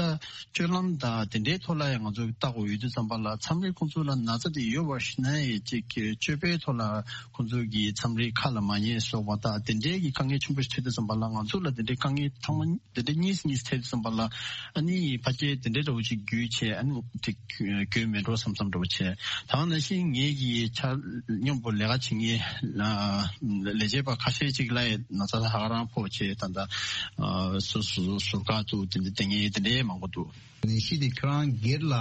སྤྱོད་ལམ་དང་དེ་འདྲའི་ཐོག་ལ་ཡང་ང་ཚོ་བལྟ་དགོས་ཡོད་དུས་ཙམ་པ་ལ་མཚམས་རེ་ཁོང་ཚོ་ལ་ན་ཚ་དེ་ཡོད་པ་ཤེས་ནའི་ཅིག་གི་སྤྱོད་པའི་ཐོག་ལ་ཁོང་ཚོ་གི་མཚམས་རེ་ཁ་ལ་མ་ཉན་སོགས་པ་དང་དེ་འདྲའི་གི་དཀའ་ངལ་ཆེན་པོ་ཞིག་འཕྲད་དུས་ཙམ་པ་ལ་ང་ཚོ་ལ་དེ་འདྲའི་དཀའ་ངལ་ཚང་མ་དེ་འདྲ་གཉིས་གཉིས་ཐེབས་ཙམ་པ་ལ་ཨ་ནི་ཕལ་ཆེར་དེ་འདྲའི་འདྲ་བོ་ཅིག་རྒྱུས་ཆེ་ཨ་ནི་དེ་རྒྱུས་མེད་འགྲོ་བསམ་བསམ་འདྲ་བོ་ཆེ། ད་ག་ནང་བཞིན་ངེད་ཀྱི་ཆ་མཉམ་པོ་ལས་ཀ་བྱེད་མཁན་ལས་བྱེད་པ་ཁ་ཤས་ཅིག་ལ་ཡང་ན་ཚ་ཧ་ཧ་རང་ཕོག་བྱས་ད་ལྟ་སོ་སོ་ཟུར་བཀག་འདུག་དེ་འདྲ་དེ་ངེད་དེ་འདྲའི་མང་པོ་འདུག་ནད་གཞི་དེ་ཁྱོད་རང་སྒེར་ལ་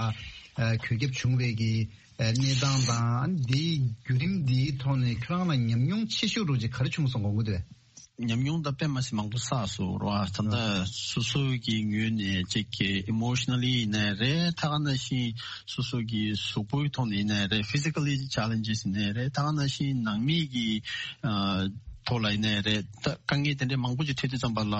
འགོས་ཁྱབ་བྱུང་བའི་གི་གནས་སྟངས་དང་འདིའི་བརྒྱུད་རིམ་འདིའི་ཐོག་ནས་ཁྱོད་རང་ལ་ཉམས་མྱོང་ཆེ་ཤོས་འདྲ་བོ་ཅིག་ག་རེ་བྱུང་སོང་དགོངས་ཀྱི་འདུག་ཉམས་མྱོང་ད་དཔེ་མ་སྲིད་མང་པོ་བསགས་སོང་ར། ད་ལྟ་སོ་སོ་གི་ངོས་ནས་ཅིག་གི་ཨི་མོ་ཤི་ན་ལི་ཡིན་ནའི་རེད། ད་ག་ནང་བཞིན་སོ་སོ་གི་གཟུགས་པོའི་ཐོག་ནས་ཡིན་ནའི་རེད། ཕི་ཛི་ཀ་ལི་ཆེ་ལེན་ཇེ་སི་ཡིན་ནའི་རེད། ད་ག་ནང་བཞིན་ནང་མི་གི་ཨ་ སྐོར་ལ་ཡིན་ནའི་རེད། ད་དཀའ་ངལ་དེ་འདྲའི་མང་པོ་ཅིག་འཕྲད་དུས་ཙམ་པ་ལ།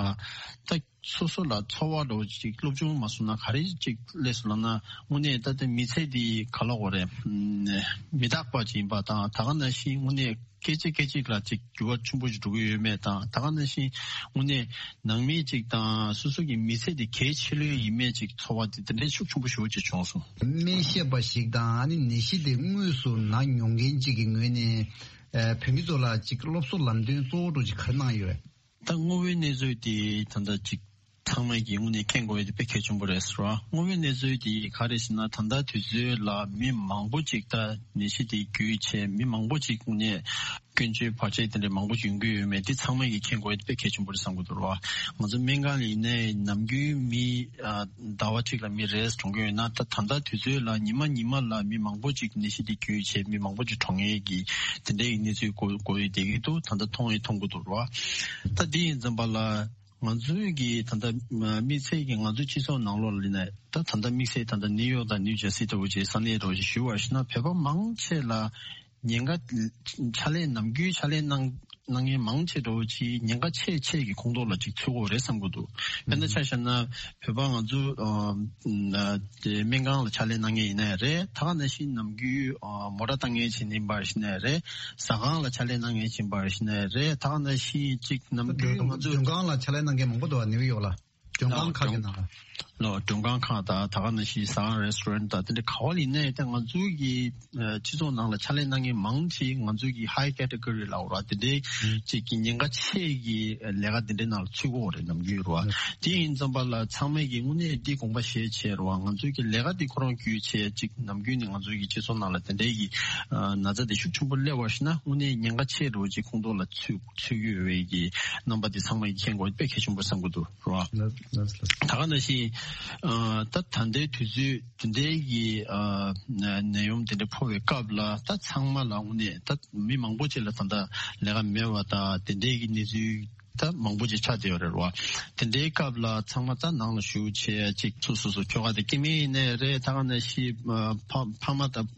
ད་སོ་སོ་ལ་ཚོར་བ་འདྲ་བོ་ཅིག་སློབ་སྦྱོང་མ་སོང་ན་ག་རེ་ཅིག་སླེབས་སོང་ལབ་ན། དངོས་གནས་ད་ལྟ་མི་ཚེ་འདི་ག་ལ་གོ་རེད། མི་རྟག་པ་ཅིག་ཡིན་པ་དང་། ད་ག་ནང་བཞིན་དངོས་གནས་སྐད་ཅིག་སྐད་ཅིག་ལ་ཅིག་འགྱུར་བ་ཆེན་པོ་ཞིག་འགྲོ་གི་ཡོད་མེད་དང་། ད་ག་ནང་བཞིན་དངོས་གནས་ནང་མི་ཅིག་དང་སོ་སོ་གི་མི་ཚེ་འདི་གལ་ཆེ་ལོས་ཡིན་མེད་ཅིག་ཚོར་བ་དེ་དེ་འདྲའི་ཤུགས་ཆེན་པོ་ཞེ་པོ་ཅིག་བྱུང་སོང་། སྨན་ཞབས་པ་ཞིག་དང་ཨ་ནི་ནད་གཞི་དེ་དངོས་སུ་ན་མྱོང་མཁན་ཅིག་གི་ངོས་ནས་ཨ་བོད་མི་ཚོ་ལ་ཅིག་སློབ་གསོ་ལམ་སྟོན་གཙོ་བོ་འདྲ་ཅིག་ག་རེ་གནང་ཡོད། ད་དངོས་པོའི་གནས་ཚུལ་དེ་ད་ལྟ་ཅིག་ཚང་མས་ཀྱིས་དངོས་གནས་མཁྱེན་དགོས་ཡ་དེ་དཔེ་གལ་ཆེན་པོ་རེད་ཟེར་བ། དངོས་པོའི་གནས་ཚུལ་དེ་ག་རེ་ཟེར་ན། ད་ལྟ་དུས་ཚོད་ལ་མི་མང་པོ་ཅིག་ད་ནད་གཞི་དེ་བརྒྱུད་བྱས། མི་མང་པོ་ཅིག་དངོས་གནས་སྐྱོན་བརྗོད་བར་ཆད་དེ་འདྲ་མང་པོ་ཅིག་ཡོང་གི་ཡོད་མེད་དེ་ཚང་མས་ཀྱིས་མཁྱེན་དགོས་ཡ་དེ་དཔེ་གལ་ཆེན་པོ་རེད་བསམ་གྱི་འདུག་ར། ང་ཚོ་སྨན་ཁང་ལ་ཡིན་ནའི་ནམ་རྒྱུན་མི་ཨ་ཟླ་བ་གཅིག་ལ་མི་རེ་ཟུང་གྲོངས་ཀྱི་ཡོད་ན། ད་ད་ལྟ་དུས་ཚོད་ལ་ཉི་མ་ཉི་མ་ལ་མི་མང་པོ་ཅིག་ནད་གཞི་དེ་བརྒྱུད་བྱས་མི་མང་པོ་ཅིག་གྲོངས་ཡས་ཀྱི་དེ་འདྲའི་གནས་ཚུལ་གོ་གོ་ཡི་བསྡད་ཀྱི་འདུག་ད་ལྟ་མཐོང་ཡི་མཐོང་གི་འདུག་ར། ད་འདི་ཡིན་ཙམ་པ་ལ། ང་ཚོའི་གི་ད་ལྟ་དམིགས་བསལ་གྱི་ང་ཚོའི་སྤྱི་ཚོགས་ནང་ལོགས་ལ་ཡིན་ན། ད་ད་ལྟ་དམིགས་བསལ་ད་ལྟ་ནིའུ་ཡོག་དང་ནིའུ་ཇར་སི་ལྟ་བུ་ཅིག་ས་གནས་འདྲ་བོ་ཅིག་ཞུ་བ་ཞིག་ན། བོད་པ་མང་ཆེ་ལ་ཉེན་ཁ་ཕྱག་ལས་ནམ་རྒྱུན་ཕྱག་ལས་གནང་གནང་མཁན་མང་ཆེ་འདྲ་བོ་ཅིག་ཉེན་ཁ་ཆེ་ཆེ་གི་ཁོངས་གཏོགས་ལ་ཅིག་ཚུད་ཀྱི་ཡོད་རེད་བསམ་གྱི་འདུག་དཔེར་ན་ཆ་བཞག་ན། བོད་པ་ང་ཚོ་ཨ་ཨ་དེ་སྨན་ཁང་ལ་ཕྱག་ལས་གནང་མཁན་ཡིན་ནའི་རེད། ད་ག་ནང་བཞིན་ནམ་རྒྱུན་ཨ་མོ་ཊ་བཏང་མཁན་ཅིག་ཡིན་པ་ཞིག་ནའི་རེད། ཟ་ཁང་ལ་ཕྱག་ལས་གནང་མཁན་ཅིག་ཡིན་པ་ཞིག་ནའི་རེད། ད་ག་ནང་བཞིན་ཅིག་ནམ་རྒྱུན་ང་ཚོ་མགྲོན་ཁང་ལ་ཕྱག་ལས་གནང་མཁན་མང་པོ་འདུག་བ། ནིའུ་ཡོག་ལ་མགྲོན་ཁང་ཁག་གི་ནང་ལ། ལོ་མགྲོན་ཁང་ཁག་དང་། ད་ག་ནང་བཞིན་ཟ་ཁང་རེ་སི་ཊོ་རན་དང་དེ་འདྲ་ག་བ་ལ་ཡིན་ནའི། ད་ང་ཚོའི་གི་ཨ་སྤྱི་ཚོགས་ནང་ལ་ཕྱག་ལས་གནང་མཁན་མང་ཆེ་ང་ཚོའི་གི་ཧའི་ཀེ་ཊི་གོ་རི་ལབ་དགོས་རེད་བ། དེ་འདྲའི་ཅིག་གི་ཉེན་ཁ་ཆེ་གི་ལས་ཀ་དེ་འདྲའི་ནང་ལ་ཚུད་ཀྱི་ཡོད་རེད། ནམ་རྒྱུན་རེད་བ། དེ་ཡིན་ཙམ་པ་ལ་ཚང་མས་ཀྱི་དངོས་གནས་འདི་དགོངས་པ་བཞེས་བྱས་རེད་བ། ང་ཚོའི་གི་ལས་ཀ་འདི་ཁོ་རང་བརྒྱུད་བྱས་ཅིག་ནམ་རྒྱུན་ནས་ང་ཚོའི་གི་སྤྱི་ཚོགས་ནང་ལ་དེ་འདྲའི་གི་ཨ་ན་ཚ་དེ་ཤུགས་ཆེན་པོ་སླེབས་པ་ཞིག་ན། དངོས་གནས་ཉེན་ཁ་ཆེ་འདྲ་བོ་ཅིག་ཁོངས་གཏོགས་ལ་ཚུད་ཚུད་ཀྱི་ཡོད་པའི་གི་རྣམ་པ་དེ་ཚང་མས་མཁྱེན་དགོས་དཔེ་གལ་ཆེན་པོ་བསམ་གྱི་འདུག་རེད་བ། ལགས་ལགས་ལགས། ད་ག་ནང་བཞིན་ཨ་ད་ད་ལྟའི་དུས་ཚོད་དེ་འདྲའི་གི་ཨ་ན་ནད་ཡམས་དེ་འདྲ་ཕོག་པའི་སྐབས་ལ། ད་ཚང་མ་ལ་དངོས་གནས་ད་མི་མང་པོ་ཅིག་ལ་ད་ལྟ་ལས་ཀ་མེད་པ་དང་དེ་འདྲའི་གི་གནས་ཚུལ་ད་མང་པོ་ཅིག་ཆགས་བསྡད་ཡོད་རེད་བ། དེ་འདྲའི་སྐབས་ལ་ཚང་མ་ད་ནང་ལ་བཞུགས་བྱས་ཅིག་སོ་སོ་སོ་ཁྱོ་ག་དེ་སྐྱེ་དམན་ཡིན་ནའི་རེད། ད་ག་ནང་བཞིན་ཨ་ཕ་ཕ་མ་དང་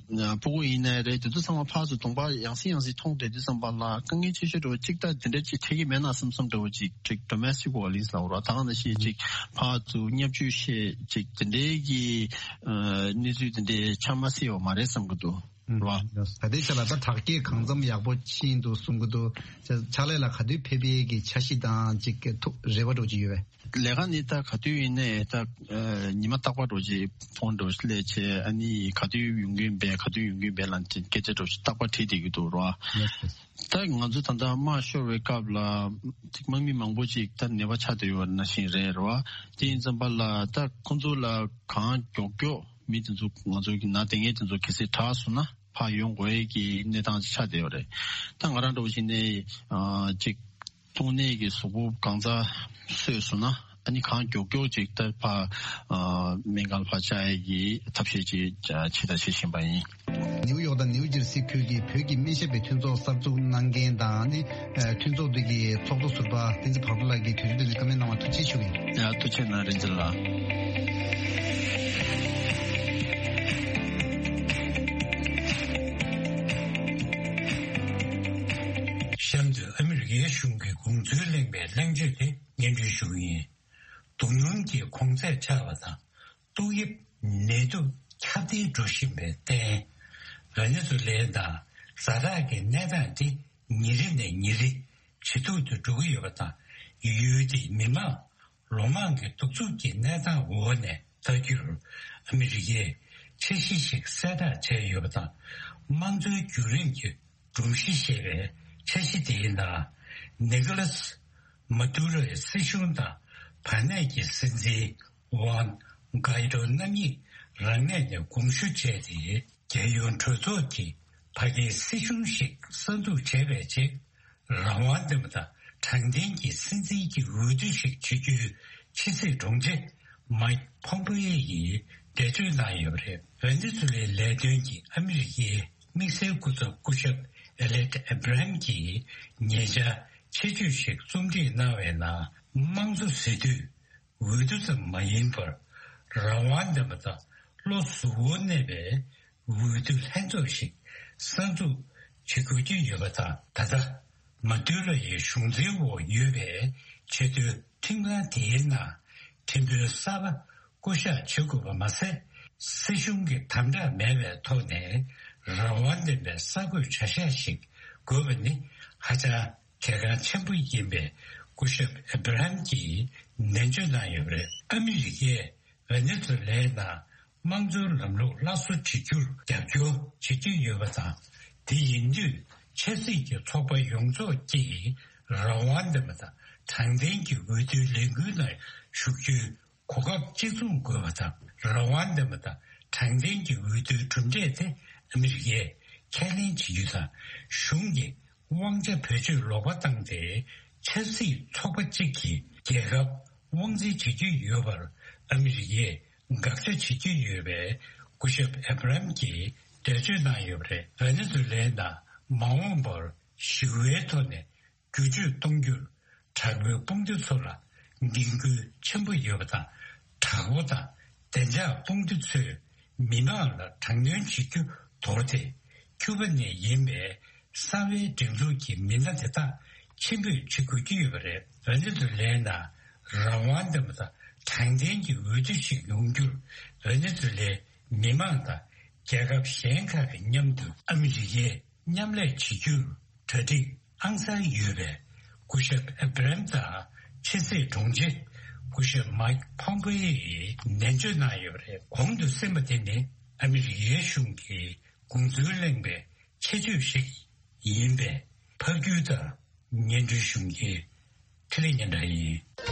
ཕྲུ་གུ་ཡིན་ནའི་རེད། དེ་ཚོ་ཚང་མ་ཕར་ཚུར་གདོང་པ་ཡང་སེ་ཡང་སེ་མཐོང་བསྡད་དུས་ཙམ་པ་ལ། དཀའ་ངལ་ཆེ་ཤོས་འདྲ་བོ་ཅིག་ད་དེ་འདྲ་ཅིག་འཕྲད་ཀྱི་མེད་ན་བསམ་བསམ་འདྲ་བོ་ཅིག་ཅིག་ཌོ་མེ་སི་ཊིག་ཝ་ཡོ་ལེན་སི་ལབ་དགོས་རེད་བ། ད་ག་ནང་བཞིན་ཅིག་ཕར་ཚུར་བརྙས་བཅོས་བྱས་ཅིག་དེ་འདྲའི་གི་ཨ་གནས་ཚུལ་དེ་འདྲའི་ཆགས་མ་སྲིད་པ་མ་རེད་བསམ་གྱི་འདུག་རེད་བ། ད་ལྟའི་ཆ་ལ་ད་དྲག་སྐྱེད་གང་འཚམ་ཡག་པོ་ཕྱིན་འདུག་གསུང་གི་འདུག་ཕྱག་ལས་ལ་ག་དུས་ཕེབས་པའི་གི་འཆར་གཞི་དང་ཅིག་ཐུགས་རེ་བ་འདྲ་བོ་ཅིག་ཡོད་པས། ལས་ཀ་ནི་ད་ག་དུས་ཡིན་ནའི་ད་ཨ་ཉི་མ་རྟག་པར་འདྲ་བོ་ཅིག་ཕོན་འདྲ་བོ་ཅིག་སླེབས་བྱས། ཨ་ནི་ག་དུས་ཡོང་གི་ཡིན་པས་ག་དུས་ཡོང་གི་ཡིན་པས་ལབ་ཅིག་སྐད་ཆ་འདྲ་བོ་ཅིག་རྟག་པར་དྲིས་བསྡད་ཀྱི་འདུག་རེད་བ། ད་ང་ཚོ་ད་ལྟ་དམག་ཤོར་བའི་སྐབས་ལ་ཅིག་དམག་མི་མང་པོ་ཅིག་ད་ནད་པ་ཆགས་བསྡད་ཡོད་པ་ནང་བཞིན་རེད་རེད་བ། དེ་ཡིན་ཙམ་པ་ལ་ད་ཁོང་ཚོ་ལ་གང་མགྱོགས་མགྱོགས་མི་དེ་ཚོ་ང་ཚོ་གི་ནང་དེ་ངས་དེ་ཚོ་གལ་སྲིད་དྲག་སོང་ན་ཕར་ཡོང་དགོས་ཀྱི་གནས་སྟངས་ཆགས་བསྡད་ཡོད་རེད། ད་ང་རང་འདྲ་བོ་ཞིག་ནས་ཨ་ཅིག་གཏོང་ནས་ཀྱི་གཟུགས་པོ་གང་ཚ་སོས་སོང་ན། ཨ་ནི་གང་མགྱོགས་མགྱོགས་ཅིག་ད་ཕར་ཨ་སྨན་ཁང་ལ་ཕར་བཅར་ཡས་ཀྱི་ཐབས་ཤེས་ཅིག་བྱེད་དང་བྱེད་བཞིན་པ་ཡིན། ནིའུ་ཡོག་དང་ནིའུ་ཇར་སི་ཁུལ་གྱི་བོད་ཀྱི་སྨན་ཞབས་པའི་མཐུན་ཚོགས་གསར་འཛུགས་གནང་མཁན་དང་ནི་ཨ་མཐུན་ཚོགས་འདི་གི་ཚོགས་གཙོ་ཟུར་པ་བསྟན་འཛིན་བག་དྲོ་ལགས་ཀྱིས་དུས་ཚོད་འདི་ནས་བཀའ་མོལ་གནང་བར་ཐུགས་རྗེ་ཆེ་ཞུ་གི་ཡིན། ཡ་ཐུགས་རྗེ་གནང་རིན་ཆེན་ལགས། གཤམ་དུ་ཨ་མི་རི་ཀའི་གཞུང་གི་དགོངས་ཚུལ་གླེང་བའི་གླེང་བརྗོད་དེ་སྙན་སྒྲོན་ཞུ་གི་ཡིན། དོ་སྣང་གི་གོང་ཚད་ཆག་པ་དང་། ཏོག་དབྱིབས་ནད་དུག་ཁྱབ་གདལ་འགྲོ་བཞིན་པའི་རྟེན། ཝེ་ནེ་ཛུ་ལའི་དང་ཛ་དྲག་གི་གནས་སྟངས་དེ་ཉིན་རེ་ནས་ཉིན་རེ་ཇེ་སྡུག་ཏུ་འགྲོ་གི་ཡོད་པ་དང་། ཡུལ་དེའི་མི་མང་ལོ་མང་གི་གདུག་རྩུབ་ཀྱི་གནས་སྟངས་འོག་ནས་ཐར་རྒྱུར་ཨ་མི་རི་ཀས་འཆར་གཞི་ཞིག་གསལ་བསྒྲགས་བྱས་ཡོད་པ་དང་། དམངས་གཙོའི་བརྒྱུད་རིམ་གྱི་སྒྲོམ་གཞི་ཞེས་པའི་འཆར་གཞི་དེའི་ནང་། ནི་ཀོ་ལཱས་མ་དུ་རོའི་སྲིད་གཞུང་དང་བར་གནས་ཀྱི་སྲིད་འཛིན་ཝན་གྷའི་ཏོ་རྣམ་གཉིས་རང་གནས་ནས་དགོངས་ཞུ་བྱས་ཏེ། རྒྱལ་ཡོངས་གྲོས་ཚོགས་ཀྱིས་ཕ་གིའི་སྲིད་གཞུང་ཞིག་གསར་འཛུགས་བྱས་པའི་རྗེས། རང་དབང་ལྡན་པ་དང་དྲང་བདེན་གྱི་སྲིད་འཛིན་གྱི་འོས་བསྡུ་ཞིག་བྱེད་རྒྱུའི་ཕྱི་སྲིད་དྲུང་ཆེ་མའིག་ཕོམ་པེ་ཡོ་ཡིས་འགྲེལ་བརྗོད་གནང་ཡོད་པ་རེད། ཝེ་ནེ་ཛུ་ལའི་ལས་དོན་གྱི་ཨ་མི་རི་ཀའི་དམིགས་བསལ་སྐུ་ཚབ་སྐུ་ཞབས་ཨེ་ལེག་ཨེ་བྷ་རམ་གྱིས་ཉེ་ཆར་ཆེད་བརྗོད་ཞིག་རྩོམ་སྒྲིག་གནང་བའི་ནང་། དམངས་གཙོ་ཟེར་དུས་འོས་བསྡུ་ཙམ་མ་ཡིན་པར། རང་དབང་ལྡན་པ་དང་བློ་གཟུ་བོར་གནས་པའི་འོས་བསྡུ་ལྷན་ཚོགས་ཤིག་གསར་འཛུགས་བྱེད་དགོས་ཀྱི་ཡོད་པ་དང་། ད་ལྟ་ མ་དུ་ལ་ཡི་གཞུང་འཛིན་འོག་ཡོད་པའི་ཆེས་མཐོའི་ཁྲིམས་ཁང་དེའི་ནང་ཁྲིམས་དཔོན་གསར་པ་བསྐོ་གཞག་བྱེད་དགོས་པ་མ་ཟད། སྲིད་གཞུང་གི་དམ་དྲག་མེད་པའི་ཐོག་ནས་རང་དབང་ལྡན་པའི་གསར་འགོད་བྱ་གཞག་ཞིག་དགོས་པ་ནི་ཧ་ཅང་གལ་འགངས་ཆེན་པོ་ཡིན་པའི་སྐུ་ཞབས་ཨེ་བྷ་ར་ཧམ་གྱིས་ནན་བརྗོད་གནང་ཡོད་པ་རེད། ཨ་མི་རི་ཀས་ཝེ་ནེ་ཛུ་ལའི་ནང་དམངས་གཙོའི་ལམ་ལུགས་སླར་གསོ་བྱེད་རྒྱུར་རྒྱབ་སྐྱོར་བྱེད་ཀྱི་ཡོད་པ་དང་། དེ་ཡིན་དུས་ཆབ་སྲིད་ཀྱི་ཚོགས་པ་ཡོངས་རྫོགས་ཀྱིས་རང་དབང་ལྡན་པ་དང་དྲང་བདེན་གྱི་འོས་བསྡུའི་ལས་འགུལ་ནང་ཞུགས་རྒྱུའི་གོ་སྐབས་གཅིག་མཚུངས་དགོས་པ་དང་། རང་དབང་ལྡན་པ་དང་དྲང་བདེན་གྱི་འོས་བསྡུའི་གྲུབ་འབྲས་དེ་ཨ་མི་རི་ཀས་ཁས་ལེན་བྱེད་རྒྱུ་དང་། གཞུང་གིས་དབང་ཆ་བེད་སྤྱོད་ལོག་པ་བཏང་སྟེ་ཆབ་སྲིད་ཚོགས་པ་གཅིག་གིས་རྒྱལ་ཁབ་དབང་འཛིན་བྱེད་ཀྱི་ཡོད་པར་ཨ་མི་རི་ཀས་དགག་བྱ་བྱེད་ཀྱི་ཡོད་པའི་སྐུ་ཞབས་ཨེ་བྷ་ར་ཧམ་གྱིས་འགྲེལ་བརྗོད་གནང་ཡོད་པ་རེད། ཝེ་ནེ་ཛུ་ལའི་ནང་མ་འོངས་པར་ཞི་བའི་ཐོག་ནས་བསྒྱུར་བཅོས་གཏོང་རྒྱུར་དྲག་པོའི་དཔུང་སྡེ་ཚོ་ལ་འགན་ཁུར་ཆེན་པོ་ཡོད་པ་དང་། དྲག་པོ་དང་བདེ་འཇགས་དཔུང་སྡེ་ཚོས་མི་མང་ལ་དྲག་གནོན་བྱེད་རྒྱུ་དོར་ཏེ། ཁྱུ་པ་ནས་ཡིན་པའི་གསང་བའི་སྒྲིག་འཛུགས་ཀྱི་མི་སྣ་དེ་དག་ཕྱིར་འབུད་བྱེད་དགོས་ཀྱི་ཡོད་པ་རེད། ཝེ་ནེ་ཛུ་ལའི་ནང་རང་དབང་ལྡན་པ་དང་དྲང་བདེན་གྱི་འོས་བསྡུ་ཞིག་ཡོང་རྒྱུར་ཝེ་ནེ་ཛུ་ལའི་མི་མང་དང་རྒྱལ་ཁབ་གཞན་ཁག་གི་མཉམ་དུ་ཨ་མི་རི་ཀས་མཉམ་ལས་བྱེད་རྒྱུར་གྲ་སྒྲིག་ཨང་གསར་ཡོད་པའི་སྐུ་ཞབས་ཨེ་བྷ་ར་ཧམ་དང་ཕྱི་སྲིད་དྲུང་ཆེ་སྐུ་ཞབས་མཱིག་ཕོམ་པེ་ཡིས་ནན་བརྗོད་གནང་ཡོད་པ་རེད། གོང་དུ་གསན་པ་དེ་ནི་ཨ་མི་རི་ཀའི་གཞུང་གི་དགོངས་ཚུལ་གླེང་བའི་ཆེད་བརྗོད་ཞིག་ཡིན་པས། ཕབ་སྒྱུར་དང་སྙན་སྒྲོན་ཞུ་མཁན་འཕྲིན་ལས་སྙན་གྲགས་ཡིན།